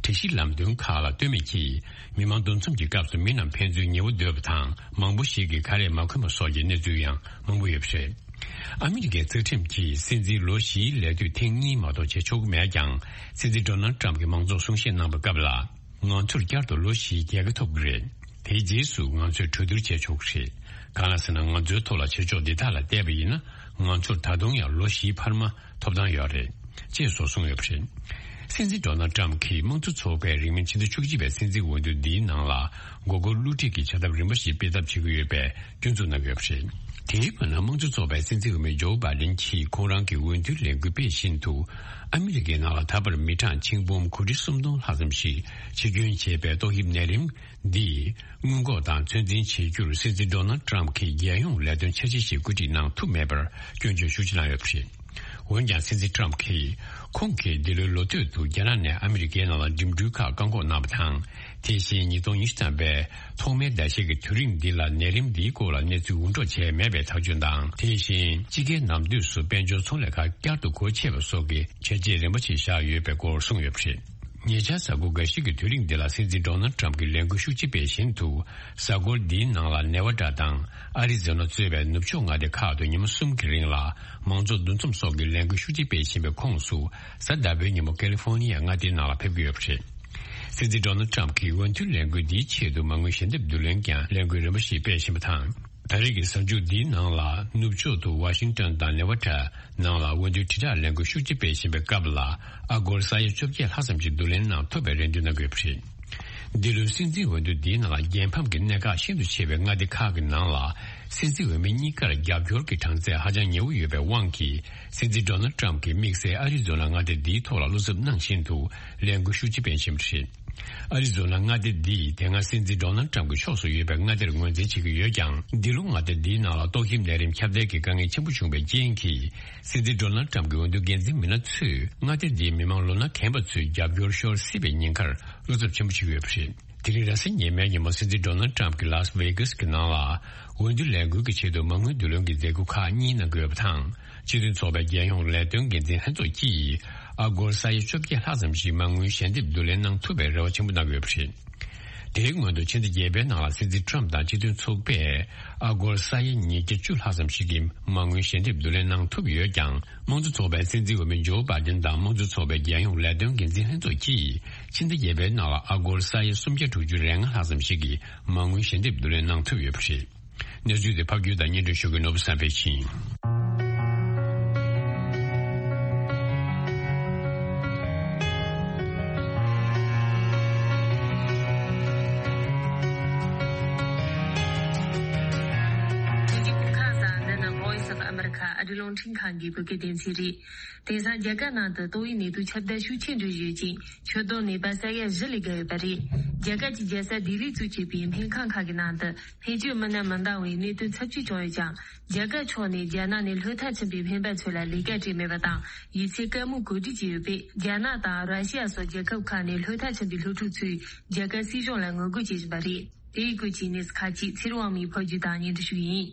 སྒྲིག་གཞི་ལམ་སྟོན་ཁག་ལ་ལྟོས་མེད་ཀྱིས། མི་མང་འདུ་འཛོམས་ཀྱི་སྐབས་སུ་མི་རྣམས་ཕན་ཚུན་ཉེ་བོ་སྡོད་པ་དང་། མང་པོ་ཞིག་གིས་ཁ་རས་མ་གོན་པ་སོགས་ཀྱི་གནས་ཚུལ་ཡང་མང་པོ་ཡོད་པ་རེད། ཨ་མི་རི་ཀའི་རྩ་ཁྲིམས་ཀྱིས་སྲིད་འཛིན་ལོ་བཞིའི་ལས་དུས་ཐེངས་གཉིས་མ་གཏོགས་བྱེད་ཆོག་གི་མེད་ཀྱང་། སྲིད་འཛིན་ཌོ་ནལ་ཊམ་གྱིས་མང་ཚོགས་གསུང་བཤད་གནང་བའི་སྐབས་ལ། ང་ཚོར་བསྐྱར་དུ་ལོ་བཞིའི་རྒྱལ་ཁ་ཐོབ་ཀྱི་རེད། དེའི་རྗེས་སུ་ང་ཚོས་གྲོས་བསྡུར་བྱེད་ཆོག་གི་རེད། གང་ལ་ཟེར་ན། ང་ཚོའི་ཐོག་ལ་བྱེད་ཕྱོགས་འདི་དག་ལ་བལྟས་པ་ཡིན་ན། ང་ཚོར་ད་དུང་ཡང་ལོ་བཞིའི་འཕར་མ་ཐོབ་ཐང་ཡོད་རེད། ཅེས་སོགས་གསུངས་ཡོད་པ་རེད། སྲིད་འཛིན་ཌོ་ནལ་ཊམ་གྱིས་དམངས་གཙོ་ཚོགས་པས་རིང་མིན་ཕྱི་ཟླ་བཅུ་གཅིག་པའི་སྲིད་འཛིན་འོས་བསྡུ་འདིའི་ནང་ལ། མགོ་སྐོར་བསླུ་བྲིད་ཀྱི་བྱ་ཐབས་རིམ་པ་ཞིག་སྤེལ་ཐབས་བྱེད་ཀྱི་ཡོད་པའི་སྐྱོན་འཛུགས་གནང་ཡོད་པ་རེད། དེའི་བར་ན། དམངས་གཙོ་ཚོགས་པའི་སྲིད་འཛིན་འོས་མི་ཇོ་བྷའི་ཌེན་གྱིས་ཁོང་རང་གི་འོས་བསྡུའི་ལས་འགུལ་སྤེལ་བཞིན་དུ། ཨ་མི་རི་ཀའི་ནང་ལ་ད་བར་མི་གྲངས་ཆིག་འབུམ་གོ་ཁྲི་སུམ་སྟོང་ལྷག་ཙམ་ཞིག་ཕྱིར་སྐྱོན་བྱས་པའི་ཏོག་དབྱིབས་ནད་རིམས་འདིས། སྔོན་འགོག་དང་ཚོད་འཛིན་བྱེད་རྒྱུར་སྲིད་འཛིན་ཌོ་ནལ་ཊམ་གྱིས་རྒྱལ་ཡོངས་ལས་དོན་འཆར་གཞི་ཞིག་བཀོད་སྒྲིག་གནང་ཐུབ་མེད་པར་སྐྱོན་བརྗོད་ཤུགས་ཆེ་གནང་ཡོད་པ་རེད། འོན་ཀྱང་། སྲིད་འཛིན་ཊམ་གྱིས། ཁོང་གིས་འདི་ལོའི་ལོ་སྟོད་དུ་རྒྱ་ནག་ནས་ཨ་མི་རི་ཀའི་ནང་ལ་འགྲིམ་འགྲུལ་ཁག་བཀག་འགོག་གནང་བ་དང་། དེ་བཞིན་ཉིས་སྟོང་ཉི་ཤུ་ཐམ་པའི་ཐོག་མའི་ཟླ་ཤས་ཀྱི་དུས་རིང་འདི་ལ་ནད་རིམས་འདིའི་སྐོར་ལ་གནས་ཚུལ་འུར་སྒྲོག་བྱས་མེད་པའི་ཐག་གཅོད་དང་། དེ་བཞིན་དཔྱིད་ཀའི་ནམ་དུས་སུ་དཔལ་འབྱོར་ཚོང་ལས་ཁག་བསྐྱར་དུ་སྒོ་ཕྱེ་བ་སོགས་ཀྱི་བྱས་རྗེས་རིམ་པ་ཞིག་བཞག་ཡོད་པའི་སྐོར་གསུངས་ཡོད་པ་རེད། ཉེ་ཆར་གཟའ་འཁོར་འགའ་ཞིག་གི་དུས་རིང་འདི་ལ་སྲིད་འཛིན་ཌོ་ནལ་ཊམ་གྱིས་ལས་འགུལ་ཤུགས་ཆེ་སྤེལ་བཞིན་དུ། གཟའ་འཁོར་འདིའི་ནང་ལ་ནེ་ཝ་ཌ་དང་ཨ་རི་ཛོ་ན་གཙོས་པའི་ནུབ་ཕྱོགས་མངའ་སྡེ་ཁག་ཏུ་ཉིན་མོ་གསུམ་གྱི་རིང་ལ་མང་གཙོ་འདུ་འཛོམས་སོགས་ཀྱི་ལས་འགུལ་ཤུགས་ཆེ་སྤེལ་བཞིན་པའི་ཁོངས་སུ། གཟའ་ཟླ་བའི་ཉིན་མོ་ཀེ་ལི་ཧྥོ་ནི་ཡ་མངའ་སྡེའི་ནང་ལ་ཕེབས་ཀྱི་ཡོད་པ་རེད། སྲིད་འཛིན་ཌོ་ནལ་ཊམ་གྱིས་འོས་མཐུན་ལས་འགུལ་འདིའི་ཆེད་དུ་མ་དངུལ་ཞལ་འདེབས་བསྡུ་ལེན་ཀྱང་ལས་འགུལ་རིམ་པ་ཞིག་སྤེལ་བཞིན་པ་དང་། ད་རེས་ཀྱི་གཟའ་མཇུག་འདིའི་ནང་ལ་ནུབ་ཕྱོགས་དུ་ཝ་ཤིང་ཏོན་དང་ནེ་ཝ་ཌ་ནང་ལ་འོས་བསྡུའི་དྲིལ་བསྒྲགས་ལས་འགུལ་ཤུགས་ཆེ་སྤེལ་བཞིན་པའི་སྐབས་ལ། ཨ་སྒོར་ས་ཡ་བཅོ་བརྒྱད་ལྷག་ཙམ་ཞིག་བསྡུ་ལེན་གནང་ཐུབ་པའི་རེ་འདུན་གནང་གི་ཡོད་པ་རེད། འདི་ལོའི་སྲིད་འཛིན་འོས་བསྡུ་འདིའི་ནང་ལ་རྒྱལ་ཕམ་གྱི་གནད་འགག་ཤིན་ཏུ་ཆེ་བའི་མངའ་སྡེ་ཁག་གི་ནང་ལ། སྲིད་འཛིན་འོས་མི་གཉིས་ཀར་རྒྱབ་སྐྱོར་གྱི་གྲངས་ཚད་ཧ་ཅང་ཉེ་བོ་ཡོད་པའི་དབང་གིས། སྲིད་འཛིན་ཌོ་ནལ་ཊམ་གྱིས་དམིགས་བསལ་ཨ་རི་ཛོ་ན་མངའ་སྡེ་འདིའི་ཐོག་ལ་བློ་འཚབ་གནང་བཞིན་དུ་ལས་འགུལ་ཤུགས་ཆེ་སྤེལ་བཞིན་པ་རེད། ཨ་རི་ཛོ་ན་མངའ་སྡེ་འདིས་དེ་སྔ་སྲིད་འཛིན་ཌོ་ནལ་ཊམ་གྱི་ཕྱོགས་སུ་ཡོད་པའི་མངའ་སྡེར་ངོས་འཛིན་བྱེད་ཀྱི་ཡོད་ཀྱང་། འདི་ལོ་མངའ་སྡེ་འདིའི་ནང་ལ་ཏོག་དབྱིབས་ནད་རིམས་ཁྱབ་གདལ་གྱི་དཀའ་ངལ་ཆེན་པོ་བྱུང་བའི་རྐྱེན་གྱིས། སྲིད་འཛིན་ཌོ་ནལ་ཊམ་གྱི་འོས་བསྡུ་འགན་འཛིན་མི་སྣ་ཚོས་མངའ་སྡེ་འདིའི་མི་མང་ལོ་ན་རྒན་པ་ཚོའི་རྒྱབ་སྐྱོར་ཤོར་སྲིད་པའི་ཉེན་ཁར་བློ་འཚབ་ཆེན་པོ་བྱེད་ཀྱི་ཡོད་པ་རེད། དེ་རིང་རེས་གཟའ་ཉི་མའི་ཉིན་མོ་སྲིད་འཛིན་ཌོ་ནལ་ཊམ་གྱིས་ལཱས་ཝེ་གྷས་ཀྱི་ནང་ལ་འོས་བསྡུ་ལས་འགུལ་གྱི་ཆེད་དུ་མ་དངུལ་བསྡུ་ལེན་གྱི་མཛད་སྒོ་ཁག་གཉིས་གནང་གི་ཡོད་པ་དང་། སྤྱི་མཐུན་ཚོགས་པའི་རྒྱལ་ཡོངས་ལས་དོན་འགན་འཛིན་ལྷན་ཚོགས་ཀྱིས་ཨ་སྒོར་ས་ཡ་བཅོ་བརྒྱད་ལྷག་ཙམ་ཞིག་མ་དངུལ་ཞལ་འདེབས་བསྡུ་ལེན་གནང་ཐུབ་པའི་རེ་བ་ཆེན་པོ་གནང་གི་ཡོད་པ་རེད། དེའི་སྔོན་དུ་ཕྱི་ཟླ་བརྒྱད་པའི་ནང་ལ་སྲིད་འཛིན་ཊམ་དང་སྤྱི་མཐུན་ཚོགས་པས་ཨ་སྒོར་ས་ཡ་ཉིས་བརྒྱ་བཅུ་ལྷག་ཙམ་ཞིག་གི་མ་དངུལ་ཞལ་འདེབས་བསྡུ་ལེན་གནང་ཐུབ་ཡོད་ཀྱང་། དམངས་གཙོ་ཚོགས་པའི་སྲིད་འཛིན་འོས་མི་ཇོ་བྷའི་ཌེན་དང་དམངས་གཙོ་ཚོགས་པའི་རྒྱལ་ཡོངས་ལས་དོན་འགན་འཛིན་ལྷན་ཚོགས་ཀྱིས་ཕྱི་ཟླ་བརྒྱད་པའི་ནང་ལ་ཨ་སྒོར་ས་ཡ་སུམ་བརྒྱ་དྲུག་ཅུ་རེ་ལྔ་ལྷག་ཙམ་ཞིག་གི་མ་དངུལ་ཞལ་འདེབས་བསྡུ་ལེན་གནང་ཐུབ་ཡོད་པ་རེད། གནས་ཚུལ་དེ་ཕབ་སྒྱུར་དང་སྙན་སྒྲོན་ཞུ་མཁན་ནོར་བུ་བསམ་འཕེལ་ཡིན། ཁྲིན་ཁང་གིས་བོད་སྐད་སྡེ་ཚན་རེད། དེང་སང་རྒྱ་གར་ནང་དུ་ཏོག་དབྱིབས་ནད་དུག་ཁྱབ་གདལ་ཤུགས་ཆེན་འགྲོ་བཞིན་ཡོད་ཅིང་། ཁྱབ་གདལ་ནད་པ་ས་ཡ་བཞི་ལས་བརྒལ་ཡོད་པ་རེད། རྒྱ་གར་གྱི་རྒྱལ་ས་ལྡི་ལིས་གཙོ་བྱས་པའི་སྨན་ཁང་ཁག་གི་ནང་དུ་སྨན་བཅོས་མི་སྣ་མི་འདང་བའི་གནད་དོན་ཚབས་ཆེ་བྱུང་ཡོད་ཀྱང་། རྒྱ་གར་ཕྱོགས་ནས་རྒྱ་ནག་ནས་ལྷོད་མཐའ་ཕྱིན་པའི་སྨན་པ་ཚོ་ལ་ལས་ཀ་སྤྲད་མེད་པ་དང་། ཡིག་ཚད་བཀའ་མོལ་གོ་སྒྲིག་བྱས་ཡོད་པས། རྒྱ་ནག་དང་ར་ཤི་ཡ་སོགས་རྒྱལ་ཁབ་ཁག་ནས་ལྷོད་མཐའ་ཕྱིན་པའི་སློབ་ཕྲུག་ཚོས་རྒྱ་གར་སྲིད་གཞུང་ལ་ངོ་རྒོལ་བྱེད་བཞིན་པ་རེད། དེ་ཡི་སྐོར་གྱི་གནས་ཚུལ་ཁག་ཅིག་ཚེ་རིང་དབང་མོས་ཕབ་སྒྱུར་དང་སྙན་སྒྲོན་ཞུ་གི་ཡིན།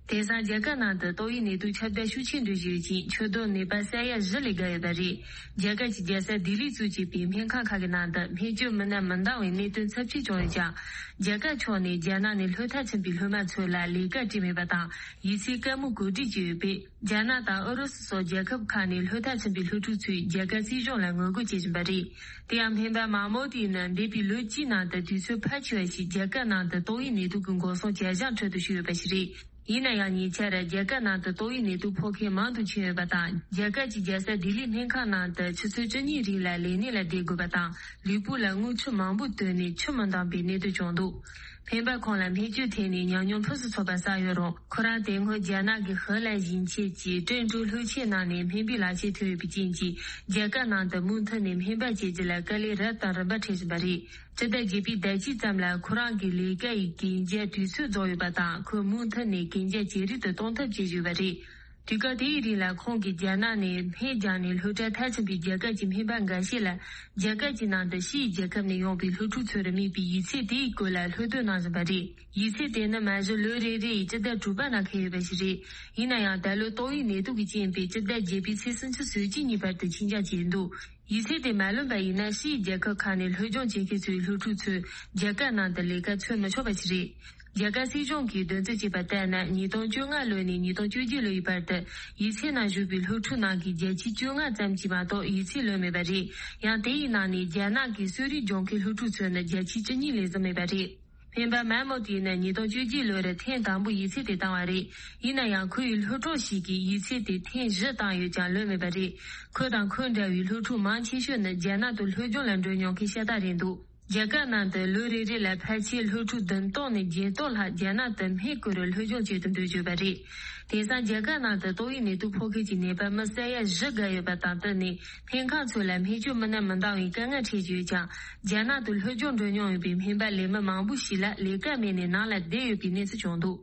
དེང་སང་རྒྱ་གར་ནང་དུ་ཏོག་དབྱིབས་ནད་དུག་ཁྱབ་གདལ་ཤུགས་ཆེན་འགྲོ་བཞིན་ཡོད་ཅིང་། ཁྱབ་གདལ་ནད་པ་ས་ཡ་བཞི་ལས་བརྒལ་ཡོད་པ་རེད། རྒྱ་གར་གྱི་རྒྱལ་ས་ལྡི་ལིས་གཙོ་བྱས་པའི་སྨན་ཁང་ཁག་གི་ནང་དུ་སྨན་བཅོས་མི་སྣ་མི་འདང་བའི་གནད་དོན་ཚབས་ཆེ་བྱུང་ཡོད་ཀྱང་། རྒྱ་གར་ཕྱོགས་ནས་རྒྱ་ནག་ནས་ལྷོད་མཐའ་ཕྱིན་པའི་སློབ་མ་ཚོ་ལ་ལས་ཀ་སྤྲད་མེད་པ་དང་། ཡིག་ཚད་བཀའ་མོལ་གོ་སྒྲིག་བྱས་ཡོད་པས། རྒྱ་ནག་དང་ཨུ་རུ་སུ་སོགས་རྒྱལ་ཁབ་ཁག་ནས་ལྷོད་མཐའ་ཕྱིན་པའི་སློབ་ཕྲུག་ཚོས་རྒྱ་གར་སྲིད་གཞུང་ལ་ངོ་རྒོལ་བྱེད་བཞིན་པ་རེད། དེ་ཡང་སྨན་པ་མ་མོ་ཏི་ནི་འདས་པའི་ལོ་གཅིག་ནང་དུ་དུས་ཚོད་ཕལ་ཆེ་བ་ཞིག་རྒྱ་གར་ནང་དུ་ཏོག་དབྱིབས་ནད་དུག་གི་འགོག་སྲུང་བྱ་གཞག་ཁྲོད་དུ་ཞུགས་ཡོད་པ་ཞིག་རེད། ཡིན་ན་ཡང་ཉེ་ཆར་རྒྱ་གར་ནང་དུ་ཏོག་དབྱིབས་ནད་དུག་ཕོག་མཁན་མང་དུ་ཕྱིན་ཡོད་པ་དང་། རྒྱ་གར་གྱི་རྒྱལ་ས་ལྡི་ལིའི་སྨན་ཁང་ནང་དུ་ཆུ་ཚོད་བཅུ་གཉིས་རིང་ལ་ལས་གནས་ལ་བསྡད་དགོས་པ་དང་། ལུས་པོ་ལ་རྔུལ་ཆུ་མང་པོ་བཏོན་ནས་ཆུ་མི་འདང་པའི་གནད་དོན་བྱུང་འདུག་སྨན་པ་ཁོང་ལ་སྨན་བཅོས་ཐད་ནས་ཉམས་མྱོང་ཕུན་སུམ་ཚོགས་པ་བསགས་ཡོད་རུང་། ཁོ་རང་དེ་སྔོན་རྒྱ་ནག་གི་ཧི་ལན་ཞིང་ཆེན་གྱི་ཀྲེན་ཀྲོའུ་ལྷོ་ཆས་ནང་ནས་སྨན་པའི་ལག་ཁྱེར་ཐོན་ཡོད་པའི་རྐྱེན་གྱིས། རྒྱ་གར་ནང་དུ་མུ་མཐུད་ནས་སྨན་པ་བྱེད་རྒྱུ་ལ་དཀའ་ལས་རབ་དང་རིམ་པ་འཕྲད་བཞིན་པ་རེད། སྤྱི་ཟླ་བརྒྱད་པའི་ཟླ་དཀྱིལ་ཙམ་ལ་ཁོ་རང་གི་ལས་ཀ་ཡི་གན་རྒྱ་དུས་ཚོད་རྫོགས་ཡོད་པ་དང་། ཁོས་མུ་མཐུད་ནས་གན་རྒྱ་ཇེ་རིང་དུ་གཏོང་ཐབས་བྱེད་བཞིན་ཡོད་པ་རེད། དུས་སྐབས་དེའི་རིང་ལ་ཁོང་གིས་རྒྱ་ནག་ནས་སྨན་རྒྱག་ནས་ལྷོད་མཐའ་མཐའ་ཕྱིན་པའི་རྒྱ་གར་གྱི་སྨན་པ་འགའ་ཤས་ལ། རྒྱ་གར་གྱི་ནང་དུ་ཕྱིའི་རྒྱལ་ཁབ་ནས་ཡོང་པའི་སློབ་ཕྲུག་ཚོར་དམིགས་པའི་ཡིག་ཚད་དེའི་སྐོར་ལ་སློབ་སྟོན་གནང་བཞིན་པ་རེད། ཡིག་ཚད་དེ་ནི་མ་གཞི་ལོ་རེ་རེ་ཡི་སྤྱི་ཟླ་དྲུག་པ་ནང་འཁེལ་ཡོད་པ་ཞིག་རེད། ཡིན་ན་ཡང་། ད་ལོ་ཏོག་དབྱིབས་ནད་དུག་གི་རྐྱེན་པས་སྤྱི་ཟླ་བརྒྱད་པའི་ཚེས་སུམ་ཅུ་སོ་གཅིག་ཉིན་བར་དུ་ཕྱིན་འགྱངས་བྱས་འདུག་ཡིག་ཚད་དེ་མ་ལོན་པ་ཡིན་ན། ཕྱིའི་རྒྱལ་ཁབ་ཁག་ནས་སློབ་སྦྱོང་བྱེད་མཁན་ཚོའི་སློབ་ཕྲུག་ཚོས་རྒྱ་གར་ནང་དུ་ལས་ཀ་འཚོལ་མི་ཆོག་པ་ཞིག་རེད། རྒྱ་གར་སྲིད་གཞུང་གིས་འདོན་རྩིས་བྱས་པ་ལྟར་ན། ཉིས་སྟོང་བཅོ་ལྔ་ལོ་ནས་ཉིས་སྟོང་བཅོ་བརྒྱད་ལོ་ཡི་བར་དུ་ཡིག་ཚད་ནང་ཞུགས་པའི་སློབ་ཕྲུག་ནང་གི་བརྒྱ་ཆ་བཅོ་ལྔ་ཙམ་གྱིས་མ་གཏོགས་ཡིག་ཚད་ལོན་མེད་པ་རེད། ཡང་། དེ་ཡི་ནང་ནས་རྒྱ་ནག་གི་གསོ་རིག་སྦྱོང་མཁན་སློབ་ཕྲུག་ཚོ་ནི་བརྒྱ་ཆ་བཅུ་གཉིས་ལས་ཟིན་མེད་པ་རེད། སྨན་པ་མན་མོ་ཏི་ནི་ཉིས་སྟོང་བཅོ་བརྒྱད་ལོར་ཐེངས་དང་པོ་ཡིག་ཚད་དེ་བཏང་བ་རེད། ཡིན་ན་ཡང་། ཁོ་ཡི་སློབ་གྲོགས་ཤིག་གིས་ཡིག་ཚད་དེ་ཐེངས་བཞི་བཏང་ཡོད་ཀྱང་ལོན་མེད་པ་རེད། ཁོ་དང་ཁོ་འདྲ་བའི་སློབ་ཕྲུག་མང་ཆེ་ཤོས་ནི་རྒྱ་ནག་ཏུ་སློབ་སྦྱོང་ལ་འགྲོ་མྱོང་མཁན་ཤ་སྟག་རེད་འདུག་རྒྱ་གར་ནང་དུ་ལོ་རེ་རེ་ལ་ཕལ་ཆེར་སློབ་ཕྲུག་བདུན་སྟོང་ནས་བརྒྱད་སྟོང་ལྷག་རྒྱ་ནག་ཏུ་སྨན་བཀོལ་རུ་སློབ་སྦྱོང་བྱེད་དུ་འགྲོ་བཞིན་པ་རེད། དེང་སང་རྒྱ་གར་ནང་དུ་ཏོག་དབྱིབས་ནད་དུག་ཕོག་མཁན་གྱི་ནད་པ་མི་ས་ཡ་བཞི་བརྒལ་ཡོད་པ་དང་། དེ་ནས་སྨན་ཁང་ཚོ་ལ་སྨན་བཅོས་མི་སྣ་མི་འདང་བའི་དཀའ་ངལ་འཕྲད་ཀྱི་ཡོད་ཀྱང་། རྒྱ་ནག་ཏུ་སློབ་སྦྱོང་འགྲོ་མྱོང་ཡོད་པའི་སྨན་པ་ལས་མི་མང་པོ་ཞིག་ལ་ལས་ཀ་མེད་ནས་ནང་ལ་བསྡད་ཡོད་པའི་གནས་ཚུལ་བྱུང་འདུག་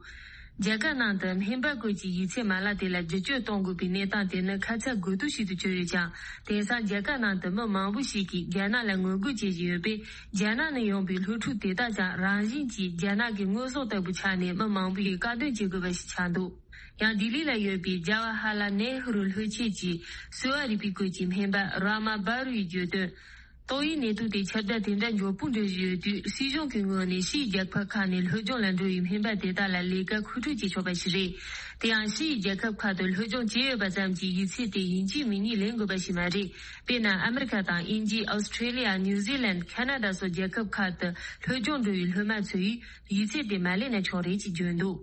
རྒྱ་གར་ནང་དུ་སྨན་པ་བཀོལ་གྱི་ཡིག་ཚད་མ་ལག་དེ་ལ་བསྒྱུར་བཅོས་གཏོང་དགོས་པའི་གནས་སྟངས་དེ་ནི་ཁ་ཚ་དགོས་གཏུག་ཞིག་ཏུ་གྱུར་ཡོད་ཀྱང་། དེང་སང་རྒྱ་གར་ནང་དུ་མི་མང་པོ་ཞིག་གིས་རྒྱ་ནག་ལ་ངོ་རྒོལ་བྱེད་བཞིན་ཡོད་པས། རྒྱ་ནག་ནས་ཡོང་པའི་སློབ་ཕྲུག་དེ་དག་ཀྱང་རང་བཞིན་གྱིས་རྒྱ་ནག་གི་དངོས་ཟོག་ལྟ་བུ་ཆགས་ནས། མི་མང་པོ་ཡིས་དཀའ་སྡུག་བྱེད་དགོས་པ་ཞིག་ཆགས་འདུག་ཡང་། ལྡི་ལི་ལ་ཡོད་པའི་ཇ་ཝ་ཧར་ལལ་ནེ་ཧུ་རུ་ལྷོ་ཆས་ཀྱི་གསོ་བ་རིག་པའི་སྐོར་གྱི་སྨན་པ་ར་མ་བྷ་རུ་ཡིས་བརྗོད་དོན། ཏོག་དབྱིབས་ནད་དུག་དེ་ཁྱབ་གདལ་དེ་འདྲ་མགྱོགས་པོ་འགྲོ་བཞིན་ཡོད་དུས། སྲིད་གཞུང་གི་ངོས་ནས་ཕྱིའི་རྒྱལ་ཁབ་ཁག་ནས་སློབ་སྦྱོང་ལ་འགྲོ་བའི་སྨན་པ་དེ་དག་ལ་ལས་ཀ་མཁོ་སྤྲོད་བྱེད་ཆོག་པ་ཞིག་རེད། དེ་ཡང་། ཕྱིའི་རྒྱལ་ཁབ་ཁག་ཏུ་སློབ་སྦྱོང་བྱས་ཡོད་པ་ཙམ་གྱིས་ཡིག་ཚད་དེ་ཡིན་གཅིག་མིན་གཉིས་ལེན་དགོས་པ་ཞིག་མ་རེད། དཔེར་ན། ཨ་མི་རི་ཀ་དང་། དབྱིན་ཇི། ཨོ་སི་ཁྲེ་ལི་ཡ། ནིའུ་ཛི་ལན། ཁ་ན་ཌ་སོགས་རྒྱལ་ཁབ་ཁག་ཏུ་སློབ་སྦྱོང་འགྲོ་བའི་སློབ་མ་ཚོས་ཡིག་ཚད་དེ་མ་ལེན་ན་ཆོག་རེད་ཅེས་བརྗོད་འདུག་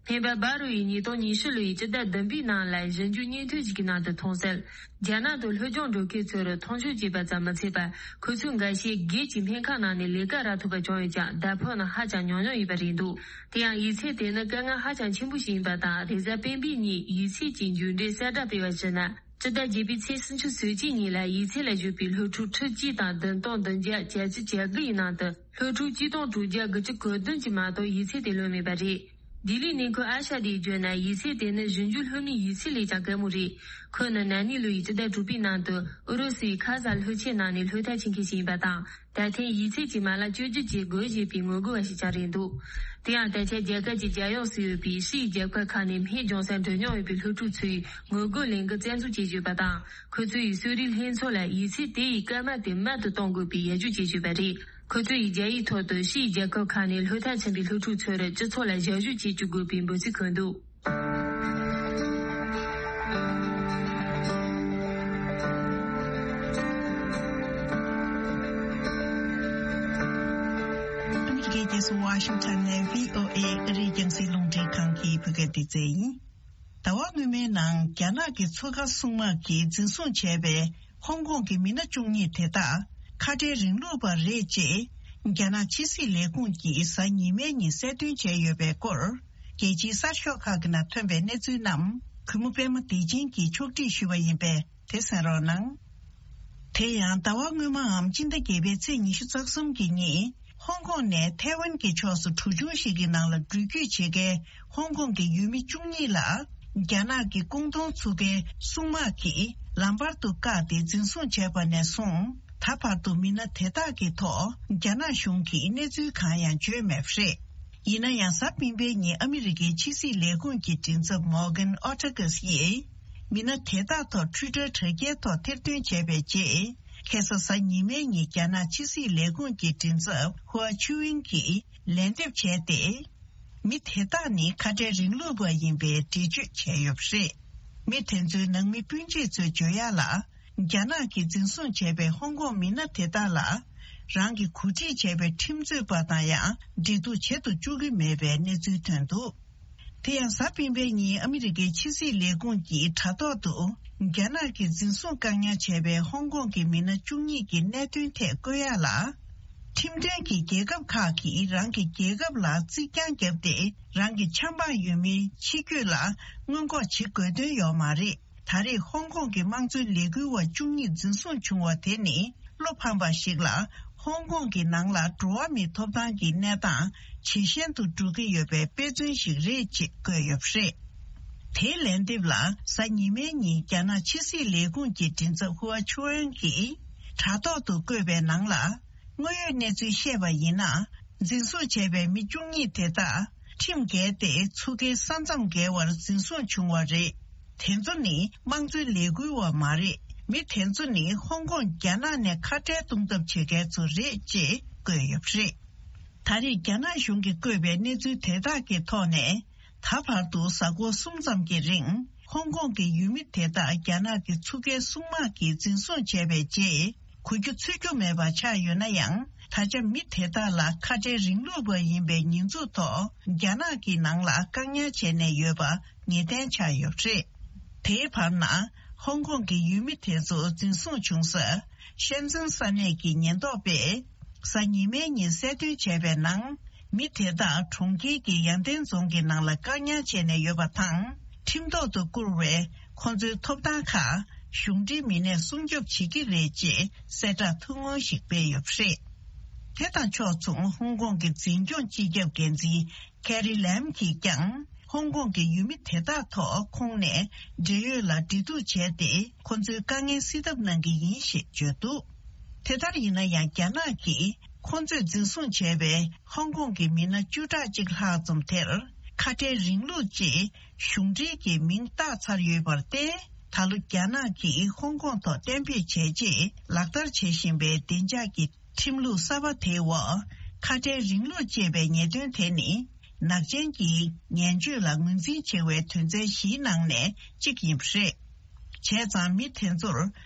སྨན་པ་བྷ་རུ་ཡིས་ཉིས་སྟོང་ཉི་ཤུ་ལོའི་སྤྱི་ཟླ་བདུན་པའི་ནང་ལ་གཞི་འགྱུར་སྙན་ཐོ་ཞིག་གི་ནང་དུ་གཏོང་གསལ། རྒྱ་ནག་ཏུ་སློབ་སྦྱོང་འགྲོ་མཁན་ཚོར་མཐོང་ཆུང་བྱས་པ་ཙམ་མ་ཚད་པར། ཁོ་ཚོའི་འགའ་ཤས་སྒེར་གྱི་སྨན་ཁང་ནང་ནས་ལས་ཀ་རག་ཐུབ་པ་བྱུང་ཡོད་ཀྱང་། ཟླ་ཕོགས་ནི་ཧ་ཅང་ཉུང་ཉུང་ཡིན་པ་རེད་འདུག་དེ་ཡང་། ཡིག་ཚད་དེ་ནི་དཀའ་ངལ་ཧ་ཅང་ཆེན་པོ་ཞིག་ཡིན་པ་དང་། རེས་གཟའ་སྤེན་པའི་ཉིན་ཡིག་ཚད་ཀྱི་མཇུག་འབྲས་གསལ་བསྒྲགས་སྤེལ་བར་གཞིགས་ན། སྤྱི་ཟླ་བརྒྱད་པའི་ཚེས་སུམ་ཅུ་སོ་གཅིག་ཉིན་ལ་ཡིག་ཚད་ལ་ཞུགས་པའི་སློབ་ཕྲུག་ཁྲི་གཅིག་དང་བདུན་སྟོང་བདུན་བརྒྱ་གྱ་བཅུ་གྱ་དགུ་ཡི་ནང་དུ། སློབ་ཕྲུག་གཅིག་སྟོང་དྲུག་བརྒྱ་དགུ་བཅུ་གོ་བདུན་གྱིས་མ་གཏོགས་ཡིག་ཚད་དེ་ལོན་མེད་པ་རེད། ལྡི་ལིའི་གནས་འཁོད་ཨ་ཤ་དེས་བརྗོད་ན། ཡིག་ཚད་དེ་ནི་གཞི་འགྱུར་སློབ་མའི་ཡིག་ཚད་ལས་ཀྱང་དཀའ་མོ་རེད། ཁོ་ནི་ན་ནིང་ལོ་ཡི་སྤྱི་ཟླ་དྲུག་པའི་ནང་དུ་ཨུ་རུ་སུའི་ཁ་ཟ་ལྷོ་ཆས་ནང་ནས་ལྷོད་མཐའ་ཕྱིན་མཁན་ཞིག་ཡིན་པ་དང་། ད་ཐེངས་ཡིག་ཚད་ཀྱི་མ་ལག་བཅོས་སྒྱུར་བྱེད་དགོས་ཞེས་པའི་ངོ་རྒོལ་བ་ཞིག་ཀྱང་རེད་འདུག་དེ་ཡང་། ད་ཆ་རྒྱ་གར་གྱི་རྒྱལ་ཡོངས་སུ་ཡོད་པའི་ཕྱིའི་རྒྱལ་ཁབ་ཁག་ནས་སྨན་སྦྱོང་སར་འགྲོ་མྱོང་ཡོད་པའི་སློབ་ཕྲུག་ཚོས་ངོ་རྒོལ་ལས་འགུལ་རྩ་འཛུགས་བྱེད་བཞིན་ཡོད་པ་དང་། ཁོ་ཚོ་ཡིས་གསོ་རིག་ལྷན་ཚོགས་ལ་ཡིག་ཚད་དེ་ཡི་སྐར་མ་དེ་མལ་དུ་གཏོང་དགོས་པའི་ཡར་ཞུ་བྱེད་བཞིན་པ་རེད། ཁོ་ཚོ་ཡིས་རྒྱ་ཡིག་ཐོག་ཏུ་ཕྱིའི་རྒྱལ་ཁབ་ཁག་ནས་ལྷོད་མཐའ་ཕྱིན་པའི་སློབ་ཕྲུག་ཚོར་སྤྱི་ཚོགས་ལ་ཞབས་ཞུ་བྱེད་བཅུག་དགོས་པའི་འབོད་ཚིག་འཁོད་འདུག་ཨ་མི་རི་ཀའི་རྒྱལ་ས་ཝ་ཤིང་ཊོན་ནས་བྷི་ཨོ་ཨེ་ཨ་རིའི་རྒྱང་སྲིང་རླུང་འཕྲིན་ཁང་གི་བོད་སྐད་སྡེ་ཚན་ཡིན། ཟླ་བ་སྔོན་མའི་ནང་རྒྱ་ནག་གི་མཚོ་ཁ་སྲུང་དམག་གིས་འཛིན་བཟུང་བྱས་པའི་ཧོང་ཀོང་གི་མི་སྣ་བཅུ་གཉིས་དེ་དག་ཁ་བྲལ་རིང་ལུགས་པ་རེད་ཅེས། རྒྱ་ནག་ཕྱི་སྲིད་ལས་ཁུངས་ཀྱིས་གཟའ་ཉི་མའི་ཉིན་གསལ་སྟོན་བྱས་ཡོད་པའི་སྐོར། རྒྱལ་སྤྱིའི་གསར་ཤོག་ཁག་གི་ནང་ཐོན་པའི་གནས་ཚུལ་རྣམས། གུས་མོ་པད་མ་བདེ་ཆེན་གྱིས་ཕྱོགས་སྒྲིག་ཞུས་པ་ཡིན་པས་དེ་གསན་རོགས་གནང་། དེ་ཡང་ཟླ་བ་སྔོན་མའམ་སྤྱི་ཟླ་བརྒྱད་པའི་ཚེས་ཉི་ཤུ་རྩ་གསུམ་གྱི་ཉིན་ཧོང་ཀོང་ནས་ཐའེ་ཝན་གྱི་ཕྱོགས་སུ་གྲུ་ཆུང་ཞིག་གི་ནང་ལ་འགྲུལ་སྐྱོད་བྱེད་མཁན་ཧོང་ཀོང་གི་ཡུལ་མི་བཅུ་གཉིས་ལ་རྒྱ་ནག་གི་ཀོང་ཏུང་ཚུགས་ཁའི་སྲུང་དམག་གིས་ལམ་བར་དུ་བཀག་སྟེ་འཛིན་བཟུང་བྱས་པ་ནས་བཟུང་ད་བར་དུ་མི་སྣ་དེ་དག་གི་ཐོག་རྒྱ་ནག་གཞུང་གིས་གནས་ཚུལ་གང་ཡང་བརྗོད་མེད་པ་རེད། ཡིན་ན་ཡང་གཟའ་སྤེན་པའི་ཉིན་ཨ་མི་རི་ཀའི་ཕྱི་སྲིད་ལས་ཁུངས་ཀྱི་མགྲིན་ཚབ་Morgan Ortagus ཡིས། མི་སྣ་དེ་དག་ཐོག་Twitter་དྲ་རྒྱའི་ཐོག་ཐེར་འདོན་བྱས་པའི་རྗེས། ཁ་སང་གཟའ་ཉི་མའི་ཉིན་རྒྱ་ནག་ཕྱི་སྲིད་ལས་ཁུངས་ཀྱི་མགྲིན་ཚབ་Hua Chunying་གྱིས་ལན་འདེབས་བྱས་ཏེ། མི་དེ་དག་ནི་ཁ་བྲལ་རིང་ལུགས་པ་ཡིན་པའི་འགྲེལ་བརྗོད་བྱས་ཡོད་པ་རེད། མི་དེ་ཚོའི་ནང་མི་སྤུན་མཆེད་ཚོའི་བརྗོད་ཡག་ལ། རྒྱ་ནག་གིས་འཛིན་བཟུང་བྱས་པའི་ཧོང་ཀོང་མི་སྣ་དེ་དག་ལ། རང་གིས་གོ་སྒྲིག་བྱས་པའི་ཁྲིམས་རྩོད་པ་དང་ཡང་འབྲེལ་གཏུག་བྱེད་དུ་བཅུག་གི་མེད་པའི་གནས་ཚུལ་ཐོན་འདུག་དེ་ཡང་གཟའ་སྤེན་པའི་ཉིན་ཨ་མི་རི་ཀའི་ཕྱི་སྲིད་ལས་ཁུངས་ཀྱི་དྲ་ཐོག་ཏུ། རྒྱ་ནག་གིས་འཛིན་བཟུང་བཀག་ཉར་བྱས་པའི་ཧོང་ཀོང་གི་མི་སྣ་བཅུ་གཉིས་ཀྱི་གནད་དོན་ཐད་བཀོད་ཡག་ལ། ཁྲིམས་མཐུན་གྱི་རྒྱལ་ཁབ་ཁག་གིས་རང་གི་རྒྱལ་ཁབ་ལ་རྩིག་གྱང་བརྒྱབ་སྟེ་རང་གི་ཆབ་འབངས་ཡུལ་མིའི་ཕྱི་སྐྱོད་ལ་སྔོན་འགོག་བྱེད་དགོས་དོན་ཡོད་མ་རེད། ད་རེས་ཧོང་ཀོང་གི་དམངས་གཙོའི་ལས་འགུལ་བ་བཅུ་གཉིས་འཛིན་བཟུང་བྱུང་བ་དེ་ནི་བློ་ཕམ་པ་ཞིག་ལ་ཧོང་ཀོང་གི་ནང་ལ་འགྲོ་བ་མིའི་ཐོབ་ཐང་གི་གནས་སྟངས་ཇེ་ཞན་དུ་འགྲོ་གི་ཡོད་པའི་དཔེ་མཚོན་ཞིག་རེད་ཅེས་བཀོད་ཡོད་པ་རེད། དེའི་ལན་འདེབས་ལ་གཟའ་ཉི་མའི་ཉིན་རྒྱ་ནག་ཕྱི་སྲིད་ལས་ཁུངས་ཀྱི་མགྲིན་ཚབ་ཧུའ་ཆུའུ་ཨན་གྱིས་དྲ་ཐོག་ཏུ་བཀོད་པའི་ནང་ལ། དངོས་ཡོད་གནས་ཚུལ་བཤད་པ་ཡིན་ན། འཛིན་བཟུང་བྱས་པའི་མི་བཅུ་གཉིས་དེ་དག་ཁྲིམས་འགལ་ཏེ་ཚུགས་ཁའི་ས་མཚམས་བརྒལ་བར་འཛིན་བཟུང་བྱུང་བ་རེད། དེ་ཚོ་ནི་དམངས་གཙོའི་ལས་འགུལ་བ་མ་རེད། མི་དེ་ཚོ་ནི་ཧོང་ཀོང་རྒྱ་ནག་ནས་ཁ་བྲལ་གཏོང་ཐབས་བྱེད་མཁན་ཚོ་རེད་ཅེས་བཀོད་ཡོད་པ་རེད། ད་རེས་རྒྱ་ནག་གཞུང་གིས་བཀོད་པའི་གནས་ཚུལ་དེ་དག་གི་ཐོག་ནས། ད་བར་དུ་གཟའ་འཁོར་གསུམ་ཙམ་གྱི་རིང་ཧོང་ཀོང་གི་ཡུལ་མི་དེ་དག་རྒྱ་ནག་གི་ཚུགས་ཁའི་སྲུང་དམག་གིས་འཛིན་བཟུང་བྱས་པའི་རྗེས། གོ་རྒྱུ་ཚོད་རྒྱུ་མེད་པ་ཆགས་ཡོད་ན་ཡང་། ད་ཆ་མི་དེ་དག་ལ་ཁ་བྲལ་རིང་ལུགས་པ་ཡིན་པའི་ཉེས་འཛུགས་ཐོག་རྒྱ་ནག་གི་ནང་ལ་བཀག་ཉར་བྱས་ནས་ཡོད་པ་ངེས་གཏན་ཆགས་ཡོད་པ་རེད། དེའི་བར་ན་ཧོང་ཀོང་གི་ཡུལ་མི་དེ་ཚོ་འཛིན་བཟུང་བྱུང་ས་ཤན་ཙེན་ས་གནས་ཀྱི་ཉེན་རྟོག་པས་གཟའ་ཉི་མའི་ཉིན་གསལ་སྟོན་བྱས་པའི་ནང་། མི་དེ་དག་གྲོང་ཁྱེར་གྱི་ཡང་ཏན་རྫོང་གི་ནང་ལ་བཀག་ཉར་བྱས་ནས་ཡོད་པ་དང་། ཁྲིམས་ཐོག་ཏུ་བཀུར་བའི་ཁོང་ཚོའི་ཐོབ་ཐང་ཁག་གཞུང་འབྲེལ་མི་སྣས་སྲུང་སྐྱོབ་བྱེད་ཀྱི་རེད་ཅེས་གསལ་བསྒྲགས་ཐུང་ངུ་ཞིག་སྤེལ་ཡོད་པ་རེད། དེ་དང་ཕྱོགས་མཚུངས་ཧོང་ཀོང་གི་འཛིན་སྐྱོང་སྤྱི་ཁྱབ་འགན་འཛིན་ཀེ་རི་ལེམ་གྱིས་ཀྱང་ཧོང་ཀོང་གི་ཡུལ་མི་དེ་དག་ཐོག་ཁོང་ནས་འབྲེལ་ཡོད་ལ་འབྲེལ་གཏུག་བྱས་ཏེ་ཁོང་ཚོའི་དཀའ་ངལ་སེལ་ཐབས་གནང་གི་ཡིན་ཞེས་བརྗོད་འདུག་དེ་ལྟར་ཡིན་ན་ཡང་རྒྱ་ནག་གིས་ཁོང་ཚོས་འཛིན་བཟུང་བྱས་པའི་ཧོང་ཀོང་གི་མི་སྣ་བཅུ་ཕྲག་གཅིག་ལྷག་ཙམ་དེར་ཁ་བྲལ་རིང་ལུགས་ཅེས་གཞུང་འབྲེལ་གྱི་མིང་བཏགས་ཚར་ཡོད་པར་བརྟེན། ད་ལོ་རྒྱ་ནག་གིས་ཧོང་ཀོང་ཐོག་གཏན་འབེབས་བྱས་རྗེས་ལག་བསྟར་བྱེད་བཞིན་པའི་བདེ་འཇགས་ཀྱི་ཁྲིམས་ལུགས་གསར་པ་དེའི་འོག་ཁ་བྲལ་རིང་ལུགས་ཅེས་པའི་ཉེས་དོན་དེ་ནི། ནག་ཅན་གྱི་ངན་སྤྱོད་ལ་ངོས་འཛིན་བྱེད་པའི་དོན་ཚན་བཞིའི་ནང་ནས་གཅིག་ཡིན་པ་རེད། བྱས་ཙང་མི་དེ་ཚོར་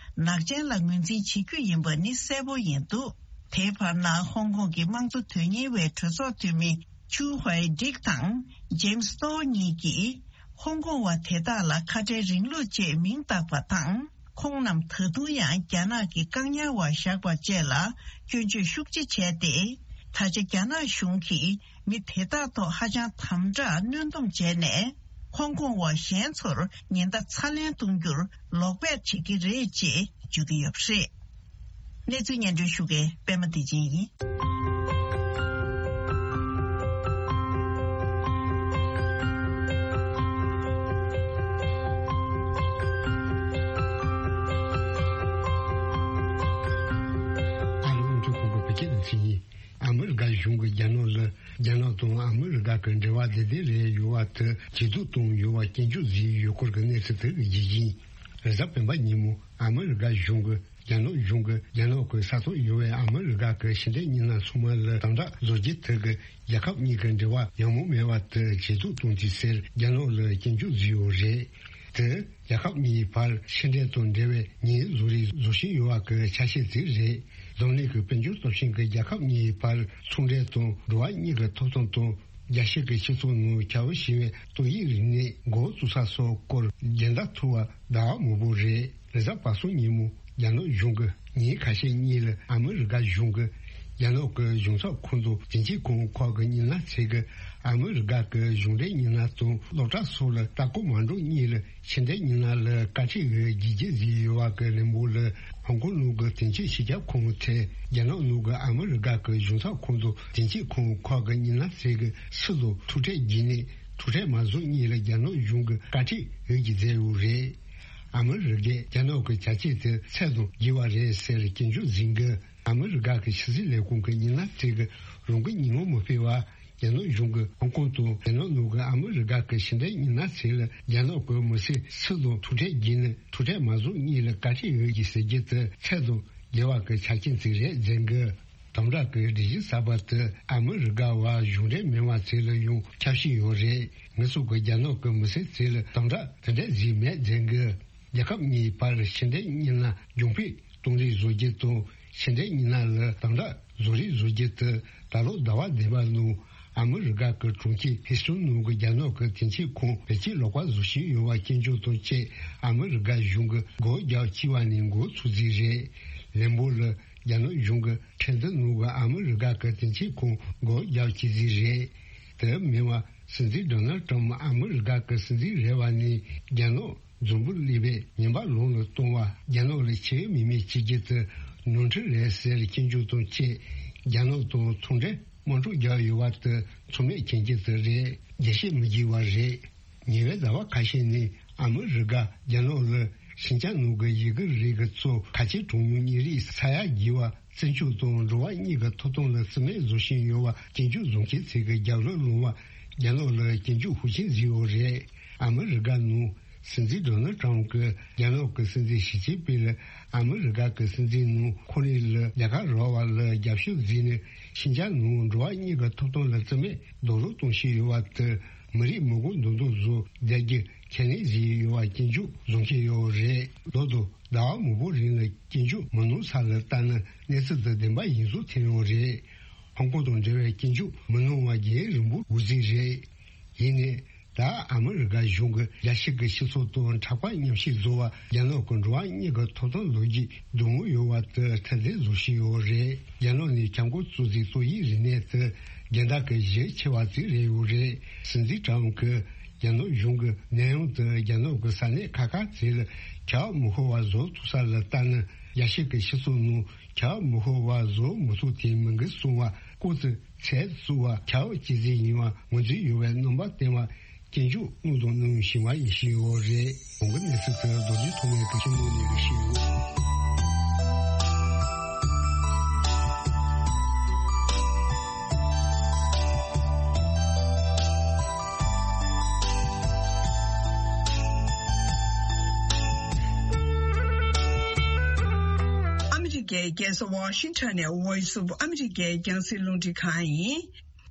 ནག་ཅན་ལ་ངོས་འཛིན་བྱེད་རྒྱུ་ཡིན་པ་ནི་གསལ་པོ་ཡིན་འདུག་དེའི་བར་ན་ཧོང་ཀོང་གི་དམངས་གཙོ་དོན་གཉེར་བའི་གྲོས་ཚོགས་འཐུས་མི་ཆུ་ཧུའེ་ཌིག་དང་ཇེམ་སི་ཏོ་གཉིས་ཀྱིས་ཧོང་ཀོང་བ་དེ་དག་ལ་ཁ་བྲལ་རིང་ལུགས་ཅེས་མིང་བཏགས་པ་དང་། ཁོང་རྣམས་ད་དུང་ཡང་རྒྱ་ནག་གི་བཀག་ཉར་བ་བཞག་པ་བཅས་ལ་སྐྱོན་བརྗོད་ཤུགས་ཆེ་བྱས་ཏེ། ད་ཆ་རྒྱ་ནག་གཞུང་གིས་མི་དེ་དག་ཐོག་ཧ་ཅང་དམ་དྲག་གནོན་སྡོམ་བྱས་ནས། ཧོང་ཀོང་བ་གཞན་ཚོར་ཉེན་བརྡ་ཚ་ལན་གཏོང་རྒྱུར་ལོག་འབད་བྱེད་ཀྱི་རེད་ཅེས་བརྗོད་ཀྱི་ཡོད་པ་རེད། གནས་ཚུལ་སྙན་སྒྲོན་ཞུ་མཁན་པད་མ་བདེ་ཆེན་ཡིན། ཨ་རི་དབང་འདུས་ཁང་གི་བོད་སྐད་སྡེ་ཚན་ཡིན། ཨ་མི་རི་ཀ་གཞུང་གིས་རྒྱ་ནག་ལ་རྒྱ་ནག་དང་ཨ་མི་རི་ཀ་གི་འབྲེལ་བ་བདེ་བདེ་རེད་ཡོད་པ་དེ་ཇེ་སྡུག་ཏུ་ཡོད་པ་སྐྱོན་བརྗོད་བཟོས་ཡོད་སྐོར་གྱི་གནས་ཚུལ་དེ་གི་རྒྱུ་རྐྱེན། རེས་གཟའ་སྤེན་པ་ཉིན་མོ་ཨ་མི་རི་ཀ་གཞུང་གིས་རྒྱ་ནག་གཞུང་གིས་རྒྱ་ནག་གི་ས་ཐོག་ཡོད་པའི་ཨ་མི་རི་ཀ་གི་ཕྱི་འབྲེལ་མི་སྣ་ཚང་མ་ལ་དམ་དྲག་བཟོ་རྒྱུ་དེ་གིས་རྒྱལ་ཁབ་གཉིས་ཀྱི་འབྲེལ་བ་ཡག་མོ་མེད་པ་དེ་ཇེ་སྡུག་གཏོང་རྒྱུ་ཟེར་རྒྱ་ནག་ལ་སྐྱོན་བརྗོད་བཟོས་ཡོད་རེད། དེ་རྒྱལ་ཁབ་གཉིས་བར་ཕྱི་འབྲེལ་དང་འབྲེལ་བའི་ཉེས་བཟོ་རིགས་བཟོ་བཞིན་ཡོད་པ་གི་ཆ་ཤས་ཅིག་རེད། འཛམ་གླིང་གི་དཔལ་འབྱོར་སྟོབས་ཆེན་གྱི་རྒྱལ་ཁབ་གཉིས་བར་ཚོང་འབྲེལ་དང་འགྲོ་བ་མིའི་ཐོབ་ཐང་དང་། རྒྱལ་སྤྱི་གི་སྤྱི་ཚོགས་ནང་ཁྱབ་པ་ཞེས་པའི་ཏོག་དབྱིབས་རིམས་ནད་འགོ་བཙུགས་ས་སོགས་སྐོར་བརྒྱན་ད་ཐུབ་པ་ཟླ་བ་མང་པོ་རེད། རེས་གཟའ་པ་སངས་ཉིན་མོ་རྒྱ་ནག་གཞུང་གིས་ཉིན་ཁ་ཤས་གཉིས་ལ་ཨ་མི་རི་ཀ་གཞུང་གི་རྒྱ་ནག་གི་གཞུང་ཚབ་ཁང་དང་དེ་འཕྲོས་ཁང་ཁག་གི་མི་སྣ་ཚོས་ཀྱིས་ཨ་མི་རི་ཀ་གི་གཞུང་འབྲེལ་མི་སྣ་དང་སློབ་གྲྭ་སོགས་ལ་ལྟ་སྐོར་མ་འགྲོ་སྔོན་ལ་ཕྱི་འབྲེལ་མི་སྣ་ལ་བཀའ་ཁྲིད་འོས་བསྒྱུར་རྒྱུ་བཟོས་ཡོད་པ་གི་རིང་པོ་ལ། ཧོང་ཀོང་ནང་གི་དེ་འཕྲོས་སྤྱི་ཁྱབ་ཁང་ཚོས་རྒྱ་ནག་ནང་གི་ཨ་མི་རི་ཀ་གི་གཞུང་ཚབ་ཁང་དང་དེ་འཕྲོས་ཁང་ཁག་གི་མི་སྣ་ཚོས་ཀྱིས་སུ་དང་ཐུག་འཕྲད་བགྱིས་ནས། ཐུག་འཕྲད་མ་བཟོ་སྔོན་ལ་རྒྱ་ནག་གཞུང་གི་བཀའ་ཁྲིད་འོས་བསྒྱུར་མཛད་ཡོད་རེད། ཨ་མི་རི་ཀས་རྒྱ་ནག་གི་བྱ་སྤྱོད་དེ་ཚད་དང་བརྒལ་བ་རེད་ཟེར་སྐྱོན་བརྗོད་མཛད་འགུལ། ཨ་མི་རི་ཀ་གི་ཕྱི་སྲིད་ལས་ཁུངས་ཀྱི་མི་སྣ་ཚོས་ཀྱིས་རང་གི་ཉིན་མོ་མི་སྤེལ་བར། རྒྱ་ནག་གཞུང་གིས་ཧོང་ཀོང་དང་རྒྱ་ནག་ནང་གི་ཨ་མི་རི་ཀ་གི་ཕྱི་འབྲེལ་མི་སྣ་ཚོ་ལ་རྒྱ་ནག་གི་མི་སེར་སུ་དང་ཐུག་འཕྲད་བགྱིས་ནས་ཐུག་འཕྲད་མ་བཟོ་སྔོན་ལ་བཀའ་ཁྲིད་འོས་བསྒྱུར་ཟེར་རྒྱུ་དེ་ཚད་དང་བརྒལ་བ་གི་ཆ་རྐྱེན་ཅིག་རེད་ཟེར་གི། དམ་དྲག་གི་སྒྲིག་གཞི་གསར་པ་དེ་ཨ་མི་རི་ཀ་བ་གཞུང་འབྲེལ་མིན་པ་ཚོ་ལ་ཡང་ཁྱབ་བྱེད་ཡོད་རེད། ངེད་ཚོ་གི་རྒྱ་ནག་གི་མི་སེར་ཚོ་ལ་དམ་དྲག་དེ་འདྲ་བཟོས་མེད་ཟེར་གི། རྒྱལ་ཁབ་གཉིས་བར་ཕྱི་འབྲེལ་མི་སྣ་རྒྱུན་སྤེལ་གཏོང་རེས་བཟོ་རྒྱུ་དང་ཕྱི་འབྲེལ་མི་སྣ་ལ་དམ་དྲག་བཟོ་རེས་བཟོ་རྒྱུ་དེ་ད་ལོ་ཟླ་བ་བདུན་པ་ནང་ཨ་མི་རི་ཀ་གི་གྲོང་ཁྱེར་ཧིས་ཊོན་ནང་གི་རྒྱ་ནག་གི་དེ་འཕྲོས་ཁང་བེད་སྤྱོད་ལོག་པ་བཟོ་བཞིན་ཡོད་པ་སྐྱོན་བརྗོད་དང་བཅས་ཨ་མི་རི་ཀ་གཞུང་གི་སྒོ་རྒྱག་བྱས་པ་ནས་འགོ་ཚུགས་རྩིས་རེད། ལན་པོ་ལ་རྒྱ་ནག་གཞུང་གི་ཁྲིམས་འཛིན་ནང་གི་ཨ་མི་རི་ཀ་གི་དེ་འཕྲོས་ཁང་སྒོ་རྒྱག་བྱས་རྩིས་རེད། དེ་མིན་པ་སྲིད་འཛིན་ཌོ་ནལ་ཊམ་ཨ་མི་རི་ཀ་གི་སྲིད་འཛིན་རེད་པ་ནས་རྒྱ་ནག་འཛམ་བུ་གླིང་པའི་ཉེན་པ་ལོན་ལ་གཏོང་བ། རྒྱ་ནག་ལ་ཁྱད་མི་མེད་བྱེད་རྒྱུ་དེ་ནོར་འཁྲུལ་རེད་ཟེར་སྐྱོན་བརྗོད་དང་བཅས་རྒྱ་ནག་དང་ཚོང་འབྲེལ་དམག་འཁྲུག་རྒྱག་ཡོད་པ་དེ་ཚང་མས་མཁྱེན་རྒྱུ་དེ་རེད། རྒྱས་བཤད་མི་བགྱིས་པ་རེད། ཉེ་བའི་ཟླ་བ་ཁ་ཤས་ནས་ཨ་མི་རི་ཀ་རྒྱ་ནག་ལ་ཤིན་ཅང་ནང་གི་ཡི་གེ་རིགས་ཀྱི་གཙོ་ཁ་ཆེ་གྲངས་ཉུང་གཉན་རིགས་ས་ཡ་བརྒྱད་པ་བཙན་སྐྱོབ་དང་འགྲོ་བ་གཉིས་ཀྱི་ཐོབ་ཐང་ལ་བརྩི་མེད་བཟོ་བཞིན་ཡོད་པ་སྐྱོན་བརྗོད་བཟོ་མཁན་ཚོས་ཀྱི་རྒྱབ་ལོགས་ལོང་བ། རྒྱ་ནག་ལ་སྐྱོན་བརྗོད་ཤུགས་ཆེན་བཟོས་ཡོད་རེད། ཨ་མི་རི་ཀ་ནང་སྲིད་འཛིན་ཌོ་ནལ་ཊམ་གྱིས་རྒྱ་ནག་གི་སྲིད་འཛིན་ཞི་ཅིན་ཕིང་ལ་ཨ་མི་རི་ཀ་གི་སྲིད་འཛིན་ནང་ཁོ་རང་ལ་ལས་ཀ་རག་པ་ལ་རྒྱབ་སྐྱོར་བཟོས་ནས་ཤིན་ཅང་ནང་འགྲོ་བ་གཉིས་ཀྱི་ཐོབ་ཐང་ལ་བརྩི་མེད་རྡོག་རོལ་གཏོང་བཞིན་ཡོད་པ་དེ་མི་རིགས་མི་གོ་མདུན་དུ་བཟོ་བསྡད་རྒྱུ་ཁས་ལེན་བཟོས་ཡོད་པ་སྐྱོན་བརྗོད་བཟོ་མཁན་ཡོད་རེད། ལོ་དང་ཟླ་བ་མང་པོ་རིང་ལ་སྐྱོན་བརྗོད་མི་གནང་ས་ལ་ལྟ་ན་གནས་ཚུལ་དེ་བདེན་པ་ཡིན་བཟོ་ཐེབས་ཡོད་རེད། ཧོང་ཀོང་དང་འབྲེལ་བའི་སྐྱོན་བརྗོད་མི་གནང་བ་རྒྱུན་རིང་པོ་འགོར་རྩིས་རེད། ཡིན་ནའི་ད་ཨ་མི་རི་ཀ་གཞུང་གིས་རྒྱལ་སྤྱི་གི་སྤྱི་ཚོགས་དང་འཁྲུག་པ་མཉམ་བཤད་བཟོ་བ། རྒྱ་ནག་གི་འགྲོ་བ་གཉིས་ཀྱི་ཐོབ་ཐང་ལོ་རྒྱུས་སྡུག་མོ་ཡོད་པ་དེ་ཐེར་འདོན་བཟོ་བཞིན་ཡོད་རེད། རྒྱ་ནག་ནས་ཁྱབ་ཁོངས་གཙོ་ཆེ་ཏོག་དབྱིབས་རིམས་ནད་དེ་རྒྱལ་དར་གྱི་གཞི་ཆེ་བ་ཅིག་རེད་ཡོད་རེད། སྲིད་འཛིན་ཊམ་གྱིས་རྒྱ་ནག་གཞུང་གི་ནད་ཡམས་དེ་རྒྱ་ནག་གི་ས་གནས་ཁག་ཁག་ཅིག་ལ་ཁྱབ་མི་ཤོར་བ་བཟོ་ཐུབ་ས་ལ་ལྟ་ན། རྒྱལ་སྤྱི་གི་སྤྱི་ཚོགས་ནང་ཁྱབ་མི་ཤོར་བ་བཟོ་མི་ཐུབ་དེ་མི་འགུལ་སོང་བ་སྐོར་དུ། ཚད་བཙུགས་པ་ཁྱབ་ཇེ་ཆེ་ཡིན་པ་ངོས་འཛིན་ཡོད་པའི་རྣམ་པ་བསྟན་པ་སྐྱོན་བརྗོད་གནང་དང་གནང་བཞིན་པ་ཡིན་བཞིན་ཡོད་རེད། གོང་གི་གནས་ཚུལ་དེ་རྡོ་རྗེ་ཐོགས་མེད་ཀྱིས་སྤྱི་ནོར་ནས་རིགས་ཤིག་ཡོད། ཨ་མི་རི་ཀའི་རྒྱལ་ས་ཝ་ཤིང་ཊོན་ནས་Voice of America རྒྱང་སྲིང་རླུང་འཕྲིན་ཁང་ཡིན།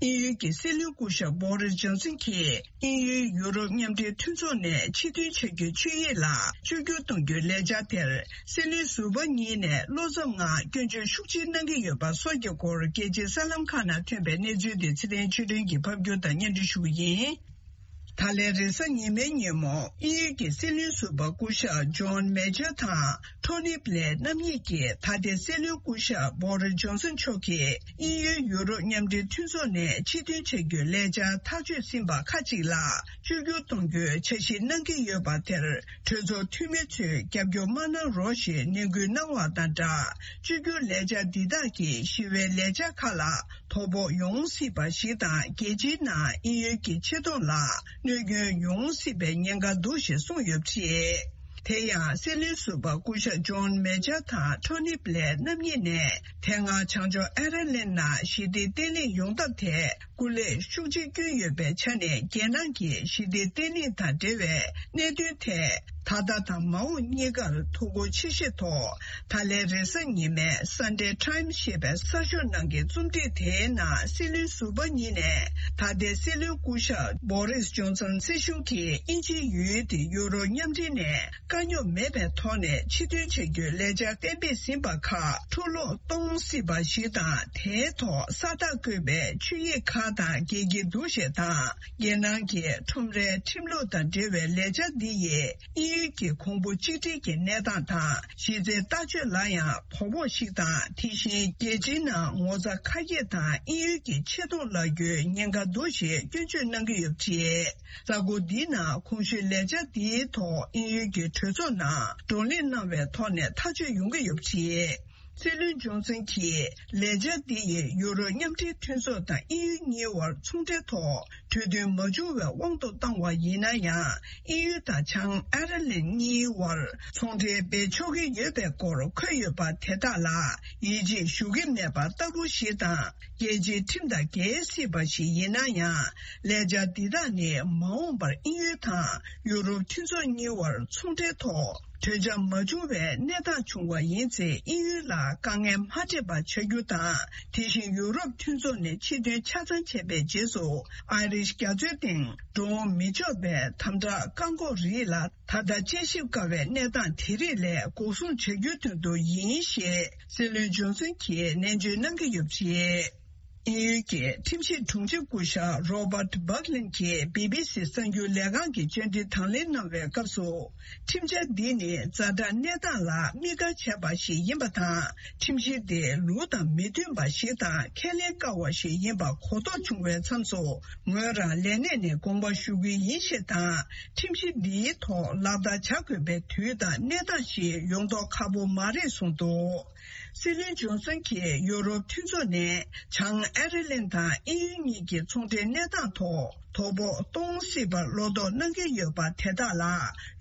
དབྱིན་ཡུལ་གྱི་སྲིད་བློན་སྐུ་ཞབས་བྷོ་རིས་ཇོན་སན་གྱིས་དབྱིན་ཡུལ་ཡུ་རོབ་མཉམ་འབྲེལ་མཐུན་ཚོགས་ནས་ཕྱིར་འཐེན་བྱ་རྒྱུའི་ཆོད་ཡིག་ལ་བཅོས་བསྒྱུར་གཏོང་རྒྱུའི་ལས་འཆར་དེར་སྲིད་བློན་ཟུར་པ་གཉིས་ནས་བློ་འཚབ་ངང་སྐྱོན་བརྗོད་ཤུགས་ཆེ་གནང་གི་ཡོད་པ་སོགས་ཀྱི་སྐོར་རྒྱལ་སྤྱིའི་གསར་ལམ་ཁག་ནང་ཐོན་པའི་གནས་ཚུལ་དེ་ཚེ་བརྟན་ཆོས་སྒྲོན་གྱིས་ཕབ་སྒྱུར་དང་སྙན་སྒྲོན་ཞུ་གི་ཡིན། ད་ལན་རེས་གཟའ་ཉི་མའི་ཉིན་མོ་དབྱིན་ཡུལ་གྱི་སྲིད་བློན་ཟུར་པ་སྐུ་ཞབས་ཇོན་མེ་ཇར་དང་ཊོ་ནི་བྷི་ལེར་རྣམ་གཉིས་ཀྱིས་ད་ལྟའི་སྲིད་བློན་སྐུ་ཞབས་བྷོ་རིས་ཇོན་སན་མཆོག་གིས་དབྱིན་ཡུལ་ཡུ་རོབ་མཉམ་འབྲེལ་མཐུན་ཚོགས་ནས་ཕྱིར་འཐེན་བྱ་རྒྱུའི་ལས་འཆར་ཐག་གཅོད་ཟིན་པ་ཁ་ཅིག་ལ་བཅོས་བསྒྱུར་གཏོང་རྒྱུའི་འཆར་གཞི་གནང་གི་ཡོད་པ་དེར་གྲོས་ཚོགས་འཐུས་མི་ཚོས་རྒྱབ་སྐྱོར་མ་གནང་རོགས་ཞེས་ནན་སྐུལ་གནང་བ་དང་སྦྲགས། བཅོས་བསྒྱུར་ལས་འཆར་འདི་དག་གིས་ཞི་བའི་ལས་འཆར་ཁག་ལ་དོ་ཕོག་ཡོང་སྲིད་པ་ཞིག་དང་། རྒྱལ་སྤྱིའི་ནང་དབྱིན་ཡུལ་གྱི་ཆེ་མཐོང་ལ་གནོད་སྐྱོན་ཡོང་སྲིད་པའི་ཉེན་ཁ་འདུག་ཞེས་གསུངས་ཡོད་པ་རེད། དེ་ཡང་སྲིད་བློན་ཟུར་པ་སྐུ་ཞབས་ཇོན་མེ་ཇར་དང་ཊོ་ནི་བྷི་ལེར་རྣམ་གཉིས་ནས་དེ་སྔ་བྱང་ཕྱོགས་ཨེ་ར་ལན་ནང་ཞི་བདེ་བརྟན་ལྷིང་ཡོང་ཐབས་ཐད་སྐུ་ལས་ཤུགས་ཆེ་བསྐྱོན་ཡོད་པའི་ཆ་ནས། རྒྱལ་ནང་གི་ཞི་བདེ་བརྟན་ལྷིང་དང་འབྲེལ་བའི་གནད་དོན་ཐད་ད་ལྟ་དང་མ་འོངས་གཉིས་ཀར་ཐུགས་ཁུར་ཆེ་བཞེས་ཐོག་ད་ལན་རེས་གཟའ་ཉི་མའི་Sunday Times ཞེས་པའི་གསར་ཤོག་ནང་གི་རྩོམ་སྒྲིག་དེའི་ནང་སྲིད་བློན་ཟུར་པ་གཉིས་ནས་ད་ལྟའི་སྲིད་བློན་སྐུ་ཞབས་བྷོ་རིས་ཇོན་སན་སྲིད་གཞུང་གིས་དབྱིན་ཇིའི་ཡུལ་དེ་ཡུ་རོབ་མཉམ་འབྲེལ་ནས་དཀའ་རྙོག་མེད་པའི་ཐོག་ནས་ཕྱིར་འཐེན་བྱ་རྒྱུའི་ལས་འཆར་གཏན་འབེབས་ཟིན་པ་ཁག་འཁྲུག་སློང་གཏོང་སྲིད་པ་ཞིག་དང་། དེའི་ཐོག་ས་རྟགས་བཀོད་པའི་ཆོད་ཡིག་ཁག་དང་འགལ་གྱི་འདུག་ཞེས་དང་། རྒྱལ་ནང་གི་ཁྲོམ་རའི་ཁྲིམས་ལུགས་དང་འབྲེལ་བའི་ལས་འཆར་འདི་ཡིས་དབྱིན་ དབྱིན་ཡུལ་གྱི་གོང་བུ་གཅིག་སྒྲིལ་གྱི་གནས་སྟངས་དང་གཞི་རྩའི་ལྟ་སྤྱོད་ལ་ཡང་དོ་ཕོག་ཞིག་དང་། དེ་བཞིན་རྒྱལ་སྤྱིའི་ནང་ངོ་ཚ་ཁ་གྱེས་དང་དབྱིན་ཡུལ་གྱི་ཆེ་མཐོང་ལ་རྒྱུའི་ཉེན་ཁ་འདུག་ཞེས་སྐྱོན་བརྗོད་གནང་གི་ཡོད་པ་རེད། གསར་འགོད་འདིའི་ནང་གོང་ཞུས་ལས་འཆར་འདིའི་ཐོག་དབྱིན་ཡུལ་གྱི་གྲོས་ཚོགས་ནང་བགྲོ་གླེང་གནང་བའི་ཐོག་ནས་ཐག་གཅོད་ཡོང་གི་ཡོད་པ་རེད། སྲིད་བློན་ཇོན་སན་གྱིས་ལས་འཆར་འདི་ཡིས་ཡུ་རོབ་མཉམ་འབྲེལ་མཐུན་ཚོགས་དང་དབྱིན་ཡུལ་གཉིས་དབར་ཚོང་འབྲེལ་ཐོག་གྲོས་མཐུན་མ་བྱུང་བའི་དབང་དུ་བཏང་བ་ཡིན་ན་ཡང་། དབྱིན་ཡུལ་དང་བྱང་ཨེར་ལན་གཉིས་དབར་ཚོང་འབྲེལ་སྤེལ་ཆོག་གི་ཡོད་པའི་སྐོར་འཁོད་ཡོད་པ་དེ་དག་ལ་ཡིད་ཆེས་ཞུ་གི་མེད་པ་ལྟ་བུ་ཞིག་དང་། རྒྱལ་སྤྱིའི་ཁྲིམས་དང་འགལ་སྲིད་པ་ཞིག་ཡིན་ན་ཡང་། ལས་འཆར་འདི་དག་ནི་མ་འོངས་པར་དབྱིན་ཡུལ་དང་ཡུ་རོབ་མཐུན་ཚོགས་གཉིས་དབར་ཚོང་འབྲེལ་ཐོག་གྲོས་འཆར་མ་བྱུང་བའི་གནས་སྟངས་བྱུང་བ་ཡིན་ཚེ། དབྱིན་ཡུལ་ལ་དཀའ་ངལ་མ་འཕྲད་པ་བྱ་རྒྱུ་དང་། དེ་བཞིན་ཡུ་རོབ་མཐུན་ཚོགས་ནས་ཕྱིར་འཐེན་ཆ་ཚང་བྱས་པའི་རྗེས་སུ། ཨའི་རིཤ་རྒྱ་མཚོའི་སྟེང་འགྲོ་འོང་མི་ཆོག་པའི་དམ་དྲག་བཀག་འགོག་རིགས་ལ་ད་ལྟ་དཔྱད་ཞིབ་དཀའ་བའི་གནས་སྟངས་དེ་རིགས་ལས་འགོག་སྲུང་བྱ་རྒྱུའི་དོན་དུ་ཡིན་ཞེས་སྲིད་བློན་ཇོན་སན་གྱིས་ནན་བརྗོད་གནང་གི་ཡོད་པ་རེད། དབྱིན་ཡུལ་གྱི་ཁྲིམས་ཞིབ་དྲུང་ཆེ་སྐུ་ཞབས་Robert Buckland གྱིས་བི་བི་སི་གསར་འགྱུར་ལས་ཁང་གི་བཅར་འདྲི་དང་ལེན་གནང་བའི་སྐབས་སུ། ཁྲིམས་འཆར་འདི་ནི་ཛ་དྲག་གནས་སྟངས་ལ་དམིགས་བཀར་བྱས་པ་ཞིག་ཡིན་པ་དང་། ཁྲིམས་གཞི་དེ་ལུགས་དང་མི་མཐུན་པ་ཞིག་དང་ཁས་ལེན་དཀའ་བ་ཞིག་ཡིན་པ་གོ་རྟོགས་བྱུང་བའི་མཚམས་སུ། ངོས་རང་ལས་གནས་ནས་དགོངས་པ་ཞུ་གི་ཡིན་ཞེས་དང་། ཁྲིམས་གཞི་འདིའི་ཐོག་ལག་བསྟར་བྱ་དགོས་པའི་དུས་དང་གནས་སྟངས་ཤིག་ཡོང་མདོག་ཁ་པོ་མ་རེད་གསུངས་འདུག། སྲིད་བློན་ཇོན་སན་གྱིས་ཡུ་རོབ་མཐུན་ཚོགས་ནས་བྱང་ཨེར་ལན་དང་དབྱིན་ཡུལ་གཉིས་ཀྱི་ཚོང་འབྲེལ་གནས་སྟངས་ཐོག་དོ་ཕོག་གཏོང་སྲིད་པར་བློ་དོགས་གནང་གི་ཡོད་པ་དེ་དག་ལ།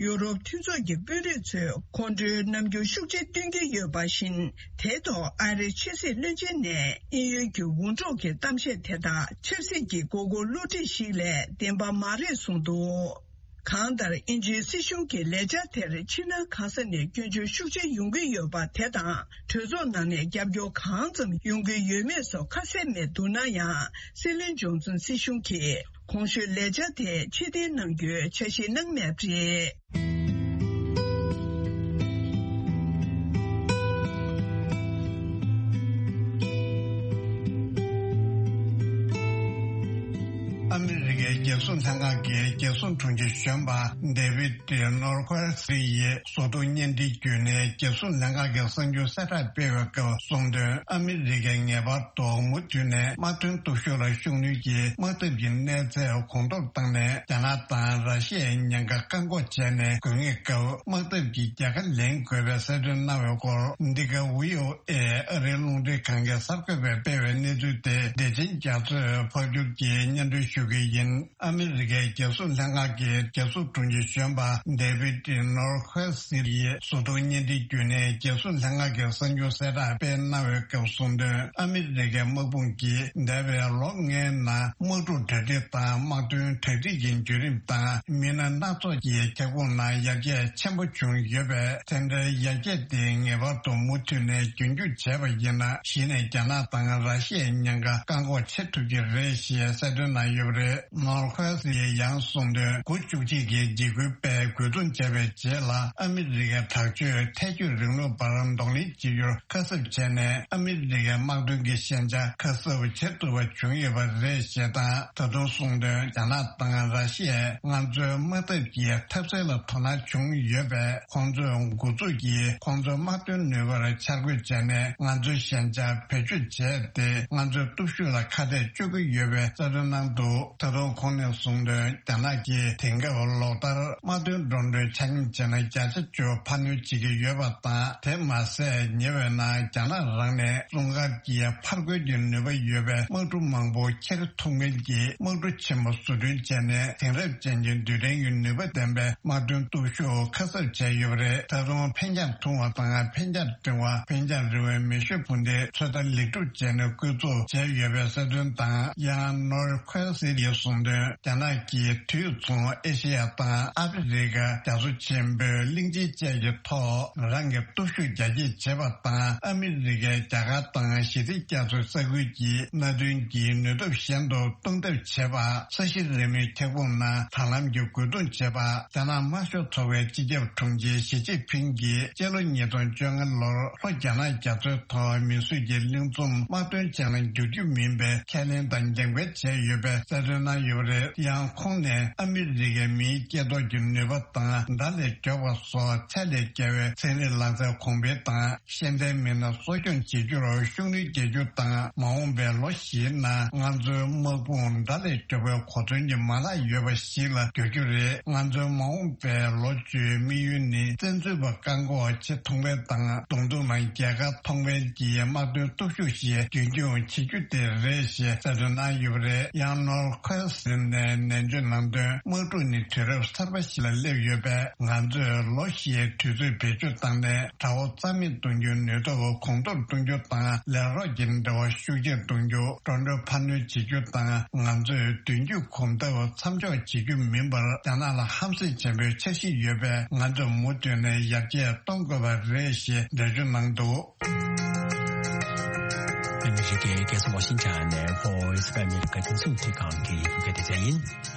ཡུ་རོབ་མཐུན་ཚོགས་ཀྱི་དཔོན་རིགས་ཚོས་ཁོང་ཁྲོའི་རྣམ་འགྱུར་ཤུགས་ཆེ་སྟོན་གྱི་ཡོད་པ་བཞིན། དེའི་ཐོག་ཨ་རིའི་ཕྱི་སྲིད་བློན་ཆེན་ནས་དབྱིན་ཡུལ་གྱི་འུར་སྒྲོག་གི་གཏམ་བཤད་དེ་དག་ཆབ་སྲིད་ཀྱི་མགོ་སྐོར་བསླུ་བྲིད་ཞིག་ལས་བདེན་པ་མ་རེད་གསུངས་འདུག། གང་ལྟར། དབྱིན་ཇིའི་སྲིད་གཞུང་གི་ལས་འཆར་དེར་ཕྱི་ནང་གང་ས་ནས་སྐྱོན་བརྗོད་ཤུགས་ཆེ་ཡོང་གི་ཡོད་པ་དེ་དང་། གྲོས་ཚོགས་ནང་ནས་རྒྱབ་སྐྱོར་གང་ཙམ་ཡོང་གི་ཡོད་མེད་སོགས་ཁ་གསལ་མེད་འདུག་ན་ཡང་། སྲིད་བློན་ཇོན་སན་སྲིད་གཞུང་གིས་གོང་ཞུས་ལས་འཆར་དེ་ཕྱིར་འཐེན་གནང་རྒྱུའི་འཆར་གཞི་གནང་མེད་པ་རེད། ཨ་མི་རི་ཀའི་རྒྱལ་སྲུང་ལྷན་ཁང་གི་རྒྱལ་སྲུང་དྲུང་ཆེ་གཞོན་པ་ཌེ་བིད་ནོར་ཁོལ་སི་ཡིས་བཟོ་ལྟ་བརྙན་འཕྲིན་བརྒྱུད་ནས་རྒྱལ་སྲུང་ལྷན་ཁང་གི་གསར་འགྱུར་གསལ་བསྒྲགས་སྤེལ་བའི་སྐབས་གསུངས་དོན། ཨ་མི་རི་ཀས་ངེས་པར་དུ་མུ་མཐུད་ནས་དམག་དོན་སྟོབས་ཤུགས་ལ་ཤུགས་སྣོན་གྱིས་དམག་འཐབ་ཀྱི་གནས་ཚད་གོང་མཐོར་བཏང་ནས། རྒྱ་ནག་དང་ར་ཤི་ཡའི་ཉེན་ཁ་བཀག་འགོག་བྱས་ནས། དགོས་ངེས་སྐབས་དམག་འཐབ་ཀྱི་རྒྱལ་ཁ་ལེན་དགོས་པའི་གསལ་སྟོན་གནང་བའི་སྐོར། འདི་ག་ཝི་ཨོ་ཨེ་ཨ་རིའི་རླུང་འཕྲིན་ཁང་གིས་གསར་འགོད་པས་སྤེལ་བའི་གནས་ཚུལ་དེ་བདེ་ཆེན་རྒྱ་མཚོས་ཕབ་སྒྱུར་གྱིས་སྙན་སྒྲོན་ཞུ་གི་ཡིན། ཨ་མི་རི་ཀའི་རྒྱལ་སྲུང་ལྷན་ཁང་གི་རྒྱལ་སྲུང་དྲུང་ཆེ་གཞོན་པ་ཌེ་བིད་ནོར་ཁོལ་སི་ཡིས་བཟོ་ལྟ་བརྙན་འཕྲིན་བརྒྱུད་ནས་རྒྱལ་སྲུང་ལྷན་ཁང་གི་གསར་འགྱུར་གསལ་བསྒྲགས་སྤེལ་གནང་བའི་སྐབས་གསུངས་དོན། ཨ་མི་རི་ཀའི་དམག་དཔུང་གིས་འདས་པའི་ལོ་ལྔའི་ནང་དམག་འཁྲུག་གྲ་སྒྲིག་དང་དམག་དོན་གྲ་སྒྲིག་གི་བརྒྱུད་རིམ་དང་། མི་སྣ་སྣ་ཚོགས་ཀྱི་ཁྱབ་ཁོངས་ནང་ཡར་རྒྱས་ཆེན་པོ་བྱུང་ཡོད་པས། དེ་འདྲའི་ཡར་རྒྱས་དེ་ངེས་པར་དུ་མུ་མཐུད་ནས་རྒྱུན་འཁྱོངས་བྱས་པ་ཡིན་ན། གཞི་ནས་རྒྱ་ནག་དང་ར་ཤི་ཡའི་ཉེན་ཁ་བཀག་འགོག་བྱེད་ཐུབ་ཀྱི་རེད་ཞེས་གསལ་སྟོན་གནང་ཡོད་པ་རེད། ནོར་ཁོལ་སི་ཡིས་ཡང་གསུངས་དོན། འགོ་བཅུ་གཅིག་གི་འཇིགས་སྐུལ་པས་རྒོལ་རྡུང་བྱས་པའི་རྗེས་ལ། ཨ་མི་རི་ཀའི་དྲག་སྤྱོད་ཐལ་སྐྱོད་རིང་ལུགས་པར་གདོང་ལེན་བྱེད་རྒྱུར་ཁ་གསབ་བྱས་ནས། ཨ་མི་རི་ཀའི་དམག་དོན་གྱི་ཞན་ཆ་ཁ་གསབ་བྱེད་ཐུབ་པ་བྱུང་ཡོད་པ་རེད་ཞེས་དང་། ད་དུང་གསུངས་དོན། རྒྱ་ནག་དང་ར་ཤི་ཡས་ང་ཚོའི་དམག་འཐབ་ཀྱི་འཐབ་སའི་ལ་དོ་སྣང་བྱུང་ཡོད་པས། ཁོང་ཚོས་འགོ་འཛུགས་ཀྱིས་ཁོང་ཚོའི་དམག་དོན་ནུས་པར་འཆར་འགོད་བྱས་ནས། ང་ཚོའི་ཞན་ཆ་བེད་སྤྱོད་བྱས་ཏེ། ང་ཚོའི་སྟོབས་ཤུགས་ལ་ཁ་གཏད་གཅོག་གི་ཡོད་པའི་གསལ་སྟོན་གནང་འདུག། ད་དུང་ཁོང་ནས་གསུངས་དོན། རྒྱ་ནག་གིས་དེང་སྐབས་ལོ་ལྟར་དམག་དོན་འགྲོ་གྲོན་ཆ་སྙོམས་བྱས་ན་བརྒྱ་ཆ་བཅུ་འཕར་སྣོན་བྱེད་ཀྱི་ཡོད་པ་དང་། དེ་མ་ཟད་ཉེ་བའི་ནང་རྒྱ་ནག་རང་ནས་སྲུང་སྐར་གྱི་ཕར་རྒོལ་གྱི་ནུས་པ་ཡོད་པའི་དམག་གྲུ་མང་པོ་འཁྱེར་ཐུབ་མཁན་གྱི་དམག་གྲུ་ཆེན་པོ་བཟོ་སྐྲུན་བྱས་ནས། དེང་རབས་ཅན་གྱི་རྡུལ་ཕྲན་གྱི་ནུས་པ་ལྡན་པའི་དམག་དོན་སྟོབས་ཤུགས་ཁ་གསབ་བྱས་ཡོད་པ་རེད། ད་དུང་འཕེན་རྒྱང་ཐུང་བ་དང་འཕེན་རྒྱང་འབྲིང་བ། འཕེན་རྒྱང་རིང་བའི་མེ་ཤུགས་འཕུར་མདེལ་ཚོད་ལྟ་ལེགས་གྲུབ་བྱས་ནས་བཀོལ་སྤྱོད་བྱས་ཡོད་པའི་གསལ་སྟོན་དང་། ཡང་ནོར་ཁོལ་སི་ཡིས་གསུངས་དོན། རྒྱ་ནག་གིས་དུས་མཚུངས་ཨེ་ཤེ་ཡ་དང་ཨ་ཕི་རི་ཀ་རྒྱ་མཚོ་ཆེན་པོའི་གླིང་ཆེན་བཅས་ཀྱི་ཐོག་རང་གི་སྟོབས་ཤུགས་རྒྱ་སྐྱེད་བྱེད་པ་དང་། ཨ་མི་རི་ཀས་རྒྱ་གར་དང་ཞི་བདེ་རྒྱ་མཚོའི་ས་ཁུལ་གྱི་མནའ་མཐུན་གྱི་ནུས་སྟོབས་གཞན་དུ་གཏོང་ཐབས་བྱེད་པ། ས་གཞི་རིལ་མོའི་ཁྱབ་ཁོངས་ནང་ད་ལམ་གྱི་རྒོལ་རྡུང་བྱེད་པ། རྒྱ་ནག་དམར་ཤོག་ཚོགས་པའི་སྤྱི་ཁྱབ་དྲུང་ཆེ་ཞི་ཅིན་ཕིང་གིས་སྤྱི་ལོ་ཉིས་སྟོང་བཅོ་ལྔ་ལོར་ལྷོ་རྒྱ་ནག་རྒྱ་མཚོའི་ཐོག་མིང་གཟུགས་ཀྱི་གླིང་ཚོམ་དམག་དོན་ཅན་ལ་འགྱུར་རྒྱུ་མིན་ པའི་ཁས་ལེན་དང་འགན་འཁུར་བྱས་ཡོད་པའི་གསལ་སྟོན་གནང་ཡོད་པ་རེད། ཡང་ཁོང་ནས་ཨ་མི་རི་ཀའི་མིའི་སྐྱེ་སྟོབས་ཀྱི་ནུས་པ་དང་དགྲ་ལས་མགྱོགས་པ་སོགས་ཚད་ལས་བརྒལ་བའི་ཚན་རིག་ལག་རྩལ་གོང་འཕེལ་དང་ཤེས་ལྡན་མི་སྣ་གསོ་སྐྱོང་བྱེད་རྒྱུར་ཤུགས་སྣོན་རྒྱག་རྒྱུ་དང་། མ་འོངས་པའི་ལོ་བཞིའི་ནང་ང་ཚོའི་དམག་དཔུང་དགྲ་ལས་མགྱོགས་པའི་གོ་མཚོན་གྱི་མ་ལག་ཡོད་པ་ཞིག་ལ་འགྱུར་རྒྱུ་རེད། ང་ཚོའི་མ་འོངས་པའི་ལོ་བཅུའི་དམིགས་ཡུལ་ནི་བཙན་འཛུལ་པ་བཀག་འགོག་ཆེས་ཐོག་མའི་དང་། གདོང་ཐུག་ནང་རྒྱལ་ཁ་ཐོག་མའི་གྱི་དམག་དོན་སྟོབས་ཤུགས་ཤིག་རྒྱུན་འཁྱོངས་བྱེད་རྒྱུ་དེ་རེད་ཞེས་གསལ་སྟོན་གནང་ཡོད་པ་རེད། ཡང་ནོར་ཁོས་ཟིན་ནས་ནན་བརྗོད་གནང་དོན། དམག་འཁྲུག་ནི་དུས་རབས་གསར་པ་ཞིག་ལ་སླེབས་ཡོད་པས། ང་ཚོས་ལོ་བཞིའི་དུས་ཚོད་བེད་སྤྱོད་བཏང་ནས་དགྲ་བོ་རྩ་མེད་གཏོང་རྒྱུའི་ནུས་སྟོབས་གོང་མཐོར་གཏོང་རྒྱུ་དང་། ལས་རོགས་ཀྱི་འབྲེལ་བ་ཤུགས་ཆེར་གཏོང་རྒྱུ། འགྲོ་གྲོན་འཕར་སྣོན་བྱེད་རྒྱུ་དང་། ང་ཚོས་མདུན་སྐྱོད་གོམ་སྟབས་མཚམས་འཇོག་བྱེད་རྒྱུ་མིན་པར། རྒྱ་ནག་ལ་ཧམ་སེམས་ཆེན་པོའི་འཆར་གཞི་ཡོད་པས། ང་ཚོས་མུ་མཐུད་ནས་ཡར་རྒྱས་གཏོང་དགོས་པ་རེད་ཞེས་འགྲེལ་བརྗོད་གནང་འདུག། ཨ་མི་རི་ཀའི་རྒྱལ་ས་ཝ་ཤིང་ཊོན་ནས་Voice of America་རྒྱང་སྲིང་རླུང་འཕྲིན་ཁང་གི་ཡི་གེ་དེ་ཚན་ཡིན།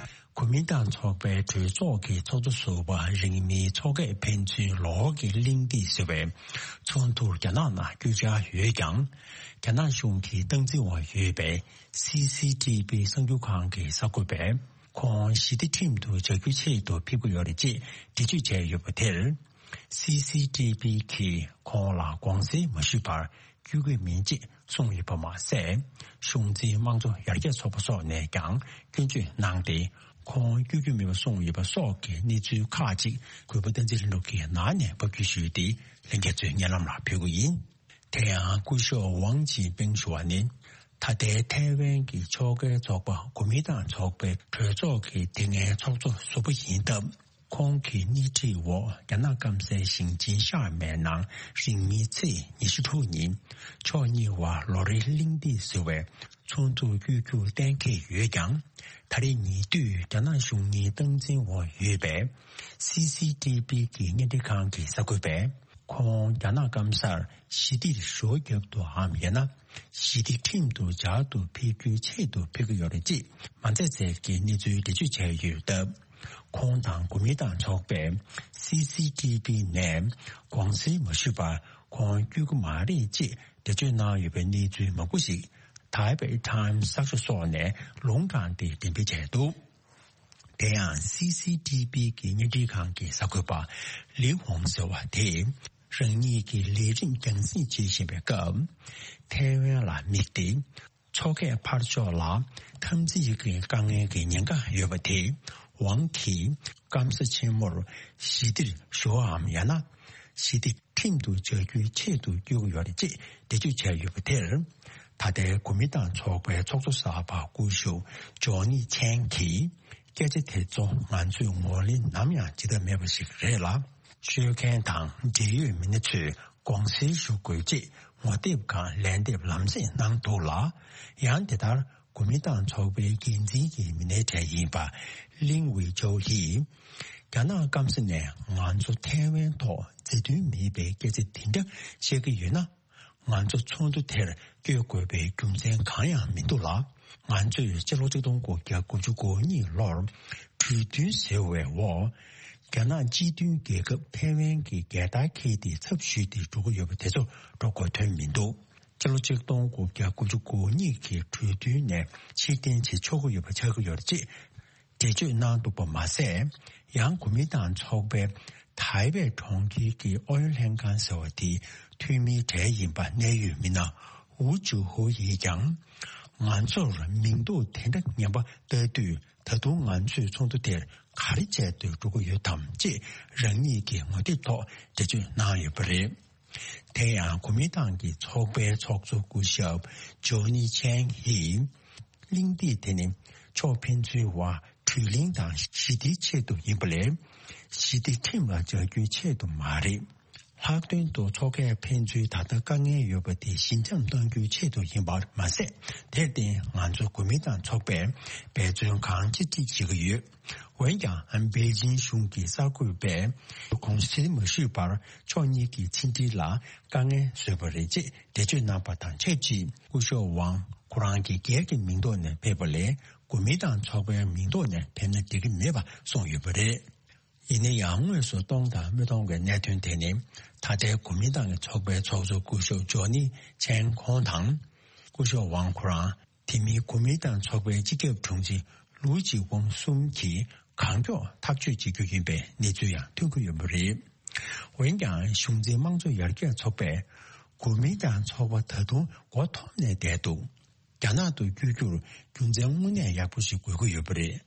གོ་མིན་ཏང་ཚོགས་པའི་གྲོས་ཚོགས་ཀྱི་ཚོགས་གཙོ་ཟུར་པ་རིང་མིན་ཚོགས་ཁག་ཕན་ཚུན་ལོགས་ཀྱི་གླེང་སྟེགས་ཟེར་བའི་ཚོགས་འདུར་རྒྱ་ནག་ནང་བསྐྱོད་འཆར་ཡོད་ཀྱང་། རྒྱ་ནག་གཞུང་གིས་སྟངས་འཛིན་འོག་ཡོད་པའི་སི་སི་ཊི་བི་གསར་འགྱུར་ཁང་གི་གསར་འགོད་པས། ཁོང་ཞི་བདེ་ཁྲིམས་དུ་འཇགས་རྒྱུའི་ཆེད་དུ་ཕེབས་ཀྱི་ཡོད་རེད་ཅེས་འགྲེལ་བརྗོད་བྱས་ཡོད་པ་དེར། སི་སི་ཊི་བི་གིས་ཁོང་ལ་དགོངས་སེལ་མ་ཞུས་པར་བསྐྱོད་ཀྱི་མིན་ཅེས་གསུངས་ཡོད་པ་མ་ཟད། གཞུང་འཛིན་དམངས་གཙོ་ཡར་རྒྱས་ཚོགས་པ་སོགས་ནས་ཀྱང་སྐྱོན་བརྗོད་གནང་སྟེ། ཁོང་བསྐྱོད་རྒྱུ་མིན་པ་གསུངས་ཡོད་པ་སོགས་ཀྱི་གནས་ཚུལ་ཁག་ཅིག་གུས་པ་བསྟན་འཛིན་ལྷུན་གྲུབ་ཀྱིས་ནང་ནས་ཕབ་སྒྱུར་ཞུས་ཏེ། ལྷན་རྒྱས་ཚོའི་སྙན་ལམ་ལ་ཕུལ་གྱི་ཡིན། དེ་ཡང་སྐུ་ཞབས་ཝང་ཅིན་ཕིང་ཞུ་བ་ནི། ད་ལྟའི་ཐའེ་ཝན་གྱི་ཕྱོགས་འགལ་ཚོགས་པ་གོ་མིན་ཏང་ཚོགས་པའི་གྲོས་ཚོགས་ཀྱི་དེ་སྔའི་ཚོགས་གཙོ་ཟུར་པ་ཡིན་སྟབས། ཁོང་གི་སྣེ་ཁྲིད་འོག་རྒྱ་ནག་སྐམ་སའི་ཞིང་ཆེན་ཤར་མའི་ནང་རིང་མིན་ཚེས་ཉི་ཤུ་དྲུག་ཉིན་ཕྱོགས་གཉིས་བར་ལོ་རེའི་གླེང་སྟེགས་ཟེར་བའི་ཚོགས་འདུར་བསྐྱོད་རྒྱུ་གཏན་འཁེལ་ཡོད་ཀྱང་། ད་རེས་ཉེ་དུས་རྒྱ་ནག་གཞུང་གཉིས་སྟངས་འཛིན་འོག་ཡོད་པའི་སི་སི་ཊི་བི་གི་བརྙན་འཕྲིན་ཁང་གི་གསར་འགོད་པས། ཁོང་རྒྱ་ནག་སྐམ་སར་ཞི་བདེར་ཞོ་བརྒྱབ་ཏུའམ་ཡང་ན་ཞི་བདེ་ཁྲིམས་དུ་འཇགས་ཏུ་ཕེབས་རྒྱུའི་ཆེད་དུ་ཕེབས་ཀྱི་ཡོད་རེད་ཅེས་མ་འཛེམས་ཟེར་གྱི་གནས་ཚུལ་འགྲེལ་བརྗོད་བྱས་ཡོད་སྟབས། ཁོང་དང་གོ་མིན་ཏང་ཚོགས་པས་སི་སི་ཊི་བི་ནས་དགོངས་སེལ་མ་ཞུས་པར་ཁོང་བསྐྱོད་ཀྱི་མ་རེད་ཅེས་འགྲེལ་བརྗོད་གནང་ཡོད་པའི་གནས་ཚུལ་མང་པོ་ཞིག་Taipei Times་གསར་ཤོག་སོགས་ནས་ལུང་དྲངས་ཏེ་འགྲེམས་སྤེལ་བྱས་འདུག། དེ་ཡང་སི་སི་ཊི་བི་གི་བརྙན་འཕྲིན་ཁང་གི་གསར་འགོད་པ་ལི་ཝང་ཟེར་བ་དེས། རང་ཉིད་ཀྱི་ལས་རིམ་རྒྱང་སྲིང་བྱེད་བཞིན་པའི་སྐབས། ཐའེ་ཝན་ལ་དམིགས་ཏེ། མཚོ་ཁའི་ཕར་ཕྱོགས་ལ་འཐབ་འཛིང་གི་དཀའ་ངལ་གྱི་ཉེན་ཁ་ཡོད་པ་དེ། ཝང་གིས་སྐམ་ས་ཆེན་མོར་ཞི་བདེར་ཞུ་བའམ་ཡང་ན། ཞི་བདེ་ཁྲིམས་དུ་འཇགས་རྒྱུའི་ཆེད་དུ་བསྐྱོད་ཀྱི་ཡོད་རེད་ཅེས་འགྲེལ་བརྗོད་བྱས་ཡོད་པ་དེར། ད་ལྟའི་གོ་མིན་ཏང་ཚོགས་པའི་ཚོགས་གཙོ་གསར་པ་སྐུ་ཞབས་ཇོ་ནི་ཆན་གྱིས། སྐད་ཆ་དེ་ཚོ་ང་ཚོས་ངོས་ལེན་ནམ་ཡང་བྱེད་ཐབས་མེད་པ་ཞིག་རེད་ལ། ཤོད་མཁན་དང་འབྲེལ་ཡོད་མི་སྣ་ཚོས་དགོངས་སེལ་ཞུ་དགོས་ཅེས་ངོ་དེབ་སྒང་ལན་འདེབས་ལམ་སེང་གནང་འདུག་ལ། ཡང་དེ་ལྟར། གོ་མིན་ཏང་ཚོགས་པའི་འགན་འཛིན་གྱི་མི་སྣའི་གྲས་ཡིན་པ་ལིང་ཝེ་ཅོའུ་ཡིས། རྒྱ་ནག་སྐམ་ས་ནས་ང་ཚོ་ཐའེ་ཝན་ཐོག་མཛའ་མཐུན་མེད་པའི་སྐད་ཆ་དེ་འདྲ་བཤད་ཀྱི་ཡོད་ན། ང་ཚོ་ཚོགས་འདུ་དེར་བསྐྱོད་དགོས་པའི་རྒྱུ་མཚན་གང་ཡང་མི་འདུག་ལ། ང་ཚོས་ཕྱི་ལོ་ཆིག་སྟོང་དགུ་བརྒྱ་དགུ་བཅུ་གོ་གཉིས་ལོར་གྲོས་མཐུན་ཟེར་བའི་འོག་རྒྱ་ནག་སྤྱི་མཐུན་རྒྱལ་ཁབ་ཐའེ་ཝན་གྱི་རྒྱལ་དར་འཁྱེར་ཏེ་ཚབ་ཞུས་ཏེ་འགྲོ་གི་ཡོད་པ་དེ་ཚོ་འགྲོ་དགོས་དོན་མི་འདུག། སྤྱི་ལོ་ཆིག་སྟོང་དགུ་བརྒྱ་དགུ་བཅུ་གོ་གཉིས་ཀྱི་གྲོས་མཐུན་ནས་ཕྱིར་འཐེན་བྱེད་ཆོག་གི་ཡོད་པ་ཆགས་ཀྱི་ཡོད་རེད་ཅེས་འགྲེལ་བརྗོད་གནང་འདུག་པ་མ་ཟད། ཡང་གོ་མིན་ཏང་ཚོགས་པའི་ཐའེ་པེ་གྲོང་ཁྱེར་གྱི་ཨུ་ཡོན་ལྷན་ཁང་ཟེར་བ་དེའི་འཐུས་མིའི་གྲས་ཡིན་པ་གནད་ཡོད་མི་སྣ་ཝུ་ཅུ་ཧུ་ཡིས་ཀྱང་། ང་ཚོར་མིང་འདོགས་དེ་འདྲ་ངན་པ་ལྟ་དུས། ད་དུང་ང་ཚོས་ཚོགས་འདུ་དེར་ག་རེ་བྱས་ཏེ་འགྲོ་གི་ཡོད་དམ་ཅེས་རང་ཉིད་ཀྱི་ངོ་དེབ་ཐོག་འགྲེལ་བརྗོད་གནང་ཡོད་པ་རེད། དེ་ཡང་གོ་མིན་ཏང་གི་ཚོགས་པའི་ཚོགས་གཙོ་སྐུ་ཞབས་ཇོ་ནི་ཆན་ཡིས། གླེང་སྟེགས་དེ་ནི་ཕྱོགས་ཕན་ཚུན་བར་གྲོས་གླེང་དང་ཞི་བདེའི་ཆེད་དུ་ཡིན་པ་ལས། ཞི་བདེ་ཁྲིམས་ལ་འཇགས་རྒྱུའི་ཆེད་དུ་མ་རེད། ལྷག་དོན་དུ་མཚོ་ཁའི་ཕན་ཚུན་ད་ལྟ་དཀའ་ངལ་ཡོད་པ་དེ་ཞི་འཇམ་གཏོང་རྒྱུའི་ཆེད་དུ་ཡིན་པར་མ་ཟད། དེར་བརྟེན་ང་ཚོ་གོ་མིན་ཏང་ཚོགས་པས་འབད་བརྩོན་གང་ཅི་ཅིག་བྱེད་ཀྱི་ཡོད། འོན་ཀྱང་པེ་ཅིང་གཞུང་གི་གསར་འགོད་པས་དགོངས་སེལ་མ་ཞུས་པར་ཕྱོགས་གཉིས་ཀྱི་ཕྱི་འབྲེལ་ལ་དཀའ་ངལ་བཟོས་པ་རེད་ཅེས་འགྲེལ་བརྗོད་གནང་པ་དང་ཆབས་ཅིག་སྐུ་ཞབས་ཝང་ཁོ་རང་གི་སྒེར་གྱི་མིང་ཐོག་ནས་ཕེབས་པ་ལས་གོ་མིན་ཏང་ཚོགས་པའི་མིང་ཐོག་ནས་ཕེབས་ན་འགྲིག་གི་མེད་པ་གསུངས་ཡོད་པ་རེད། ཡིན་ན་ཡང་དངོས་སུ་གཏོང་དང་མི་གཏོང་གི་གནད་དོན་དེ་ནི་ད་ལྟའི་གོ་མིན་ཏང་གི་ཚོགས་པའི་ཚོགས་གཙོ་སྐུ་ཞབས་ཇོ་ནི་ཆན་ཁོང་དང་། སྐུ་ཞབས་ཝང་ཁོ་རང་ དེ་མིན་གོ་མིན་ཏང་ཚོགས་པའི་སྤྱི་ཁྱབ་དྲུང་ཆེ་ལུའུ་ཅི་ཝང་གསུམ་གྱིས་གང་མགྱོགས་ཐག་གཅོད་བྱེད་རྒྱུ་ཡིན་པའི་གནས་ཚུལ་ཡང་ཐོན་གྱི་ཡོད་པ་རེད། འོན་ཀྱང་གཞུང་འཛིན་དམངས་གཙོ་ཡར་རྒྱས་ཚོགས་པས་གོ་མིན་ཏང་ཚོགས་པ་ད་དུང་མགོ་འཐོམས་ནས་བསྡད་འདུག་རྒྱ་ནག་ཏུ་བསྐྱོད་རྒྱུར་རྒྱུ་མཚན་དངོས་གནས་ཡག་པོ་ཞིག་དགོས་ཀྱི་ཡོད་པ་རེད།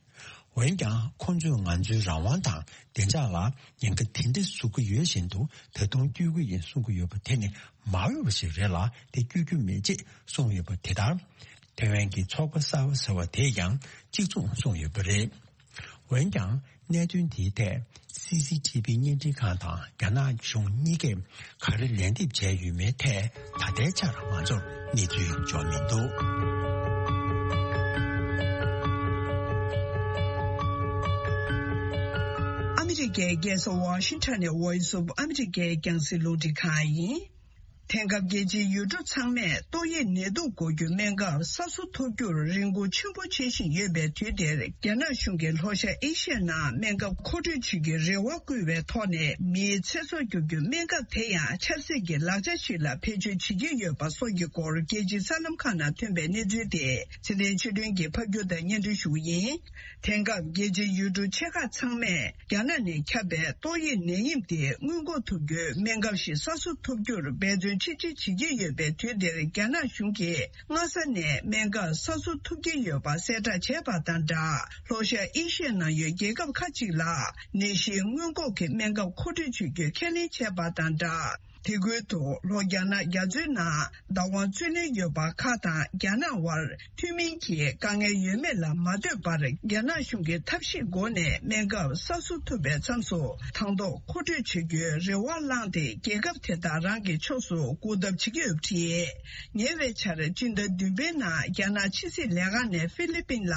འོན་ཀྱང་ཁོང་ཚོས་ང་ཚོའི་རང་དབང་དང་བདེ་འཇགས་ལ་ཉེན་ཁ་དེ་འདྲ་བཟོ་གི་ཡོད་བཞིན་དུ་ད་དུང་བསྐྱོད་ཀྱི་ཡིན་གསུང་གི་ཡོད་པ་དེ་ནི་མ་འོས་པ་ཞིག་རེད་ལ། དེ་བསྐྱོད་རྒྱུ་མེད་ཅེས་གསུངས་ཡོད་པ་དེ་ལྟར། ཐེ་ཝན་གྱི་ཚོགས་པ་གསར་པ་ཟེར་བ་དེས་ཀྱང་གཅིག་མཚུངས་གསུངས་ཡོད་པ་རེད། འོན་ཀྱང་གནད་དོན་དེའི་ཐད་སི་སི་ཐི་བི་བརྙན་འཕྲིན་ཁང་དང་རྒྱ་ནག་གཞུང་གཉིས་ཀས་ག་རེ་ལན་འདེབས་བྱས་ཡོད་མེད་ཐད་ད་ལྟའི་ཆར་ང་ཚོར་གནས་ཚུལ་འབྱོར་མི་འདུག་ཨ་མི་རི་ཀའི་རྒྱལ་ས་ཝ་ཤིང་ཊོན་ནས་Voice of America རྒྱང་སྲིང་རླུང་འཕྲིན་ཁང་ཡིན། དེང་སྐབས་རྒྱལ་སྤྱིའི་ཡུལ་གྲུ་ཚང་མས་ཏོག་དབྱིབས་ནད་དུག་འགོག་རྒྱུའི་སྨན་ཁབ་གསར་བཟོ་ཐུབ་རྒྱུར་རེ་སྒུག་ཆེན་པོ་བྱེད་བཞིན་ཡོད་པའི་དུས་འདིར། རྒྱ་ནག་གཞུང་གིས་ལྷོ་ཤར་ཨེ་ཤི་ཡའི་ནང་སྨན་ཁབ་མཁོ་སྤྲོད་བྱེད་རྒྱུའི་རེ་བ་བསྐུལ་བའི་ཐོག་ནས། མིའི་ཚེ་སྲོག་སྐྱོབ་རྒྱུའི་སྨན་ཁབ་དེ་ཡང་ཆབ་སྲིད་ཀྱི་ལག་ཆ་ཞིག་ལ་བེད་སྤྱོད་བྱེད་ཀྱི་ཡོད་པ་སོགས་ཀྱི་སྐོར། རྒྱལ་སྤྱིའི་གསར་ལམ་ཁག་ནང་ཐོན་པའི་གནས་ཚུལ་དེ་ཚེ་བརྟན་ཆོས་སྒྲོན་གྱིས་ཕབ་སྒྱུར་དང་སྙན་སྒྲོན་ཞུ་གི་ཡིན། དེང་སྐབས་རྒྱལ་སྤྱིའི་ཡུལ་གྲུ་ཆེ་ཁག་ཚང་མས་རྒྱ་ནག་ནས་ཁྱབ་པའི་ཏོག་དབྱིབས་ནད་ཡམས་དེ་སྔོན་འགོག་ཐུབ་རྒྱུའི་སྨན་ཁབ་ཞིག་གསར་བཟོ་ཐུབ་རྒྱུར་འབད་བརྩོན་ཆེ་བསྐྱེད་བྱེད་ཀྱི་ཡོད་པའི་དུས་འདིར། རྒྱ་ནག་གཞུང་གིས་སྔ་ས་ནས་སྨན་ཁབ་གསར་བཟོ་ཐུབ་ཀྱི་ཡོད་པ་གསལ་བསྒྲགས་བྱས་པ་དང་སྦྲགས། ལྷོ་ཤར་ཨེ་ཤི་ཡའི་ནང་ཡོད་རྒྱལ་ཁབ་ཁག་ཅིག་ལ་ནད་གཞིའི་སྔོན་འགོག་གི་སྨན་ཁབ་མཁོ་སྤྲོད་བྱེད་རྒྱུའི་ཁས་ལེན་བྱས་པ་དང་སྦྲགས། དེ་ཁུལ་དུ་ལྷོ་རྒྱ་ནག་རྒྱ་མཚོའི་ནང་བདག་དབང་རྩོད་ལེན་ཡོད་པ་ཁག་དང་རྒྱ་ནག་དབར་མཐུན་མིན་གྱི་དཀའ་ངལ་ཡོད་མེད་ལ་མ་ལྟོས་པར། རྒྱ་ནག་གཞུང་གིས་ཐབས་ཤེས་སྒོ་ནས་སྨན་ཁབ་གསར་བཟོ་ཐུབ་པའི་མཚམས་སུ་དང་ཐོག་མཁོ་སྤྲོད་བྱེད་རྒྱུའི་རེ་བ་བསླངས་ཏེ། རྒྱལ་ཁབ་དེ་དག་རང་གི་ཕྱོགས་སུ་སྒུག་ཐབས་བྱེད་ཀྱི་ཡོད་པ་རེད། ཉེ་བའི་ཆར་སྤྱི་ཟླ་བདུན་པའི་ནང་རྒྱ་ནག་ཕྱི་སྲིད་ལས་ཁང་ནས་ཧྥི་ལི་པིན་ལ་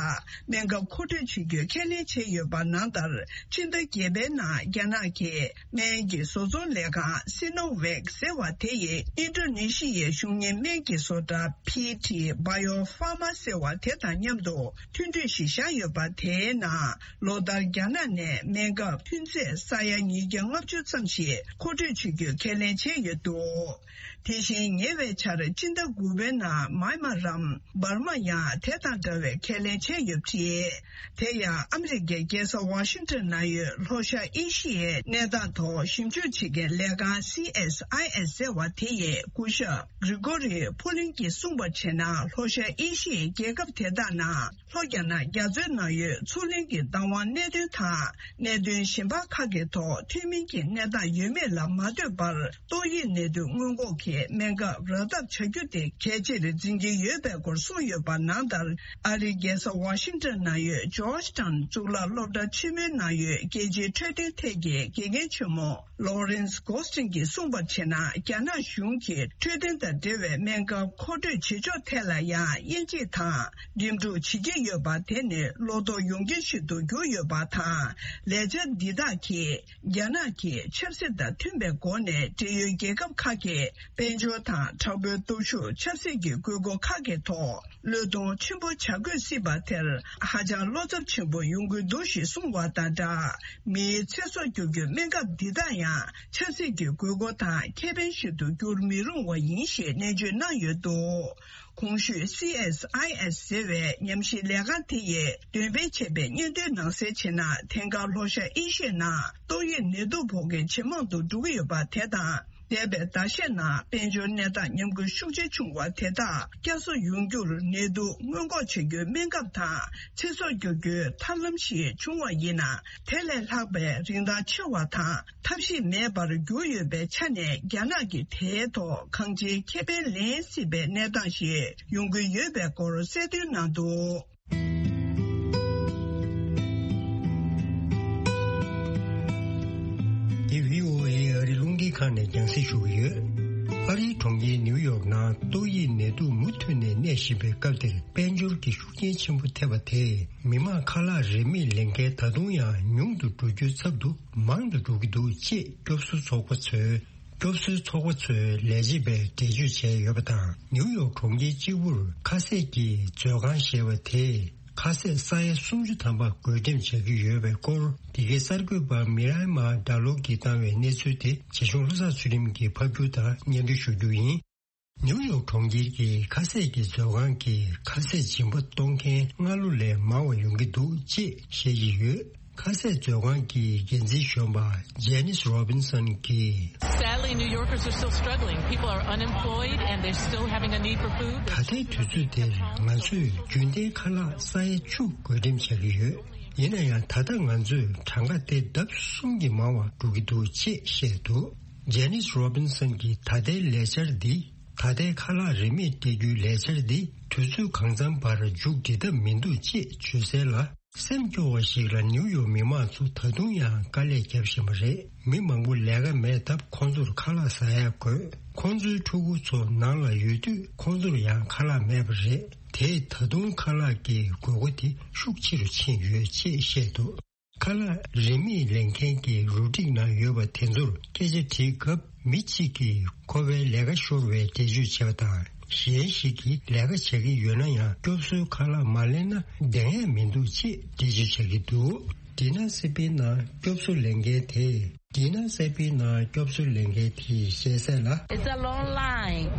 སྨན་ཁབ་མཁོ་སྤྲོད་བྱེད་རྒྱུའི་ཁས་ལེན་བྱས་ཡོད་པ་ནང་ལྟར། སྤྱི་ཟླ་བརྒྱད་པའི་ནང་རྒྱ་ནག་གིས་སྨན་གྱི་བཟོ་ཚོང་ལས་ཁང་སི་ནོ་ཝེག་ཟེར་བ་དེ་ཡིས་ཨིན་ཌོ་ནེ་ཤི་ཡའི་གཞུང་གཉེར་སྨན་གྱི་བཟོ་གྲྭ་ཕི་ཊི་བྷ་ཡོ་ཧྥ་མ་ཟེར་བ་དེ་དང་མཉམ་དུ་མཐུན་གྲོས་ཤིག་བཞག་ཡོད་པ། དེའི་ནང་ལོ་ལྟར་རྒྱ་ནག་ནས་སྨན་ཁབ་ཐོན་རྫས་ས་ཡ་ཉིས་བརྒྱ་ལྔ་བཅུ་ཙམ་ཞིག་མཁོ་སྤྲོད་བྱེད་རྒྱུའི་ཁས་ལེན་བྱས་ཡོད་འདུག་དེ་བཞིན་ཉེ་བའི་ཆར་སྤྱི་ཟླ་དགུ་པའི་ནང་མཱི་མ་རམ། འབར་མ་ཡང་དེ་དང་འདྲ་བའི་ཁས་ལེན་བྱས་ཡོད་པ་རེད། དེ་ཡང་ཨ་མི་རི་ཀའི་རྒྱལ་ས་ཝ་ཤིང་ཊོན་ནང་ཡོད་ལྷོ་ཤར་ཨེ་ཤི་ཡའི་གནས་སྟངས་ཐོག་ཞིབ་འཇུག་བྱེད་མཁན་ལས་ཁང་སི་ཨེས་ཨའི་ཨེས་ཟེར་བ་དེ་ཡི་སྐུ་ཞབས་གྷི་རི་གོ་རི་ཕུ་ལིན་གྱིས་གསུངས་པར་བྱས་ན། ལྷོ་ཤར་ཨེ་ཤི་ཡའི་རྒྱལ་ཁབ་དེ་དག་ནང་ལྷོ་རྒྱ་ནག་རྒྱ་མཚོའི་ནང་ཡོད་མཚོ་གླིང་གི་བདག་དབང་གནད་དོན་དང་། གནད་དོན་གཞན་པ་ཁག་གི་ཐོག་མཐུན་མིན་གྱི་གནས་སྟངས་ཡོད་མེད་ལ་མ་ལྟོས་པར། ཏོག་དབྱིབས་ནད་དུག་སྔོན་འགོག་གི་སྨན་ཁབ་རག་ཐབས་བྱ་རྒྱུ་དེ་གལ་ཆེར་འཛིན་གྱི་ཡོད་པའི་སྐོར་གསུངས་ཡོད་པ་ནང་ལྟར། ཨ་རིའི་རྒྱལ་ས་ཝ་ཤིང་ཊོན་ནང་ཡོད་ཇོརྗ་ཊའོན་གཙུག་ལག་སློབ་གྲྭ་ཆེན་མོའི་ནང་ཡོད་རྒྱལ་སྤྱིའི་འཕྲོད་བསྟེན་ཐད་ཀྱི་དགེ་རྒན་ཆེན་མོ་ལོ་རེན་སི་གོ་སི་ཊིན་གྱིས་གསུངས་པར་བྱས་ན། རྒྱ་ནག་གཞུང་གིས་འཕྲོད་བསྟེན་དང་འབྲེལ་བའི་སྨན་ཁབ་མཁོ་སྤྲོད་བྱེད་ཕྱོགས་ཐད་ལ་ཡང་དབྱེ་འབྱེད་དང་འགྲིམ་འགྲུལ་བྱེད་ཀྱི་ཡོད་པ། དེ་ནི་བློ་དོགས་ཡོང་རྐྱེན་ཞིག་ཏུ་གྱུར་ཡོད་པ་དང་། ལས་འཆར་འདི་དག་གིས་རྒྱ་ནག་གིས་ཆབ་སྲིད་དང་མཐུན་པའི་སྒོ་ནས་འབྲེལ་ཡོད་རྒྱལ་ཁབ་ཁག་གི་དཔལ་འབྱོར་དང་། དྲག་པོའི་སྟོབས་ཤུགས། ཆབ་སྲིད་ཀྱི་དགོས་མཁོ་ཁག་གི་ཐོག་བློས་གཏོང་ཆེན་པོ་བྱ་དགོས་སྲིད་པ་དེར་ཧ་ཅང་བློ་འཚབ་ཆེན་པོ་ཡོང་གི་འདུག་ཞེས་གསུངས་པ་དང་སྦྲགས། མིའི་ཚེ་སྲོག་སྐྱོབ་རྒྱུའི་སྨན་ཁབ་འདི་དག་ཡང་ཆབ་སྲིད་ཀྱི་དགོས་མཁོ་དང་ཁེ་ཕན་ཞིག་ཏུ་འགྱུར་མི་རུང་བ་ཡིན་ཞེས་ནན་བརྗོད་གནང་ཡོད་འདུག་གོང་ཞུས་སི་ཨེས་ཨའི་ཨེས་ཟེར་བའི་ཉམས་ཞིབ་ལས་ཁང་དེ་ཡིས་འདོན་སྤེལ་བྱས་པའི་སྙན་ཐོའི་ནང་གསལ་བྱས་ན། དེང་སྐབས་ལྷོ་ཤར་ཨེ་ཤི་ཡའི་ནང་ཏོག་དབྱིབས་ནད་དུག་ཕོག་མཁན་ཇེ་མང་དུ་འགྲོ་གི་ཡོད་པ་དེ་དང་། འདས་པའི་ཟླ་ཤས་ནང་དཔལ་འབྱོར་གནས་སྟངས་ཉམས་རྒུད་ཤུགས་ཆེ་བྱུང་བ་དེ་དག་བསྐྱར་གསོ་ཡོང་རྒྱུར་ནད་དུག་སྔོན་འགོག་བྱ་རྒྱུའི་སྨན་ཁབ་དང་ཚེ་སྲོག་སྐྱོབ་རྒྱུའི་ཐབས་ལམ་ཞིག་བྱུང་བ་ཡིན་ན། དེ་ལས་ལྷག་པའི་རིན་ཐང་ཆེ་བ་དང་ཐབས་ཤེས་མེད་པར་གྱུར་ཡོད་པའི་ཆ་ནས། རྒྱ་ནག་གིས་དེའི་ཐོག་གང་ཅིའི་ཁེ་ཕན་ལེན་སྲིད་པའི་གནས་སྟངས་ཤིག་ཡོང་གི་ཡོད་པའི་སྐོར་གསལ་སྟོན་གནང་འདུག་འདི་བྷི་ཨོ་ཨེ་ཨ་རི་རླུང་འཕྲིན་ཁང་ནས་རྒྱང་སྲིང་ཞུ་གི་ཡོད། ཨ་རིའི་གྲོང་ཁྱེར་ནིའུ་ཡོག་ནང་ཏོག་དབྱིབས་ནད་དུག་མུ་མཐུད་ནས་གནས་བཞིན་པའི་སྐབས་འདིར། དཔལ་འབྱོར་གྱི་ཤུགས་རྐྱེན་ཆེན་པོ་ཐེབས་པ་དེས། མི་དམངས་ཁ་ལག་རིན་མེད་ལེན་མཁན་ད་དུང་ཡང་ཉུང་དུ་འགྲོ་རྒྱུའི་ཚབ་ཏུ་མང་དུ་འགྲོ་གི་འདུག་ཅེས་སྐྱོབ་གསོའི་ཚོགས་པ་ཚོས། སྐྱོབ་གསོའི་ཚོགས་པ་ཚོའི་ལས་བྱེད་པས་འགྲེལ་བརྗོད་བྱས་ཡོད་པ་དང་། ནིའུ་ཡོག་གྲོང་ཁྱེར་གཅིག་པུར་ཁ་ཟས་ཀྱི་མཛོད་ཁང་ཞེས་པ་དེས་ཁ་ཟས་ས་ཡ་སུམ་ཅུ་ཐམ་པ་བགོ་འགྲེམས་བྱ་རྒྱུ་ཡོད་པའི་སྐོར། འདི་གའི་གསར་འགོད་པ་མི་རའི་མ་ཌ་ལོ་གིས་བཏང་བའི་གནས་ཚུལ་དེ། རྗེ་གཞུང་བློ་བཟང་ཚུལ་ཁྲིམས་ཀྱིས་ཕབ་སྒྱུར་དང་སྙན་སྒྲོན་ཞུ་རྒྱུ་ཡིན། ནིའུ་ཡོག་གྲོང་ཁྱེར་གྱི་ཁ་ཟས་ཀྱི་མཛོད་ཁང་གིས་ཁ་ཟས་སྦྱིན་པ་གཏོང་མཁན་སྔ་ལོ་ལས་མང་བ་ཡོང་གི་འདུག་ཅེས་བཤད་ཀྱི་ཡོད། ཁ་ཟས་མཛོད་ཁང་གི་འགན་འཛིན་གཞོན་པ་Janice Robinson་གྱིས། Sadly, New Yorkers are still struggling. People are unemployed and they're still having a need for food. ད་ལྟའི་དུས་ཚོད་འདིར་ང་ཚོས་རྒྱུན་ལྡན་ཁ་ལག་ས་ཡ་བཅུ་བགོ་འགྲེམས་བྱ་གི་ཡོད། ཡིན་ན་ཡང་ད་ལྟ་ང་ཚོས་གྲངས་ཀ་དེ་ལྡབ་གསུམ་གྱིས་མང་བ་འགྲོ་གི་འདུག་ཅེས་བཤད་འདུག Janice Robinson་གྱི་ད་ལྟའི་ལས་འཆར་འདི། ད་ལྟའི་ཁ་ལག་རིན་མེད་སྤྲད་རྒྱུའི་ལས་འཆར་འདི་དུས་ཚོད་གང་འཚམ་བར་མཇུག་སྒྲིལ་ཐབས་མི་འདུག་ཅེས་བརྗོད་གསལ་ལ། སེམས་སྐྱོ་བ་ཞིག་ལ་ནིའུ་ཡོག་མི་མང་ཚོ་ད་དུང་ཡང་དཀའ་ལས་བརྒྱབ་བཞིན་པ་རེད། མི་མང་པོ་ལས་ཀ་མེད་སྟབས་ཁོང་ཚོར་ཁ་ལག་ཟ་ཡ་དགོས། ཁོང་ཚོའི་ཕྲུ་གུ་ཚོ་ནང་ལ་ཡོད་དུས་ཁོང་ཚོར་ཡང་ཁ་ལག་མེད་པ་རེད། དེས་ད་དུང་ཁ་ལག་གི་དགོས་མཁོ་དེ་ཤུགས་ཆེ་རུ་ཕྱིན་ཡོད་ཅེས་བཤད་འདུག་ཁ་ལག་རིན་མེད་ལེན་མཁན་གྱི་རུ་སྒྲིག་ནང་ཡོད་པ་དེ་ཚོར་སྐད་ཆ་དྲིས་སྐབས། མི་གཅིག་གིས་ཁོ་པའི་ལས་ཀ་ཤོར་བའི་འགྲེལ་བརྗོད་བྱས་པ་དང་། གཞན་ཞིག་གིས་ལས་ཀ་བྱ་གི་ཡོད་ན་ཡང་སྐྱོབ་གསོའི་ཁ་ལག་མ་ལེན་ན་བསྡད་ཡས་མི་འདུག་ཅེས་འགྲེལ་བརྗོད་བྱ་གི་འདུག་ཌི་ན་སི་པི་ནང་སྐྱོབ་གསོ་ལེན་མཁན་དེས། ཌི་ན་སི་པི་ནང་སྐྱོབ་གསོ་ལེན་མཁན་དེས་བཤད་གསལ་ལ། It's a long line,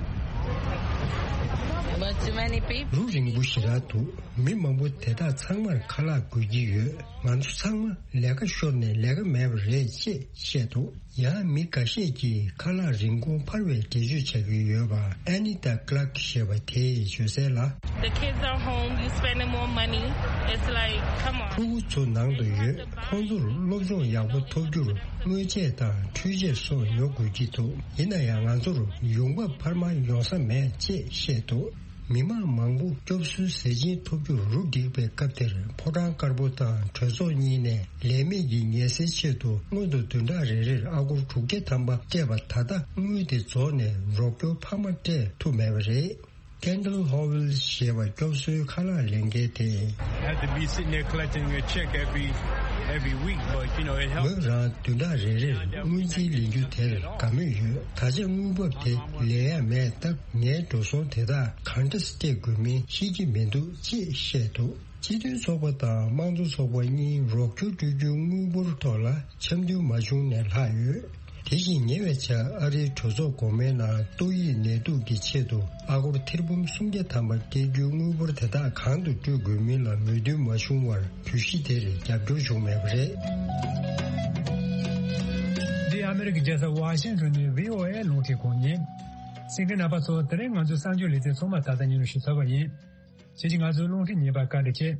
but too many people. རུ་རིང་པོ་ཞེ་དྲག་འདུག་མི་མང་པོ་དེ་དག་ཚང་མར་ཁ་ལག་དགོས་ཀྱི་ཡོད། ང་ཚོ་ཚང་མ་ལས་ཀ་ཤོར་ནས་ལས་ཀ་མེད་པ་རེད་ཅེས་བཤད་འདུག་ཡང་མི་འགའ་ཤས་ཀྱིས་ཁ་ལག་རིན་གོང་འཕར་བའི་འགྲེལ་བརྗོད་བྱ་གི་ཡོད་པ། Anita Clark་ཞེས་པ་དེས་བརྗོད་གསལ་ལ། The kids are home, you spending more money. It's like, come on. ཕྲུ་གུ་ཚོ་ནང་དུ་ཡོད། ཁོང་ཚོར་སློབ་སྦྱོང་ཡག་པོ་ཐོབ་རྒྱུར་དངོས་ཆས་དང་འཕྲུལ་ཆས་སོགས་ཉོ་དགོས་ཀྱི་འདུག་ཡིན་ན་ཡང་ང་ཚོར་ཡོང་འབབ་འཕར་མ་ཡོང་ས་མེད་ཅེས་བཤད་འདུག་མི་མང་མང་པོ་སྐྱོབ་གསོའི་ཟས་སྦྱིན་ཐོབ་རྒྱུར་རུ་སྒྲིག་པའི་སྐབས་དེར། ཕོ་བྲང་དཀར་པོ་དང་གྲོས་ཚོགས་གཉིས་ནས་ལས་མེད་ཀྱི་ངལ་སེལ་ཆེད་དུ་སྔོན་དུ་བདུན་ཕྲག་རེ་རེར་ཨ་སྒོར་དྲུག་བརྒྱ་ཐམ་པ་སྤྲད་པ། ད་ལྟ་དངུལ་དེ་རྫོགས་ནས་རོགས་སྐྱོར་འཕར་མ་སྤྲད་ཐུབ་མེད་པ་རེད། Kendall Howell་ཞེས་པ་སྐྱོབ་གསོའི་ཁ་ལག་ལེན་མཁན་དེས། I have to be sitting there collecting a check every every week, but you know, it helps. ངོས་རང་བདུན་ཕྲག་རེ་རེར་དངུལ་རྩིས་ལེན་རྒྱུ་དེར་དགའ་མོས་ཡོད། ད་ཆ་དངུལ་འབབ་དེ་ལེན་ཡ་མེད་སྟབས། ངའི་འགྲོ་སོང་དེ་དག་གང་འདྲ་སྤྲད་དགོས་མིན་ཤེས་ཀྱི་མི་འདུག་ཅེས་བཤད་འདུག་སྤྱི་མཐུན་ཚོགས་པ་དང་དམངས་གཙོ་ཚོགས་པ་གཉིས་རོགས་སྐྱོར་སྤྲོད་རྒྱུའི་དངུལ་འབོར་ཐོག་ལ་འཆམ་མཐུན་མ་བྱུང་ནས་ལྷག་ཡོད། དེ་བཞིན་ཉེ་བའི་ཆར་ཨ་རིའི་གྲོས་ཚོགས་འགོ་མའི་ནང་ཏོག་དབྱིབས་ནད་དུག་གི་ཆེད་དུ་ཨ་སྒོར་ཐེར་འབུམ་སུམ་བརྒྱ་ཐམ་པ་སྤྲད་རྒྱུའི་དངུལ་འབོར་དེ་དག་གང་དུ་སྤྲོད་དགོས་མིན་ལ་མོས་མཐུན་མ་བྱུང་བར། གྱོད་གཞི་དེར་རྒྱབ་སྐྱོར་བྱུང་མེད་པ་རེད། འདི་ཨ་མི་རི་ཀའི་རྒྱལ་ས་ཝ་ཤིང་ཊོན་ནས་བྷི་ཨོ་ཨེ་རླུང་འཕྲིན་ཁང་ཡིན། གསན་མཁན་རྣམ་པ་ཚོ། དེ་རིང་ང་ཚོའི་གསར་འགྱུར་ལེ་ཚན་ཚང་མ་ད་ལྟ་ཉན་རུ་ཞུ་ཚར་བ་ཡིན། ཁྱེད་ཀྱིས་ང་ཚོའི་རླུང་འཕྲིན་ཉན་པར་བཀའ་དྲིན་ཆེ།